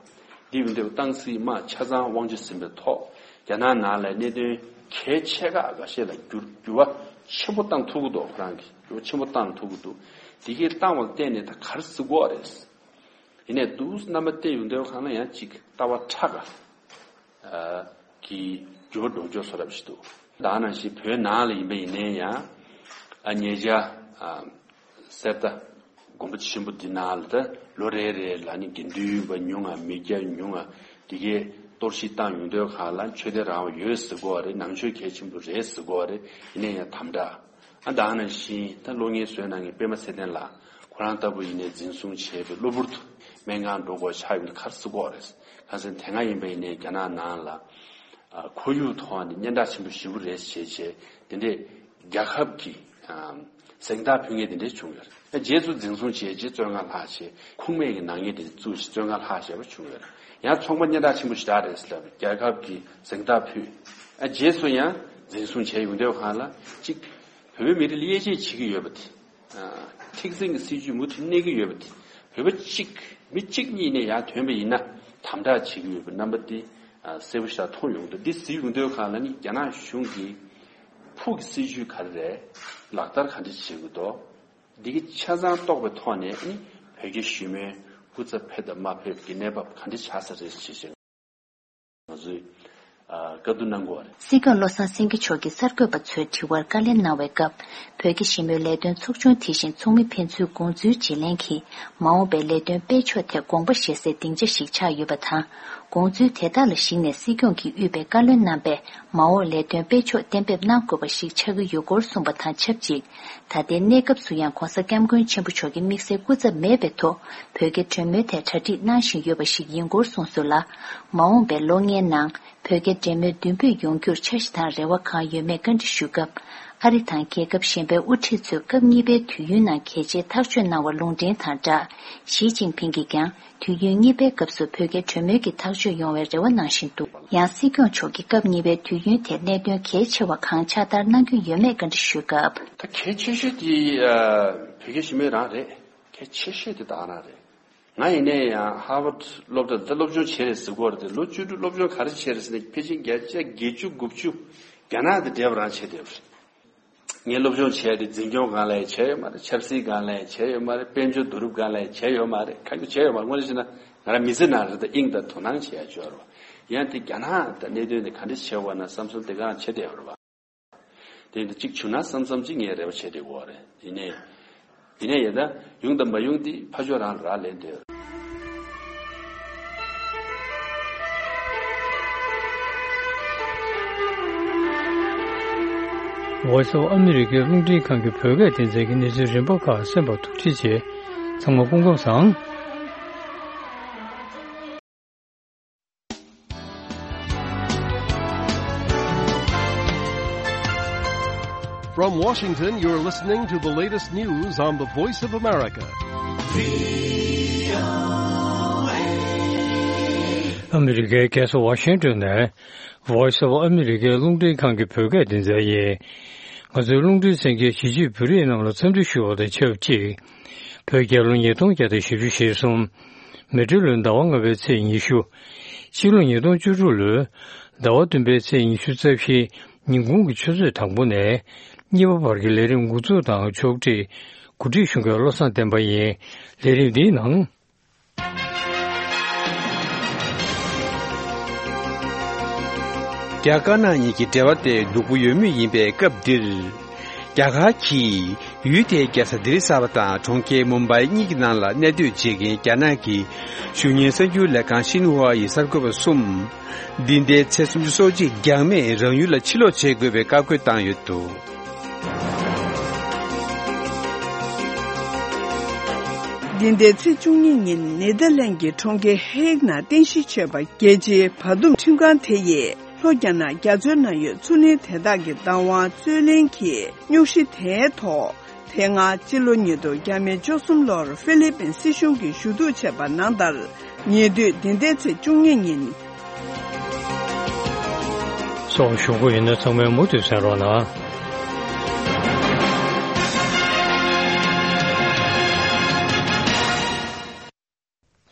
བ། འདི་ཡིན་དུས་ཏང་སྲིད་དམག་ཆ་ཚང་དབང་ཆ་ཟིན་པའི་ཐོག་རྒྱ་ནག་ནང་ལ་གནད་དོན་གལ་ཆེ་ཁག་འགའ་ཤས་ལ་འགྱུར་འགྱུར་བ་ཆེན་པོ་བཏང་ཐུབ་ཀྱི་འདུག་ཁོ་རང་གིས་འགྱུར་བ་ཆེན་པོ་བཏང་ཐུབ་ཀྱི་འདུག་དེ་གས་བཏང་བ་ལ་བརྟེན་ནས་ད་ག་རེ་ཟེར་དགོས་རེད། ཡིན་ནའི་འདུག་རྣམ་པ་བལྟས་ཡོང་དུས་གང་ལ་ཡང་ཅིག་ལྟ་བ་ཕྲ་ག་གི་འགྱུར་བ་འགྲོ་ཕྱོགས་བཟོ་འདྲ་ཞིག་འདུག་ད་ནང་བཞིན་བོད་ནང་ལ་ཡིན་པ་ཡིན་ནའི་ཡང་ཨ་ཉེ་ཆར་ཨ་གསེར་རྟ་དགོན་པ་ཆེན་པོ་འདི་ནང་ལ་ད་ལོ་རེ་རེ་ལ་ནི་དགེ་འདུན་པ་ཉུང་ང་མི་སྐྱ་ཉུང་ང་འདི་གའི་གཏོར་བཤིག་བཏང་ཡོང་དུས་གང་ལ་ཆོས་དད་རང་དབང་ཡོད་ཟེར་གོ་བ་རེད། ནང་ཆོས་གལ་ཆེན་པོ་རེད་ཟེར་གོ་བ་རེད། ཡིན་ནའི་ཡང་དམ་དྲག་ཨ་ད་ནང་བཞིན་ད་གློག་བརྙན་བཟོས་གནང་མཁན་པད་མ་ཚེ་བརྟན་ལགས་ཁོ་རང་ལྟ་བུ་ཡིན་ནའི་འཛིན་བཟུང་བྱས་པའི་གློ་བུར་དུ་སྨན་ཁང་འགྲོ་དགོས་ཆགས་ཡོང་དུས་ག་རེ་ཟེར་གོ་བ་རེད། གང་ཟེར་དེ་སྔ་ཡིན་པ་ཡིན་ནའི་རྒྱ་ནག་ནང་ལ། ཨ་ཁོར་ཡུག་ཐོག་ནས་སྙན་གྲགས་ཆེན་པོ་ཞེ་པོ་རེད་བྱས་བྱས་དེ་འདྲས་རྒྱལ་ཁབ་ཀྱི་ཨ་གཟེངས་རྟགས་ཕུལ་མཁན་དེ་འདྲས་བྱུང་ཡོད་རེད། རྗེས་སུ་འཛིན་བཟུང་བྱས་རྗེས་བཙོན་ཁང་ལྷག་བྱས་ཁུངས་མེད་ཀྱི་ནག་ཉེས་དེ་བཙུགས་བྱས་བཙོན་ཁང་ལྷག་བྱས་པ་བྱུང་ཡོད་རེད། ཡང་ཚོང་པ་སྙན་གྲགས་ཆེན་པོ་ཞེ་དྲག་རེད་ཟེར་ལབ་རྒྱལ་ཁབ་ཀྱི་གཟེངས་རྟགས་ཕུལ། ཨ་རྗེས་སུ་ཡང་འཛིན་བཟུང་བྱས་ཡོང་དུས་གང་ལ་གཅིག་བོད་པའི་མི་རིགས་ལ་དབྱེ་འབྱེད་བྱེད་ཀྱི་ཡོད་པ་དེ། ཨ་མཁྲེགས་འཛིན་གྱི་སྲིད་ཇུས་མུ་མཐུད་གནས་ཀྱི་ཡོད་པ་དེ། བོད་པ་གཅིག་མི་གཅིག་གཉིས་ནས་ཡར་ཐོན་པ་ཡིན་ན་དམ་དྲག་བྱེད་ཀྱི་ཡོད་པའི་རྣམ་པ་དེ་ཨ་གསལ་པོ་ཞིག་མཐོང་ཡོང་འདུག་འདི་གཟིགས་ཡོང་དུས་གང་ལ་ནི་རྒྱ་ནག་གཞུང་གིས་ཕུགས་ཀྱི་སྲིད་ཇུས་ག་རེ་རེད། ལག་བསྟར་ག་འདྲ་བྱེད་དགོས་འདུག་འདི་གི་ཆ་ཚང་རྟོགས་པའི་ཐོག་ནས་ནི་བོད་རྒྱ་ཞི་མོལ་སྐུ་ཚབ་ཕེབས་དང་མ་ཕེབས་ཀྱི་གནས་བབ་ག་འདྲ་ཆགས་ས་རེད་ཅེས་བཤད། ང་ཚོས་ཨ་བཀའ་བསྡུར་གནང་དགོས་པ་རེད། སྲིད་སྐྱོང་བློ་བཟང་སེང་གེ་མཆོག་གིས་གསར་འགོད་པ་ཚོའི་དྲི་བར་བཀའ་ལན་གནང་བའི་སྐབས། བོད་ཀྱི་ཞི་མོལ་ལས་དོན་ཚོགས་ཆུང་དེ་བཞིན་ཚོགས་མི་ཕན་ཚུན་དགོངས་ཚུལ་བརྗེ་ལེན་གྱིས་མ་འོངས་པའི་ལས་དོན་སྤེལ་ཕྱོགས་ཐད་དགོངས་པ་བཞེས་སའི་སྡིངས་ཆ་ཞིག་ཆགས་ཡོད་པ་དང་། དགོངས་ཚུལ་དེ་དག་ལ་གཞིགས་ནས་སྲིད་སྐྱོང་གིས་དབུས་པའི་བཀའ་བློན་རྣམ་པས་མ་འོངས་ལས་དོན་སྤེལ་ཕྱོགས་གཏན་འབེབས་གནང་དགོས་པ་ཞིག་ཆགས་ཀྱི་ཡོད་སྐོར་གསུངས་པ་དང་ཆབས་ཅིག་ད་ལྟའི་གནས་སྐབས་སུ་ཡང་ྋགོང་ས་ྋསྐྱབས་མགོན་ཆེན་པོ་མཆོག་གི་དམིགས་བསལ་སྐུ་ཚབ་མེད་པའི་ཐོག་བོད་རྒྱའི་གྲོས་མོལ་ཐད་གྲ་སྒྲིག་གནང་བཞིན་ཡོད་པ་ཞིག་ཡིན་སྐོར་གསུངས་སོང་ལ། མ་འོངས་པའི་ལོ་ལྔའི་ནང་བོད་རྒྱའི་འབྲེལ་མོལ་མདུན་སྤོས་ཡོང་རྒྱུར་འཆར་གཞི་དང་རེ་བ་གང་ཡོད་མེད་བཀའ་འདྲི་ཞུས་སྐབས། ཨ་རི་དང་རྒྱལ་ཁབ་གཞན་པའི་དབུ་ཁྲིད་ཚོས་སྐབས་གཉིས་པའི་དུས་ཡུན་ནང་གལ་ཆེའི་ཐག་གཅོད་གནང་བ་ལུང་འདྲེན་དང་སྦྲགས། ཞི་ཅིན་ཕིང་གིས་ཀྱང་དུས་ཡུན་གཉིས་པའི་སྐབས་སུ་བོད་རྒྱའི་གྲོས་མོལ་གྱི་ཐག་གཅོད་ཡོང་བའི་རེ་བ་གནང་བཞིན་འདུག་ཡང་སྲིད་སྐྱོང་མཆོག་གིས་སྐབས་གཉིས་པའི་དུས་ཡུན་དེར་གནད་དོན་གལ་ཆེ་བ་གང་ཕྱག་བསྟར་གནང་རྒྱུ་ཡོད་མེད་བཀའ་འདྲི་ཞུས་སྐབས། ད་གལ་ཆེ་ཤོས་དེ་ཨ་བོད་རྒྱ་ཞི་མོལ་རང་རེད། གལ་ཆེ་ཤོས་དེ་ད་ག་རང་རེད། ང་ཡིན་ནའི་ཡང་ཧར་ཝརཌ་སློབ་གྲྭ་ལ་ད་སློབ་སྦྱོང་བྱས་རེད་ཟེར་གོ་རེད་དེ། ལོ་བཅུ་དྲུག་སློབ་སྦྱོང་ག་རེ་བྱས་རེད་ཟེར་ན་ཕལ་ཆེར་བརྒྱ་ཆ་བརྒྱད་ཅུ་དགུ་བཅུ་རྒྱ་ནག་དང་འབྲེལ་བ་རང་བྱས་བསྡད་པ་རེད། ངས་སློབ་སྦྱོང་བྱས་ཏེ་འཛིན་སྐྱོང་སྒང་ལ་ཡང་བྱས་ཡོད་མ་རེད། ཆབ་སྲིད་སྒང་ལ་ཡང་བྱས་ཡོད་མ་རེད། དཔལ་འབྱོར་བསྡུ་རུབ་སྒང་ལ་ཡང་བྱས་ཡོད་མ་རེད། གང་ཡང་བྱས་ཡོད་མ་རེད། དངོས་གནས་བྱས་ན་ང་རང་མི་ཚེ་ནང་རེད་ད་དབྱིངས་དང་དོ་སྣང་བྱེད་ཡ་ཅིག་ཡོད་རེད་བ། ཡང་དེ་རྒྱ་ནག་དང་གནད་དོན་དེ་ག་འདྲ་བྱེད་དགོས་ན་བསམ་བསམ་དེ་གང་བྱེད་བསྡད་ཡོད་རེད་པ། དེ་འདི་གཅིག་བྱུང་ན་བསམ་བསམ་གཅིག་ངས་རེ་བ་བྱེད་བསྡད་ཡོད་རེད། ཡིན་ནའི། ཡིན་ནའི་ཡ་ད་ཡོང་དང་མ་ཡོང་དེ་ཕར་ཕྱོགས་རང་ལ་རག་ལས་བསྡད་ཡོད་རེད། Voice of America རླུང་འཕྲིན་ཁང་གི་བོད་སྐད་སྡེ་ཚན་གྱི་གནས་ཚུལ་རིམ་པ་ཁག་གསན་པར་ཐུགས་རྗེ་ཆེ། ཚང་མ་སྐུ་ཁམས་བཟང་། From Washington, you're listening to the latest news on the Voice of America. ཨ་མི་རི་ཀའི་རྒྱལ་ས་ཝ་ཤིང་ཏོན་ནས་Voice of America རླུང་འཕྲིན་ཁང་གི་བོད་སྐད་སྡེ་ཚན་ཡིན། ང་ཚོའི་རླུང་འཕྲིན་གསན་མཁན་གཞིས་བྱེས་བོད་རིགས་རྣམས་ལ་འཚམས་འདྲི་ཞུ་བ་དང་ཆབས་ཅིག་བོད་རྒྱལ་ལོ་ཉིས་སྟོང་བརྒྱ་དང་བཞི་བཅུ་ཞེ་གསུམ། མེ་སྤྲེལ་ལོའི་ཟླ་བ་ལྔ་པའི་ཚེས་ཉི་ཤུ། ཕྱི་ལོ་ཉིས་སྟོང་བཅུ་དྲུག་ལོའི་ཟླ་བ་བདུན་པའི་ཚེས་ཉི་ཤུ་རྩ་བཞི། ཉིན་གུང་གི་ཆུ་ཚོད་དང་པོ་ནས་གཉིས་པ་བར་གྱི་ལས་རིམ་འགོ་འཛུགས་དང་ཕྱོགས་སྒྲིག་གོ་སྒྲིག་ཞུ་མཁན་བློ་བཟང་བསྟན་པ་ཡིན། ལས་རིམ་འདིའི་ནང་། རྒྱ་དཀར་ནག་གཉིས་ཀྱི་འབྲེལ་བ་དེ་སྡུག་པོ་ཡོད་མུས་ཡིན་པའི་སྐབས་འདིར། རྒྱ་གར་གྱིས་ཡུལ་དེའི་རྒྱལ་ས་ལྡི་ལི་གསར་པ་དང་གྲོང་ཁྱེར་མུམ་བྷའི་གཉིས་ཀྱི་ནང་ལ་གནས་སྡོད་བྱེད་མཁན་རྒྱ་ནག་གི་གཞོན་ཉིན་གསར་འགྱུར་ལས་ཁང་ཤིན་ཧྭ་ཡི་གསར་འགོད་པ་གསུམ། འདི་ཟླའི་ཚེས་སུམ་ཅུ་སོ་གཅིག་འགྱངས་མེད་རང་ཡུལ་ལ་ཕྱིར་ལོག་བྱེད་དགོས་པའི་བཀའ་བཀོད་བཏང་ཡོད་འདུག་འདི་ཟླའི་ཚེས་བཅུ་གཉིས་ཉིན་ནེ་ཐར་ལན་གྱི་གྲོང་ཁྱེར་ཧེག་ནང་རྟེན་གཞི་བྱས་པ་རྒྱལ་སྤྱིའི་བར་འདུམ་ཁྲིམས་ཁང་དེ་ཡིས་ལྷོ་རྒྱ་ནག་རྒྱ་མཚོའི་ནང་ཡོད་མཚོ་གླིང་དེ་དག་གི་བདག་དབང་རྩོད་ལེན་གྱི་རྙོག་གཞི་དེའི་ཐོག་དེ་སྔ་སྤྱི་ལོ་ཉིས་སྟོང་བརྒྱ་མེད་བཅུ་གསུམ་ལོར་ཧྥི་ལི་པིན་སྲིད་གཞུང་གིས་ཞུ་གཏུག་བྱས་པ་ནང་ལྟར། ཉེ་དུས་འདི་ཟླའི་ཚེས་བཅུ་གཉིས་ཉིན། སོགས་ཞུ་དགོས་ཡིན་ན་ཚང་མས་མུ་མཐུད་གསན་རོགས་གནང་།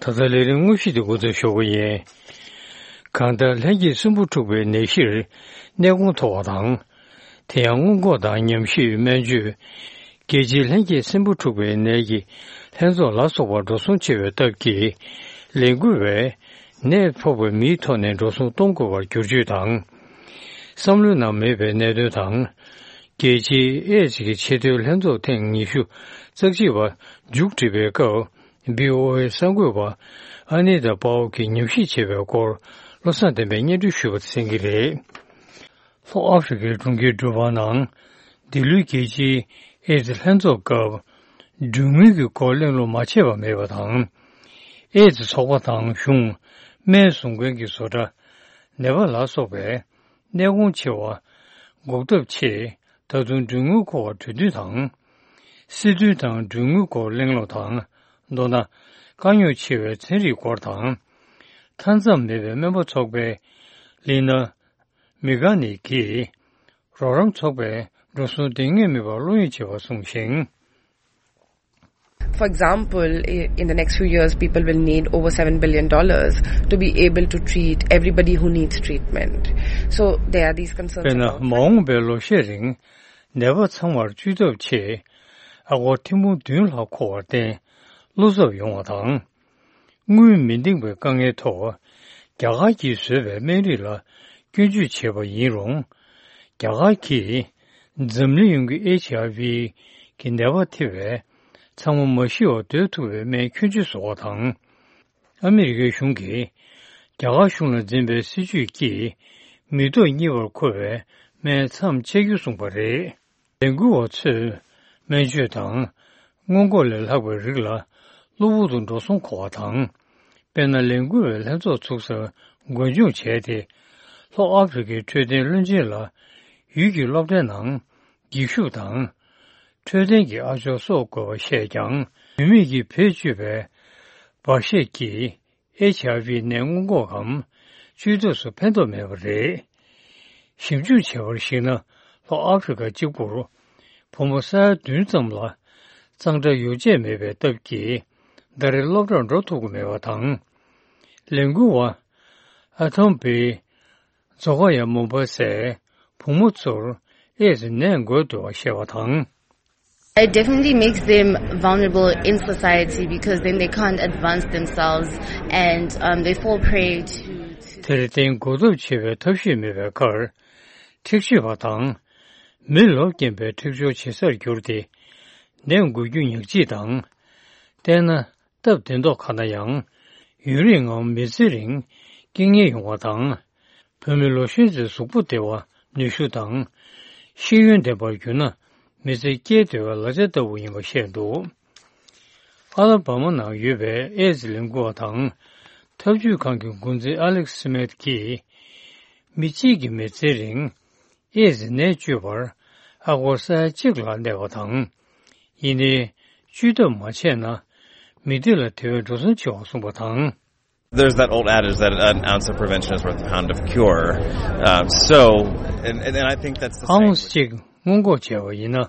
ད་ལྟ་ལས་རིམ་དངོས་གཞི་དེ་འགོ་འཛུགས་ཞུ་གི་ཡིན། གང་ལྟར་ལྷན་སྐྱེས་སྲིན་འབུ་འཁྲུགས་པའི་ནད་གཞིར་གནས་སྐོང་ཐོབ་པ་དང་། དེ་ཡང་སྔོན་འགོག་དང་ཉམས་ཞིབ་སྨན་བཅོས། རྒྱལ་སྤྱིའི་ལྷན་སྐྱེས་སྲིན་འབུ་འཁྲུགས་པའི་ནད་ཀྱི་ལྷན་ཚོགས་ལ་སོགས་པ་འགྲོ་སོང་ཆེ་བའི་སྟབས་ཀྱིས། ལས་འགུལ་བས་ནད་ཕོག་པའི་མིའི་ཐོག་ནས་འགྲོ་སོང་གཏོང་དགོས་པར་བསྒྱུར་བཅོས་དང་། བསམ་བློའི་ནང་མེད་པའི་གནད་དོན་དང་། རྒྱལ་སྤྱིའི་ཨེ་ཙི་གི་ཆེས་མཐོའི་ལྷན་ཚོགས་ཐེངས་ཉི་ཤུ་རྩ་གཅིག་པ་མཇུག་སྒྲིལ་བའི་སྐབས། བྷི་ཨོ་ཨེ་གསར་འགོད་པ་ཨ་ནི་ཏཱ་པའོ་གིས་ཉམས་ཞིབ་བྱས་པའི་སྐོར་བློ་བཟང་བསྟན་པས་སྙན་སྒྲོན་ཞུས་པ་གསན་གྱི་རེད། ལྷོ་ཨ་ཧྥེ་རི་ཁའི་གྲོང་ཁྱེར་འབྲུག་པ་ནང་འདི་ལོའི་རྒྱལ་སྤྱིའི་ཨེ་ཙི་ལྷན་ཚོགས་སྐབས་གྲོན་དངུལ་གྱི་སྐོར་གླེང་སློང་མ་བྱས་པ་མེད་པ་དང་། ཨེ་ཙི་ཚོགས་པ་དང་གཞུང་། སྨན་བཟོ་མཁན་གྱི་བཟོ་གྲྭ། ནད་པ་ལ་སོགས་པའི་གནས་གོང་ཆེ་བ་འགོག་ཐབས་ཆེད་ད་དུང་གྲོན་དངུལ་མཁོ་བ་གྲོས་མཐུན་དང་། སྲིད་དོན་དང་གྲོན་དངུལ་སྐོར་གླེང་སློང་དང་། མདོར་ན། དཀའ་རྙོག་ཆེ་བའི་ཚན་རིག་སྐོར་དང་། མཐའ་མཚམས་མེད་པའི་སྨན་པ་ཚོགས་པའི་ལི་ན་མི་ག་ནི་གིས་རོགས་རམ་ཚོགས་པས་འགྲོ་སོང་འདང་ངེས་མེད་པར་བློ་གཡེང་བྱེད་པ་གསུངས་ཤིང་། For example, i- in the next few years, people will need over seven billion dollars to be able to treat everybody who needs treatment. So there are these concerns དཔེར་ན། about མ་འོངས་པའི་ལོ་ཤས་རིང་ནད་པ་ཚང་མར་བཅོས་ཐབས་ཆེད་ཨ་སྒོར་ཐེར་འབུམ་བདུན་ལྷག་མཁོ་བར་བརྟེན་བློ་འཚབ་ཡོང་བ་དང་། དངུལ་མི་འདེང་བའི་དཀའ་ངལ་ཐོག་རྒྱ་གར་གྱིས་བཟོས་པའི་སྨན་རིགས་ལ་སྐྱོན་བརྗོད་བྱས་པ་ཡིན་རུང་། རྒྱ་གར་གྱིས་འཛམ་གླིང་ཡོངས་ཀྱི་ཨེཆ་ཨའི་ཝི་གི་ནད་པ་ཐེ་བའི་ཚང་མ་མ་ཤི་བར་སྡོད་ཐུབ་པའི་སྨན་ཁྱོན་ཆེ་བཟོ་བ་དང་། ཨ་མི་རི་ཀའི་གཞུང་གིས་རྒྱ་གར་གཞུང་ལ་འཛིན་པའི་སྲིད་ཇུས་ཀྱིས་མི་ཐོག་གཉིས་པར་མཁོ་བའི་སྨན་མཚམས་ཆད་རྒྱུ་གསུངས་པ་རེད། ལས་འགུལ་བ་ཚོས་སྨན་བཅོས་དང་སྔོན་འགོག་ལས་ལྷག་པའི་རིགས་ལ་གློ་བུར་དུ་འགྲོ་སོང་མཁོ་བ་དང་། དཔེར་ན། ལས་འགུལ་བའི་ལྷན་ཚོགས་ཚུགས་སར་འགོ་མཇུག་བྱས་ཏེ། ལྷོ་ཨ་ཧྥེ་རི་ཁའི་འཕྲོད་བསྟེན་བློན་ཆེན་ལ་ཡུལ་གྱི་སློབ་གྲྭའི་ནང་འགྱིག་ཤུབས་དང་། འཕྲོད་བསྟེན་གྱི་ཨ་ཅོག་གསོག་དགོས་པ་བཤད་ཀྱང་། བུད་མེད་ཀྱིས་བེད་སྤྱོད་པའི་འབར་གཤེར་གྱིས་ཨེཆ་ཨའི་ཝི་ནད་སྔོན་འགོག་གམ་བཅོས་ཐབས་སུ་ཕན་ཐོགས་མེད་པ་རེད། ཞིབ་འཇུག་བྱས་པར་གཞིགས་ན། ལྷོ་ཨ་ཧྥེ་རི་ཁ་གཅིག་པུར་བུ་མོ་ས་ཡ་བདུན་ཙམ་ལ་གཙང་སྦྲ་ཡོ་བྱད་མེད་པའི་སྟབས་ཀྱིས་ཟླ་རེར་སློབ་གྲྭར་འགྲོ་ཐུབ་ཀྱི་མེད་པ་དང་། ལས་འགུལ་བ་ཨ་ཐོམ་བི་ཛོ་ཀ་ཡ་མོ་བ་སའི་བུ་མོ་ཚོར་ཨེ་ཙི་ནད་འགོས་འདུག་པ་བཤད་པ་དང་། It definitely makes them vulnerable in society because then they can't advance themselves and um, they fall prey to, to དེར་བརྟེན་འགོག་ཐབས་བྱེད་པའི་ཐབས་ཤེས་མེད་པའི་ཁར། འཁྲིག་སྤྱོད་པ་དང་། མི་ལོབས་སྐྱེན་པའི་འཁྲིག་སྦྱོར་བྱེད་སར་གྱུར་ཏེ། ནད་འགོ་རྒྱུ་ཉག་གཅིག་དང་། བལྟས་ན་སྟབས་བདེ་མདོག་ཁ་ན་ཡང་། ཡུན་རིང་ངམ་མི་ཚེ་རིང་སྐྱེ་ངེས་ཡོང་བ་དང་། བུད་མེད་ལོ་གཞོན་ཚོའི་གཟུགས་པོ་བདེ་བ་ནུས་ཤུགས་དང་། ཤེས་ཡོན་ལྡན་པར་གྱུར་ན་མི་ཚེ་སྐྱེལ་བདེ་བའི་ལག་ཆ་ལྟ་བུ་ཡིན་པ་བཤད་འདུག། ཨ་ལ་བ་མ་ནང་ཡོད་པའི་ཨེ་ཛི་ལས་འགུལ་བ་དང་། ཐབས་ཇུས་ཁང་གི་འགོ་འཛིན་ཨ་ལེག་སི་མེད་ཀྱིས། མི་གཅིག་གི་མི་ཚེའི་རིང་ཨེ་ཛི་ནད་བཅོས་པར་ཨ་སྒོར་ས་ཡ་གཅིག་ལ་གནས་པ་དང་། ཡིན་ནའི། བཅོས་ཐབས་མ་བྱས་ན། མི་སྡེ་ལ་དེ་བས་འགྲོ་སོང་ཆེ་བ་གསུངས་པ་དང་། There's that old adage that an ounce of prevention is worth a pound of cure. Um, so, and, and, and I think that's the same. ཨའུན་སི་གཅིག་སྔོན་འགོག་བྱས་པ་ཡིན་ན།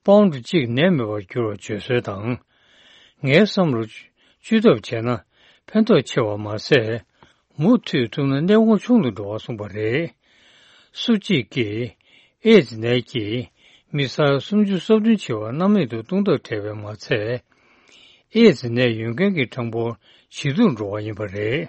པའུན་ཌི་གཅིག་ནད་མེད་པར་འགྱུར་བར་བརྗོད་སྲོལ་དང་། ངའི་བསམ་བློ། བཅོས་ཐབས་བྱས་ན་ཕན་ཐོགས་ཆེ་བ་མ་ཟད། མུ་མཐུད་ཐུབ་ན་ནད་དབང་ཆུང་དུ་འགྲོ་བ་གསུངས་པ་རེད། སུ་གཅིག་གིས་ཨེ་ཛི་ནད་ཀྱིས་མི་ས་ཡ་སུམ་ཅུ་སོ་བདུན་བྱེ་བ་སྣང་མེད་དུ་བཏང་ཐབས་བྲལ་བས་མ་ཚད། ཨེ་ཛི་ནད་ཡོད་མཁན་གྱི་གྲངས་འབོར་ཇེ་སྡུག་འགྲོ་བ་ཡིན་པ་རེད།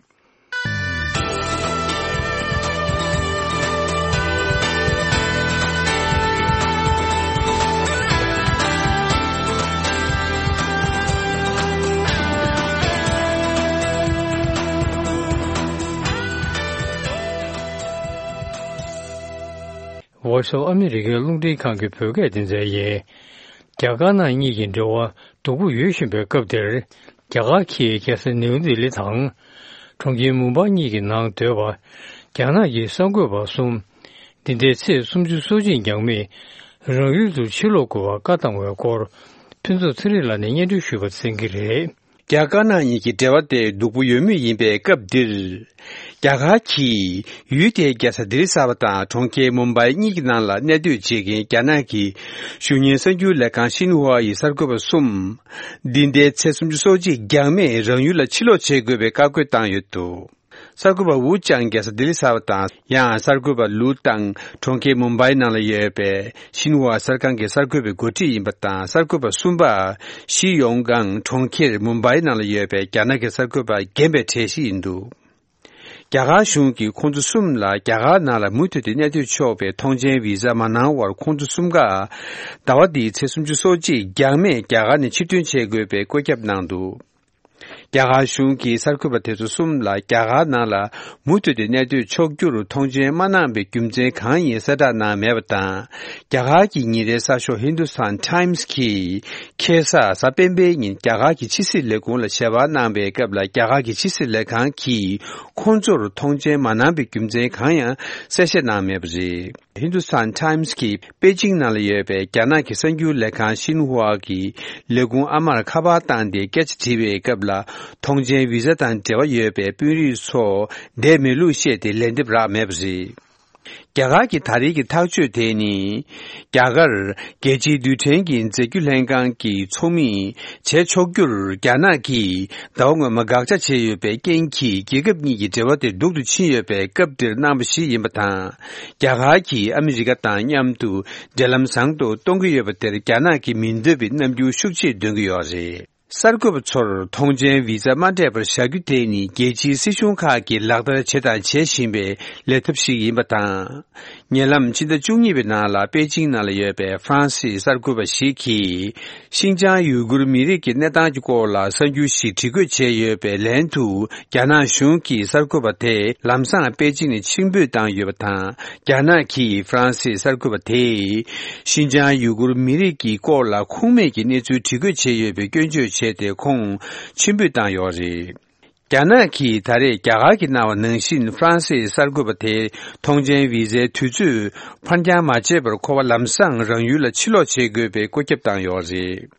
Voice of America རླུང་འཕྲིན་ཁང་གི་བོད་སྐད་སྡེ་ཚན་ཡིན། རྒྱ་དཀར་ནག་གཉིས་ཀྱི་འབྲེལ་བ་སྡུག་པོ་ཡོད་བཞིན་པའི་སྐབས་འདིར། རྒྱ་གར་གྱིས་རྒྱལ་ས་ནེའུ་ལྡི་ལི་དང་། གྲོང་ཁྱེར་མུམ་བྷའི་གཉིས་ཀྱི་ནང་སྡོད་པ། རྒྱ་ནག་གི་གསར་འགོད་པ་གསུམ། འདི་ཟླའི་ཚེས་སུམ་ཅུ་སོ་གཅིག་འགྱངས་མེད་རང་ཡུལ་དུ་ཕྱིར་ལོག་དགོས་པར་བཀའ་བཏང་བའི་སྐོར། ཕུན་ཚོགས་ཚེ་རིང་ལགས་ནས་སྙན་སྒྲོན་ཞུས་པ་གསན་གྱི་རེད། རྒྱ་དཀར་ནག་གཉིས་ཀྱི་འབྲེལ་བ་དེ་སྡུག་པོ་ཡོད་མུས་ཡིན་པའི་སྐབས་འདིར། རྒྱ་གར་གྱིས་ཡུལ་དེའི་རྒྱལ་ས་ལྡི་ལི་གསར་པ་དང་གྲོང་ཁྱེར་མུམ་བྷའི་གཉིས་ཀྱི་ནང་ལ་གནས་སྡོད་བྱེད་མཁན་རྒྱ་ནག་གི་གཞུང་གཉེར་གསར་འགྱུར་ལས་ཁང་ཤིན་ཧྭ་ཡི་གསར་འགོད་པ་གསུམ། འདི་ཟླའི་ཚེས་སུམ་ཅུ་སོ་གཅིག་འགྱངས་མེད་རང་ཡུལ་ལ་ཕྱིར་ལོག་བྱེད་དགོས་པའི་བཀའ་བཀོད་བཏང་ཡོད་འདུག། གསར་འགོད་པ་ཝུ་ཅང་རྒྱལ་ས་ལྡི་ལི་གསར་པ་དང་། ཡང་གསར་འགོད་པ་ལུའུ་ཏང་གྲོང་ཁྱེར་མུམ་བྷའི་ནང་ལ་ཡོད་པའི་ཤིན་ཧྭ་གསར་ཁང་གི་གསར་འགོད་པའི་འགོ་ཁྲིད་ཡིན་པ་དང་། གསར་འགོད་པ་གསུམ་པ་ཞི་ཡོང་ཀང་གྲོང་ཁྱེར་མུམ་བྷའི་ནང་ལ་ཡོད་པའི་རྒྱ་ནག་གི་གསར་འགོད་པ་རྒན་པའི་གྲས་ཤིག་ཡིན་འདུག། རྒྱ་གར་གཞུང་གིས་ཁོང་ཚོ་གསུམ་ལ་རྒྱ་གར་ནང་ལ་མུ་མཐུད་དུ་གནས་སྡོད་ཆོག་པའི་ཐོངས་མཆན་བི་ཛ་མ་གནང་བར། ཁོང་ཚོ་གསུམ་ཀ་ཟླ་བ་འདིའི་ཚེས་སུམ་ཅུ་སོ་གཅིག་འགྱངས་མེད་རྒྱ་གར་ནས་ཕྱིར་ཐོན་བྱེད་དགོས་པའི་བཀོད་ཁྱབ་གནང་འདུག། རྒྱ་གར་གཞུང་གིས་གསར་འགོད་པ་དེ་ཚོ་གསུམ་ལ་རྒྱ་གར་ནང་ལ་མུ་མཐུད་དུ་གནས་སྡོད་ཆོག་རྒྱུར་ཐོངས་མཆན་མ་གནང་བའི་རྒྱུ་མཚན་གང་ཡིན་གསལ་བསྒྲགས་གནང་མེད་པ་དང་། རྒྱ་གར་གྱི་ཉིན་རེའི་གསར་ཤོག་ཧིན་དུ་སྟན་ཊའིམ་སི་གིས་ཁ་སང་གཟའ་སྤེན་པའི་ཉིན་རྒྱ་གར་གྱི་ཕྱི་སྲིད་ལས་ཁུངས་ལ་ཞལ་པར་གནང་པའི་སྐབས་ལ། རྒྱ་གར་གྱི་ཕྱི་སྲིད་ལས་ཁང་གིས་ཁོང་ཚོར་ཐོངས་མཆན་མ་གནང་བའི་རྒྱུ་མཚན་གང་ཡང་གསལ་བཤད་གནང་མེད་པ་རེད། ཧིན་དུ་སྟན་ཊའིམ་སི་གིས་པེ་ཅིང་ནང་ལ་ཡོད་པའི་རྒྱ་ནག་གི་གསར་འགྱུར་ལས་ཁང་ཤིན་ཧྭ་གི་ལས་ཁུངས་ཨ་མར་ཁ་པར་བཏང་སྟེ་སྐད་ཆ་དྲིས་པའི་སྐབས་ལ། ཐོངས་མཆན་བི་ཛ་དང་འབྲེལ་བ་ཡོད་པའི་དཔོན་རིགས་ཚོ་བསྡད་མེད་ལུགས་བཤད་དེ་ལན་འདེབས་རག་མེད་པ་རེད། རྒྱ་གར་གྱི་ད་རེས་ཀྱི་ཐག་གཅོད་དེ་ནི། རྒྱ་གར་རྒྱལ་སྤྱིའི་རྡུལ་ཕྲན་གྱི་རྫས་འགྱུར་ལྷན་ཁང་གི་ཚོགས་མི་བྱེད་ཆོག་རྒྱུར་རྒྱ་ནག་གིས་ཟླ་བ་སྔོན་མ་དགག་བྱ་བྱས་ཡོད་པའི་རྐྱེན་གྱིས། རྒྱལ་ཁབ་གཉིས་ཀྱི་འབྲེལ་བ་དེ་སྡུག་ཏུ་ཕྱིན་ཡོད་པའི་སྐབས་འདིར་གནང་བ་ཞིག་ཡིན་པ་དང་། རྒྱ་གར་གྱིས་ཨ་མི་རི་ཀ་དང་མཉམ་དུ་འབྲེལ་ལམ་བཟང་དུ་གཏོང་གི་ཡོད་པ་དེར་རྒྱ་ནག་གིས་མི་འདོད་པའི་རྣམ་འགྱུར་ཤུགས་ཆེ་སྟོན་གྱི་ཡོད་རེད། གསར་འགོད་པ་ཚོར་ཐོངས་མཆན་བི་ཛ་མ་སྤྲད་པར་བཞག་རྒྱུ་དེ་ནི། རྒྱལ་སྤྱིའི་སྲིད་གཞུང་ཁག་གིས་ལག་བསྟར་བྱས་དང་བྱེད་བཞིན་པའི་ལས་ཐབས་ཤིག་ཡིན་པ་དང་། ཉེ་ལམ་ཕྱི་ཟླ་བཅུ་གཉིས་པའི་ནང་ལ་པེ་ཅིང་ནང་ལ་ཡོད་པའི་ཧྥ་རན་སིའི་གསར་འགོད་པ་ཞིག་གིས། ཤིན་ཅང་ཡུ་གུར་མི་རིགས་ཀྱི་གནས་སྟངས་ཀྱི་སྐོར་ལ་གསར་འགྱུར་ཞིག་བྲིས་འགོད་བྱས་ཡོད་པའི་ལན་དུ། རྒྱ་ནག་གཞུང་གིས་གསར་འགོད་པ་དེ་ལམ་སང་པེ་ཅིང་ནས་ཕྱིར་འབུད་བཏང་ཡོད་པ་དང་། རྒྱ་ནག་གིས་ཧྥ་རན་སིའི་གསར་འགོད་པ་དེས་ཤིན་ཅང་ཡུ་གུར་མི་རིགས་ཀྱི་སྐོར་ལ་ཁུངས་མེད་ཀྱི་གནས་ཚུལ་བྲིས་འགོད་བྱས་ཡོད་པའི་སྐྱོན་བརྗོད་བྱས་ཏེ། ཁོང་ཕྱིར་འབུད་བཏང་ཡོད་རེད། རྒྱ་ནག་གིས་ད་རེས་རྒྱ་གར་གྱིས་གནང་བ་ནང་བཞིན། ཧྥ་རན་སིའི་གསར་འགོད་པ་དེའི་ཐོངས་མཆན་བི་ཛའི་དུས་ཚོད་ཕར་འགྱངས་མ་བྱས་པར། ཁོ་པ་ལམ་སང་རང་ཡུལ་ལ་ཕྱིར་ལོག་བྱེད་དགོས་པའི་བཀོད་ཁྱབ་བཏང་ཡོད་རེད།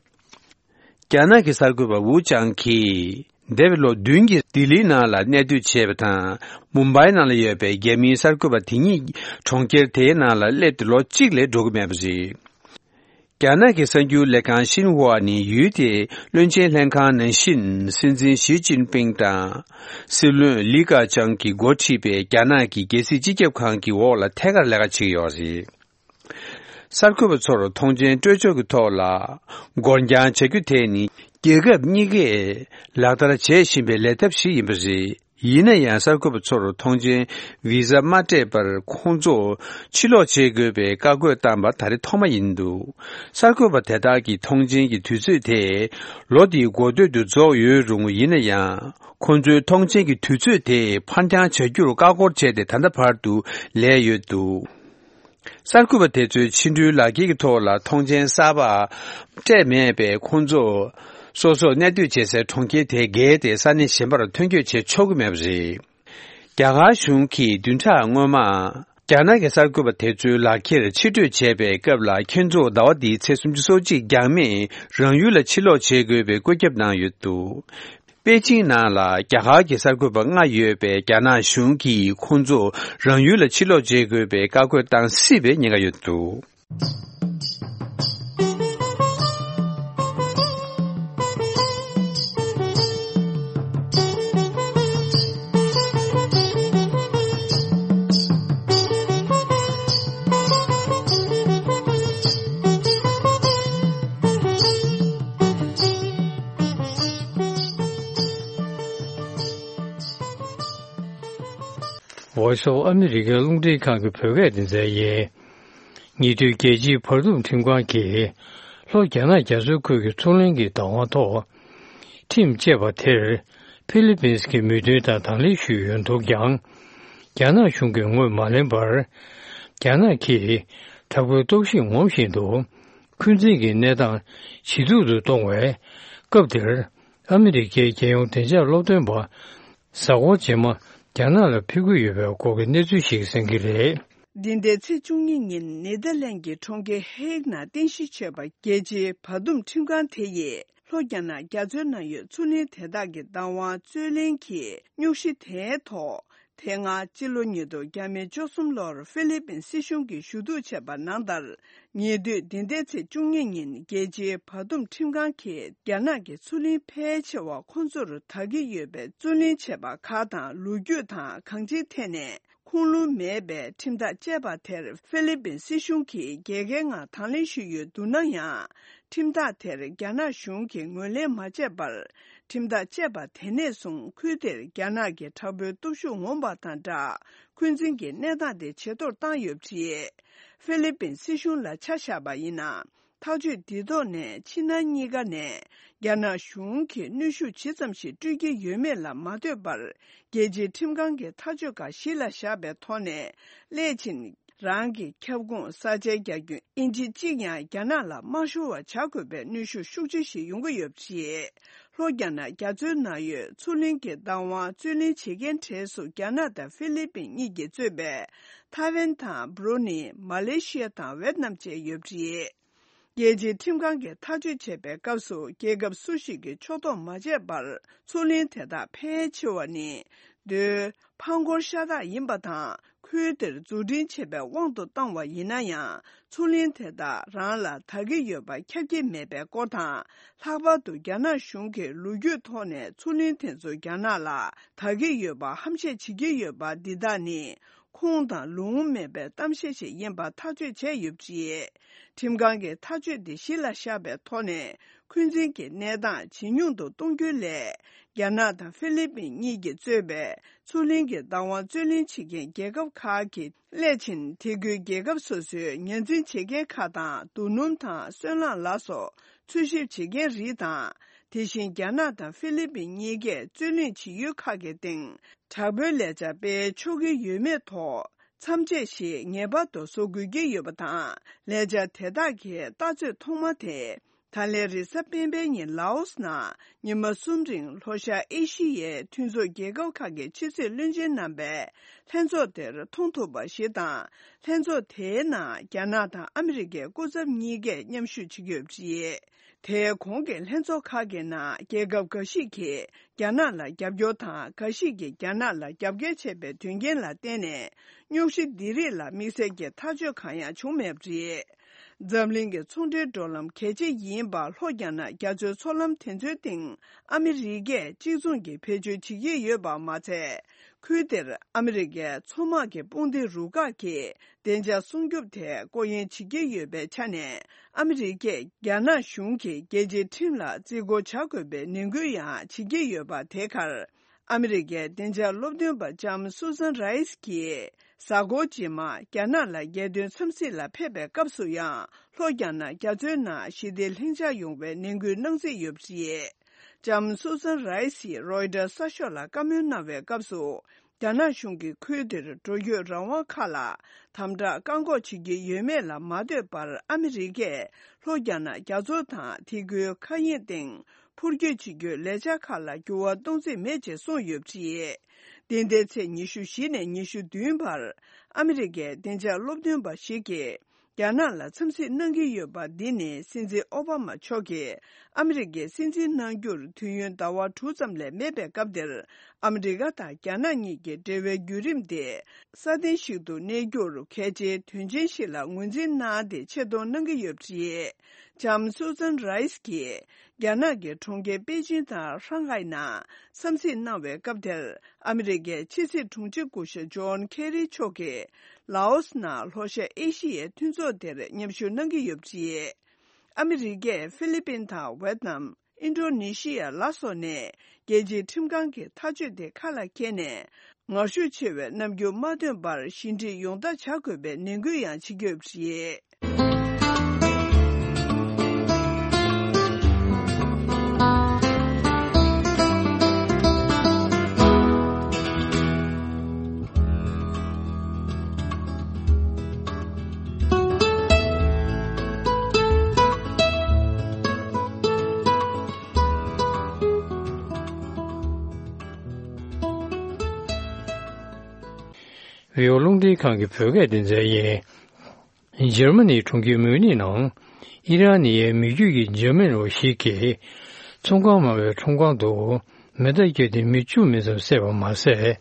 རྒྱ་ནག་གི་གསར་འགོད་པ་ཝུ་ཅང་གིས་འདས་པའི་ལོ་བདུན་གྱི་ལྡི་ལིའི་ནང་ལ་གནས་སྡོད་བྱས་པ་དང་། མུམ་བྷའི་ནང་ལ་ཡོད་པའི་རྒྱ་མིའི་གསར་འགོད་པ་དེ་ཉིད་གྲོང་ཁྱེར་དེའི་ནང་ལ་སླེབས་ཏེ་ལོ་གཅིག་ལས་འགྲོ་གི་མེད་པ་རེད། རྒྱ་ནག་གི་གསར་འགྱུར་ལས་ཁང་ཤིན་ཧྭ་ནི་ཡུལ་དེའི་བློན་ཆེན་ལྷན་ཁང་ནང་བཞིན། སྲིད་འཛིན་ཞི་ཅིན་ཕིང་དང་སྲིད་བློན་ལི་ཁེ་ཆང་གིས་འགོ་ཁྲིད་པའི་རྒྱ་ནག་གི་རྒྱལ་སྲིད་སྤྱི་ཁྱབ་ཁང་གི་འོག་ལ་ཐད་ཀར་ལས་ཀ་བྱེད་ཀྱི་ཡོད་རེད། གསར་འགོད་པ་ཚོར་ཐོངས་མཆན་སྤྲོད་ཕྱོགས་ཀྱི་ཐོག་ལ་འགོར་འགྱངས་བྱ་རྒྱུ་དེ་ནི། རྒྱལ་ཁབ་གཉིས་ཀས་ལག་བསྟར་བྱེད་བཞིན་པའི་ལས་ཐབས་ཤིག་ཡིན་པ་རེད། ཡིན་ན་ཡང་གསར་འགོད་པ་ཚོར་ཐོངས་མཆན་བི་ཟ་མ་སྤྲད་པར་ཁོང་ཚོ་ཕྱིར་ལོག་བྱེད་དགོས་པའི་བཀའ་བཀོད་བཏང་པ་ད་རེས་ཐོག་མ་ཡིན་འདུག་གསར་འགོད་པ་དེ་དག་གི་ཐོངས་མཆན་གྱི་དུས་ཚོད་དེ་ལོ་འདིའི་འགོ་སྟོད་དུ་རྫོགས་ཡོད་རུང་། ཡིན་ན་ཡང་ཁོང་ཚོའི་ཐོངས་མཆན་གྱི་དུས་ཚོད་དེ་ཕར་འགྱངས་བྱ་རྒྱུར་བཀའ་འཁོར་བྱས་ཏེ་ད་ལྟ་བར་དུ་ལས་ཡོད་འདུག་གསར་འགོད་པ་དེ་ཚོའི་ཕྱི་འགྲུལ་ལག་འཁྱེར་གྱི་ཐོག་ལ་ཐོངས་མཆན་གསར་པ་སྤྲད་མེད་པས། ཁོང་ཚོ་སོ་སོར་གནས་སྡོད་བྱེད་སའི་གྲོང་ཁྱེར་དེ་བརྒལ་ཏེ་ས་གནས་གཞན་པར་ཐོན་སྐྱོད་བྱེད་ཆོག་གི་མེད་པ་རེད། རྒྱ་གར་གཞུང་གིས་བདུན་ཕྲག་སྔོན་མ། རྒྱ་ནག་གི་གསར་འགོད་པ་དེ་ཚོའི་ལག་འཁྱེར་ཕྱིར་སྤྲོད་བྱས་པའི་སྐབས་ལ། ཁྱེད་ཚོ་ཟླ་བ་འདིའི་ཚེས་སུམ་ཅུ་སོ་གཅིག་འགྱངས་མེད་རང་ཡུལ་ལ་ཕྱིར་ལོག་བྱེད་དགོས་པའི་བཀོད་ཁྱབ་གནང་ཡོད་འདུག་པེ་ཅིང་ནང་ལ་རྒྱ་གར་གྱི་གསར་འགོད་པ་ལྔ་ཡོད་པས། རྒྱ་ནག་གཞུང་གིས་ཁོང་ཚོ་རང་ཡུལ་ལ་ཕྱིར་ལོག་བྱེད་དགོས་པའི་བཀའ་བཀོད་བཏང་སྲིད་པའི་ཉེན་ཁ་ཡོད་འདུག Voice of America རླུང་འཕྲིན་ཁང་གི་བོད་སྐད་སྡེ་ཚན་ཡིན། ཉེ་དུས་རྒྱལ་སྤྱིའི་བར་འདུམ་ཁྲིམས་ཁང་གིས་ལྷོ་རྒྱ་ནག་རྒྱ་མཚོའི་ཁུལ་གྱི་མཚོ་གླིང་གི་བདག་དབང་ཐོག་ཁྲིམས་བཅད་པ་དེར་ཧྥི་ལི་པིན་གྱི་མོས་མཐུན་དང་དང་ལེན་ཞུས་ཡོད་འདུག་ཀྱང་། རྒྱ་ནག་གཞུང་གིས་ངོས་མ་ལེན་པར། རྒྱ་ནག་གིས་དྲག་པོའི་གཏོར་བཤིག་ངོམ་བཞིན་དུ། འཁོན་འཛིན་གྱི་གནས་སྟངས་ཇེ་སྡུག་ཏུ་གཏོང་བའི་སྐབས་འདིར། ཨ་མི་རི་ཀའི་རྒྱལ་ཡོངས་བདེ་འཇགས་སློབ་སྟོན་པ་གཟའ་འཁོར་རྗེས་མ་རྒྱ་ནག་ལ་ཕེབས་ཀྱི་ཡོད་པའི་སྐོར་གྱི་གནས་ཚུལ་ཞིག་གསན་གྱི་རེད། འདི་ཟླའི་ཚེས་བཅུ་གཉིས་ཉིན་ནེ་དར་ལན་གྱི་གྲོང་ཁྱེར་ཧེག་ནང་རྟེན་གཞི་བྱས་པ་རྒྱལ་སྤྱིའི་བར་འདུམ་ཁྲིམས་ཁང་དེ་ཡིས་ལྷོ་རྒྱ་ནག་རྒྱ་མཚོའི་ནང་ཡོད་མཚོ་གླིང་དེ་དག་གི་བདག་དབང་རྩོད་ལེན་གྱི་སྙོག་གཞི་དེའི་ཐོག་དེ་སྔ་སྤྱི་ལོ་ཉིས་སྟོང་བཅུ་གསུམ་ལོར་ཧྥི་ལི་པིན་སྲིད་གཞུང་གིས་ཞུ་གཏུག་བྱས་པ་ནང་ལྟར། ཉེ་དུས་འདི་ཟླའི་ཚེས་བཅུ་གཉིས་ཉིན་རྒྱལ་སྤྱིའི་བར་འདུམ་ཁྲིམས་ཁང་གིས་རྒྱ་ནག་གི་མཚོ་གླིང་ཕལ་ཆེ་བ་ཁོང་ཚོར་དག་གི་ཡོད་པའི་རྩོད་ལེན་བྱས་པ་ཁག་དང་ལོ་རྒྱུས་དང་གང་ཅིའི་ཐད་ནས་ཁུངས་ལུང་མེད་པའི་ཁྲིམས་ཐག་བཅད་པ་དེར་ཧྥི་ལི་པིན་སྲིད་གཞུང་གིས་རྒྱལ་ཁའི་ངང་དང་ལེན་ཞུས་ཡོད་འདུག་ན་ཡང་། ཁྲིམས་ཐག་དེར་རྒྱ་ནག་གཞུང་གིས་ངོས་ལེན་མ་བྱས་པར། ཁྲིམས་ཐག་བཅད་པ་དེ་ནས་བཟུང་ཁུལ་དེར་རྒྱ་ནག་གི་དྲག་པོའི་སྟོབས་ཤུགས་ངོམ་པ་དང་སྦྲགས། འཁོན་འཛིན་གྱི་གནས་སྟངས་དེ་ཇེ་མཐོར་བཏང་ཡོད་པ་རེད། ཧྥི་ལི་པིན་སྲིད་གཞུང་ལ་ཆ་བཞག་པ་ཡིན་ན། ཐག་གཅོད་འདི་ཐོག་ནས་ཕྱི་ནང་གཉིས་ཀ་ནས་རྒྱ་ནག་གཞུང་གིས་གནོན་ཤུགས་ཇི་ཙམ་ཞིག་སྤྲོད་ཀྱི་ཡོད་མེད་ལ་མ་ལྟོས་པར། རྒྱལ་སྤྱིའི་ཁྲིམས་ཁང་གི་ཐག་གཅོད་ཁག་གཞི་ལ་བཞག་པའི་ཐོག་ནས། སླད་ཕྱིན་རང་གི་ཁྱབ་ཁོངས་ས་ཆའི་རྒྱ་ཁྱོན་ཨིན་ཅི་གཅིག་ཡང་རྒྱ་ནག་ལ་མ་ཤོར་བ་བྱ་དགོས་པའི་གནོན་ཤུགས་ཤུགས་ཆེ་ཞིག་ཡོང་གི་ཡོད་པ་རེད། ལྷོ་རྒྱ་ནག་རྒྱ་མཚོའི་ནང་ཡོད་མཚོ་གླིང་གི་བདག་དབང་རྩོད་ལེན་བྱེད་མཁན་གྲས་སུ་རྒྱ་ནག་དང་ཧྥི་ལི་པིན་གཉིས་ཀྱིས་གཙོས་པའི་ཐའེ་ཝན་དང་བྷུ་རུ་ནི། མ་ལེ་ཤི་ཡ་དང་ཝེད་ནམ་བཅས་ཡོད་པ་རེད། རྒྱལ་སྤྱིའི་ཁྲིམས་ཁང་གིས་ཐག་གཅོད་བྱས་པའི་སྐབས་སུ་རྒྱལ་ཁབ་སུ་ཞིག་གིས་ཕྱོགས་གཏོགས་མ་བྱས་པར་མཚོ་གླིང་དེ་དག་ཕལ་ཆེ་བ་ནི་མདོའི་ཕང་འཁོར་ཤ་སྟག་ཡིན་པ་དང་། ཁུལ་དེར་འཛུགས་སྐྲུན་བྱས་པའི་དབང་དུ་བཏང་བ་ཡིན་ན་ཡང་། མཚོ་གླིང་དེ་དག་རང་ལ་དག་གི་ཡོད་པ་ཁྱབ་ཀྱི་མེད་པའི་སྐོར་དང་། ལྷག་པར་དུ་རྒྱ་ནག་གཞུང་གིས་ལོ་རྒྱུས་ཐོག་ནས་མཚོ་གླིང་དེ་ཚོ་རྒྱ་ནག་ལ་དག་གི་ཡོད་པ་ཧམ་བཤད་བྱེད་ཀྱི་ཡོད་པ་འདི་དག་ནི། ཁུངས་དང་ལུང་མེད་པའི་གཏམ་བཤད་ཞིག་ཡིན་པ་ཐག་གཅོད་བྱས་ཡོད་པ་རེད། ཁྲིམས་ཁང་གིས་ཐག་གཅོད་འདི་གཞི་ལ་བཞག་པའི་ཐོག་ནས། འཁོན་འཛིན་གྱི་གནས་སྟངས་ཇེ་ཉུང་དུ་གཏོང་རྒྱུའི་སླད། རྒྱ་ནག་དང་ཧྥི་ལི་པིན་གཉིས་ཀྱིས་གཙོས་པའི་མཚོ་གླིང་གི་བདག་དབང་རྩོད་ལེན་བྱེད་མཁན་རྒྱལ་ཁབ་ཁག་གིས། སླད་ཕྱིན་དེ་ཁུལ་རྒྱལ་ཁབ་སོ་སོའི་ཉར་འཛིན་བྱེད་མཁན་ཁག་དང་། རྡོ་སྣུམ་དང་སོལ་རླངས་ལ་སོགས་འཚོལ་ཞིབ་བྱེད་མཁན་རིགས་དང་། དེ་བཞིན་རྒྱ་ནག་དང་ཧྥི་ལི་པིན་གཉིས་ཀས་རྩོད་གླེང་བྱེད་ཡུལ་ཁག་གི་སྟེང་། དྲག་པོའི་ལས་འཆར་སྤེལ་ཆོག་གི་ཡོད་མེད་ཐོག་མཚམས་ཆད་ཞིག་ངེས་པར་དུ་བཟོ་དགོས་ཀྱི་ཡོད་པ་དང་། ལས་འཆར་དེ་དག་གི་ལྟ་ཚོད་ཐོག་མ་དེ། ད་ལན་རེས་གཟའ་སྤེན་པའི་ཉིན་ལའོ་སི་ནང་ཉི་མ་གསུམ་རིང་ལྷོ་ཤར་ཨེ་ཤི་ཡའི་མཐུན་ཚོགས་རྒྱལ་ཁབ་ཁག་གི་ཕྱི་སྲིད་བློན་ཆེན་རྣམ་པས་ལྷན་ཚོགས་དེར་མཐོང་ཐུབ་པ་ཞིག་དང་། ལྷན་ཚོགས་དེའི་ནང་རྒྱ་ནག་དང་ཨ་མི་རི་ཀའི་སྐུ་ཚབ་གཉིས་ཀས་མཉམ་ཞུགས་བྱེད་ཀྱི་ཡོད་པ་རེད། དེའི་གོང་གི་ལྷན་ཚོགས་ཁག་གི་ནང་རྒྱལ་ཁབ་འགའ་ཞིག་གིས་རྒྱ་ནག་ལ་རྒྱབ་སྐྱོར་དང་། འགའ་ཞིག་གིས་རྒྱ་ནག་ལ་རྒྱབ་འགལ་བྱས་པའི་དོན་རྐྱེན་ལ་བརྟེན་ནས། རྙོག་གཞི་འདི་རིགས་ལ་དམིགས་བསལ་གྱི་ཐག་གཅོད་གང་ཡང་བྱུང་མེད་པ་རེད། འཛམ་གླིང་གི་ཚོང་འབྲེལ་འགྲོ་ལམ་གལ་ཆེ་ཡིན་པ་ལྷོ་རྒྱ་ནག་རྒྱ་མཚོའི་མཚོ་ལམ་དེ་ཚོའི་སྟེང་ཨ་མི་རི་ཀས་གཅིག་མཚུངས་ཀྱིས་བེད་སྤྱོད་བྱེད་ཀྱི་ཡོད་པ་མ་ཚད། ཁུལ་དེར་ཨ་མི་རི་ཀའི་མཚོ་དམག་གི་དཔུང་སྡེ་རུ་ཁག་གིས་བདེ་འཇགས་སྲུང་སྐྱོབ་ཐད་སྐོར་གཡེང་བྱེད་ཀྱི་ཡོད་པའི་ཆ་ནས། ཨ་མི་རི་ཀས་རྒྱ་ནག་གཞུང་གིས་རྒྱལ་སྤྱིའི་ཁྲིམས་ལ་བརྩི་བཀུར་བྱ་དགོས་པའི་ནན་སྐུལ་ཡང་བྱེད་ཀྱི་ཡོད་པ། དེ་ཁར། ཨ་མི་རི་ཀའི་བདེ་འཇགས་སློབ་སྟོན་པ་ལྕམ་སུ་ཛན་རའི་སི་གིས་གཟའ་འཁོར་རྗེས་མ་རྒྱ་ནག་ལ་རྒྱལ་དོན་འཚམས་གཟིགས་ལ་ཕེབས་པའི་སྐབས་སུ་ཡང་། ལྷོ་རྒྱ་ནག་རྒྱ་མཚོའི་ནང་ཞི་བདེ་ལྷིང་འཇགས་ཡོང་བའི་ནན་སྐུལ་གནང་རྩིས་ཡོད་པ་རེད། ལྕམ་སུ་ཛན་རའི་སིས་རོའི་ཊར་གསར་ཤོག་ལ་བཀའ་མོལ་གནང་བའི་སྐབས་སུ། རྒྱ་ནག་གཞུང་གིས་ཁུལ་དེར་འགྲོ་སྐྱོད་རང་དབང་ཁག་ལ་དམ་དྲག་བཀག་འགོག་བྱེད་ཀྱི་ཡོད་མེད་ལ་མ་ལྟོས་པར། ཨ་མི་རི་ཀས་ལྷོ་རྒྱ་ནག་རྒྱ་མཚོ་དང་དེ་ཁུལ་མཁའ་དབྱིངས་སྟེང་འཕུར་སྐྱོད་བྱེད་རྒྱུའི་ལས་འཆར་ཁག་ལ་འགྱུར་བ་གཏོང་རྩིས་མེད་ཅེས་གསུངས་ཡོད་པ་རེད། འདི་ཟླའི་ཚེས་ཉི་ཤུ་བཞི་ནས་ཉི་ཤུ་བདུན་བར། ཨ་མི་རི་ཀའི་བདེ་འཇགས་སློབ་སྟོན་པ་ཞིག་གིས། རྒྱ་ནག་ལ་འཚམས་གཟིགས་གནང་གི་ཡོད་པ་འདི་ནི། སྲིད་འཛིན་ཨོ་བྷ་མ་མཆོག་གིས་ཨ་མི་རི་ཀའི་སྲིད་འཛིན་གནང་རྒྱུར་དུས་ཡུན་ཟླ་བ་དྲུག་ཙམ་ལས་མེད་པའི་སྐབས་འདིར། ཨ་མི་རི་ཀ་དང་རྒྱ་ནག་གཉིས་ཀྱི་འབྲེལ་བའི་བརྒྱུད་རིམ་དེ་སྲ་བརྟན་ཞིག་ཏུ་གནས་རྒྱུར་གལ་ཆེའི་དོན་ཆེན་ཞིག་ལ་ངོས་འཛིན་གནང་སྟེ་ཆེ་མཐོང་གནང་གི་ཡོད་པ་རེད། ལྕམ་སུ་ཛན་རའི་སི་གིས་རྒྱ་ནག་གི་གྲོང་ཁྱེར་པེ་ཅིང་དང་ཧྲང་ཧའེ་ནང་འཚམས་གཟིགས་གནང་བའི་སྐབས་དེར། ཨ་མི་རི་ཀའི་ཕྱི་སྲིད་དྲུང་ཆེ་སྐུ་ཞབས་ཇོན་ཁེ་རི་མཆོག་གིས། ལའོ་སི་ནང་ལྷོ་ཤར་ཨེ་ཤི་ཡའི་མཐུན་ཚོགས་དེར་མཉམ་ཞུགས་གནང་གི་ཡོད་པ་རེད། ཨ་མི་རི་ཀས་ཧྥི་ལི་པིན་དང་ཝེད་ནམ། ཨིན་ཌོ་ནེ་ཤི་ཡ་ལ་སོགས་ནས་རྒྱལ་སྤྱིའི་ཁྲིམས་ཁང་གི་ཐག་གཅོད་དེ་ཁ་ལ་འཁྱེར་ནས། ངར་ཤུགས་ཆེ་བའི་རྣམ་འགྱུར་མ་སྟོན་པར་ཞི་འགྲིག་ཡོང་ཐབས་བྱ་དགོས་པའི་ནན་སྐུལ་ཡང་བྱེད་ཀྱི་ཡོད་པ་རེད། བོད་རླུང་འཕྲིན་ཁང་གི་བོད་སྐད་སྡེ་ཚན་ཡིན། འཇར་མ་ནིའི་གྲོང་ཁྱེར་མིའུ་ནིག་ནང་ཨི་རན་ནི་ཡའི་མི་རྒྱུད་ཀྱི་འཇར་མན་པ་ཞིག་གིས་ཚོང་ཁང་མ་བའི་ཁྲོམ་ཁང་དུ་མེ་མདའ་བརྒྱབ་སྟེ་མི་བཅུ་མིན་ཙམ་བསད་པ་མ་ཟད།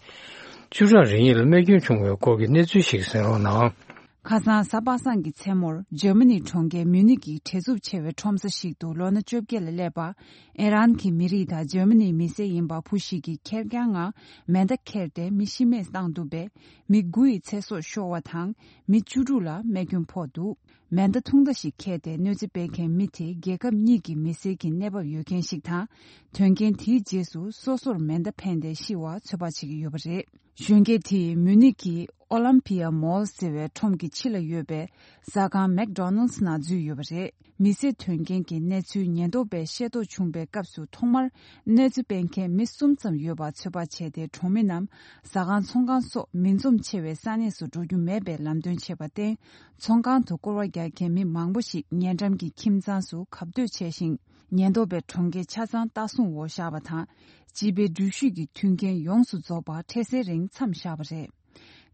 བཅུ་ཕྲག་རེ་གཉིས་ལ་རྨས་སྐྱོན་བྱུང་བའི་སྐོར་གྱི་གནས་ཚུལ་ཞིག་གསན་རོགས་གནང་། ཁ་སང་གཟའ་པ་སངས་ཀྱི་མཚན་མོར་འཇར་མ་ནིའི་གྲོང་ཁྱེར་མིའུ་ནིག་གི་བྲེལ་འཚུབ་ཆེ་བའི་ཁྲོམ་ས་ཞིག་ཏུ་ལོ་ན་བཅོ་བརྒྱད་ལ་སླེབས་པ། ཨི་རན་གྱི་མི་རིགས་དང་འཇར་མ་ནིའི་མི་སེར་ཡིན་པ་བུ་ཞིག་གིས་ཁེར་རྐྱང་ངང་མེ་མདའ་ཁྱེར་ཏེ་མི་ཤི་རྨས་བཏང་འདུག་པས། མི་དགུ་ཡི་ཚེ་སྲོག་ཤོར་བ་དང་། མི་བཅུ་དྲུག་ལ་རྨས་སྐྱོན་ཕོག་འདུག་མེ་མདའ་ཐུང་མདའ་ཞིག་ཁྱེར་ཏེ་གནོད་འཚེ་སྤེལ་མཁན་མི་དེ་རྒྱལ་ཁབ་གཉིས་ཀྱི་མི་སེར་གྱི་གནས་བབ་ཡོད་མཁན་ཞིག་དང་། དོན་རྐྱེན་དེའི་རྗེས་སུ་སོ་སོར་མེ་མདའ་འཕེན་ཏེ་ཤི་བ་ཚོད་དཔག་བྱེད་ཀྱི་ཡོད་པ་རེད། གཞོན་སྐྱེས་དེས་མུ་ནིག་གི་ཨོ་ལམ་པི་ཡ་མོལ་ཟེར་བའི་ཁྲོམ་གྱི་ཕྱི་ལ་ཡོད་པའི་ཟ་ཁང་མེག་ཌོ་ནལ་ནང་འཛུལ་ཡོད་པ་རེད། མི་སེར་དོན་རྐྱེན་གྱི་གནས་ཚུལ་ཉེན་རྟོག་པས་ཤེས་རྟོགས་བྱུང་པའི་སྐབས་སུ་ཐོག་མར་གནོད་འཚེ་སྤེལ་མཁན་མི་གསུམ་ཙམ་ཡོད་པ་ཚོད་དཔག་བྱས་ཏེ། གྲོང་མི་རྣམས་ཟ་ཁང་ཚོང་ཁང་སོགས་མི་འཛོམས་ཆེ་བའི་ས་གནས་སུ་འགྲོ་རྒྱུ་མེད་པའི་ལམ་སྟོན་བྱས་པར་བརྟེན། ཚོང་ཁང་དུ་སྐོར་བ་རྒྱག་མཁན་མི་མང་པོ་ཞིག་ཉེ་འགྲམ་གྱི་ཁྱིམ་ཚང་སུ་གབ་སྡོད་བྱས་ཤིང་། ཉེན་རྟོག་པས་གྲོང་ཁྱེར་ཆ་ཚང་ལྟ་སྲུང་འོག་བཞག་པ་དང་། སྤྱི་པའི་འགྲུལ་བཞུད་ཀྱི་མཐུན་རྐྱེན་ཡོངས་སུ་རྫོགས་པར་འཕྲལ་སེལ་རིང་མཚམས་བཞག་པ་རེད།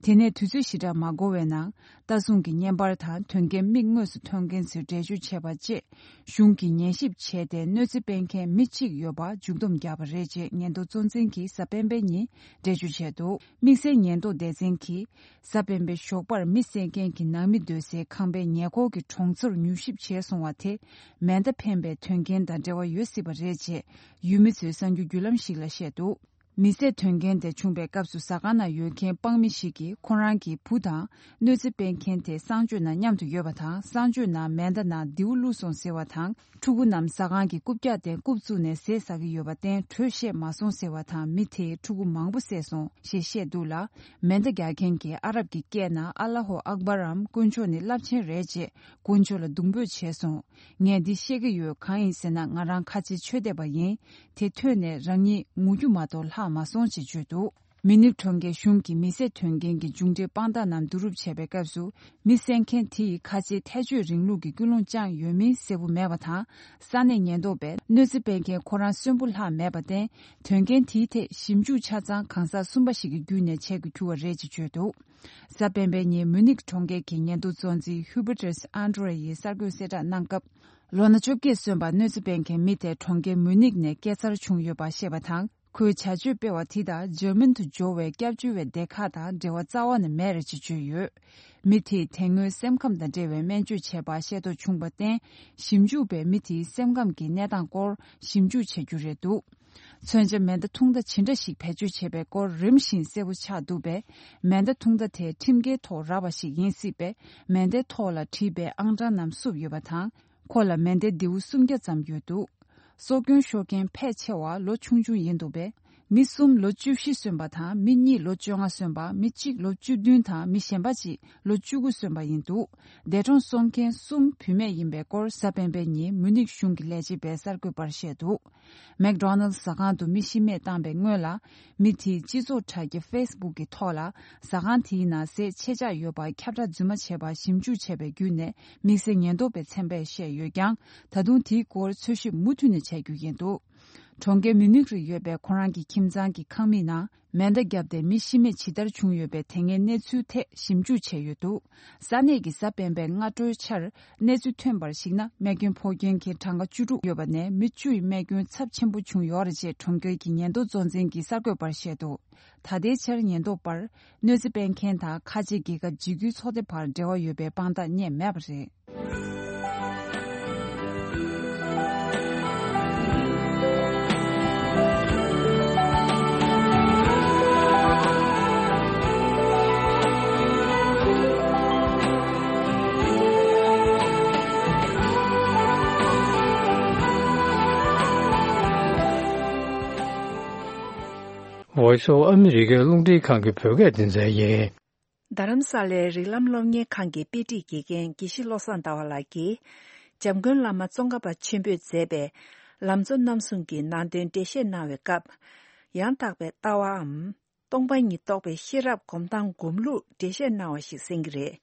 དེ་ནས་དུས་ཚོད་ཞེ་དྲག་མ་འགོར་བའི་ནང་། ལྟ་སྲུང་གི་བརྙན་པར་དང་དོན་རྐྱེན་མིག་དངོས་སུ་མཐོང་མཁན་ཚོས་འགྲེལ་བརྗོད་བྱས་པ་བཅས། གཞུང་གིས་ཉན་ཞིབ་བྱས་ཏེ། གནོད་འཚེ་སྤེལ་མཁན་མི་གཅིག་ཡོད་པ་མཇུག་བསྡོམས་བརྒྱབ་པ་རེད་ཅེས་ཉེན་རྟོག་གཙོ་འཛིན་གྱིས་གཟའ་སྤེན་པའི་ཉིན་འགྲེལ་བརྗོད་བྱས་འདུག་དམིགས་བསལ་ཉེན་རྟོག་སྡེ་ཚན་གྱིས། གཟའ་སྤེན་པའི་ཞོགས་པར་མི་བསད་མཁན་གྱི་ནང་མི་སྡོད་སའི་ཁང་པའི་ཉེ་འཁོར་གྱི་གྲོང་ཚོར་མྱུལ་ཞིབ་བྱས་སོང་བ་དེ། མེ་མདའ་འཕེན་པའི་དོན་རྐྱེན་དང་འབྲེལ་བ་ཡོད་སྲིད་པ་རེད་ཅེས། ཡུལ་མི་ཚོས་གསར་འགྱུར་བརྒྱུད་ལམ་ཞིག་ལ་བཤད་འདུག་མི་བསད་དོན་རྐྱེན་དེ་བྱུང་པའི་སྐབས་སུ་ཟ་ཁང་ནང་ཡོད་མཁན་དཔང་མི་ཞིག་གིས་ཁོ་རང་གི་བུ་དང་གནོད་འཚེ་སྤེལ་མཁན་དེ་གསང་སྤྱོད་ནང་མཉམ་དུ་ཡོད་པ་དང་། གསང་སྤྱོད་ནང་མེ་མདའ་ནང་མདེའུ་བླུགས་སོང་ཟེར་བ་དང་། ཕྲུ་གུ་རྣམས་ཟ་ཁང་གི་རྐུབ་བཀྱག་སྟེང་རྐུབ་བཙུགས་ནས་ཟས་ཟ་གི་ཡོད་པར་བརྟེན་དྲོད་བཤད་མ་སོང་ཟེར་བ་དང་། མི་དེས་ཕྲུ་གུ་མང་པོ་བསད་སོང་ཞེས་བཤད་འདུག་ལ། མེ་མདའ་རྒྱག་མཁན་གྱིས་ཨ་རབ་ཀྱི་སྐད་ནང་ཨ་ལ་ཧོ་ཨག་བར་རམ། དཀོན་མཆོག་ནི་རླབས་ཆེན་རེད་ཅེས་དཀོན་མཆོག་ལ་གདུང་འབོད་བྱས་སོང་། ངས་འདི་བཤད་ཀྱི་ཡོད། གང་ཡིན་ཟེར་ན། ང་རང་ཁ་ཆེའི་ཆོས་དད་པ་ཡིན། དེ་ཐོས་ནས་རང་ཉིད་ངུ་རྒྱུ་མ་གཏོགས་ལྷག་མ་སོང་ཅེས་བརྗོད་འདུག་མི་ནིག་གྲོང་ཁྱེར་གཞུང་གིས་མི་བསད་དོན་རྐྱེན་གྱི་མཇུག་འབྲས་དཔང་རྟགས་རྣམས་བསྡུ་རུབ་བྱས་པའི་སྐབས་སུ། མི་བསད་མཁན་དེ་ཡིས་ཁ་ཆེའི་ཐལ་སྤྱོད་རིང་ལུགས་ཀྱི་ཀུན་སློང་བཅངས་ཡོད་མིན་གསལ་པོ་མེད་པ་དང་། ས་གནས་ཉེན་རྟོག་པས་གནོད་འཚེ་སྤེལ་མཁན་ཁོ་རང་གསོན་པོ་ལྷག་མེད་པར་བརྟེན། དོན་རྐྱེན་དེའི་ཐད་ཞིབ་འཇུག་ཆ་ཚང་གང་ཟག་གསུམ་པ་ཞིག་གི་བརྒྱུད་ནས་བྱེད་དགོས་གྱུར་བ་རེད་ཅེས་བརྗོད་འདུག་གཟའ་སྤེན་པའི་ཉིན་མུ་ནིག་གྲོང་ཁྱེར་གྱི་ཉེན་རྟོག་གཙོ་འཛིན་ཧུ་བྷར་ཏེས་ཨན་ཏྲེ་ཡིས་གསར་འགོད་གསལ་བསྒྲགས་གནང་སྐབས། ལོ་ན་བཅོ་བརྒྱད་སོན་པ་གནོད་འཚེ་སྤེལ་མཁན་མི་དེ་གྲོང་ཁྱེར་མུ་ནིག་ནས་སྐྱེས་འཚར་བྱུང་ཡོད་པ་བཤད་པ་དང་། ཁོའི་བྱ་སྤྱོད་སྤེལ་བ་དེ་དང་འཇར་མན་དུ་འབྱོར་བའི་སྐྱབས་བཅོལ་བའི་སྡེ་ཁག་དང་འབྲེལ་བ་རྩ་བ་ནས་མེད་རེད་ཅེས་བརྗོད་ཡོད། མི་དེས་དེ་སྔོན་སེམས་ཁམས་དང་འབྲེལ་བའི་སྨན་བཅོས་བྱས་པ་ཤེས་རྟོགས་བྱུང་བར་བརྟེན། ཞིབ་འཇུག་པས་མི་དེའི་སེམས་ཁམས་ཀྱི་གནས་སྟངས་སྐོར་ཞིབ་འཇུག་བྱ་རྒྱུ་རེད་འདུག་མཚོན་ཆ་མེ་མདའ་ཐུང་མདའ་ཇི་འདྲ་ཞིག་བེད་སྤྱོད་བྱས་པའི་སྐོར་རིམ་བཞིན་གསལ་པོ་ཆགས་འདུག་པས། མེ་མདའ་ཐུང་མདའ་དེ་ཁྲིམས་འགལ་ཐོག་རག་པ་ཞིག་ཡིན་སྲིད་པས། མེ་མདའི་ཐོག་ལ་བྲིས་པའི་ཨང་གྲངས་རྣམས་བསུབས་ཡོད་པ་དང་། ཁོ་ལ་མེ་མདའི་མདེའུ་སུམ་བརྒྱ་ཙམ་ཡོད་འདུག་སྲོག་སྐྱོན་ཤོར་མཁན་ཕལ་ཆེ་བ་ལོ་ཆུང་ཆུང་ཡིན་འདུག་པས། མི་གསུམ་ལོ་བཅུ་བཞི་སོན་པ་དང་མི་གཉིས་ལོ་བཅོ་ལྔ་སོན་པ། མི་གཅིག་ལོ་བཅུ་བདུན་དང་མི་གཞན་པ་གཅིག་ལོ་བཅུ་དགུ་སོན་པ་ཡིན་འདུག་འདས་གྲོངས་སོང་མཁན་གསུམ་བུད་མེད་ཡིན་པའི་སྐོར་གཟའ་སྤེན་པའི་ཉིན་མུ་ནིག་གཞུང་གི་ལས་བྱེད་པས་གསར་འགོད་པར་བཤད་འདུག་མེག་ཌོ་ནལ་ཟ་ཁང་དུ་མི་ཤི་རྨས་བཏང་པའི་སྔོན་ལ། མི་དེས་སྤྱི་ཚོགས་དྲ་རྒྱ་ཕེ་སི་བུག་གི་ཐོག་ལ། ཟ་ཁང་དེའི་ནང་ཟས་ཆད་ཆག་ཡོད་པ་ཁྱབ་བསྒྲགས་རྫུན་མ་བྱས་པར་ཞིབ་འཇུག་བྱས་པའི་བརྒྱུད་ནས། དམིགས་བསལ་ཉེན་རྟོག་པའི་ཚན་པས་བཤད་ཡོད་ཀྱང་། ད་དུང་དེའི་སྐོར་འཚོལ་ཞིབ་མུ་མཐུད་ནས་བྱ་རྒྱུ་ཡིན་འདུག་གྲོང་ཁྱེར་མུ་ནིག་རུ་ཡོད་པའི་ཁོ་རང་གི་ཁྱིམ་ཚང་གི་ཁང་མིག་ནང་མེ་མདའ་བརྒྱབ་སྟེ་མི་ཤི་རྨས་ཇི་ལྟར་བྱུང་ཡོད་པའི་དེ་སྔའི་གནས་ཚུལ་ཐད་ཞིབ་འཇུག་བྱས་ཡོད་འདུག་ས་གནས་ཀྱི་གཟའ་སྤེན་པའི་སྔ་དྲོའི་ཆར། གནས་ཚུལ་ཐོན་པར་གཞིགས་ན། རྨས་སྐྱོན་ཕོག་མཁན་གྱི་གྲངས་ཀ་བཅུ་དྲུག་ཡོད་པ་ནས། མི་བཅུ་ཡི་རྨས་སྐྱོན་ཚབས་ཆེན་པོ་བྱུང་ཡོད་རེད་ཅེས་གྲོང་ཁྱེར་གྱི་ཉེན་རྟོག་གཙོ་འཛིན་གྱིས་གསར་འགོད་པར་བཤད་འདུག་ད་ལྟའི་ཆར་ཉེན་རྟོག་པར་གནོད་འཚེ་སྤེལ་མཁན་དང་ཁ་ཆེ་རྒྱལ་ཁབ་འཇིགས་སྐུལ་ཚོགས་སྡེ་བར་འབྲེལ་བ་ཡོད་པའི་དཔང་རྟགས་རྙེད་མེད་པ་རེད། Voice of America རླུང་འཕྲིན་ཁང་གི་བོད་སྐད་སྡེ་ཚན་ཡིན། རྡ་རམ་ས་ལའི་རིགས་ལམ་སློབ་གཉེར་ཁང་གི་དཔེ་ཁྲིད་དགེ་རྒན་དགེ་བཤེས་བློ་བཟང་ཟླ་བ་ལགས་ཀྱིས། འཇམ་མགོན་བླ་མ་ཙོང་ཁ་པ་ཆེན་པོས་མཛད་པའི་ལམ་གཙོ་རྣམ་གསུམ་གྱི་ནང་དོན་འགྲེལ་བཤད་གནང་བའི་སྐབས། ཡང་དག་པའི་ལྟ་བའམ། སྟོང་པ་ཉིད་རྟོགས་པའི་ཤེས་རབ་སྒོམ་སྟངས་སྒོམ་ལུགས་འགྲེལ་བཤད་གནང་བ་ཞིག་གསན་གྱི་རེད།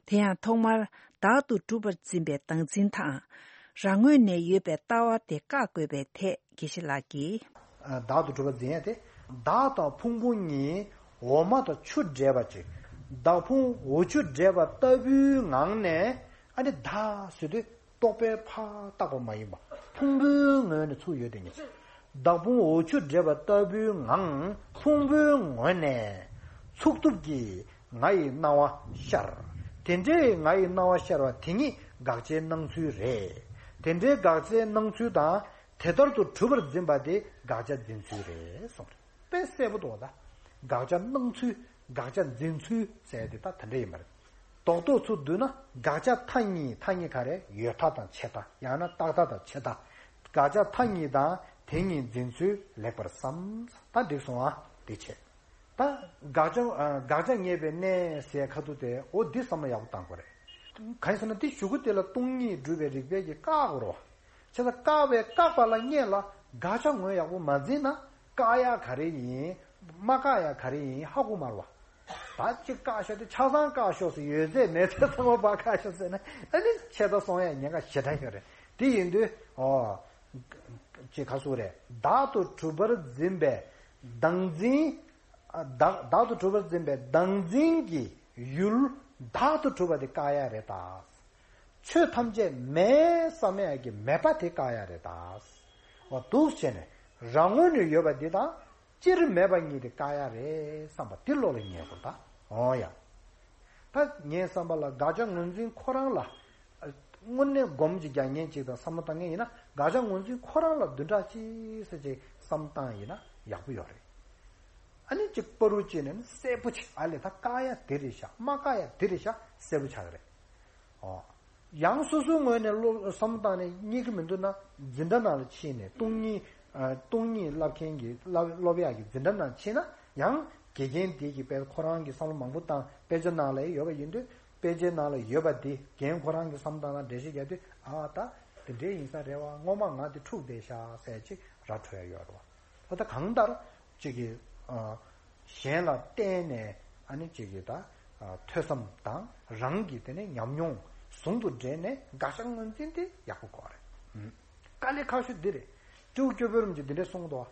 དེ་ཡང་ཐོག་མར་བདག་ཏུ་གྲུབ་པར་འཛིན་པའི་བདག་འཛིན་དང་། རང་ངོས་ནས་ཡོད་པའི་ལྟ་བ་དེ་བཀག་དགོས་པའི་ཐད་དགེ་བཤེས་ལགས་ཀྱིས། བདག་ཏུ་གྲུབ་པར་འཛིན་ཡ་དེ། བདག་དང་ཕུང་པོ་གཉིས་འོ་མ་དང་ཆུ་འདྲེས་པ་ཅིག་བདག་ཕུང་འོ་ཆུ་འདྲེས་པ་ལྟ་བུའི་ངང་ནས། ཨ་ནི་བདག་ཟེར་དུས་རྟོག་པས་ཕར་བཏགས་པ་མ་ཡིན་པ། ཕུང་པོའི་ངོས་ནས་ཚུར་ཡོད་དེ་ཉིད། བདག་ཕུང་འོ་ཆུ་འདྲེས་པ་ལྟ་བུའི་ངང་ཕུང་པོའི་ངོས་ནས་ཚུགས་ཐུབ་ཀྱི་ང་ཡི་སྣང་བ་ཤར། དེ་འདྲའི་ང་ཡི་སྣང་བ་ཤར་བ་དེ་ཉིད་དགག་བྱའི་སྣང་ཚུལ་རེད། དེ་འདྲའི་དགག་བྱའི་སྣང་ཚུལ་དང་དེ་ལྟར་དུ་གྲུབ་པར་འཛིན་པ་དེ་དགག་བྱ་འཛིན་ཚུལ་རེད་གསུངས། དཔེ་གསལ་པོ་འདུག་ད། དགག་བྱ་སྣང་ཚུལ། དགག་བྱ་འཛིན་ཚུལ་ཟེར་དེ་ད་དེ་འདྲ་ཡིན་པ་རེད། རྡོག་རྡོག་ཚུར་བསྡུས་ན་དགག་བྱ་མཐའ་གཉིས། མཐའ་གཉིས་ག་རེ། ཡོད་མཐའ་དང་ཆད་མཐའ། ཡང་ན་རྟག་མཐའ་དང་ཆད་མཐའ། དགག་བྱ་མཐའ་གཉིས་དང་དེ་གཉིས་འཛིན་ཚུལ་ལེགས་པར་བསམ། ད་འགྲིག་སོང་ཨ། འདི་བྱས། ད་དགག་བྱ་ཨ། དགག་བྱ་ངེས་པའི་གནས་ཟེར་ཁ་ཐུག་དེ། འོ་འདི་བསམ་བློ་ཡག་པོ་བཏང་དགོས་རེད། གང་ཡིན་ཟེར་ན་འདི་གཞུག་གུ་དེ་ལ་སྟོང་ཉིད་སྒྲུབ་པའི་རིགས་པས་ཀྱིས་བཀག་དགོས་རེད་བ། བྱས་ཙང་བཀག་པའི་བཀག་པ་ལ་སྔོན་ལ་དགག་བྱ་ངོས་ཡག་པོ་མ་འཛིན་ན། བཀག་ཡག་ག་རེ་ཡིན། མ་བཀག་ཡག་ག་རེ་ཡིན་ཧ་གོ་མ་རེད་བ། ད་ཅིག་བཀག་ཤོག་དེ་ཆ་ཚང་བཀག་ཤོག་ཟེར། ཡོད་ཚད་མེད་ཚད་ཚང་མ་ཕར་བཀག་ཤོག་ཟེར་ན། ཨ་ནི་ཆད་མཐའ་སོང་ཡག་ཉེན་ཁ་ཞེ་དྲག་ཡོད་རེད། དེ་ཡིན་དུས་ཨོ། ཅིག་ག་ཟེར་རེད། བདག་ཏུ་གྲུབ་པར་འཛིན་པའི་བདག་འཛིན། ཨ། བདག་བདག་ཏུ་གྲུབ་པར་འཛིན་པའི་བདག་འཛིན་གྱི་ཡུལ་བདག་ཏུ་གྲུབ་པ་དེ་བཀག་ཡག་རེད་ད། ཆོས་ཐམས་ཅད་མེད་བསམ་ཡག་གི་མེད་པ་དེ་བཀག་ཡག་རེད་ད། འོ་འདུག་བྱས་ནས་རང་ངོས་ནས་ཡོད་པ་འདི་དང་སྤྱིར་མེད་པ་གཉིས་དེ་བཀག་ཡག་རེད་བསམ་པ་འདི་བློ་ལ་ངེས་དགོས་ད། འོ་ཡ། ད་ངའི་བསམ་པ་ལ་དགག་བྱ་ངོས་འཛིན་ཁོ་རང་ལ། དངོས་གནས་སྒོམ་གྱི་རྒྱག་མཁན་ཅིག་དང་བསམ་བློ་བཏང་མཁན་ཡིན་ན། དགག་བྱ་ངོས་འཛིན་ཁོ་རང་ལ་བདུན་ཕྲག་གཅིག་ཙམ་ཅིག་བསམ་བློ་བཏང་ཡིན་ན་ཡག་པོ་ཡོད་རེད། ཨ་ནི་ཅིག་བར་དུ་བྱས་ནས་གསལ་པོ་ཅིག་ཨ་ལས་ད་བཀག་ཡག་དེ་རེད་ཤག་མ་བཀག་ཡག་དེ་རེད་ཤག་གསལ་པོ་ཆགས་ཀྱི་རེད། ཨོ། ཡང་སོ་སོའི་ངོས་ནས་བློ་བསམ་བློ་བཏང་ནས་རྙེད་ཀྱི་མི་འདུག་ན། འཛིན་གྲྭ་ནང་ལ་ཕྱིན་ནས་སྟོང་ཉིད། ཨ། སྟོང་ཉིད་བསླབ་མཁན་གྱི་བསླབ་སློབ་ཡག་གི་འཛིན་གྲྭ་ནང་ཕྱིན་ན་ཡང་། དགེ་རྒན་དེ་གིས་དཔེ་ཁོ་རང་གིས་བསམ་བློ་མང་པོ་བཏང་། དཔེ་ཆ་ནང་ལ་ཡོད་པ་ཡིན་དུས། དཔེ་ཆའི་ནང་ལ་ཡོད་པ་དེ་རྒན་ཁོ་རང་གིས་བསམ་བཏང་ན་འགྲེལ་བཤད་རྒྱག་དུས། ཨ། ད་དེ་འདྲའི་ཡིན་ས་རེད་བ། སྔོན་མ་ང་དེ་འཁྲུགས་བསྡད་ཤག་ཟེར་ཅིག་ར་འཕྲོད་ཡ་ཡོད་རེད་བ། ད་ད་གང་ལྟར་ཅིག་གིས། ཨ། གཞན་ལ་བརྟེན་ནས་ཨ་ནི་ཅིག་གིས་ད། ཨ། ཐོས་བསམ་དང་རང་གི་དེ་ནས་ཉམས་མྱོང་ཟུང་དུ་འབྲེལ་ནས་དགག་བྱ་ངོས་འཛིན་དེ་ཡག་པོ་དགོས་རེད། ཨུམ། དཀའ་ལས་ཁག་ཤོས་འདི་རེད། སྤྲེའུ་སྐྱོ་བོའི་རིམ་གྱིས་འདི་འདྲས་གསུངས་འདུག་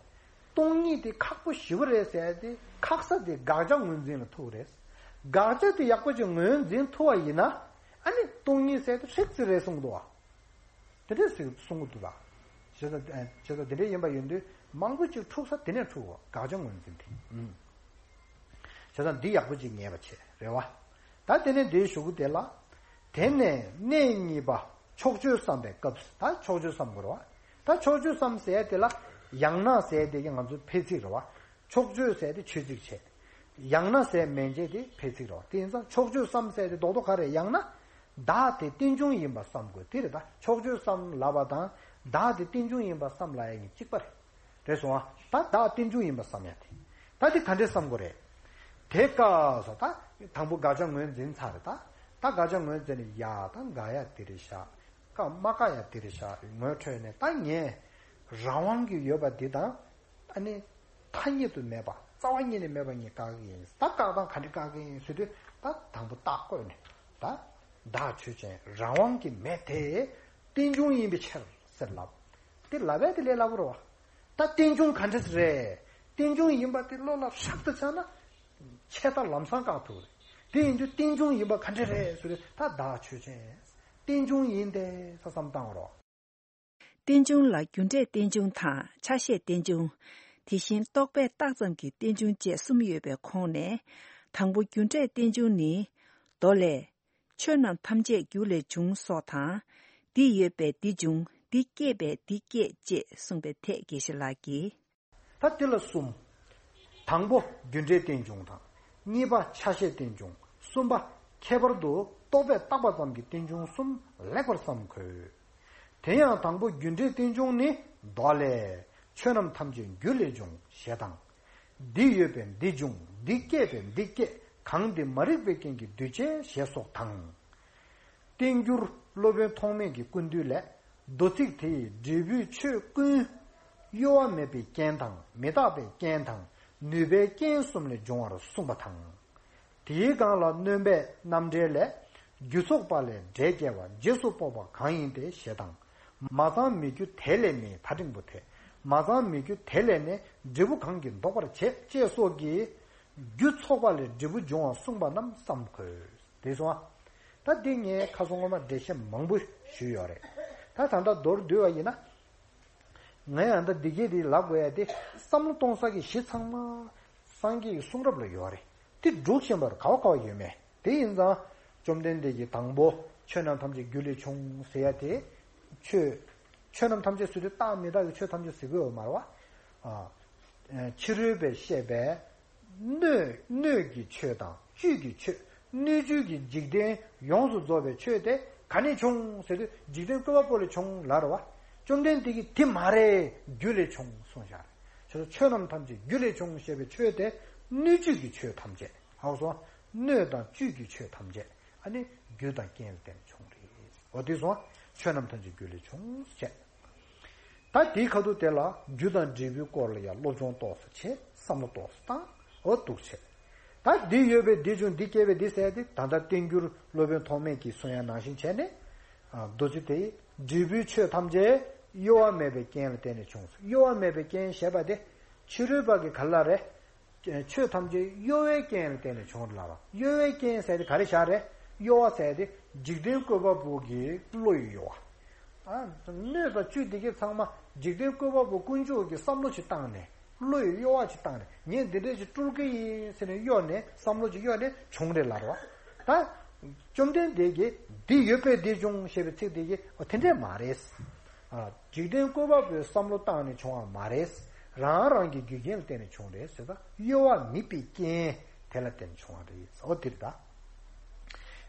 སྟོང་ཉིད་དེ་ཁག་པོ་ཞེ་པོ་རེད་ཟེར་ཏེ། ཁག་ས་དེ་དགག་བྱ་ངོས་འཛིན་ལ་ཐུག་རེད། དགག་བྱ་དེ་ཡག་པོ་ཅིག་ངོས་འཛིན་ཐུབ་པ་ཡིན་ན། ཨ་ནི་སྟོང་ཉིད་ཟེར་དེ་ཧྲིག་ཙི་རེད་གསུངས་འདུག་བ། དེ་འདྲས་ཟེར་གསུང་གི་འདུག་ད། བྱས་ཙང་། བྱས་ཙང་དེ་འདྲས་ཡིན་པ་ཡིན་དུས་མང་པོ་ཅིག་འཁྲུག་ས་དེ་ནས་འཁྲུག་པ། དགག་བྱ་ངོས་འཛིན་དེ། ཨུམ། བྱས་ཙང་འདི་ཡག་པོ་ཅིག་ངེས་པ་བྱས་རེད་བ། ད་དེ་ནས་འདིའི་གཞུག་གུ་དེ་ལ། དེ་ནས་གནས་གཉིས་པ་ཕྱོགས་ཆོས་བསམ་པའི་སྐབས་སུ། ད་ཕྱོགས་ཆོས་བསམ་དགོས་རེད་བ། ད་ཕྱོགས་ཆོས་བསམ་ཟེར་དེ་ལ། ཡང་ན་ཟེར་དེ་གི་ང་ཚོའི་ཕལ་ཚིག་རེད་བ། ཕྱོགས་ཆོས་ཟེར་དེ་ཆོས་ཚིག་བྱས། ཡང་ན་ཟེར་མན་ཆད་དེ་ཕལ་ཚིག་རེད་བ། དེ་ཡིན་ཙང་ཕྱོགས་ཆོས་བསམ་ཟེར་དེ་རྡོག་རྡོག་ག་རེ། ཡང་ན་བདག་དེ་རྟེན་འབྱུང་ཡིན་པ་བསམ་དགོས། དེ་རེད། ད་ཕྱོགས་ཆོས་བསམ་ལབ་པ་དང་བདག་དེ་རྟེན་འབྱུང་ཡིན་པ་བསམ་ལབ་ཡ་གཉིས་གཅིག་པ་རེད། རེད་སོང་ཨ། ད་བདག་རྟེན་འབྱུང་ཡིན་པ་བསམ་ཡ་དེ། ད་དེ་ག་འདྲས་བསམ་དགོས་རེད། དེ་སྐབས་སུ་ད་དང་པོ་དགག་བྱ་ངོས་འཛིན་ཚར་རེད་ད། ད་དགག་བྱ་ངོས་འཛིན་ནས་ཡ་དང་འགག་ཡ་དེ་རེད་ཤག་བཀག་མ་བཀག་ཡ་དེ་རེད་ཤག་ངོས་འཕྲོད་ནས་ད་ངས་རང་དབང་གི་ཡོད་པ་འདི་དང་། ཨ་ནི། ཐ་སྙད་དུ་མེད་པ་རྩ་བ་ཉིད་ནས་མེད་པ་ངས་བཀག་གི་ཡིན། ད་བཀག་སྟངས་ག་འདྲས་བཀག་གི་ཡིན་ཟེར་དུས། ད་དང་པོ་རྟགས་བཀོད་ནས་ད། བདག་ཆོས་ཅན། རང་དབང་གི་མེད་དེ། རྟེན་འབྱུང་ཡིན་པའི་ཕྱིར་ཟེར་ལབ། དེ་ལབ་ཡ་དེ་ལས་སླ་པོ་རེད་བ། ད་རྟེན་འབྱུང་ག་འདྲས་རེད། རྟེན་འབྱུང་ཡིན་པ་དེ་བློ་ལ་ཧྲག་ཏུ་ཆགས་ན། ཆད་ལྟ་ལམ་སང་བཀག་ཐུབ་རེད། དེ་ཡིན་དུས་རྟེན་འབྱུང་ཡིན་པ་ག་འདྲས་རེད་ཟེར་དུས། ད་བདག་ཆོས་ཅན། རྟེན་འབྱུང་ཡིན་ཏེ་ས་བསམ་བཏང་རོགས། རྟེན་འབྱུང་ལ་རྒྱུ་འབྲས་རྟེན་འབྱུང་དང་ཆ་ཤས་རྟེན་འབྱུང་། དེ་བཞིན་རྟོག་པས་བཏགས་ཙམ་གྱི་རྟེན་འབྱུང་བཅས་གསུམ་ཡོད་པའི་ཁོངས་ནས། དང་པོ་རྒྱུ་འབྲས་རྟེན་འབྱུང་ནི། མདོ་ལས། ཆོས་རྣམས་ཐམས་ཅད་རྒྱུ་ལས་བྱུང་སོགས་དང་། འདི་ཡོད་པས་འདི་འབྱུང་། འདི་སྐྱེས་པས་འདི་སྐྱེས་ཅེས་གསུངས་པའི་ཐད་དགེ་བཤེས་ལགས་ཀྱིས། ད་དེ་ལ་གསུམ། དང་པོ་རྒྱུ་འབྲས་རྟེན་འབྱུང་དང་། གཉིས་པ་ཆ་ཤས་རྟེན་འབྱུང་། གསུམ་པ་ཁྱད་པར་དུ་རྟོག་པས་བཏགས་པ་ཙམ་གྱི་རྟེན་འབྱུང་གསུམ་ལེགས་པར་བསམ་དགོས། དེ་ཡང་དང་པོ་རྒྱུ་འབྲས་རྟེན་འབྱུང་ནི། མདོ་ལས། ཆོས་རྣམས་ཐམས་ཅད་རྒྱུ་ལས་བྱུང་ཞེས་དང་། འདི་ཡོད་པས་འདི་འབྱུང་། འདི་སྐྱེས་པས་འདི་སྐྱེས། གང་འདི་མ་རིག་པའི་རྐྱེན་གྱིས་འདུས་བྱས་ཞེས་སོགས་དང་། བསྟན་འགྱུར་སློབ་དཔོན་ཐོགས་མེད་ཀྱི་ཀུན་བཏུས་ལས། མདོ་ཚིག་དེ་ཡི་འབྲས་བུའི་ཆོས་ཀུན། གཡོ་བ་མེད་པའི་རྐྱེན་དང་། མི་རྟག་པའི་རྐྱེན་དང་། ནུས་པའི་རྐྱེན་གསུམ་ལས་འབྱུང་བར་གསུངས་པ་དང་། དེའི་སྒང་ལ་སྣོན་པའི་རྣམ་འགྲེལ་ལས། རྒྱུ་ཚོགས་པ་ལས་འབྲས་སྐྱེ་བ། རྗེས་སུ་དཔོག་པ་གང་ཡིན་ཏེ་ཞེས་དང་། མ་ཚང་མེད་རྒྱུ་དེ་ལས་ནི། ད་འགྲེང་བུ་དེ། མ་ཚང་མེད་རྒྱུ་དེ་ལས་ནི། འབྲས་བུ་གང་གིས་ལྡོག་པར་བྱེད། ཅེས་སོགས་ཀྱིས། རྒྱུ་ཚོགས་པ་ལས་འབྲས་བུ་འབྱུང་བ་གསུངས་པ་རྣམས་བསམ་དགོས། དེ་སོང་ཨ། ད་འདི་ངས་ཁ་སང་སྔོན་མ་འགྲེལ་བཤད་མང་པོ་ཞུས་ཡོད་རེད། ད་ད་ལྟ་མདོར་བསྡུས་པ་ཡིན་ན། ངས་ཡང་ད་འདི་སྐད་འདི་ལབ་དགོས་ཡ་དེ། བསམ་བློ་གཏོང་ས་གི་གཞི་ཚང་མ་སངས་རྒྱས་ཀྱི་གསུང་རབ་ལ་ཡོད་རེད། དེ་སྒྲུབ་བཞིན་པར་ག་བ་ག་བ་ཡོད་མེད་དེ་ཡིན་ཙང་། བཅོམ་ལྡན་འདས་ཀྱིས་དང་པོ་ཆོས་རྣམས་ཐམས་ཅད་རྒྱུ་ལས་བྱུང་ཟེར་ཡ་དེ། ཆོས། ཆོས་རྣམས་ཐམས་ཅད་ཟེར་དུས་རྟག་མི་རྟག་གི་ཆོས་ཐམས་ཅད་ཟེར་གི་ཡོད་མ་རེད་བ། ཨ། ཕྱི་རོལ་པས་བཤད་པའི། སྣོད། སྣོད་ཀྱི་ཆོས་དང་བཅུད་ཀྱི་ཆོས། སྣོད་བཅུད་ཀྱི་འཇིག་རྟེན་ཡོངས་སུ་རྫོགས་པའི་ཆོས་དེ་ག་ནས་བྱུང་ཟེར་དུས། འཇིག་རྟེན་བཀོད་པ་པོ་ལས་བྱུང་ལབ་རེད་བ། བཅོམ་ལྡན་འདས་ཀྱིས་དེ་མ་རེད། རྒྱུ་ལས་བྱུང་གསུངས་བཞག་རེད། ཆོས། ཆོས་རྣམས་ཐམས་ཅད་རྒྱུ་ལས་བྱུང་ཞེས་པའི་ཆོས་དེ། སྣོད་བཅུད་ཀྱི་ཆོས་ཐམས་ཅད། ཧ་གོ་སོང་། སྣོད་དང་བཅུད་ཀྱི་ཆོས་ཐམས་ཅད། ཨ་ནི་རྒྱུ་དང་རྐྱེན་ལ་བརྟེན་ནས་བྱུང་རེད། འོ་དེ་སོང་། ཆོས་རྣམས་ཐམས་ཅད་རྒྱུ་ལས་བྱུང་ཟེར། ད་དེའི་ཁ་ཐུག་དེ་ལ་རྒྱུ་དང་འབྲས་བུའི་སྐོར་ལ་ཡང་སློབ་སྦྱོང་ཏོག་ཙམ་བྱེད། བསམ་བློ་ཏོག་ཙམ་བཏང་། འོ་འདུག་བྱེད། ད་འདི་ཡོད་པས་འདི་བྱུང་། འདི་སྐྱེས་པས་འདི་ཟེར་ཏེ། ད་ལྟ་བསྟན་འགྱུར་སློབ་དཔོན་ཐོགས་མེད་ཀྱིས་གསུང་ཡ་ནང་བཞིན་བྱས་ནས། ཨ། མདོ་ཚིག་དེ་ཡི་འབྲས་བུའི་ཆོས་ཐམས་ཅད་གཡོ་བ་མེད་པའི་རྐྱེན་ལ་བརྟེན་ནས་བྱུང་། གཡོ་བ་མེད་པའི་རྐྱེན་ཞེས་པ་དེ་ཕྱི་རོལ་པ་གི་ག་ལ་རེད། ཆོས་ཐམས་ཅད་གཡོ་བའི་རྐྱེན་ལ་བརྟེན་ནས་བྱུང་ལབ་པ། གཡོ་བའི་རྐྱེན་ཟེར་དེ་ག་རེ་བཞག་རེད། གཡོ་བ་ཟེར་དེ་འཇིག་རྟེན་བཀོད་པ་པོ་གི་བློ་ཡི་གཡོ་བ། ཨ། སྣོད་དང་བཅུད་དེ་གའི་ཚང་མ་འཇིག་རྟེན་བཀོད་པ་པོ་དཀོན་མཆོག་གི་བསམ་བློ་ཞིག་བཏང་ནས། བློ་ཡི་གཡོ་བ་ཞིག་བཏང་ནས། ངས་འདི་འདྲ་ཞིག་སྤྲུལ་གི་ཡིན་ཟེར་ནས་གཡོ་ནས། བསམ་བློ་ཞིག་གཡོ་ནས་བྱུང་རེད་ལབ་པ། ད་བཅོམ་ལྡན་འདས་ཀྱིས་འདི་ཡོད་པས་འདི་བྱུང་ཞེས་པའི་ཚིག་དེ་གིས། འོ་དེ་འདྲས་མ་རེད། ཨ། འཇིག་རྟེན་བཀོད་པ་པོའི་བསམ་བློ་བཏང་ནས་བྱུང་བ་མ་རེད། རང་རང་གི་རྒྱུ་རྐྱེན་ལ་བརྟེན་ནས་བྱུང་རེད་ཟེར། ད་གཡོ་བ་མེད་པའི་རྐྱེན་དེ་ལ་བརྟེན་ནས་བྱུང་བ་རེད། འོ་དེ་རེད་ད།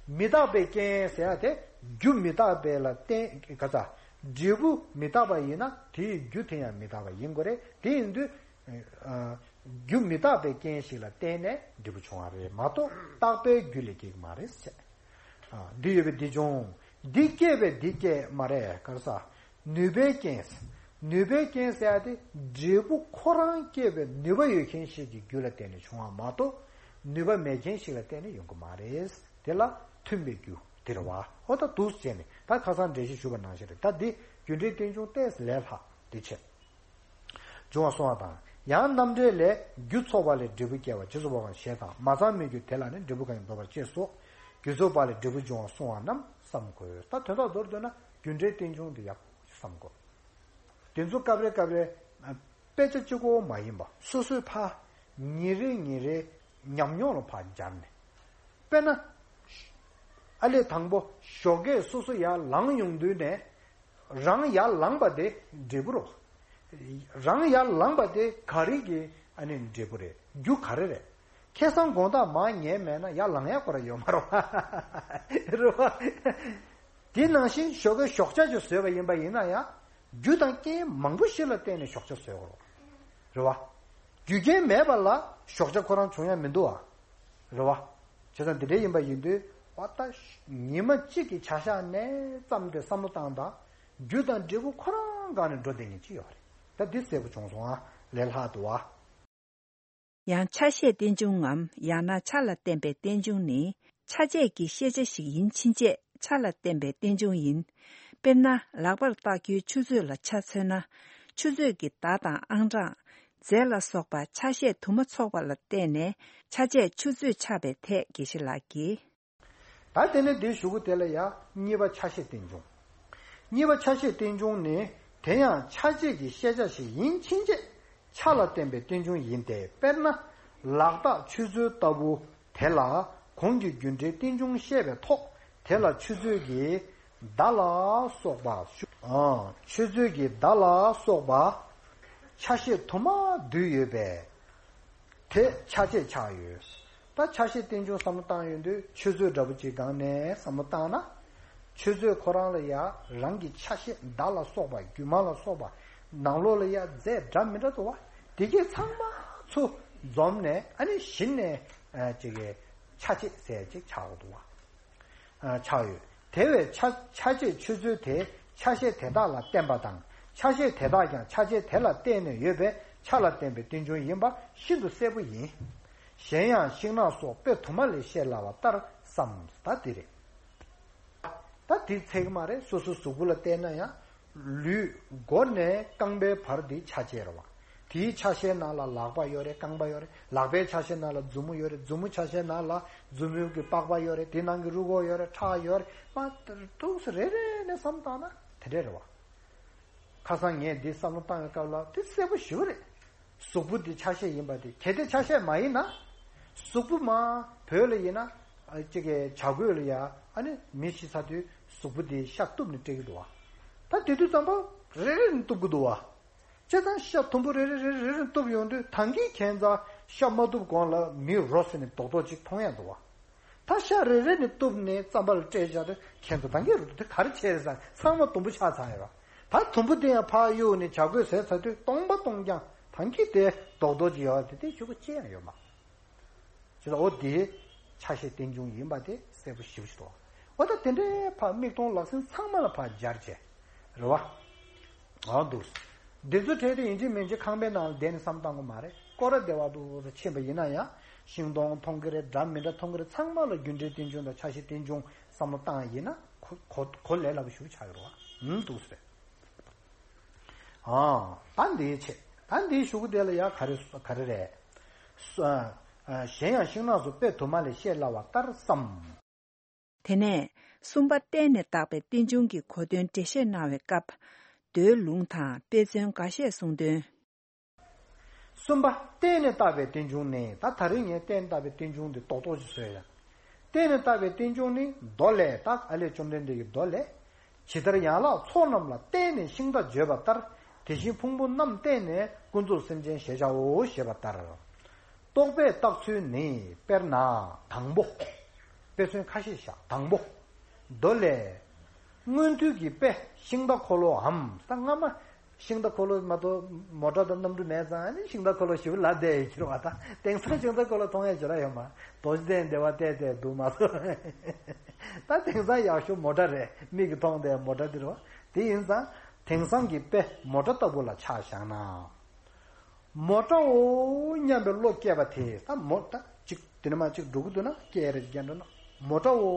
མི་རྟག་པའི་རྐྱེན་ཟེར་ཡ་དེ། རྒྱུ་མི་རྟག་པའི་ལ་བརྟེན། ག་ས། འབྲས་བུ་མི་རྟག་པ་ཡིན་ན་དེའི་རྒྱུ་དེ་ཡང་མི་རྟག་པ་ཡིན་དགོས་རེད། དེ་ཡིན་དུས། ཨ། རྒྱུ་མི་རྟག་པའི་རྐྱེན་ཞིག་ལ་བརྟེན་ནས་འབྲས་བུ་བྱུང་བ་རེད་མ་གཏོགས། རྟག་པའི་རྒྱུ་ལས་སྐྱེ་གི་མ་རེད་ཟེར། ཨ། འདི་ཡོད་པས་འདི་བྱུང་། འདི་སྐྱེས་པས་འདི་སྐྱེས་མ་རེད། ག་རེ་ཟ། ནུས་པའི་རྐྱེན། ནུས་པའི་རྐྱེན་ཟེར་ཡ་དེ། འབྲས་བུ་ཁོ་རང་སྐྱེད་པའི་ནུས་པ་ཡོད་མཁན་ཞིག་གི་རྒྱུ་ལ་བརྟེན་ནས་བྱུང་བ་མ་གཏོགས། ནུས་པ་མེད་མཁན་ཞིག་ལ་བརྟེན་ནས་ཡོང་གི་མ་རེད། དེ་ལ་མཐུན་པའི་རྒྱུ་དེ་རེད་བ། འོ་ད་འདུག་སེ་བྱས་ནས་ད་ཁ་སང་འགྲེལ་བཤད་ཞུས་པ་ནང་བཞིན་རེད། ད་འདི་རྒྱུ་འབྲས་རྟེན་འབྱུང་ཏོག་ཙམ་ལས་ལྷག་འདི་བྱས། འབྱུང་བ་གསུང་བ་དང་། ཡང་རྣམ་འགྲེལ་ལས། རྒྱུ་ཚོགས་པ་ལས་འབྲས་བུ་སྐྱེ་བ། རྗེས་སུ་དཔོག་པ་ཞེས་དང་། མ་ཚང་མེད་རྒྱུ་དེ་ལ་ནི། འབྲས་བུ་གང་ཡིན་ལྡོག་པར་བྱེད་སོགས། རྒྱུ་ཚོགས་པ་ལས་འབྲས་བུ་འབྱུང་བ་གསུང་བ་རྣམས་བསམ་དགོས། ད་དོན་དག་མདོར་བསྡུས་ན་རྒྱུ་འབྲས་རྟེན་འབྱུང་དེ་ཡག་པོ་བསམ་དགོས། དེ་ཚོ་སྐབས་རེ་སྐབས་རེ་དཔེ་ཆ་གཅིག་པོ་མ་ཡིན་པ་སོ་སོའི་ཕར་ཉིན་རེ་ཉིན་རེ་ཉམས་མྱོང་ལ་ཕར་སྦྱར་ནས། དཔེར་ན། ཨ་ལས་དང་པོ་ཞོགས་ཀས་སོ་སོ་ཡར་ལངས་ཡོང་དུས་ནས། རང་ཡར་ལངས་པ་དེ་འབྲས་བུ་རེད། རང་ཡར་ལངས་པ་དེ་ག་རེ་གི་ཨ་ནི་འབྲས་བུ་རེད། རྒྱུ་ག་རེ་རེད། ཁ་སང་དགོང་དག་མར་ཉལ་མེད་ན་ཡར་ལངས་ཡག་ཁོ་རང་ཡོད་མ་རེད་བ། རེད་བ། དེ་ནང་བཞིན་ཞོགས་ཀས་ཞོགས་ཇ་ཅིག་བཟོས་པ་ཡིན་པ་ཡིན་ན་ཡང་། རྒྱུ་དང་རྐྱེན་མང་པོ་ཞིག་ལ་བརྟེན་ནས་ཞོགས་ཇ་བཟོས་དགོས་རེད། རེད་བ། རྒྱུ་རྐྱེན་མེད་པ་ལ་ཞོགས་ཇ་ཁོ་རང་བྱུང་ཡ་མི་འདུག་བ། རེད་བ། བྱས་ཙང་འདི་འདྲ་ཡིན་པ་ཡིན་དུས་བ་ད་ཉི་མ་གཅིག་གི་བྱ་གཞག་ནས་བརྩམས་ཏེ་བསམ་བློ་བཏང་དང་། རྒྱུ་དང་འབྲས་བུ་ཁོ་རང་སྒང་ནས་འགྲོ་བསྡད་མཁན་གཅིག་ཡོད་རེད། ད་འདི་གསལ་པོ་བྱུང་སོང་ཨ། ལས་སླ་འདུག་བ། ཡང་ཆ་ཤས་རྟེན་འབྱུང་ངམ་ཡང་ན་ཆ་ལ་བརྟེན་པའི་རྟེན་འབྱུང་ནི་ཆ་བྱད་ཀྱི་ཤེས་བྱ་ཞིག་ཡིན་ཕྱིན་ཆད་ཆ་ལ་བརྟེན་པའི་རྟེན་འབྱུང་ཡིན། དཔེར་ན་ལག་པར་བཏགས་རྒྱུའི་ཆུ་ཚོད་ལ་ཆ་མཚོན་ན། ཆུ་ཚོད་ཀྱི་བརྡ་དང་ཨང་གྲངས། རྫས་ལ་སོགས་པ་ཆ་ཤས་དུ་མ་ཚོགས་པ་ལ་བརྟེན་ནས་ཆ་བྱད་ཆུ་ཚོད་ཆགས་པའི་ཐད་དགེ་བཤེས་ལགས་ཀྱིས། ད་དེ་ནས་འདིའི་གཞུག་གུ་དེ་ལ་ཡང་གཉིས་པ་ཆ་ཤས་རྟེན་འབྱུང་། གཉིས་པ་ཆ་ཤས་རྟེན་འབྱུང་ནི་དེ་ཡང་ཆ་བྱད་ཀྱི་ཤེས་བྱ་ཞིག་ཡིན་ཕྱིན་ཆད་ཆ་ལ་བརྟེན་པའི་རྟེན་འབྱུང་ཡིན་ཏེ། དཔེར་ན་ལག་རྟགས་ཆུ་ཚོད་ལྟ་བུ་དེ་ལ་གོང་གི་རྒྱུ་འབྲས་རྟེན་འབྱུང་བཤད་པའི་ཐོག་དེ་ལ་ཆུ་ཚོད་ཀྱི་བརྡ་ལ་སོགས་པ་ཞུ། ཨ། ཆུ་ཚོད་ཀྱི་བརྡ་ལ་སོགས་པ་ཆ་ཤས་དུ་མ་འདུས་ཡོད་པས། དེ་ཆ་བྱད་ཆགས་ཡོད། ད་ཆ་ཤས་རྟེན་འབྱུང་བསམ་བློ་བཏང་ཡོང་དུས་ཆུ་ཚོད་འདྲ་པོ་ཅིག་སྒང་ནས་བསམ་བློ་བཏང་ན། ཆུ་ཚོད་ཁོ་རང་ལ་ཡང་རང་གི་ཆ་ཤས་བརྡ་ལ་སོགས་པ་རྒྱུ་མ་ལ་སོགས་པ་ནང་ལོགས་ལ་ཡང་རྫས་འདྲ་མི་འདྲ་འདུག་བ། དེ་གས་ཚང་མ་ཚུར་འཛོམས་ནས་ཨ་ནི་གཞི་ནས་ཨ་ཅིག་གི་ཆ་བྱད་ཟེར་ཅིག་ཆགས་འདུག་བ། ཆགས་ཡོད། དེ་བས་ཆ་ཆ་བྱད་ཆུ་ཚོད་དེ་ཆ་ཤས་དེ་དག་ལ་བརྟེན་པ་དང་ཆ་ཤས་དེ་དག་ཀྱང་ཆ་བྱད་དེ་ལ་བརྟེན་ནས་ཡོད་པས་ཆ་ལ་བརྟེན་པའི་རྟེན་འབྱུང་ཡིན་པ་ཤིན་ཏུ་གསལ་པོ་ཡིན། གཞན་ཡང་ཤིང་ནགས་སོགས་དཔེ་དུ་མ་ལས་བཤད་སླ་བ་ལྟར་བསམ། ད་འདི་རེད། ད་འདི་ཚད་ཀྱི་མ་རེད། སོ་སོའི་གཟུགས་པོ་ལ་བལྟས་ན་ཡང་། ལུས་མགོ་ནས་རྐང་པའི་བར་འདི་ཆ་བྱད་རེད་བ། དེའི་ཆ་ཤས་ནང་ལ་ལག་པ་ཡོད་རེད། རྐང་པ་ཡོད་རེད། ལག་པའི་ཆ་ཤས་ནང་ལ་མཛུབ་མོ་ཡོད་རེད། མཛུབ་མོ་ཆ་ཤས་ནང་ལ་མཛུབ་མོའི་གི་པགས་པ་ཡོད་རེད། དེ་ནང་གི་རུས་ཁོག་ཡོད་རེད། ཁྲག་ཡོད་རེད། མ་ཏུག་སེ་རེ་རེ་ནས་བསམ་བཏང་ན་དེ་འདྲས་རེད་བ། ཁ་སང་ངས་འདི་བསམ་བློ་བཏང་བའི་སྐབས་ལ་དེ་གསལ་པོ་ཞེ་པོ་རེད། གཟུགས་པོ་འདི་ཆ་ཤས་ཡིན་པ་དེ་གལ་ཏེ་ཆ་ཤས་མ་ཡིན་ན། གཟུགས་པོ་མ་བོད་ལ་ཡིན་ན། ཨ་གཅིག་གི་བྱ་རྒོད་ལ་ཡ་ཨ་ནི་མི་ཤི་ཚར་དུས་གཟུགས་པོ་འདི་ཤ་གཏུབ་ནས་སྤྲད་ཀྱི་འདུག་བ། ད་དེ་དུས་ཙམ་པ་རེ་རེ་ནས་གཏུབ་ཀྱི་འདུག་བ། བྱས་ཙང་ཤ་དུམ་བུ་རེ་རེ་རེ་རེ་རེ་གཏུབ་ཡོང་དུས་ད་གིན་ཁྱེད་ཚོ་ཤ་མ་གཏུབ་གོང་ལ་མི་རོ་ཟེར་ནས་རྡོག་རྡོག་ཅིག་མཐོང་ཡ་འདུག་བ། ད་ཤ་རེ་རེ་ནས་གཏུབ་ནས་རྩམ་པ་ལ་སྤྲད་བཞག་དུས་ཁྱེད་ཚོ་ད་གིན་རུ་དེ་ག་རེ་བྱས་རེད་ཟེར་ཚང་མ་དུམ་བུ་ཆགས་ཚར་ཡོད་བ། ད་དུམ་བུ་དེ་ཡང་ཕར་གཡུག་ནས་བྱ་རྒོད་ཟས་ཚར་དུས་སྟོང་པ་སྟོང་རྐྱང་ད་གིན་དེ་རྡོག་རྡོག་ཅིག་ཡོད་བ་དེ་དེ་ཤོག་གུ་ཅི་ཡང་ཡོད་མ། ཅེས་དང་འོ་དེ་ཆ་ཤས་རྟེན་འབྱུང་ཡིན་པ་དེ་གསལ་པོ་ཞེ་པོ་ཞིག་འདུག་འོ་ད་དེ་འདྲའི་ཕར་མིག་མཐོང་ལག་ཟིན་ཚང་མ་ལ་ཕར་སྦྱར་བྱས། རེད་བ། འོ་འདུག་འདི་ཚོ་བྲལ་ཏེ་ཡིན་གཅིག་མིན་གཅིག་ཁང་པའི་ནང་ལ་བསྡད་ནས་བསམ་བཏང་དགོས་མ་རེད། སྐོར་ར་བདེ་བ་འདུག་ཟེར་ཕྱིན་པ་ཡིན་ན་ཡང་ཤིང་སྡོང་མཐོང་གི་རེད། འདྲ་མི་འདྲ་མཐོང་གི་རེད། ཚང་མ་ལ་རྒྱུ་འབྲས་རྟེན་འབྱུང་དང་ཆ་ཤས་རྟེན་འབྱུང་བསམ་བློ་བཏང་ཡིན་ན་གོ་གོ་གོ་ལས་སླ་པོ་ཞེ་པོ་ཆགས་ཀྱི་རེད་བ། འདུག་ཟེར། ཨང་། ད་འདིའི་ཆེད། ད་འདིའི་གཞུག་གུ་དེ་ལ་ཡང་ག་རེ་ག་རེ་རེད། སུ་ཨ། གཞན་ཡང་ཤིང་ནགས་སུ་དཔེ་དུ་མ་ལས་བཤད་སླ་བ་ལྟར་བསམ། དེ་ནས་གསུམ་པ་བརྟེན་ནས་བཏགས་པའི་རྟེན་འབྱུང་གི་གོ་དོན་འགྲེལ་བཤད་གནང་བའི་སྐབས། མདོའི་ལུང་དང་དཔེ་མཚོན་འགའ་ཤས་གསུངས་དོན། གསུམ་པ་བརྟེན་ནས་བཏགས་པའི་རྟེན་འབྱུང་ནི། ད་ད་རིང་ངས་བརྟེན་བཏགས་པའི་རྟེན་འབྱུང་འདི་རྡོག་རྡོག་ཅིག་བཟོས་ཡ། བརྟེན་ནས་བཏགས་པའི་རྟེན་འབྱུང་ནི་མདོ་ལས། ད་ཨ་ལས་བཅོམ་ལྡན་འདས་ཀྱི་མདོ་ལས། ཇི་ལྟར་ཡན་ལག་ཚོགས་རྣམས་ལ་བརྟེན་ནས་ཤིང་རྟ་བརྗོད་པ་ལྟར། དེ་བཞིན་ཕུང་པོ་རྣམས་བརྟེན་ནས་ཀུན་རྫོབ་སེམས་ཅན་ཞེས་བྱའོ་ཞེས་པ་ལྟར། རྟོག་པས་བཏགས་ཚུལ་ནི། དཔེར་ན་དང་པོ། དཔེ་མཚོན་ཁ་ཤས་བཞག་དང་པོ། མདོ་ལས། མངོན་མཐོའི་གི་དཔེ་ཤིང་རྟ་འཁོར་ལོའམ། ད་སྔ་མ་ཤིང་རྟ་འཁོར་ལོ་མ་གཏོགས་མོ་ཊ་དང་གནམ་གྲུ་མེད་ཙང་ནི་ཤིང་རྟ་འཁོར་ལོ་ཞེ་པོ་ལབ་བསྡད་ཡོད་ཀྱི་རེད་བ། ད་དེང་སང་ཤིང་རྟ་འཁོར་ལོ་མཐོང་ཡ་ཞེ་དྲག་ཡོད་མ། རྡོ་རྗེ་གདན་སྡེ་བ་བལྟས་བལྟས་འདུག་མ་གཏོགས། ད་དེང་སང་ཡག་ཤོས་མོ་ཊ་རེད། མིག་གིས་མཐོང་བསྡད་མོ་ཊ་འདི་རེད་བ། དེ་ཡིན་ཙང་དེང་སང་གི་དཔེ་མོ་ཊ་ལྟ་བུ་ལ་ཆ་བཞག་ན། མོ་ཊའོ་སྙམ་པའི་བློ་སྐྱེས་པ་དེ། ད་མོ་ད་ཅིག་དེ་ནས་མ་ཅིག་འགྲོ་གི་འདུག་ན་སྐད་རེ་རྒྱག་འགྲོ་ན་མོ་ཊའོ་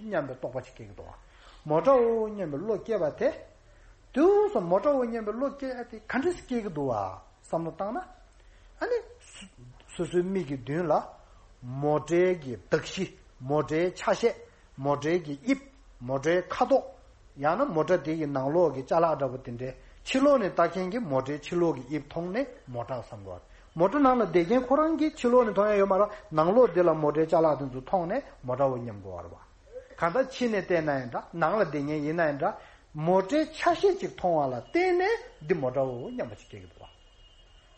སྙམ་པའི་རྟོག་པ་ཅིག་སྐྱེ་གི་འདུག་བ། མོ་ཊའོ་སྙམ་པའི་བློ་སྐྱེས་པ་དེ། དུས་སུ་མོ་ཊའོ་སྙམ་པའི་བློ་སྐྱེས་ཏེ་ག་འདྲ་སྐྱེ་གི་འདུག་བ་བསམ་བློ་བཏང་ན། ཨ་ནི། སོ་སོའི་མིག་གི་མདུན་ལ། མོ་ཊའི་གི་གདགས་གཞི། མོ་ཊའི་ཆ་ཤས། མོ་ཊའི་གི་དབྱིབས། མོ་ཊའི་ཁ་དོག་ཡང་ན་མོ་ཊ་དེ་གི་ནང་ལོགས་ཀྱི་ཅ་ལག་འདྲ་པོ་དེ་འདྲའི་ཕྱི་ལོགས་ནས་ལྟ་མཁན་གྱིས་མོ་ཊའི་ཕྱི་ལོགས་ཀྱི་དབྱིབས་མཐོང་ནས་མོ་ཊ་བསམ་དགོས་པ་རེད། མོ་ཊ་ནང་ལ་བསྡད་མཁན་ཁོ་རང་གིས་ཕྱི་ལོགས་ནས་མཐོང་ཡ་ཡོད་མ་རེད། ནང་ལོགས་དེ་ལ་མོ་ཊའི་ཅ་ལག་དེ་ཚོ་མཐོང་ནས་མོ་ཊའོ་སྙམ་དགོས་པ་རེད་བ། གང་ལྟར་ཕྱི་ནས་བལྟས་ན་ཡང་འདྲ། ནང་ལ་བསྡད་མཁན་ཡིན་ན་ཡང་འདྲ། མོ་ཊའི་ཆ་ཤས་ཅིག་མཐོང་བ་ལ་བརྟེན་ནས་འདི་མོ་ཊའོ་སྙམ་པ་ཅིག་སྐྱེ་གི་འདུག་བ།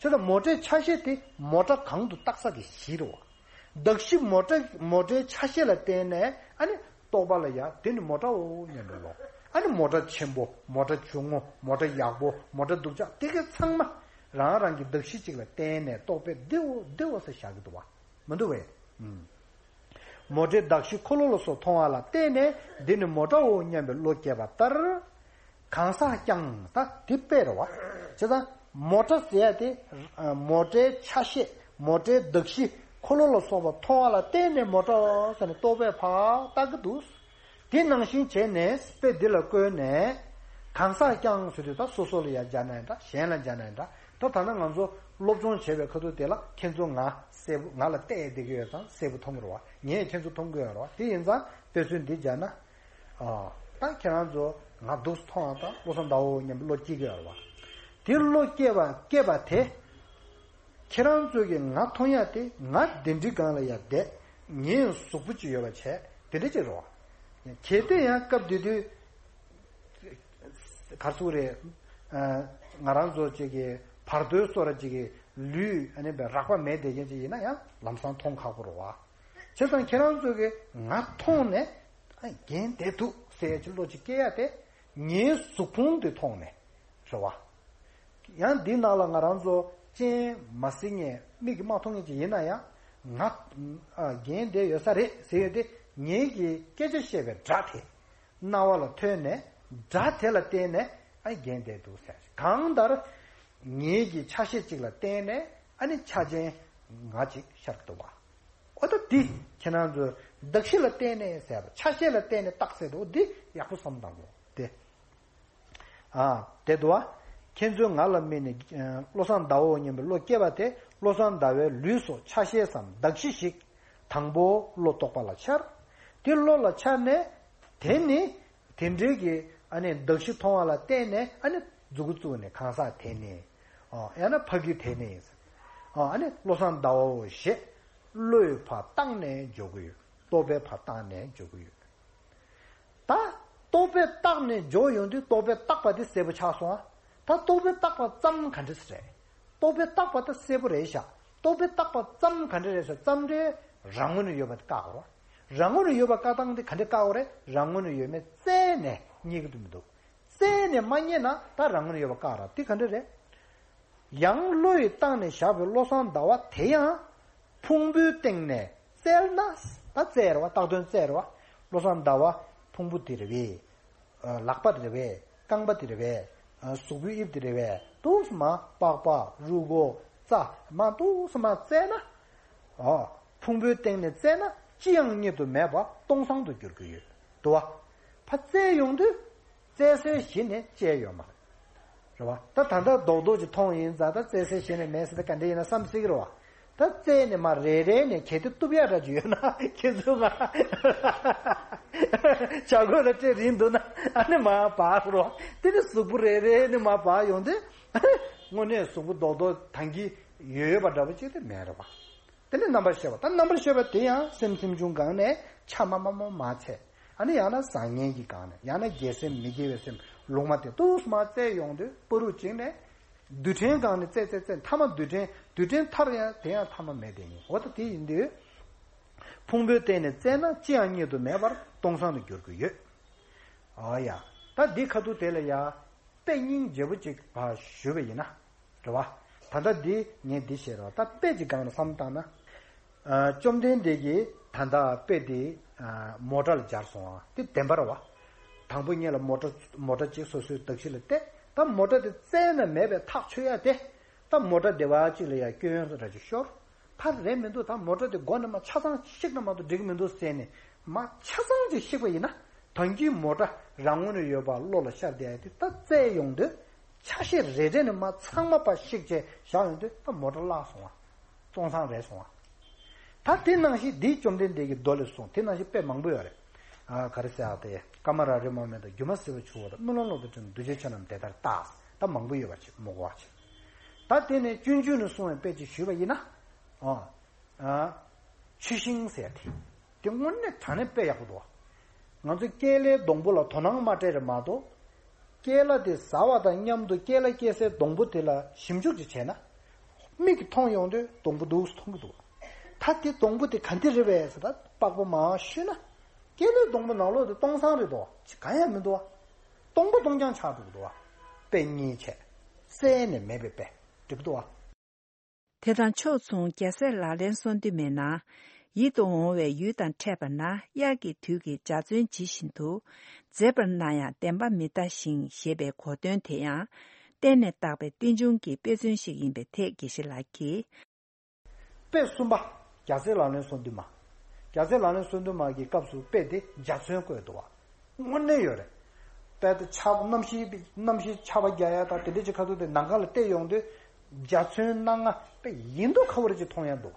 བྱས་ཙང་མོ་ཊའི་ཆ་ཤས་དེ་མོ་ཊ་གང་དུ་བཏགས་ས་དེ་གཞི་རེད་བ། གདགས་གཞི་མོ་ཊ་མོ་ཊའི་ཆ་ཤས་ལ་བརྟེན་ནས་ཨ་ནི་རྟོག་པ་ལ་ཡ་དེ་ནི་མོ་ཊའོ་སྙམ་པའི་བློ། ཨ་ནི་མོ་ཊ་ཆེན་པོ། མོ་ཊ་ཆུང་ངུ། མོ་ཊ་ཡག་པོ། མོ་ཊ་སྡུག་ཅག་དེ་ག་ཚང་མ། རང་རང་གི་གདགས་གཞི་གཅིག་ལ་བརྟེན་ནས་རྟོག་པས་འདིའོ་འདིའོ་ཟེར་བཞག་གི་འདུག་བ། མི་འདུག་བས། མོ་ཊའི་གདགས་གཞི་འཁོར་ལོ་ལ་སོགས་མཐོང་བ་ལ་བརྟེན་ནས་འདི་ནི་མོ་ཊའོ་སྙམ་པའི་བློ་སྐྱེས་པ་ལྟར། གང་ཟག་ཀྱང་ད་འདི་དཔེ་རེད་བ། བྱས་ཙང་མོ་ཊ་ཟེར་ཡ་དེ་མོ་ཊའི་ཆ་ཤས་མོ་ཊའི་གདགས་གཞི་འཁོར་ལོ་ལ་སོགས་པ་མཐོང་བ་ལ་བརྟེན་ནས་མོ་ཊའོ་ཟེར་ནས་རྟོག་པས་ཕར་བཏགས་ཀྱི་འདུག་དེ་ནང་བཞིན་བྱས་ནས་དཔེ་འདི་ལ་བཀོད་ནས། གང་ཟག་ཀྱང་ཟེར་དུས་ད་སོ་སོ་ལ་ཡང་སྦྱར་ན་ཡང་འདྲ། གཞན་ལ་སྦྱར་ན་ཡང་འདྲ། ད་ད་ནང་ང་ཚོ་སློབ་སྦྱོང་བྱེད་པའི་ཁ་ཐུག་དེ་ལ་ཁྱེད་ཚོ་ང་གསལ་པོ་ང་ལ་བལྟས་བསྡད་ཀྱི་ཡོད་ཙང་གསལ་པོ་མཐོང་གི་རེད་བ། ངས་ཁྱེད་ཚོ་མཐོང་གི་ཡོད་རེད་བ། དེ་ཡིན་ཙང་དཔེ་མཚོན་འདི་སྦྱར་ན། ཨ། ད་ཁྱེད་རང་ཚོ་ང་འདུག་སེ་མཐོང་བ་དང་བློ་བཟང་ཟླ་བོ་སྙམ་པའི་བློ་སྐྱེ་གི་ཡོད་རེད་བ། དེ་བློ་སྐྱེ་བ་སྐྱེ་བ་དེ། ཁྱེད་རང་ཚོ་གིས་ང་མཐོང་ཡ་དེ་ང་གདན་འདྲེན་སྒང་ལ་ཡ་བསྡད། ངའི་གཟུགས་པོ་ཅིག་ཡོད་པ་བྱས་དེ་འདྲ་ཅིག་རེད་བ། གལ་ཏེ་ཡང་སྐབས་དེ་དུས་ག་རེ་ཟེར་དགོས་རེད། ཨ། ང་རང་ཚོ་ཅིག་གི་བར་དོའི་བཟོ་འདྲ་ཅིག་གི་ལུས་ཨ་ནི་བའི་རགས་པ་མེད་བསྡད་མཁན་ཅིག་ཡིན་ན་ཡང་ལམ་སང་མཐོང་ཁག་པོ་རེད་བ། བྱས་ཙང་ཁྱེད་རང་ཚོ་གིས་ང་མཐོང་ནས་ཨ་རྒན་བསྡད་འདུག་ཟེར་ཡ་ཅིག་བློ་ཅིག་སྐྱེ་ཡ་དེ་ངའི་གཟུགས་ཕུང་དེ་མཐོང་ནས། རེད་བ། ཡང་འདི་ནང་ལ་ང་རང་ཚོ་སྤྱན་མ་གཟིགས་མཁན་མིག་གིས་མ་མཐོང་མཁན་ཅིག་ཡིན་ན་ཡང་། ང་ཨ་རྒན་བསྡད་ཡོད་ས་རེད་ཟེར་ཡོད་དེ། ངེད་ཀྱིས་སྐད་ཆ་བཤད་པའི་སྒྲ་དེ་རྣ་བ་ལ་ཐོས་ནས། སྒྲ་དེ་ལ་བརྟེན་ནས་ཨ་རྒན་བསྡད་འདུག་ཟེར། གང་ལྟར་ངེད་ཀྱི་ཆ་ཤས་གཅིག་ལ་བརྟེན་ནས་ཨ་ནི་ཆ་ཅན་ང་གཅིག་ཤར་འདུག་བ། འོ་ད་འདི་ཁྱེད་རང་ཚོས་གདགས་གཞི་ལ་བརྟེན་ནས་ཟེར་བ། ཆ་ཤས་ལ་བརྟེན་ནས་བཏགས་ཟེར་དུས་འདི་ཡག་པོ་བསམ་བཏང་དགོས་དེ། ཨ། དེ་འདུག་བ། ཁྱེད་ཚོས་ང་ལ་དམིགས་ནས་ཨ་བློ་བཟང་ཟླ་བོ་སྙམ་པའི་བློ་སྐྱེས་པ་དེ། བློ་བཟང་ཟླ་བའི་ལུས་སོགས་ཆ་ཤས་སམ་གདགས་གཞི་ཞིག་དང་པོ་བློ་རྟོག་པ་ལ་འཆར། དེ་བློ་ལ་འཆར་ནས། དེ་ནི་དེ་འདྲའི་གི་ཨ་ནི་གདགས་གཞི་མཐོང་བ་ལ་བརྟེན་ནས་ཨ་ནི་མཛུ་གུ་བཙུགས་ནས་གང་ཟག་དེ་ནི། ཨ། ཡང་ན་ཕ་གི་དེ་ནི། ཨ་ནི་བློ་བཟང་ཟླ་བོ་ཞེས་བློས་ཕར་བཏགས་ནས་འཇོག་གི་ཡོད། རྟོག་པས་ཕར་བཏགས་ནས་འཇོག་གི་ཡོད། ད་རྟོག་པས་བཏགས་ནས་འཇོག་ཡོང་དུས་རྟོག་པས་བཏགས་པ་དེ་གསལ་པོ་ཆགས་སོང་ཨ། ད་རྟོག་པས་བཏགས་པ་ཙམ་ག་འདྲ་ཟེར་རེད། རྟོག་པས་བཏགས་པ་ད་གསལ་པོ་རེད་ཤག་རྟོག་པས་བཏགས་པ་ཙམ་ག་འདྲ་རེད་ཟེར། ཙམ་རེ་རང་ངོས་ནས་ཡོད་པ་དེ་བཀག་དགོས་རེད། རང་ངོས་ནས་ཡོད་པ་བཀག་སྟངས་དེ་ག་འདྲ་བཀག་དགོས་རེད། རང་ངོས་ནས་ཡོད་མེད་བཙལ་ནས་རྙེད་ཀྱི་འདུག་མི་འདུག་བཙལ་ནས་མ་རྙེད་ན་ད་རང་ངོས་ནས་ཡོད་པ་བཀག་ར། དེ་ག་འདྲ་རེད། ཡང་བློ་ཡིས་བཏགས་ནས་བཞག་པའི་བློ་བཟང་ཟླ་བ་དེ་ཡང་ཕུང་པོའི་སྟེང་ནས་བཙལ་ན། ད་བཙལ་རེད་བ། བཏགས་དོན་བཙལ་རེད་བ། བློ་བཟང་ཟླ་བ་ཕུང་པོ་དེ་རེད་པས། ལག་པ་དེ་རེད་པས། རྐང་པ་དེ་རེད་པས། གཟུགས་པོའི་དབྱིབས་དེ་རེད་པས། འདུག་སེ་མར་པགས་པ་རུས་ཁོག་རྩ་མར་འདུག་སེ་མར་བཙལ་ན། ཨོ། ཕུང་པོའི་སྟེང་ནས་བཙལ་ན་ཅི་ཡང་རྙེད་དུ་མེད་པ་སྟོང་སང་དུ་འགྱུར་གྱི་ཡོད་དོ། ཕར་བཙལ་ཡོང་དུས་བཙལ་སའི་གཞི་ནས་བཅད་ཡོད་མ་རེད། རེད་བ། ད་ད་ལྟ་རྡོག་རྡོག་ཅིག་མཐོང་ཡིན་ཙང་ད་བཙལ་སའི་གཞི་ནས་མེད་ཟེར། ད་ག་འདྲ་ཡིན་ན་བསམ་སྲིད་ཀྱི་རེད་བ། ད་བཙལ་ནས་མར་རེ་རེ་ནས་གལ་ཏེ་གཏུབ་ཡག་འདྲ་ཅིག་ཡོད་ན་ཁྱེད་ཚོ་ང་བྱ་རྒོད་ལ་སྤྲད་རན་འདུག་ན་ཨ་ནི་མར་འབག་རོགས། དེ་ནི་གཟུགས་པོ་རེ་རེ་ནས་མར་འབག་ཡོང་དུས་དངོས་གནས་གཟུགས་པོ་རྡོག་རྡོག་ཐང་གི་ཡོད་ཡོད་པ་འདྲ་པོ་ཅིག་དེ་མེད་རེད་བ། དེ་ནས་རྣམ་པར་ཤེས་པ། ད་རྣམ་པར་ཤེས་པ་དེ་ཡང་སེམས་སེམས་བྱུང་སྒང་ནས་ཆ་མ་མ་མ་མ་ཚད། ཨ་ནི་ཡང་ན་བཟང་ངན་གྱི་སྒང་ནས། ཡང་ན་དགེ་སེམས་མི་དགེ་བའི་སེམས་ལུང་མ་དེ་འདུག་སེ་མར་བཙལ་ཡོང་དུས་བར་དུ་གཅིག་ནས་རྡུལ་ཕྲན་སྒང་ནས་བཙལ་བཙལ་བཙལ་མཐའ་མ་རྡུལ་ཕྲན། རྡུལ་ཕྲན་མཐར་ཡང་དེ་ཡང་མཐའ་མ་མེད་དེ་ཡིན། འོ་ད་དེ་ཡིན་དུས་ཕུང་པོའི་སྟེང་ནས་བཙལ་ན་ཅི་ཡང་རྙེད་དུ་མེད་པར་སྟོང་སང་དུ་འགྱུར་གྱི་ཡོད། ཨ་ཡ། ད་འདི་ཁ་ཐུག་དེ་ལ་ཡ། དཔེ་སྙིང་རྗེ་པོ་ཅིག་ཕར་ཞུས་པ་ཡིན་ན། རེད་བ། ད་ལྟ་འདི་ངས་འདི་བཤད་རོགས། ད་དཔེ་ཅིག་སྒང་ལ་བསམ་བཏང་ན། ཨ། བཅོམ་ལྡན་འདས་ཀྱིས་ད་ལྟ་དཔེ་འདི་ཨ་མོ་ཊ་ལ་སྦྱར་སོང་བ་འདི་བདེན་པ་རེད་བ། དང་པོ་ཉིད་ལ་མོ་ཊ་མོ་ཊ་ཅིག་སོ་སོའི་གདགས་གཞི་ལ་གཏད། ད་མོ་ཊ་དེ་བཙལ་ན་མེད་པའི་ཐག་ཆོད་ཡ་དེ། ད་མོ་ཊ་སྡེ་བ་གཅིག་ལ་ཡ་སྐྱོན་འདྲ་ཅིག་ཤོར། ཕར་རེད་མི་འདུག་ད་མོ་ཊ་དེ་མགོ་ནས་མར་ཆ་ཚང་ཞིག་ན་མ་གཏོགས་འགྲིག་གི་མི་འདུག་ཟེར་ནས་མར་ཆ་ཚང་ཅིག་ཞིག་པ་ཡིན་ན། ད་གིན་མོ་ཊ་རང་ངོས་ནས་ཡོད་པ་བློ་ལ་ཤར་བསྡད་ཡ་དེ་ད་བཙལ་ཡོང་དུས་ཆ་ཤས་རེ་རེ་ནས་མར་ཚང་མ་ཕར་ཞིག་བྱས་བཞག་ཡོང་དུས་ད་མོ་ཊ་བརླག་སོང་བ། སྟོང་སང་རེད་སོང་བ། ད་དེ་ནང་བཞིན་འདིའི་བཅོམ་ལྡན་འདས་ཀྱི་མདོ་ལས་གསུངས། དེ་ནང་བཞིན་དཔེ་མང་པོ་ཡོད་རེད། ཨ། ག་རེ་ཟེར་ཨ། དེ་ཀ་མ་ར་རི་མོ་མེ་ཏོག་སྒྱུ་མ་ཟེར་བ་ཆུ་བོ་དང་། རྨི་ལམ་གློག་ཏུ་འཁྲུལ་འདུ་བྱེད་ཆོས་རྣམས་དེ་ལྟར་བཏགས། ད་མང་པོ་ཡོད་པ་ཅིག་མོ་གོ་བ་ཅིག་ད་དེ་ནས་སྤྱོད་འཇུག་ནས་གསུངས་པའི་དཔེ་ཅིག་ཞུས་པ་ཡིན་ན། ཨ། ཨ། ཆུ་ཤིང་ཟེར་དེ། དེ་དངོས་གནས་དྲང་གནས་དཔེ་ཡག་པོ་འདུག་ང་ཚོ་ཀེ་ལའི་སྡོང་པོ་ལ་དོ་སྣང་མ་སྤྲད་རེད་མ་གཏོགས། ཀེ་ལ་དེ་ཟ་བ་དང་མཉམ་དུ་ཀེ་ལ་སྐྱེ་སའི་སྡོང་པོ་དེ་ལ་ཞིབ་འཇུག་ཅིག་བྱས་ན། མིག་གིས་མཐོང་ཡོང་དུས་སྡོང་པོ་འདུག་སེ་མཐོང་གི་འདུག་ད་དེ་སྡོང་པོ་དེ་ག་འདི་རེད་པས་ཟེར། ད་པགས་པ་མར་བཤུས་ན། ཀེ་ལའི་སྡོང་པོ་ནང་ལོགས་དེ་སྟོང་སང་རེད་དོ། ཅི་གང་ཡང་མི་འདུག་བ། སྟོང་པ་སྟོང་རྐྱང་ཆགས་འགྲོ་གི་འདུག་བ། དཔེ་རྙེད་བྱས། བཙལ་ནས་མེད་པའི་དཔེ། འགྲིག་འདུག་བ། དེ་དང་ཕྱོགས་མཚུངས་རྒྱལ་སྲས་ལག་ལེན་གསུམ་དུ་མའི་ནང་། ཡིད་དུ་འོང་བའི་ཡུལ་དང་འཕྲད་པ་ན། དབྱར་གྱི་དུས་ཀྱི་འཇའ་ཚོན་ཇི་བཞིན་དུ། མཛེས་པར་སྣང་ཡང་བདེན་པ་མི་འདའ་ཞིང་། ཞེས་པའི་གོ་དོན་དེ་ཡང་། གཏན་ནས་བཏགས་པའི་རྟེན་འབྱུང་གི་དཔེ་མཚོན་ཞིག་ཡིན་པའི་ཐད་དགེ་བཤེས་ལགས་ཀྱིས། དཔེ་གསུམ་པ། རྒྱལ་སྲས་ལག་ལེན་གསུམ་དུ་མ། རྒྱལ་སྲས་ལག་ལེན་གསུམ་དུ་མ་གི་སྐབས་སུ་དཔེ་དེ་འཇའ་ཚོན་བཀོད་འདུག་བ། དངོས་གནས་ཡོད་རེད། དཔེ་དེ་ཆར་པ་གནམ་གཤིས་གནམ་གཤིས་ཆར་པ་རྒྱག་ཡ་དང་དེ་འདྲ་ཅིག་ཁ་ཐུག་དེ་ནམ་མཁའ་ལ་བལྟས་ཡོང་དུས་འཇའ་ཚོན་སྣ་ལྔ་དཔེ་ཡིན་མདོག་ཁ་པོ་རེ་ཅིག་མཐོང་ཡ་འདུག་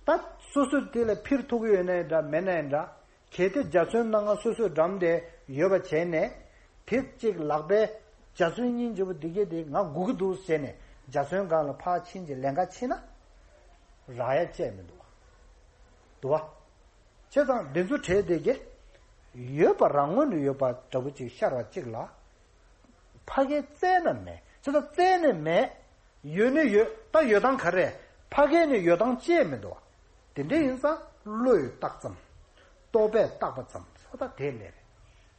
ད་སོ་སོས་དེ་ལ་འཕུར་ཐུབ་ཀྱི་ཡོད་ན་ཡང་འདྲ་མེད་ན་ཡང་འདྲ། གལ་ཏེ་འཇའ་ཚོན་སྣ་ལྔ་སོ་སོས་འགྲམ་དེ་ཡོད་པ་བྱས་ནས། དེ་གཅིག་ལག་པའི་འཇའ་ཚོན་སྙིང་རྗེ་པོ་འདི་གས་དེ་ང་སྒུག་གི་འདུག་ཟེར་ནས་འཇའ་ཚོན་སྒང་ལ་ཕར་ཕྱིན་གྱི་ལན་ཁ་ཕྱིན་ན། རག་ཡ་བཅས་མི་འདུག་བ། འདུག་བ། བྱས་ཙང་འདི་ཚོ་གྲས་དེ་གས་ཡོད་པ་རང་ངོས་ནས་ཡོད་པ་འདྲ་པོ་ཅིག་ཤར་བ་གཅིག་ལ། ཕ་གིར་བཙལ་ན་མེད། བྱས་ཙང་བཙལ་ནས་མེད། ཡོད་ནི་ཡོད། ད་ཡོད་སྟངས་ག་རེ། ཕ་གི་ནས་ཡོད་སྟངས་བཅས་མི་འདུག་བ། དེ་འདྲ་ཡིན་ཙང་བློས་བཏགས་ཙམ། རྟོག་པས་བཏགས་པ་ཙམ་ཟེར་བ་ད་དེ་ལས་རེད།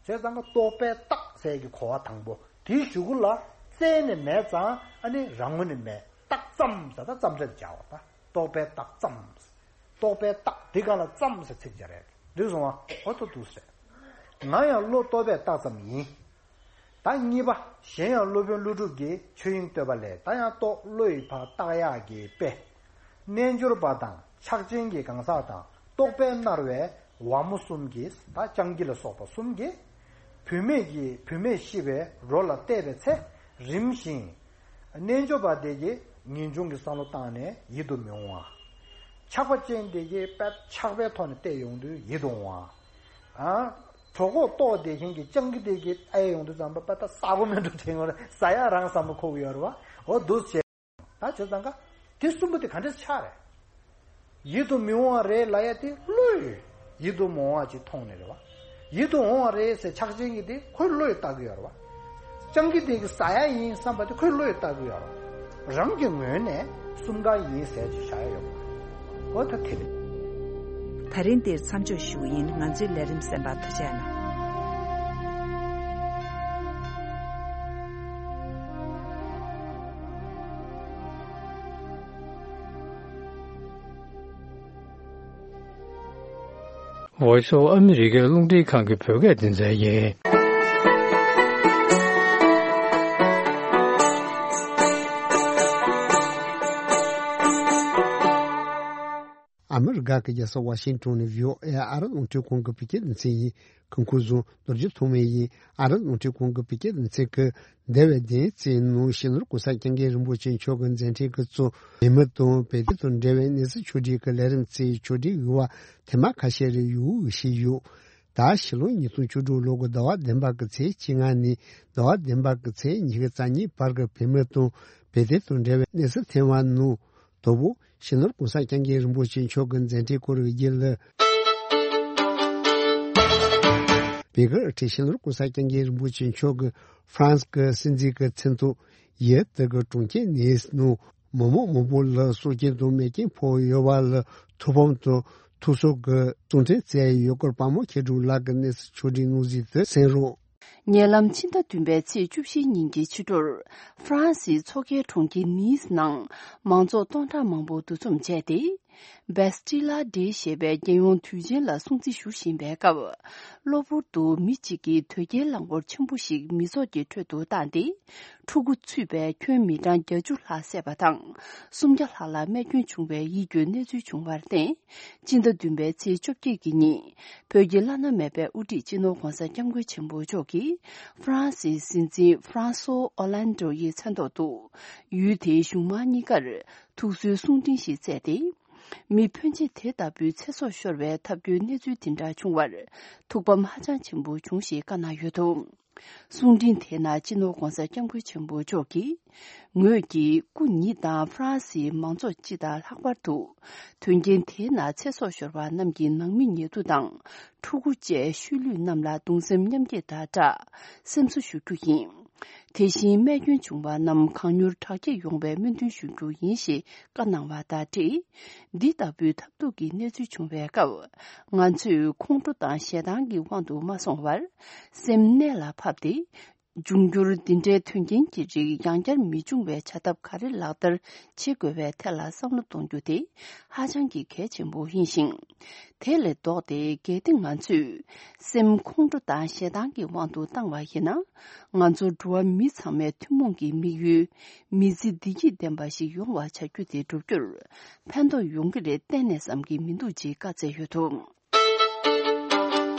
བྱས་ཙང་ཀ་རྟོག་པས་བཏགས་ཟེར་གྱི་གོ་བ་དང་པོ་དེའི་གཞུག་གུ་ལ་བཙལ་ནས་མེད་ཙང་ཨ་ནི་རང་ངོས་ནས་མེད། བཏགས་ཙམ་ཟེར་ད་ཙམ་སྦྲེལ་སྦྱར་བ་ད་རྟོག་པས་བཏགས་ཙམ། རྟོག་པས་བཏགས་དེ་ག་ལ་ཙམ་ཟེར་ཚིག་སྦྱར་རེད། འགྲིག་སོང་བ། འོ་ཐུག་འདུག་ཟེར། ང་ཡང་བློ་རྟོག་པས་བཏགས་ཙམ་ཡིན། ད་གཉིས་པ། གཞན་ཡང་སློབ་དཔོན་ཀླུ་སྒྲུབ་ཀྱིས་ཆོས་དབྱིངས་བསྟོད་པ་ལས། ད་ཡང་རྟོག་བློ་ཡི་ཕར་བཏགས་ཡག་གི་དཔེ། རྣལ་འབྱོར་པ་དང་ཕྱག་ཆེན་གྱི་གང་ཟག་དང་རྟོག་པས་མནར་བའི་ཝ་མོ་གསུམ་གྱིས། ད་སྤྱང་ཀི་ལ་སོགས་པ་གསུམ་གྱིས། བུད་མེད་ཀྱི་བུད་མེད་ཤི་བའི་རོ་ལ་བལྟས་པའི་ཚེ་རིམ་བཞིན། རྣལ་འབྱོར་པ་དེ་གིས་ངེས་འབྱུང་གི་བསམ་བློ་བཏང་ནས་ཡིད་དུ་མི་འོང་བ། ཆགས་པ་ཅན་དེ་གིས་དཔེ་ཆགས་པའི་ཐོག་ནས་བལྟས་ཡོང་དུས་ཡིད་དུ་འོང་བ། ཨ། གྲོད་ཁོག་ལྟོགས་བསྡད་མཁན་གྱི་སྤྱང་ཀི་དེ་གིས་ཨེ་ཡོང་དུས་ཙམ་པ་པ་ད་ཟ་གོ་མེད་འགྲོ་དྲན་ཡོང་རེད། ཟ་ཡག་རང་བསམ་བློ་འཁོར་གི་ཡོད་རེད་བ། འོ་འདུག་བྱས། ད་བྱས་ཙང་ཀ་དེ་གསུམ་པོ་དེ་ག་འདྲས་ཆགས་རེད། ཡིད་དུ་མི་འོང་བ་རེད་ལབ་ཡ་དེ་བློས་ཡིད་དུ་མི་འོང་བ་ཅིག་མཐོང་ནས་རེད་བ། ཡིད་དུ་འོང་བ་རེད་ཟེར་ཆགས་ཅན་གྱི་དེ་ཁོའི་བློས་བཏགས་གི་ཡོད་རེད་བ། སྤྱང་ཀི་དེ་གི་ཟ་ཡ་ཡིན་བསམ་པ་དེ་ཁོས་བློས་བཏགས་གི་ཡོད་རེད། རང་གི་ངོས་ནས་གསུམ་ཀ་ཡིན་ཟེར་གྱི་བཞག་ཡ་ཡོད་པ། འོ་ད་དེ་རེད། ད་རིང་འདིར་མཚམས་འཇོག་ཞུ་གི་ཡིན། ང་ཚོའི་ལས་རིམ་གསན་པར་ཐུགས་རྗེ་གནང་། Voice of America རླུང་འཕྲིན་ཁང་གི་བོད་སྐད་སྡེ་ཚན་ཡིན། ཨ་མི་རི་ཀ་གི་རྒྱལ་ས་ཝ་ཤིང་ཏོན་ནས་བྷི་ཨོ་ཨེ་ཨ་རི་རླུང་འཕྲིན་ཁང་གི་བོད་སྐད་སྡེ་ཚན་ཡིན། སྐུ་ཁམས་བཟང་། རྡོ་རྗེ་ཐོགས་མེད་ཡིན། ཨ་རི་རླུང་འཕྲིན་ཁང་གི་བོད་སྐད་སྡེ་ཚན་གྱིས་འདས་པའི་བདུན་ཚིགས་ནང་སྤྱི་ནོར་གོང་ས་སྐྱབས་མགོན་རིན་པོ་ཆེ་མཆོག་གི་མཛད་འཕྲིན་གྱིས་གཙོས་བོད་མི་དང་བོད་དོན་དང་འབྲེལ་བའི་གནས་ཚུལ་ཕྱོགས་བསྒྲིགས་ཀྱི་ལས་རིམ་ཚོའི་ཕྱོགས་བསྒྲིགས་ཡོད་པ་ཐེངས་མ་ཁ་ཤས་རེ་ཡོད་ཞུས་ཡོད། ད་ཕྱི་ལོ་ཉིས་སྟོང་བཅུ་དྲུག་ལོ་གི་ཟླ་བ་བདུན་པ་གི་ཚེས་བཅོ་ལྔ་ནས་ཟླ་བ་བདུན་པ་གི་ཚེས་ཉི་ཤུ་རྩ་གཉིས་བར་གྱི་བོད་མི་དང་བོད་དོན་དང་འབྲེལ་བའི་གནས་ཚུལ་ཐེངས་མ་ནང་། དང་པོ། སྤྱི་ནོར་གོང་ས་སྐྱབས་མགོན་རིན་པོ་ཆེ་མཆོག་གི་མཛད་འཕྲིན་སྐོར་བརྗོད་ལ། བོད་ཀྱི་སྤྱི་ནོར་གོང་ས་སྐྱབས་མགོན་རིན་པོ་ཆེ་མཆོག་གིས་ཧྥ་རན་སི་གི་སྲིད་འཛིན་གྱི་མཚན་ཐོག་ཡུལ་དེ་གི་གྲོང་ཁྱེར་ནིས་ནང་མི་མང་མང་པོ་ལ་སྲོག་སྐྱོན་དང་རྨས་སྐྱོན་ཕོག་ཡོད་པ་ལ་ཐུགས་ཕམ་དང་ཐུགས་གསོ་གི་གསུང་འཕྲིན་བསྩལ་ཡོད་སྐོར་དཔའ་མོ་མཁས་གྲུབ་ལགས་ཀྱིས་གནས་ཚུལ་ཕྱོགས་བསྒྲིགས་གནང་ཟིན་དུ་གསན་རོགས། ཉེ་ལམ་ཕྱི་ཟླ་བདུན་པའི་ཚེས་བཅུ་བཞི་ཉིན་གྱི་ཕྱི་དྲོར། ཧྥ་རན་སིའི་མཚོ་ཁའི་གྲོང་ཁྱེར་ནིས་ནང་མང་ཚོགས་སྟོང་ཕྲག་མང་པོ་འདུ་འཛོམས་བྱས་ཏེ། Bastille Day ཞེས་པའི་རྒྱལ་ཡོངས་དུས་ཆེན་ལ་སྲུང་བརྩི་ཞུ་བཞིན་པའི་སྐབས། གློ་བུར་དུ་མི་གཅིག་གིས་དོས་སྐྱེལ་རླངས་འཁོར་ཆེན་པོ་ཞིག་མི་ཚོགས་ཀྱི་ཁྲོད་དུ་བཏང་སྟེ། ཕྲུ་གུ་ཚུད་པའི་ཁྱོན་མི་གྲངས་བརྒྱད་ཅུ་ལྷག་བསད་པ་དང་། སུམ་བརྒྱ་ལྷག་ལ་རྨས་སྐྱོན་བྱུང་བའི་ཡིད་སྐྱོའི་གནས་ཚུལ་བྱུང་བར་བརྟེན། སྤྱི་ཟླ་བདུན་པའི་ཚེས་བཅོ་བརྒྱད་ཀྱི་ཉིན། བོད་ཀྱི་བླ་ན་མེད་པའི་དབུ་ཁྲིད་སྤྱི་ནོར་༧གོང་ས་༧སྐྱབས་མགོན་ཆེན་པོ་མཆོག་གིས་ཧྥ་རན་སིའི་སྲིད་འཛིན་ཧྥ་རན་སོ་ཨོ་ལན་ཌོ་ཡི་མཚན་ཐོག་ཏུ། ཡུལ་དེའི་གཞུང་མང་གཉིས་ཀར་ཐུགས་གསོའི་གསུང་འཕྲིན་ཞིག་བསྩལ་ཏེ། མི་ཕོན་ཆེ་དེ་ལྟ་བུའི་ཚེ་སྲོག་ཤོར་བའི་ཐབས་སྐྱོའི་གནས་ཚུལ་དེ་འདྲ་བྱུང་བར་ཐུགས་ཕམ་ཧ་ཅང་ཆེན་པོ་བྱུང་ཞེས་བཀའ་གནང་ཡོད་འདུག། གསུང་འཕྲིན་དེའི་ནང་སྤྱི་ནོར་༧གོང་ས་༧སྐྱབས་མགོན་ཆེན་པོ་མཆོག་གིས། ངོས་ཀྱིས་སྐུ་ཉིད་དང་ཧྥ་རན་སིའི་མང་ཚོགས་སྤྱི་དང་ལྷག་པར་དུ། དོན་རྐྱེན་དེའི་ནང་ཚེ་སྲོག་ཤོར་བ་རྣམས་ཀྱི་ནང་མི་ཉེ་དུ་དང་། ཕྲུ་གུ་བཅས་ཤུལ་ལུས་རྣམས་ལ་གདུང་སེམས་མཉམ་སྐྱེད་དང་སྦྲགས། སེམས་གསོ་ཞུ་རྒྱུ་ཡིན། དེ་བཞིན་རྨས་སྐྱོན་བྱུང་བ་རྣམས་གང་མྱུར་དྲག་སྐྱེད་ཡོང་བའི་སྨོན་འདུན་ཞུ་རྒྱུ་ཡིན་ཞེས་བཀའ་གནང་བ་དང་འབྲེལ། འདི་ལྟ་བུའི་ཐབས་སྡུག་གི་གནས་ཚུལ་བྱུང་བའི་སྐབས། ང་ཚོས་ཁོང་ཁྲོ་དང་ཞེ་སྡང་གི་དབང་དུ་མ་སོང་བར། སེམས་གནད་ལ་ཕབ་སྟེ། འབྱུང་འགྱུར་འདི་འདྲའི་དོན་རྐྱེན་གྱི་རིགས་ཡང་བསྐྱར་མི་འབྱུང་བའི་བྱ་ཐབས་ག་རེ་ལག་བསྟར་བྱེད་དགོས་པའི་ཐད་ལ་བསམ་བློ་གཏོང་རྒྱུ་དེ་ཧ་ཅང་གི་གལ་ཆེན་པོ་ཡིན་ཞིང་། དེ་ལས་ལྡོག་སྟེ་གལ་ཏེ་ང་ཚོས་སེམས་ཁོང་ཁྲོ་དང་ཞེ་སྡང་གི་དབང་དུ་བཏང་བ་ཡིན་ན། ང་ཚོ་འགྲོ་བ་མི་ཚང་མའི་ཐུན་མོང་གི་དམིགས་ཡུལ་མི་ཚེ་བདེ་སྐྱིད་ལྡན་པ་ཞིག་ཡོང་བ་བྱ་རྒྱུ་དེ་བསྒྲུབ་རྒྱུར་ཕན་ཐོགས་ཡོང་གི་རེད་གཏན་ནས་བསམ་གྱི་མི་འདུག་ཅེས་བཀའ་སྩལ་ཡོད་འདུག།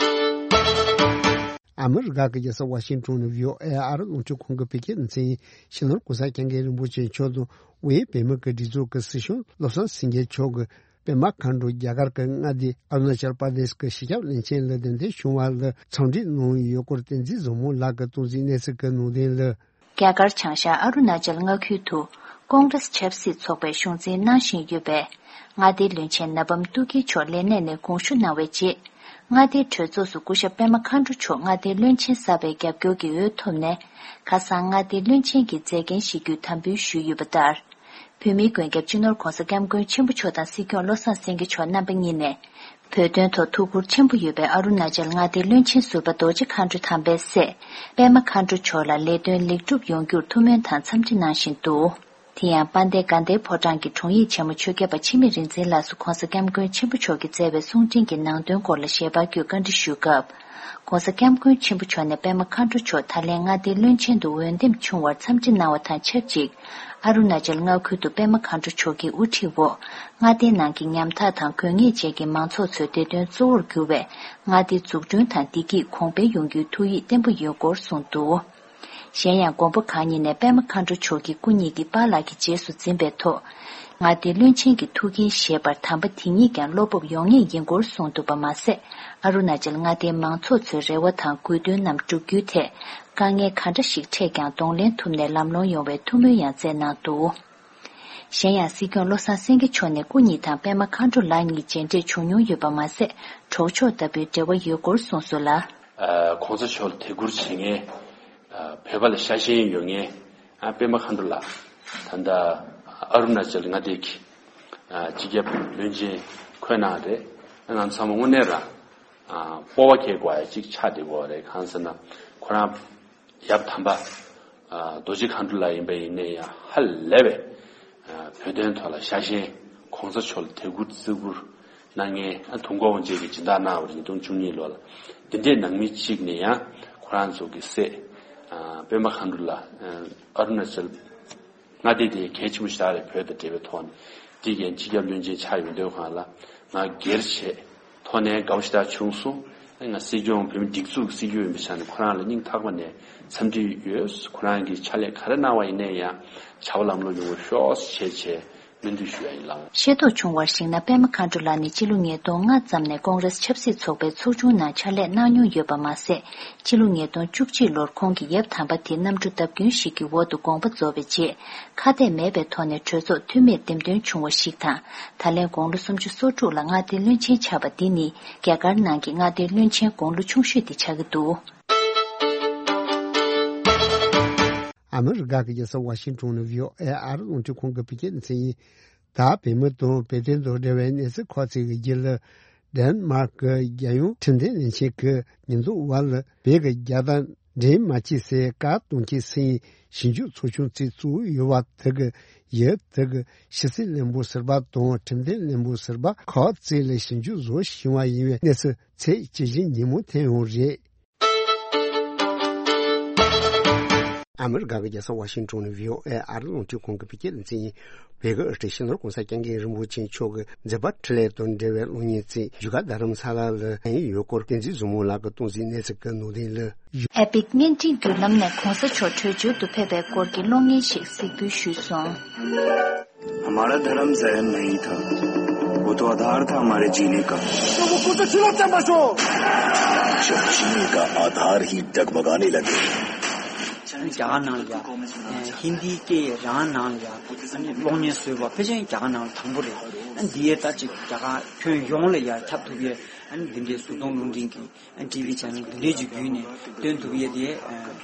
ཨ་མི་རི་ཀ་གི་རྒྱལ་ས་ཝ་ཤིང་ཏོན་ནས་བྷི་ཨོ་ཨེ་ཨ་རི་རླུང་འཕྲིན་ཁང་གི་བོད་སྐད་སྡེ་ཚན་ཡིན། སྤྱི་ནོར་༸གོང་ས་༸སྐྱབས་མགོན་རིན་པོ་ཆེ་མཆོག་དང་དབུས་བོད་མི་གི་སྒྲིག་འཛུགས་ཀྱི་སྲིད་སྐྱོང་བློ་བཟང་སེང་གེ་མཆོག་གིས་པད་མ་མཁའ་འགྲོ་རྒྱ་གར་གྱི་མངའ་སྡེ་ཨ་རུ་ན་ཅལ་པར་དེ་ཤི་གི་གཞིས་ཆགས་བློན་ཆེན་ལ་གདན་འདྲེན་བྱུང་བ་ལ་འཚམས་འདྲི་གནང་ཡོད་སྐོར་བསྟན་འཛིན་བཟང་མོ་ལགས་ཀྱིས་གཏོང་ཟིན་གནས་ཚུལ་གྱི་ནང་དོན་ལ། རྒྱ་གར་བྱང་ཤར་ཨ་རུ་ན་ཅལ་མངའ་ཁུལ་དུ་ཀོང་རེས་ཆབ་སྲིད་ཚོགས་པའི་གཞུང་འཛིན་གནང་བཞིན་ཡོད་པའི་མངའ་སྡེའི་བློན་ཆེན་ན་བམ་ཏུ་ཀི་མཆོག་ལས་གནས་ནས་དགོངས་ཞུ་གནང་བའི་རྗེས། མངའ་སྡེའི་གྲོས་ཚོགས་སུ་སྐུ་ཞབས་པད་མ་མཁའ་འགྲོ་མཆོག་མངའ་སྡེའི་བློན་ཆེན་གསར་པའི་རྒྱབ་སྐྱོར་གྱི་འོས་ཐོབ་ནས། ཁ་སང་མངའ་སྡེའི་བློན་ཆེན་གྱི་མཛད་འགན་བཞེས་རྒྱུའི་དམ་འབུལ་ཞུས་ཡོད་པ་ལྟར། བོད་མིའི་མགོན་སྐྱབས་སྤྱི་ནོར་༸གོང་ས་༸སྐྱབས་མགོན་ཆེན་པོ་མཆོག་དང་སྲིད་སྐྱོང་བློ་བཟང་སེང་གེ་མཆོག་རྣམ་པ་གཉིས་ནས། བོད་དོན་ཐོག་ཐུགས་ཁུར་ཆེན་པོ་ཡོད་པའི་ཨ་རུ་ན་ཅལ་མངའ་སྡེའི་བློན་ཆེན་ཟུར་པ་རྡོ་རྗེ་མཁའ་འགྲོ་དམ་པའི་སྲས་པད་མ་མཁའ་འགྲོ་མཆོག་ལ་ལས་དོན་ལེགས་གྲུབ་ཡོང་རྒྱུར་ཐུགས་སྨོན་དང་འཚམས་འདྲི་གནང་བཞིན་འདུག། དེ་ཡང་དཔལ་ལྡན་དགའ་ལྡན་ཕོ་བྲང་གི་དྲུང་ཡིག་ཆེན་མོ་ཆོས་རྒྱལ་པ་འཆི་མེད་རིག་འཛིན་ལགས་སུ་༸གོང་ས་༸སྐྱབས་མགོན་ཆེན་པོ་མཆོག་གིས་བསྩལ་བའི་གསུང་འཕྲིན་གྱི་ནང་དོན་སྐོར་ལ་ཞལ་པར་བརྒྱུད་བཀའ་འདྲི་ཞུས་སྐབས། ༸གོང་ས་༸སྐྱབས་མགོན་ཆེན་པོ་མཆོག་ནས་པད་མ་མཁའ་འགྲོ་མཆོག་ད་ལན་མངའ་སྡེའི་བློན་ཆེན་དུ་འོས་འདེམས་བྱུང་བར་འཚམས་འདྲི་གནང་བ་དང་ཆབས་ཅིག། ཨ་རུ་ན་ཅལ་མངའ་ཁུལ་དུ་པད་མ་མཁའ་འགྲོ་མཆོག་གི་དབུ་ཁྲིད་འོག་མངའ་སྡེའི་ནང་གི་ཉམ་ཐག་དང་དགོས་ངེས་ཅན་གྱི་མང་ཚོགས་ཚོའི་བདེ་དོན་གཙོ་བོར་གྱུར་བའི་མངའ་སྡེ་འཛུགས་སྐྲུན་དང་བདེ་སྐྱིད་གོང་འཕེལ་ཡོང་རྒྱུའི་ཐུགས་ཡིད་བརྟན་པོ་ཡོད་སྐོར་གསུངས་འདུག། གཞན་ཡང་མགོན་པོ་གང་ཉིད་ནས་པད་མ་མཁའ་འགྲོ་མཆོག་གི་སྐུ་ཉིད་ཀྱི་པཱ་ལགས་ཀྱི་རྗེས་སུ་འཛིན་པའི་ཐོག་མངའ་སྡེའི་བློན་ཆེན་གྱི་ཐུགས་འགན་བཞེས་པར་དམ་པ་དེ་ཉིད་ཀྱང་བློ་སྤོབས་ཡོང་ངེས་ཡིན་སྐོར་གསུངས་འདུག་པ་མ་ཟད། ཨ་རུ་ན་ཅལ་མངའ་སྡེའི་མང་ཚོགས་ཚོའི་རེ་བ་དང་དགོས་འདུན་རྣམས་བསྒྲུབ་རྒྱུའི་ཐད་དཀའ་ངལ་ག་འདྲ་ཞིག་འཕྲད་ཀྱང་གདོང་ལེན་ཐུབ་ནས་ལམ་ལྷོང་ཡོང་བའི་ཐུགས་སྨོན་ཡང་བསྩལ་གནང་འདུག། གཞན་ཡང་སྲིད་སྐྱོང་བློ་བཟང་སེང་གེ་མཆོག་ནས་སྐུ་ཉིད་དང་པད་མ་མཁའ་འགྲོ་ལགས་གཉིས་མཇལ་འཕྲད་བྱུང་མྱོང་ཡོད་པ་མ་ཟད། གྲོགས་མཆོག་ལྟ་བུའི་འབྲེལ་བ་ཡོད་སྐོར་གསུངས་སོང་ལ། ཨ། ༸གོང་ས་མཆོག་ལ་དད་བཀུར་བྱེད་མཁན། ཨ། བོད་པ་ལ་ཤ་ཞེན་ཡོད་མཁན། ཨ། པད་མ་མཁའ་འགྲོ་ལགས། ད་ལྟ་ཨ་རུ་ན་ཅལ་མངའ་སྡེ་གི། ཨ། སྤྱི་ཁྱབ་བློན་ཆེན་འཁོད་གནང་རེད། ང་ཚང་མ་དངོས་གནས་རང་། ཨ། སྤོབས་པ་སྐྱེ་དགོས་ཡ་གཅིག་ཆགས་བསྡད་ཡོད་རེད། གང་ཟེར་ན་ཁོ་རང་ཡབ་དམ་པ། ཨ། རྡོ་རྗེ་མཁའ་འགྲོ་ལགས་ཡིན་པ་ཡིན་ནའི་ཡང་ཧ་ལས་པའི། ཨ། བོད་དོན་ཐོག་ལ་ཤ་ཞེན། ༸གོང་ས་མཆོག་ལ་དད་བཀུར་བརྩི་བཀུར་གནང་མཁན། ཨ། དུས་འཁོར་དབང་ཆེན་གྱི་སྦྱིན་བདག་གནང་བ་རེད། ཉིས་སྟོང་བཅུ་གཉིས་ལོ་ལ། འདི་འདྲའི་ནང་མི་གཅིག་ནས་ཡང་ཁོ་རང་ཚོ་གི་སྲས། ཨ། པད་མ་མཁའ་འགྲོ་ལགས། ཨ། ཨ་རུ་ན་ཅལ་མངའ་སྡེ་དེ་གལ་ཆེན་པོ་ཞིག་རེད། བོད་དང་འབྲེལ་བའི་ཐོག་ནས། དེ་གའི་སྤྱི་ཁྱབ་བློན་ཆེན་ཆགས་ཡོང་དུས་སྒང་ལ་ང་སྒེར་བྱས་ཐོག་ནས་དགའ་པོ་ཞེ་དྲག་བྱུང་སོང་། ང་སྲིད་སྐྱོང་བོད་མི་སྒྲིག་འཛུགས་སྲིད་སྐྱོང་ཡིན་པའི་ཆ་ནས་ཁོ་རང་ལ་སྙིང་ཐག་པ་ནས་འཚམས་འདྲི་ཡོད། ཁོ་རང་གིས་ཕྱག་ལས་ག་རེ་གནང་བ་ཡིན་ནའི་ཡང་བྱ་བ་ལམ་ལྷོང་ཡོང་བ་ཤོག་ཅེས་བྱས་བྱས་སྨོན་འདུན་ཞུ་ཡ་ཡིན་ལགས། ཤེས་རྟོགས་བྱུང་བར་གཞིགས་ན་པད་མ་མཁའ་འགྲོ་ལགས་ནི་སྤྱི་ལོ་ཉིས་སྟོང་ལྔ་ཙམ་ནས་ཀོང་རེས་ཆབ་སྲིད་ཚོགས་པའི་ཚོགས་ཆུང་ནང་ཕྱག་ལས་གནང་མྱོང་ཡོད་པ་མ་ཟད། སྤྱི་ལོ་ཉིས་སྟོང་བཅུ་གཅིག་ལོར་ཁོང་གི་ཡབ་དམ་པ་དེ་གནམ་གྲུ་བརྡབ་སྐྱོན་ཞིག་གི་འོག་ཏུ་དགོངས་པ་རྫོགས་པའི་རྗེས། ཁ་གཏད་མེད་པའི་ཐོག་ནས་གྲོས་ཚོགས་འཐུས་མིར་འདེམས་ཐོན་བྱུང་བ་ཞིག་དང་། ད་ལན་དགུང་ལོ་སུམ་ཅུ་སོ་དྲུག་ལ་མངའ་སྡེའི་བློན་ཆེན་ཆགས་པ་འདི་ནི་རྒྱ་གར་ནང་གི་མངའ་སྡེའི་བློན་ཆེན་དགུང་ལོ་ཆུང་ཤོས་དེ་ཆགས་ཀྱི་འདུག། ཨ་མི་རི་ཀ་གི་རྒྱལ་ས་ཝ་ཤིང་ཏོན་ནས་བྷི་ཨོ་ཨེ་ཨ་རི་རླུང་འཕྲིན་ཁང་གི་བོད་སྐད་སྡེ་ཚན་ཡིན། ད་བོད་མི་དང་བོད་དོན་དང་འབྲེལ་བའི་གནས་ཚུལ་ཁག་ཅིག་གི་རྒྱུད་ལ། ཌེན་མཱརཀ་གི་རྒྱལ་ཡོངས་ཁྲིམས་དོན་ལས་འཆར་གྱི་ཉེས་འཛུགས་འོག་ལ་བོད་ཀྱི་རྒྱལ་དར་འདྲེན་མ་བྱེད་ཟེར་བཀའ་གཏོང་མཁན་སྲིད་ཞིབ་འཇུག་ཚོགས་ཆུང་གཅིག་བཙུགས་ཡོད་པ་དེ་གི་ཡུལ་དེ་གི་ཕྱི་སྲིད་བློན་པོ་ཟུར་པ་དང་ཁྲིམས་དོན་བློན་པོ་ཟུར་པ་ཁག་ཅིག་ལ་ཞིབ་འཇུག་བཟོ་བཞིན་པ་ཡིན་པའི་གནས་ཚུལ་ཚེས་བཅུ་བཞི་ཉིན་མོ་ཐོན་ཡོད་རེད། ཨ་མི་རི་ཀ་གི་རྒྱལ་ས་ཝ་ཤིང་ཏོན་ནས་བྷི་ཨོ་ཨེ་ཨ་རི་རླུང་འཕྲིན་ཁང་གི་བོད་སྐད་སྡེ་ཚན་ཡིན། བོད་ཀྱི་སྤྱི་ནོར་༸གོང་ས་༸སྐྱབས་མགོན་རིན་པོ་ཆེ་མཆོག་གི་མཛད་པ་འཕྲིན་ལས་དང་འབྲེལ་བའི་གློག་བརྙན་གཅིག་བཞུགས་སྒར་རྡ་རམ་ས་ལ་ལ་ཡོད་སྐོར་བསྟན་འཛིན་བཟང་མོ་ལགས་ཀྱིས་གཏོང་གཟིགས་གནས་ཚུལ་གྱི་ནང་དོན་ལ། ཨེ་པིག་བརྙན་འཕྲིན་བརྒྱུད་ལམ་ནས་༸གོང་ས་མཆོག་བྲོས་བྱོལ་དུ་ཕེབས་པའི་སྐོར་གྱི་གློག་བརྙན་ཞིག་གཟིགས་འབུལ་ཞུས་སོང་། हमारा धर्म जन्म नहीं था, वो तो आधार था हमारे जीने का। तो वो कुछ चुनौतियां बसो। जब जीने का आधार ही डगमगाने लगे। རྒྱ་གར་ནང་ལ་ཡ་ཧིན་དིའི་སྐད་རང་ནང་ལ་ཡ་གློག་བརྙན་བཟོས་པ་ཕལ་ཆེར་རྒྱ་གར་ནང་ལ་དང་པོ་རེད། འདི་ཡས་ད་ཅིག་རྒྱ་གར་ཁྱོན་ཡོངས་ལ་ཡ་ཁྱབ་ཐུབ་ཡས་འདི་འདྲའི་གཟུགས་མཐོང་རླུང་འཕྲིན་གྱི་ཊི་ཝི་ཆེ་ནལ་འདི་འདྲའི་ཅིག་བརྒྱུད་ནས་སྟོན་ཐུབ་ཡས་དེ་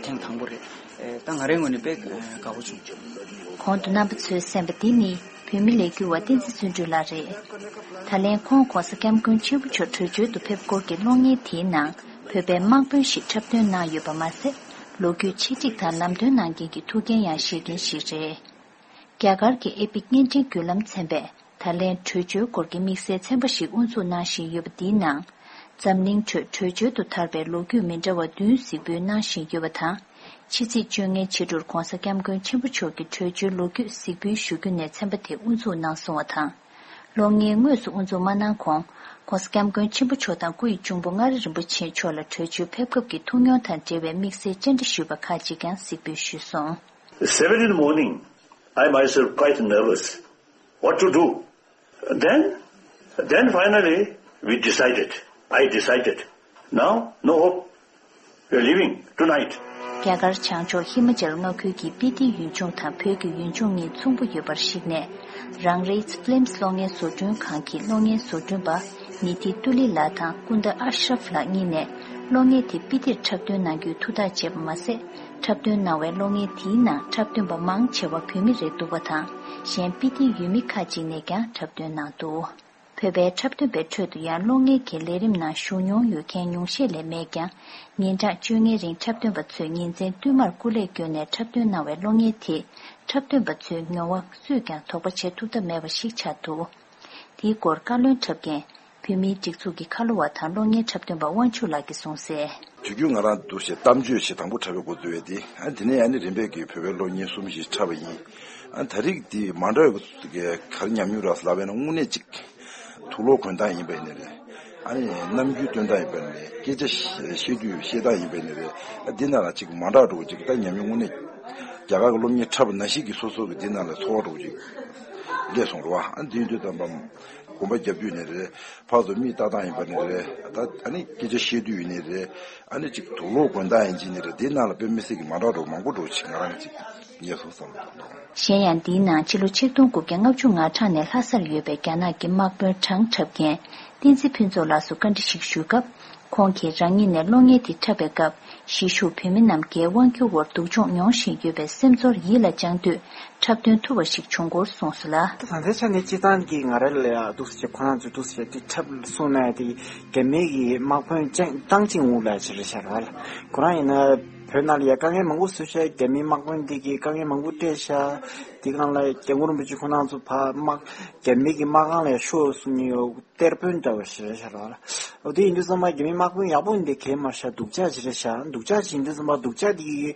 ཐེངས་དང་པོ་རེད། ད་ང་རའི་ངོས་ནས་དཔེ་དགའ་པོ་བྱུང་། གོང་དུ་རྣམ་པ་ཚོས་གསན་པ་འདི་ནི་བོད་མི་ལས་འགུལ་བ་བསྟན་འཛིན་བརྩོན་འགྲུས་ལགས་རེད། ད་ལན་ཁོང་༸གོང་ས་༸སྐྱབས་མགོན་ཆེན་པོ་མཆོག་བྲོས་བྱོལ་དུ་ཕེབས་སྐོར་གྱི་གློག་བརྙན་དེའི་ནང་བོད་པའི་དམག་དཔོན་ཞིག་འཁྲབ་སྟོན་གནང་ཡོད་པ་མ་ཟད། ལོ་རྒྱུས་ཆེད་སྒྲིག་དང་ལམ་སྟོན་གནང་མཁན་གྱི་ཐུགས་འགན་ཡང་བཞེས་མཁན་ཞིག་རེད། རྒྱ་གར་གྱི་ཨེ་པིག་བརྙན་འཕྲིན་བརྒྱུད་ལམ་ཚན་པས་ད་ལན་བྲོས་བྱོལ་སྐོར་གྱི་དམིགས་བསལ་ཚན་པ་ཞིག་དབུ་འཛུགས་གནང་བཞིན་ཡོད་པ་འདིའི་ནང་། འཛམ་གླིང་ཁྲོད་བྲོས་བྱོལ་དུ་དར་བའི་ལོ་རྒྱུས་མི་འདྲ་བ་བདུན་གཟིགས་འབུལ་གནང་བཞིན་ཡོད་པ་དང་། ཕྱི་ཚེས་བཅོ་ལྔའི་ཕྱི་དྲོར་༧གོང་ས་༧སྐྱབས་མགོན་ཆེན་པོ་མཆོག་གི་བྲོས་བྱོལ་ལོ་རྒྱུས་གཟིགས་འབུལ་ཞུ་རྒྱུ་ནས་ཚན་པ་དེ་དབུ་འཛུགས་གནང་སོང་བ་དང་། གློག་བརྙན་དངོས་སུ་དབུ་འཛུགས་མ་གནང་གོང་། ྋགོང་ས་ྋསྐྱབས་མགོན་ཆེན་པོ་མཆོག་དང་སྐུ་ཡི་གཅུང་པོ་མངའ་རིས་རིན་པོ་ཆེ་མཆོག་ལ་བྲོས་བྱོལ་ཕེབས་སྐབས་ཀྱི་ཐུགས་མྱོང་དང་འབྲེལ་བའི་དམིགས་བསལ་བཅར་འདྲི་ཞུས་པ་ཁག་ཅིག་ཀྱང་གཟིགས་འབུལ་ཞུས་སོང་། Seven in the morning, I myself quite nervous. What to do? Then, then finally, we decided. I decided. Now, no hope. We're leaving tonight. རྒྱ་གར་བྱང་ཕྱོགས་ཧི་མ་ཅལ་མངའ་ཁུལ་གྱི་སྤི་ཏི་ཡུལ་ལྗོངས་དང་བོད་ཀྱི་ཡུལ་ལྗོངས་གཉིས་མཚུངས་པོ་ཡོད་པར་གཞིགས་ནས། རང་རེའི་ཕི་ལིམ་གློག་བརྙན་བཟོ་སྐྲུན་ཁང་གི་གློག་བརྙན་བཟོ་སྐྲུན་པ་ནི་ཐི་ཏུ་ལི་ལགས་དང་ཀུན་ཏ་ཨ་ཤྲབ་ལགས་གཉིས་ནས་གློག་བརྙན་དེ་སྤི་ཏིར་འཁྲབ་སྟོན་གནང་རྒྱུའི་ཐུགས་ཐག་བཅད་པ་མ་ཟད། འཁྲབ་སྟོན་གནང་བའི་གློག་བརྙན་དེའི་ནང་འཁྲབ་སྟོན་པ་མང་ཆེ་བ་བོད་མི་རེད་འདུག་པ་དང་། གཞན་སྤི་ཏིའི་ཡུལ་མི་ཁག་ཅིག་ནས་ཀྱང་འཁྲབ་སྟོན་གནང་འདུག་བོད་པའི་འཁྲབ་སྟོན་པའི་ཁྲོད་དུ་ཡང་གློག་བརྙན་གྱི་ལས་རིམ་ནང་ཞུགས་མྱོང་ཡོད་མཁན་ཉུང་ཤས་ལས་མེད་ཀྱང་། ཉིན་གྲངས་བཅོ་ལྔའི་རིང་འཁྲབ་སྟོན་པ་ཚོས་ཉིན་མཚན་བསྟུད་མར་སྐུ་ལས་བསྐྱོན་ནས་འཁྲབ་སྟོན་གནང་བའི་གློག་བརྙན་དེས་འཁྲབ་སྟོན་པ་ཚོའི་མྱོང་བ་སུས་ཀྱང་དོགས་པ་བྱེད་ཐུབ་ཐབས་མེད་པ་ཞིག་ཆགས་འདུག་དེའི་སྐོར་བཀའ་བློན་འཁྲབ་མཁན་བོད་མིའི་སྒྲིག་འཛུགས་ཀྱི་ཁ་ལོ་བ་དང་གློག་བརྙན་འཁྲབ་སྟོན་པ་དབང་ཕྱུག་ལགས་ཀྱིས་གསུངས་གསལ། དུས་རྒྱུན་ང་རང་འདུག་སེ་གཏམ་བརྗོད་ཞིག་དང་པོ་འཁྲབ་པའི་འགོ་བཙུགས་པ་དེ། ཨ་དེ་ནས་ཨ་ནི་རིམ་པས་ཀྱི་བོད་པའི་གློག་བརྙན་གསུམ་ཞིག་འཁྲབ་པ་ཡིན། ཨ་ད་རེས་དེ་མ་འདྲ་བའི་ག་རེ་ཉམས་མྱོང་རག་སོང་ལབ་པ་ཡིན་ན། དངོས་གནས་ཅིག་དུག་ལོག་གོན་སྟངས་ཡིན་པ་ཡིན་ནའི་རེད། ཨ་ནི་རྣམ་འགྱུར་སྟོན་སྟངས་ཡིན་པ་ཡིན་ནའི་རེད། སྐད་ཆ་བཤད་དུས་བཤད་སྟངས་ཡིན་པ་ཡིན་ནའི་རེད། ཨ་འདི་ནང་ལ་ཅིག་མ་འདྲ་འགྲོ་ཅིག་ད་ཉམས་མྱོང་དངོས་གནས་རྒྱ་གར་གྱི་གློག་བརྙན་འཁྲབ་པ་ནང་བཞིན་གྱི་སོ་སོ་གི་འདི་ནང་ལ་ཚོར་བ་འགྲོ་ཅིག་སླེབས་སོང་རེད་བ། ཨ་འདི་ཡིན་དུས་ཙམ་པ། གོམ་པ་རྒྱབ་དུས་ནས་རེད། ཕར་ཚུར་མིག་ལྟ་སྟངས་ཡིན་པ་ནས་རེད། ད་ཨ་ནི་སྐད་ཆ་བཤད་དུས་ཡིན་ནས་རེད། ཨ་ནི་ཅིག་དུག་ལོག་གོན་སྟངས་ཡིན་གཅིག་ནས་རེད། དེའི་ནང་ལ་དཔེ་མི་སྲིད་ཀྱི་མ་འདྲ་འགྲོ་མང་པོ་འགྲོ་ཅིག་ང་རང་གཅིག་ངས་སོང་བསམ་གྱི་འདུག་གཞན་ཡང་འདིའི་ནང་ཕྱི་ལོ་ཆིག་སྟོང་དགུ་བརྒྱ་ལྔ་བཅུ་ང་གྲངས་ནས་ལྷ་སར་ཡོད་པའི་རྒྱ་ནག་གི་དམག་དཔོན་གྲངས་འཁྲབ་མཁན་བསྟན་འཛིན་ཕུན་ཚོགས་ལགས་སུ་བཀའ་འདྲི་ཞིག་ཞུས་སྐབས། ཁོང་གིས་རང་ཉིད་ནས་གློག་བརྙན་དེ་འཁྲབ་པའི་སྐབས། གཞིས་བཞུགས་བོད་མི་རྣམས་རྒྱའི་དབང་སྒྱུར་འོག་སྡུག་སྦྱོང་མྱོང་བཞིན་ཡོད་པའི་སེམས་ཚོར་ཡིད་ལ་བཅངས་དུས་འཁྲབ་སྟོན་ཐུབ་པ་ཞིག་བྱུང་སྐོར་གསུངས་སོང་ལ། ད་ལྟའི་ཆ་ནས་སྤྱིར་བཏང་གི་ང་རང་ལ་ཡང་འདུག་སེ་བྱས། ཁོ་རང་ཚོས་འདུག་སེ་བྱས་དེ་འཁྲབ་སོང་ན་དེ་རྒྱ་མི་གི་དམག་དཔོན་ཅང་ཏང་ཅིང་ཝུ་ལ་ཅིག་རེད་ཤག་ར་བ་ལ། ཁོ་རང་ཡིན་ན་བོད་ནང་ལ་ཡང་དཀའ་ངལ་མང་པོ་བཟོས་ཤག་རྒྱ་མིའི་དམག་དཔོན་དེ་གིས་དཀའ་ངལ་མང་པོ་སྤྲད་ཤག་དེ་སྒང་ལ་སྐྱབས་མགོན་རིན་པོ་ཆེ་ཁོ་རང་ཚོ་ཕར་དམག་རྒྱ་མི་གི་དམག་ཁང་ལ་ཡང་ཤོག་གསུང་གི་ཡོད། གཏེར་དཔོན་འདྲ་བོ་ཞིག་རེད་ཤག་ར་བ་ལ། འོ་དེ་ཡིན་དུས་ཙམ་པ་རྒྱ་མིའི་དམག་དཔོན་ཡག་པོ་ཡིན་དེ་གལ་མ་ཤར། སྡུག་ཅག་ཅིག་རེད་ཤག་སྡུག་ཅག་ཅིག་ཡིན་དུས་ཙམ་པ་སྡུག་ཅག་དེ་གི་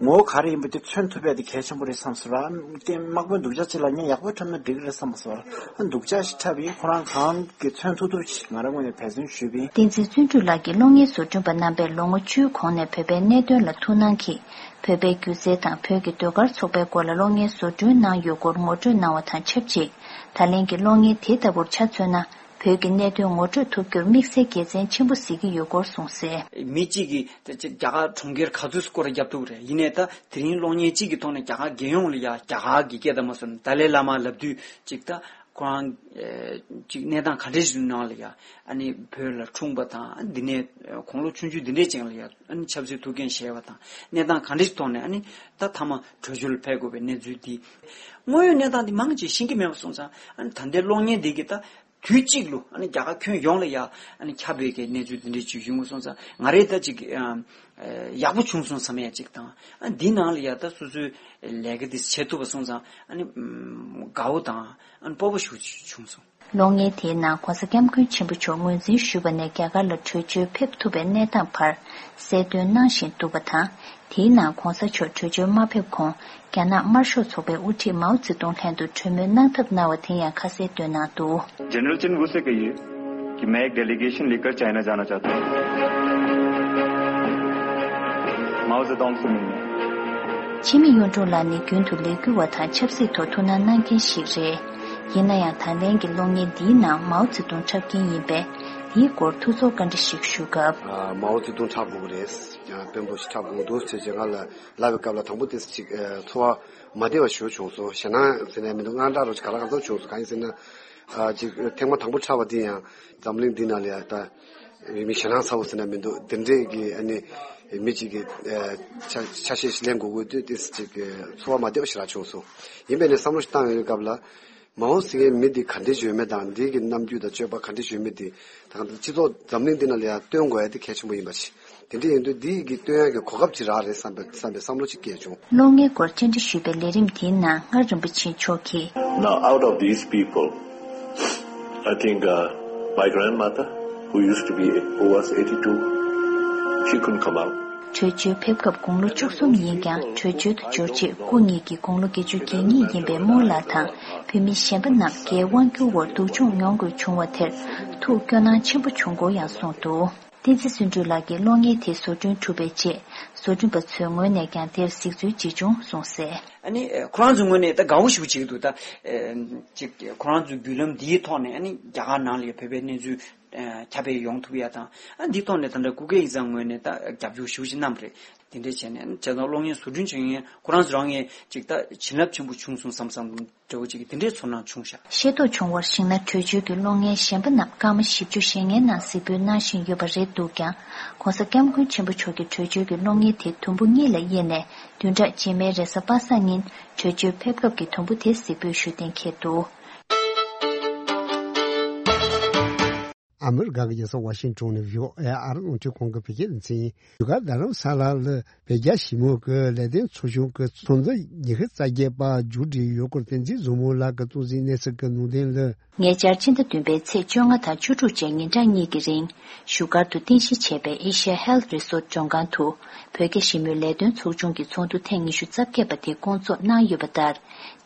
ངོ་བོ་ག་རེ་ཡིན་པ་དེ་མཚོན་ཐུབ་ཡ་དེ་གལ་ཆེན་པོ་རེད་བསམ་སོང་ར། དེ་དམག་དཔོན་སྡུག་ཅག་ཅིག་ལ་ངས་ཡག་པོ་འཁྲབ་ན་འགྲིག་གི་རེད་བསམ་སོང་ར། སྡུག་ཅག་ཞིག་འཁྲབ་ཡིན། ཁོ་རང་གང་གི་མཚོན་ཐུབ་ཐུབ་ཅིག་ང་རང་ངོས་ནས་འབད་བརྩོན་ཞུས་པ་ཡིན། བསྟན་འཛིན་བརྩོན་འགྲུས་ལགས་ཀྱིས་གློག་བརྙན་བཟོ་སྐྲུན་པ་རྣམ་པས་ལོ་ངོ་བཅུའི་གོང་ནས་བོད་པའི་གནད་དོན་ལ་ཐུགས་སྣང་གིས། བོད་པའི་སྒྱུ་རྩལ་དང་བོད་ཀྱི་ཟློས་གར་ཚོགས་པའི་སྐོར་ལ་གློག་བརྙན་བཟོ་སྐྲུན་གནང་ཡོད་སྐོར་ངོ་སྤྲོད་གནང་བ་དང་ཆབས་ཅིག་ད་ལན་གྱི་གློག་བརྙན་དེ་ལྟ་བུར་ཆ་མཚོན་ན། བོད་ཀྱི་གནད་དོན་ངོ་སྤྲོད་ཐུབ་རྒྱུར་དམིགས་བསལ་དགེ་མཚན་ཆེན་པོ་གཟིགས་ཀྱི་ཡོད་སྐོར་གསུངས་གསལ། མི་གཅིག་གིས་ད་ཅིག་རྒྱ་གར་གྲོང་ཁྱེར་ག་ཚོད་སྐོར་ར་བརྒྱབ་ཐུབ་རེད། ཡིན་ནའི་ད་དེ་རིང་གློག་བརྙན་གཅིག་གི་ཐོག་ནས་རྒྱ་གར་རྒྱལ་ཡོངས་ལ་ཡ་རྒྱ་གར་གྱི་སྐད་དང་མ་སོན་ཏཱ་ལའི་བླ་མ་ལབ་དུས་ཅིག་ད་ཁོ་རང་ཅིག་གནས་སྟངས་ག་འདྲས་ཞིག་ནང་ལ་ཡ་ཨ་ནི་བོད་ལ་འཁྲུངས་པ་དང་། འདི་ནས་དགུང་ལོ་ཆུང་ཆུང་འདི་འདྲས་ཅན་ལ་ཡ་ཨ་ནི་ཆབ་སྲིད་ཐུགས་འགན་བཞེས་པ་དང་། གནས་སྟངས་ག་འདྲས་ཐོག་ནས་ཨ་ནི་ད་མཐའ་མ་བྲོས་བྱོལ་ཕེབས་དགོས་པའི་གནས་ཚུལ་འདི། དངོས་ཡོད་གནས་སྟངས་འདི་མང་ཆེ་ཤེས་ཀྱི་མེད་པ་སོང་ཙང་། ཨ་ནི་ད་ལྟའི་གློག་བརྙན་འདི་གི་ད། དུས་གཅིག་ལ་ཨ་ནི་རྒྱ་གར་ཁྱོན་ཡོངས་ལ་ཡ་ཨ་ནི་ཁྱབ་པའི་གི་གནས་ཚུལ་འདི་འདྲའི་ཅིག་བྱུང་སོང་ཙང་། ང་རས་ད་ཅིག་ཨ་ཡག་པོ་བྱུང་སོང་བསམ་ཡ་ཅིག་དང་། ཨ་འདི་ནང་ལ་ཡ་ད་སོ་སོའི་ལས་ཀ་འདི་བྱེད་ཐུབ་པ་སོང་ཙང་། ཨ་ནི་དགའ་བོ་དང་ཨ་ནི་སྤོབས་པ་ཞེ་པོ་ཅིག་བྱུང་སོང་། གློག་བརྙན་དེའི་ནང་༧གོང་ས་༧སྐྱབས་མགོན་ཆེན་པོ་མཆོག་ངོས་འཛིན་ཞུས་པ་ནས་རྒྱ་གར་ལ་བྲོས་བྱོལ་ཕེབས་ཐུབ་པའི་གནས་སྟངས་བར་གསལ་སྟོན་གནང་བཞིན་འདུག་པ་དང་། དེའི་ནང་༧གོང་ས་མཆོག་བྲོས་བྱོལ་མ་ཕེབས་གོང་རྒྱ་ནག་དམར་ཤོག་ཚོགས་པའི་དབུ་ཁྲིད་མའོ་ཙེ་ཏུང་ལྷན་དུ་གྲོས་མོལ་གནང་ཐབས་གནང་བ་དེ་ཡང་ཁ་གསལ་བཏོན་གནང་འདུག། जनरल चिन वुसे कहिए कि मैं एक डेलीगेशन लेकर चाइना जाना चाहता हूँ। माओ जेडोंग से मिलने। ཕྱི་མི་གཡུང་དྲུང་ལགས་ནི་རྒྱུན་དུ་ལས་འགུལ་བ་དང་ཆབ་སྲིད་ཐོག་ཐུགས་སྣང་གནང་མཁན་ཞིག་རེད། ཡིན་ན་ཡང་ད་ལན་གྱི་གློག་བརྙན་འདིའི་ནང་མའོ་ཙེ་ཏུང་འཁྲབ་མཁན་ཡིན་པས། དེའི་སྐོར་ཐུགས་ཚོར་བཀའ་འདྲི་ཞིག་ཞུ་སྐབས། ཨ། མའོ་ཙེ་ཏུང་འཁྲབ་དགོས་ཀྱི་རེད། ཨ། དཔོན་པོ་ཞིག་འཁྲབ་དགོས་འདུག་ཅེས་ང་ལ་ལབ་པའི་སྐབས་ལ། དང་པོ་དེ་ཅིག་ཨ། ཚོར་བ་མ་བདེ་བ་ཞེ་པོ་བྱུང་སོང་། ཞེད་སྣང་ཟེར་ནའི་མི་འདུག། དངངས་སྐྲག་རོ་ཅིག་ག་ལ་ག་ཚོད་བྱུང་སོང་། གང་ཡིན་ཟེར་ན། ཨ། ཅིག་ཐེངས་མ་དང་པོ་འཁྲབ་པ་དེ་ཡང་འཛམ་གླིང་འདི་ནང་ལ་ཡང་ད་མི་ཞེད་སྣང་ཚ་པོ་ཟེར་ན་མི་འདུག། དེ་འདྲས་ཀྱི་ཨ་ནི་མི་གཅིག་གི་ཨ། ཆ་ཆ་ཤས་ཤིག་ལེན་དགོས་དགོས་དུས་དེ་ཅིག་ཚོར་བ་མ་བདེ་བ་ཞེ་དྲག་བྱུང་སོང་། ཡིན་པས་ནས་བསམ་བློ་ཞིག་བཏང་ཡོང་བའི་སྐབས་ལ། མ་འོངས་ཟེར་མཁན་མི་འདི་ག་འདྲ་ཡོད་མེད་དང་། འདི་གི་རྣམ་འགྱུར་དང་སྤྱོད་པ་ག་འདྲ་ཡོད་མེད་འདི་ད་ག་སྤྱི་ཚོགས་འཛམ་གླིང་འདི་ནང་ལ་ཡང་སྟོན་དགོས་ཡ་དེ་གལ་ཆེན་པོ་ཡིན་པ་ཞིག་དེ་འདྲ་ཡིན་དུས་འདི་གི་སྟོན་ཡ་གི་གོ་སྐབས་ཅིག་རག་རེད་བསམ་པའི་བསམ་པའི་བསམ་བློ་ཅིག་སྐྱེས་བྱུང་། གློག་བརྙན་སྐོར་བཅར་འདྲི་ཞུས་པའི་ལས་རིམ་དེའི་ནང་སྔར་རིན་པོ་ཆེ་མཆོག་གིས། Now, out of these people, I think, uh, my grandmother, who used to be, who was eighty-two, she couldn't come out. བྲོས་བྱོལ་ཕེབས་སྐབས་དགུང་ལོ་བཅུ་གསུམ་ཡིན་ཀྱང་། བྲོས་བྱོལ་དུ་འབྱོར་རྗེས་སྐུ་ཉིད་ཀྱི་དགུང་ལོ་བརྒྱད་ཅུ་གྱ་གཉིས་ཡིན་པའི་རྨོ་ལགས་དང་བོད་མི་གཞན་པ་རྣམས་རྒྱའི་དབང་བསྒྱུར་འོག་སྡུག་སྦྱོང་མྱོང་དགོས་བྱུང་བ་དེར་ཐུགས་སྐྱོ་སྣང་ཆེན་པོ་བྱུང་སྐོར་ཡང་གསུངས་འདུག། བསྟན་འཛིན་བརྩོན་འགྲུས་ལགས་ཀྱིས་གློག་བརྙན་དེའི་བཟོ་སྐྲུན་གྲུབ་པའི་རྗེས། བཟོ་སྐྲུན་པ་ཚོའི་ངོས་ནས་ཀྱང་དེར་གཟིགས་ཚུལ་ཇི་བྱུང་གསུངས་གསལ། ཨ་ནི་ཁོ་རང་ཚོའི་ངོས་ནས་ད་དགའ་བོ་ཞེ་པོ་བྱེད་ཀྱི་འདུག། ད་ཅིག་ཁོ་རང་ཚོའི་བརྒྱུད་ལམ་འདིའི་ཐོག་ནས་ཨ་ནི་རྒྱ་གར་ནང་ལ་བོད་པའི་གནས་ཚུལ་ཁྱབ་སྤེལ་ཡོང་ཐུབ་ཡ་དང་། ཨ་འདིའི་ཐོག་ནས་ད་ལྟ་སྐུ་སྒེར་ཡིག་ཚང་ངོས་ནས་ད་རྒྱབ་སྐྱོར་ཞེ་པོ་ཅིག་གནང་བ་རེད། དེ་འདྲས་བྱས་ནས་བྱས་ཙང་གློག་བརྙན་བཟོ་སྐྲུན་བྱེད་མཁན་ཁོ་རང་ཚོ་རང་ངས་ཅིག་ད་བྱིན་རླབས་ཆེན་པོ་བྱུང་སོང་བསམ་བསམ་འདྲ་བོ་ཅིག་དེ་འདྲའི་ཚོར་སྣང་བྱུང་ཤག། ཤེས་རྟོགས་བྱུང་བར་གཞིགས་ན། བྲོས་བྱོལ་གྱི་གློག་བརྙན་གཞན་པ་རྣམས་སྐར་མ་བཞི་བཅུ་ཞེ་ལྔའི་ནང་གཟིགས་འབུལ་གནང་བཞིན་ཡོད་པ་རེད་འདུག་ཀྱང་། ྋགོང་ས་ྋསྐྱབས་མགོན་ཆེན་པོ་མཆོག་གི་བྲོས་བྱོལ་གྱི་གློག་བརྙན་དེ་དུམ་བུ་གཉིས་ལ་དབྱེ་ནས། བདུན་ཕྲག་རྗེས་མའི་རེས་གཟའ་པ་སངས་ཉིན་བྲོས་བྱོལ་ཕེབས་སྐབས་ཀྱི་དུམ་བུ་དེ་གཟིགས་འབུལ་ཞུ་གཏན་འཁེལ་འདུག། ཨ་མི་རི་ཀ་གི་རྒྱལ་ས་ཝ་ཤིང་ཊོན་ནས་བྷི་ཨོ་ཨེ་ཨ་རི་རླུང་འཕྲིན་ཁང་གི་བོད་སྐད་སྡེ་ཚན་ཡིན། བཞུགས་སྒར་རྡ་རམ་ས་ལ་ལ་བོད་རྒྱ་ཞི་མོལ་གྱི་ལས་དོན་ཚོགས་ཆུང་གི་ཚོགས་འདུ་ཉི་ཤུ་རྩ་བརྒྱད་པ་མཇུག་སྒྲིལ་ཡོད་སྐོར་བསྟན་འཛིན་བཟང་མོ་ལགས་ཀྱིས་གཏོང་ཟིན་གནས་ཚུལ་གྱི་ལུང་འདྲེན་ལ། ཉེ་ཆར་ཕྱི་ཟླ་བདུན་པའི་ཚེས་བཅོ་ལྔ་དང་བཅུ་དྲུག་བཅས་ཉིན་གྲངས་གཉིས་ཀྱི་རིང་། བཞུགས་སྒར་དུ་རྟེན་གཞི་བྱས་པའི་Asia Health Resort མགྲོན་ཁང་དུ། བོད་རྒྱ་ཞི་མོལ་ལས་དོན་ཚོགས་ཆུང་གི་ཚོགས་འདུ་ཐེངས་ཉི་ཤུ་རྩ་བརྒྱད་པ་དེ་བསྐོང་ཚོགས་གནང་ཡོད་པ་ལྟར།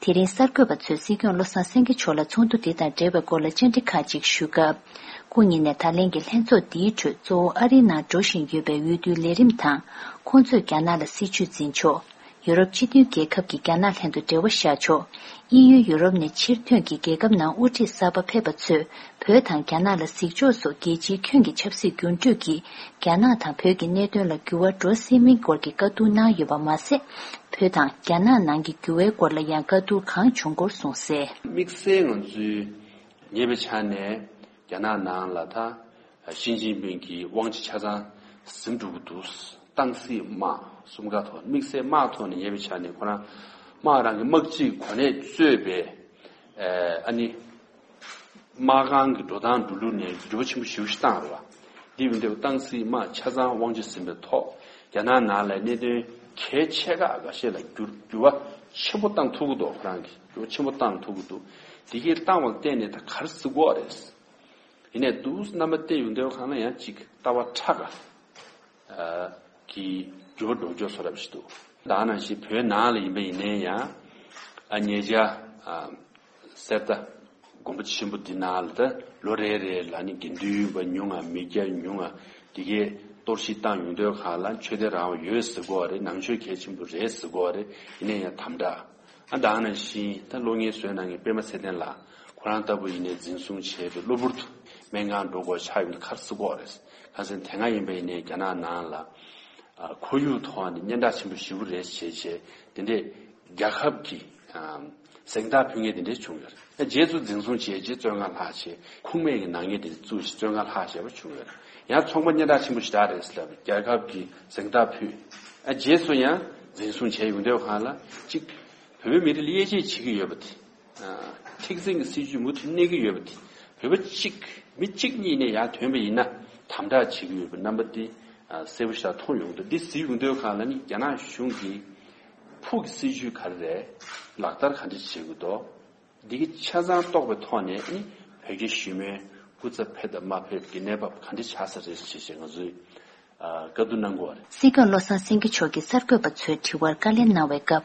དེ་རིང་གསར་འགོད་པ་ཚོས་སྲིད་སྐྱོང་བློ་བཟང་སེང་གེ་མཆོག་ལ་ཚོགས་འདུ་དེ་དང་འབྲེལ་བའི་སྐོར་ལ་བཅར་འདྲི་ཁག་ཅིག་ཞུས་སྐབས། སྐུ་ཉིད་ནས་ད་ལན་གྱི་ལྷན་ཚོགས་འདིའི་ཁྲོད་གཙོ་བོ་ཨ་རིའི་ནང་འགྲོ་བཞིན་ཡོད་པའི་འོས་བསྡུའི་ལས་རིམ་དང་། ཁོང་ཚོས་རྒྱ་ནག་ལ་སྲིད་ཇུས་འཛིན་ཕྱོགས། ཡུ་རོབ་སྤྱི་མཐུན་རྒྱལ་ཁབ་ཀྱིས་རྒྱ་ནག་ལྷན་དུ་འབྲེལ་བ་བཞག་ཕྱོགས། དབྱིན་ཡུལ་ཡུ་རོབ་ནས་ཕྱིར་ཐོན་གྱིས་རྒྱལ་ཁབ་ནང་དབུ་ཁྲིད་གསར་པ་ཕེབས་པ་ཚོས་བོད་དང་རྒྱ་ནག་ལ་གཟིགས་ཕྱོགས་སོགས་རྒྱལ་སྤྱིའི་ཁྱོན་གྱི་ཆབ་སྲིད་འགྱུར་འགྲོས་ཀྱིས་རྒྱ་ནག་དང་བོད་ཀྱི་གནད་དོན་ལ་འགྱུར་བ་འགྲོ་སྲིད་མིན་སྐོར་གྱི་བཀའ་བསྡུར་གནང་ཡོད་པ་མ་ཟད། བོད་དང་རྒྱ་ནག་ནང་གི་འགྱུར་བའི་སྐོར་ལ་ཡང་བཀའ་བསྡུར་གང་བྱུང་སྐོར་གསུངས་གསལ། དམིགས་བསལ་ང་ཚོས་ཉེ་བའི་ཆར་ནས་རྒྱ་ནག་ནང་ལ་ད་ཞི་ཅིན་ཕིང་གི་དབང་ཆ་ཆ་ཚང་ཟིན་འགྲོ་གི་འདུག། ཏང་སྲིད་དམག་གསུམ་ཀ་ཐོག་དམིགས་བསལ་དམག་ཐོག་ནས་ཉེ་བའི་ཆར་ནས་ཁོ་རང་དམག་རང་གི་དམག་སྤྱིའི་གོ་གནས་གཙོས་པའི་ཨ་ནི་དམག་ཁང་གི་འགྲོ་སྟངས་འགྲོ་ལུགས་ནས་འགྱུར་བ་ཆེན་པོ་ཞེ་པོ་ཞིག་བཏང་རེད་བ། འདི་ཡིན་དུས་ཏང་སྲིད་དམག་ཆ་ཚང་དབང་ཆ་ཟིན་པའི་ཐོག་རྒྱ་ནག་ནང་ལ་གནད་དོན་གལ་ཆེ་ཁག་འགའ་ཤས་ལ་འགྱུར་འགྱུར་བ་ཆེན་པོ་བཏང་ཐུབ་ཀྱི་འདུག། ཁོ་རང་གིས་འགྱུར་བ་ཆེན་པོ་བཏང་ཐུབ་ཀྱི་འདུག། དེ་གས་བཏང་བ་ལ་བརྟེན་ནས་ད་ག་རེ་ཟེར་དགོས་རེད། ཡིན་ནའི་འདུག་རྣམ་པ་བལྟས་ཡོང་དུས་གང་ལ་ཡང་ཅིག་ལྟ་བ་ཕྲ་ག་གི་འགྱུར་བ་འགྲོ་ཕྱོགས་བཟོ་འདྲ་ཞིག་འདུག། ད་ག་ནང་བཞིན་བོད་ནང་ལ་ཡིན་པ་ཡིན་ནའི་ཡང་ཨ་ཉེ་ཆར་གསེར་རྟ་དགོན་པ་ཆེན་པོ་འདི་ནང་ལ་ད་ལོ་རེ་རེ་ལ་ནི་དགེ་འདུན་པ་ཉུང་ང་མི་སྐྱ་ཉུང་ང་དེ་གས་གཏོར་བཤིག་བཏང་ཡོང་དུས་གང་ལ་ཆོས་དད་རང་དབང་ཡོད་ཟེར་གོ་རེད། ནང་ཆོས་གལ་ཆེན་པོ་རེད་ཟེར་གོ་རེད། ཡིན་ནའི་ཡང་དམ་དྲག། ཨ་ད་ག་ནང་བཞིན་ད་གློག་བརྙན་བཟོས་གནང་མཁན་པད་མ་ཚེ་བརྟན་ལགས་ཁོ་རང་ལྟ་བུ་ཡིན་ནའི་འཛིན་བཟུང་བྱས་ཏེ་གློ་བུར་དུ་སྨན་ཁང་འགྲོ་དགོས་ཆགས་ཡོང་དུས་ག་རེ་ཟེར་དགོས་རེད། གང་ཟེར་ན་དེ་སྔ་ཡིན་པ་ཡིན་ནའི་རྒྱ་ནག་ནང་ལ་ཨ་ཁོར་ཡུག་ཐོག་ནས་སྙན་གྲགས་ཆེན་པོ་ཞེ་པོ་རེད་བྱས་བྱས་དེ་འདྲས་རྒྱལ་ཁབ་ཀྱི་ཨ་གཟེངས་རྟགས་ཕུལ་མཁན་དེ་འདྲས་བྱུང་ཡོད་རེད། ཨ་རྗེས་སུ་འཛིན་བཟུང་བྱས་རྗེས་བཙོན་ཁང་ལྷག་བྱས་ཁུངས་མེད་ཀྱི་ནག་ཉེས་དེ་འདྲས་བཙུགས་བྱས་བཙོན་ཁང་ལྷག་བྱས་པ་བྱུང་ཡོད་རེད། ཡང་ཚོང་པ་སྙན་གྲགས་ཆེན་པོ་ཞེ་དྲག་རེད་ཟེར་ལབ་རྒྱལ་ཁབ་ཀྱི་གཟེངས་རྟགས་ཕུལ། ཨ་རྗེས་སུ་ཡང་འཛིན་བཟུང་བྱས་ཡོང་དུས་གང་ལ་གཅིག་བོད་པའི་མི་རིགས་ལ་དབྱེ་འབྱེད་བྱེད་ཀྱི་ཡོད་པ་དེ། ཨ་མཁྲེགས་འཛིན་གྱི་སྲིད་ཇུས་མུ་མཐུད་གནས་ཀྱི་ཡོད་པ་དེ། བོད་པ་གཅིག་མི་གཅིག་གཉིས་ནས་ཡར་ཐོན་པ་ཡིན་ན་དམ་དྲག་བྱེད་ཀྱི་ཡོད་པའི་རྣམ་པ་འདི་ཨ་གསལ་པོ་ཞིག་མཐོང་ཡོང་འདུག། འདི་གཟིགས་ཡོང་དུས་གང་ལ་ནི་རྒྱ་ནག་གཞུང་གིས་ཕུགས་ཀྱི་སྲིད་ཇུས་ག་རེ་རེད། ལག་བསྟར་ག་འདྲ་བྱེད་དགོས་འདུག། འདི་གི་ཆ་ཚང་རྟོགས་པའི་ཐོག་ནས་ནི་བོད་རྒྱ་ཞི་མོལ་སྐུ་ཚབ་ཕེབས་དང་མ་ཕེབས་ཀྱི་གནས་བབ་ག་འདྲ་ཆགས་ས་རེད་ཅེས་ང་ཚོས་ཨ་བཀའ་བསྡུར་གནང་དགོས་པ་རེད། སྲིད་སྐྱོང་བློ་བཟང་སེང་གེ་མཆོག་གིས་གསར་འགོད་པ་ཚོའི་དྲི་བར་བཀའ་ལན་གནང་བའི་སྐབས།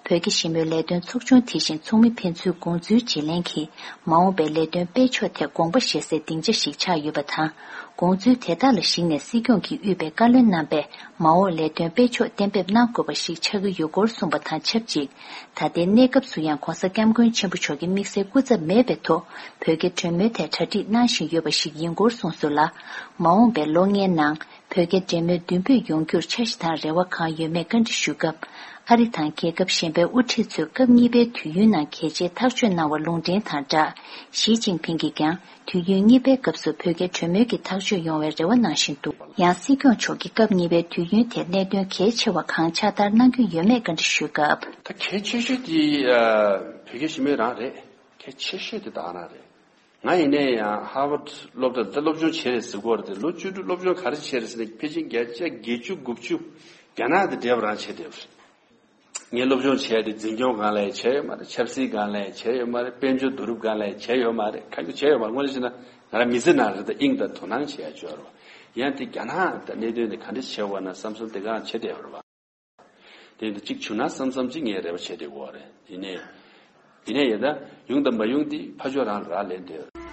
བོད་ཀྱི་ཞི་མོལ་ལས་དོན་ཚོགས་ཆུང་དེ་བཞིན་ཚོགས་མི་ཕན་ཚུན་དགོངས་ཚུལ་བརྗེ་ལེན་གྱིས་མ་འོངས་པའི་ལས་དོན་སྤེལ་ཕྱོགས་ཐད་དགོངས་པ་བཞེས་སའི་སྡིངས་ཆ་ཞིག་ཆགས་ཡོད་པ་དང་། དགོངས་ཚུལ་དེ་དག་ལ་གཞིགས་ནས་སྲིད་སྐྱོང་གིས་དབུས་པའི་བཀའ་བློན་རྣམ་པས་མ་འོངས་ལས་དོན་སྤེལ་ཕྱོགས་གཏན་འབེབས་གནང་དགོས་པ་ཞིག་ཆགས་ཀྱི་ཡོད་སྐོར་གསུངས་པ་དང་ཆབས་ཅིག། ད་ལྟའི་གནས་སྐབས་སུ་ཡང་༧གོང་ས་༧སྐྱབས་མགོན་ཆེན་པོ་མཆོག་གི་དམིགས་བསལ་སྐུ་ཚབ་མེད་པའི་ཐོག་བོད་རྒྱ་གྲོས་མོལ་ཐད་གྲ་སྒྲིག་གནང་བཞིན་ཡོད་པ་ཞིག་ཡིན་སྐོར་གསུངས་སོང་ལ། མ་འོངས་པའི་ལོ་ལྔའི་ནང་བོད་རྒྱ་འབྲེལ་མོལ་མདུན་སྤོས་ཡོང་རྒྱུར་འཆར་གཞི་དང་རེ་བ་གང་ཡོད་མེད་བཀའ་འདྲི་ཞུས་སྐབས། ཨ་རི་དང་རྒྱལ་ཁབ་གཞན་པའི་དབུ་ཁྲིད་ཚོས་སྐབས་གཉིས་པའི་དུས་ཡུན་ནང་གལ་ཆེའི་ཐག་གཅོད་གནང་བ་ལུང་འདྲེན་དང་སྦྲགས། ཞི་ཅིན་ཕིང་གིས་ཀྱང་དུས་ཡུན་གཉིས་པའི་སྐབས་སུ་བོད་རྒྱ་གྲོས་མོལ་གྱི་ཐག་གཅོད་ཡོང་བའི་རེ་བ་གནང་བཞིན་འདུག། ཡང་སྲིད་སྐྱོང་མཆོག་གིས་སྐབས་གཉིས་པའི་དུས་ཡུན་དེར་གནད་དོན་གལ་ཆེ་བ་གང་ཕྱག་བསྟར་གནང་རྒྱུ་ཡོད་མེད་བཀའ་འདྲི་ཞུས་སྐབས། ད་གལ་ཆེ་ཤོས་དེ་ཨ་བོད་རྒྱ་ཞི་མོལ་རང་རེད། གལ་ཆེ་ཤོས་དེ་ད་ག་རང་རེད། ང་ཡིན་ནའི་ཡང་ཧར་ཝརཌ་སློབ་གྲྭ་ལ་ད་སློབ་སྦྱོང་བྱས་རེད་ཟེར་གྱི་ཡོད་རེད་དེ། ལོ་བཅུ་དྲུག་སློབ་སྦྱོང་ག་རེ་བྱས་རེད་ཟེར་ན། ཕལ་ཆེར་བརྒྱ་ཆ་བརྒྱད་ཅུ་དགུ་བཅུ་རྒྱ་ནག་དེ་འདྲ་བ་རང་བྱས་བསྡད་ཡོད་རེད། ངས་སློབ་སྦྱོང་བྱས་ཏེ་འཛིན་སྐྱོང་སྒང་ལ་ཡང་བྱས་ཡོད་མ་རེད། ཆབ་སྲིད་སྒང་ལ་ཡང་བྱས་ཡོད་མ་རེད། དཔལ་འབྱོར་བསྡུ་རུབ་སྒང་ལ་ཡང་བྱས་ཡོད་མ་རེད། གང་ཡང་བྱས་ཡོད་མ་རེད། དངོས་གནས་བཤད་ན་ང་རང་མི་ཚེ་ནང་རེད་ད་དབྱིངས་དང་དོ་སྣང་བྱེད་ཡ་ཅིག་ཡོད་རེད་བ། ཡང་དེ་རྒྱ་ནག་དང་གནད་དོན་དེ་ག་འདྲ་བྱས་པ་ན་བསམ་བསམ་དེ་ག་རང་བྱས་བསྡད་ཡོད་རེད་བ། དེ་འདྲ་གཅིག་བྱུང་ན་བསམ་བསམ་གཅིག་ངས་རེ་བ་བྱས་བསྡད་ཡོད་རེད། ཡིན་ནའི་ཡིན་ནའི་ཡིན་ད་ཡོང་དང་མ་ཡོང་དེ་ཕར་ཕྱོགས་རང་ལ་རག་ལས་བསྡད་ཡོད་རེད།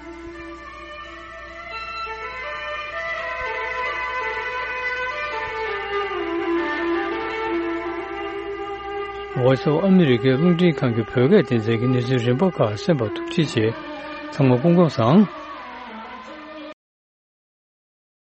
Voice of America རླུང་འཕྲིན་ཁང་གི་བོད་སྐད་སྡེ་ཚན་གྱི་གནས་ཚུལ་རིམ་པ་ཁག་གསན་པར་ཐུགས་རྗེ་ཆེ། ཚང་མ་སྐུ་ཁམས་བཟང་།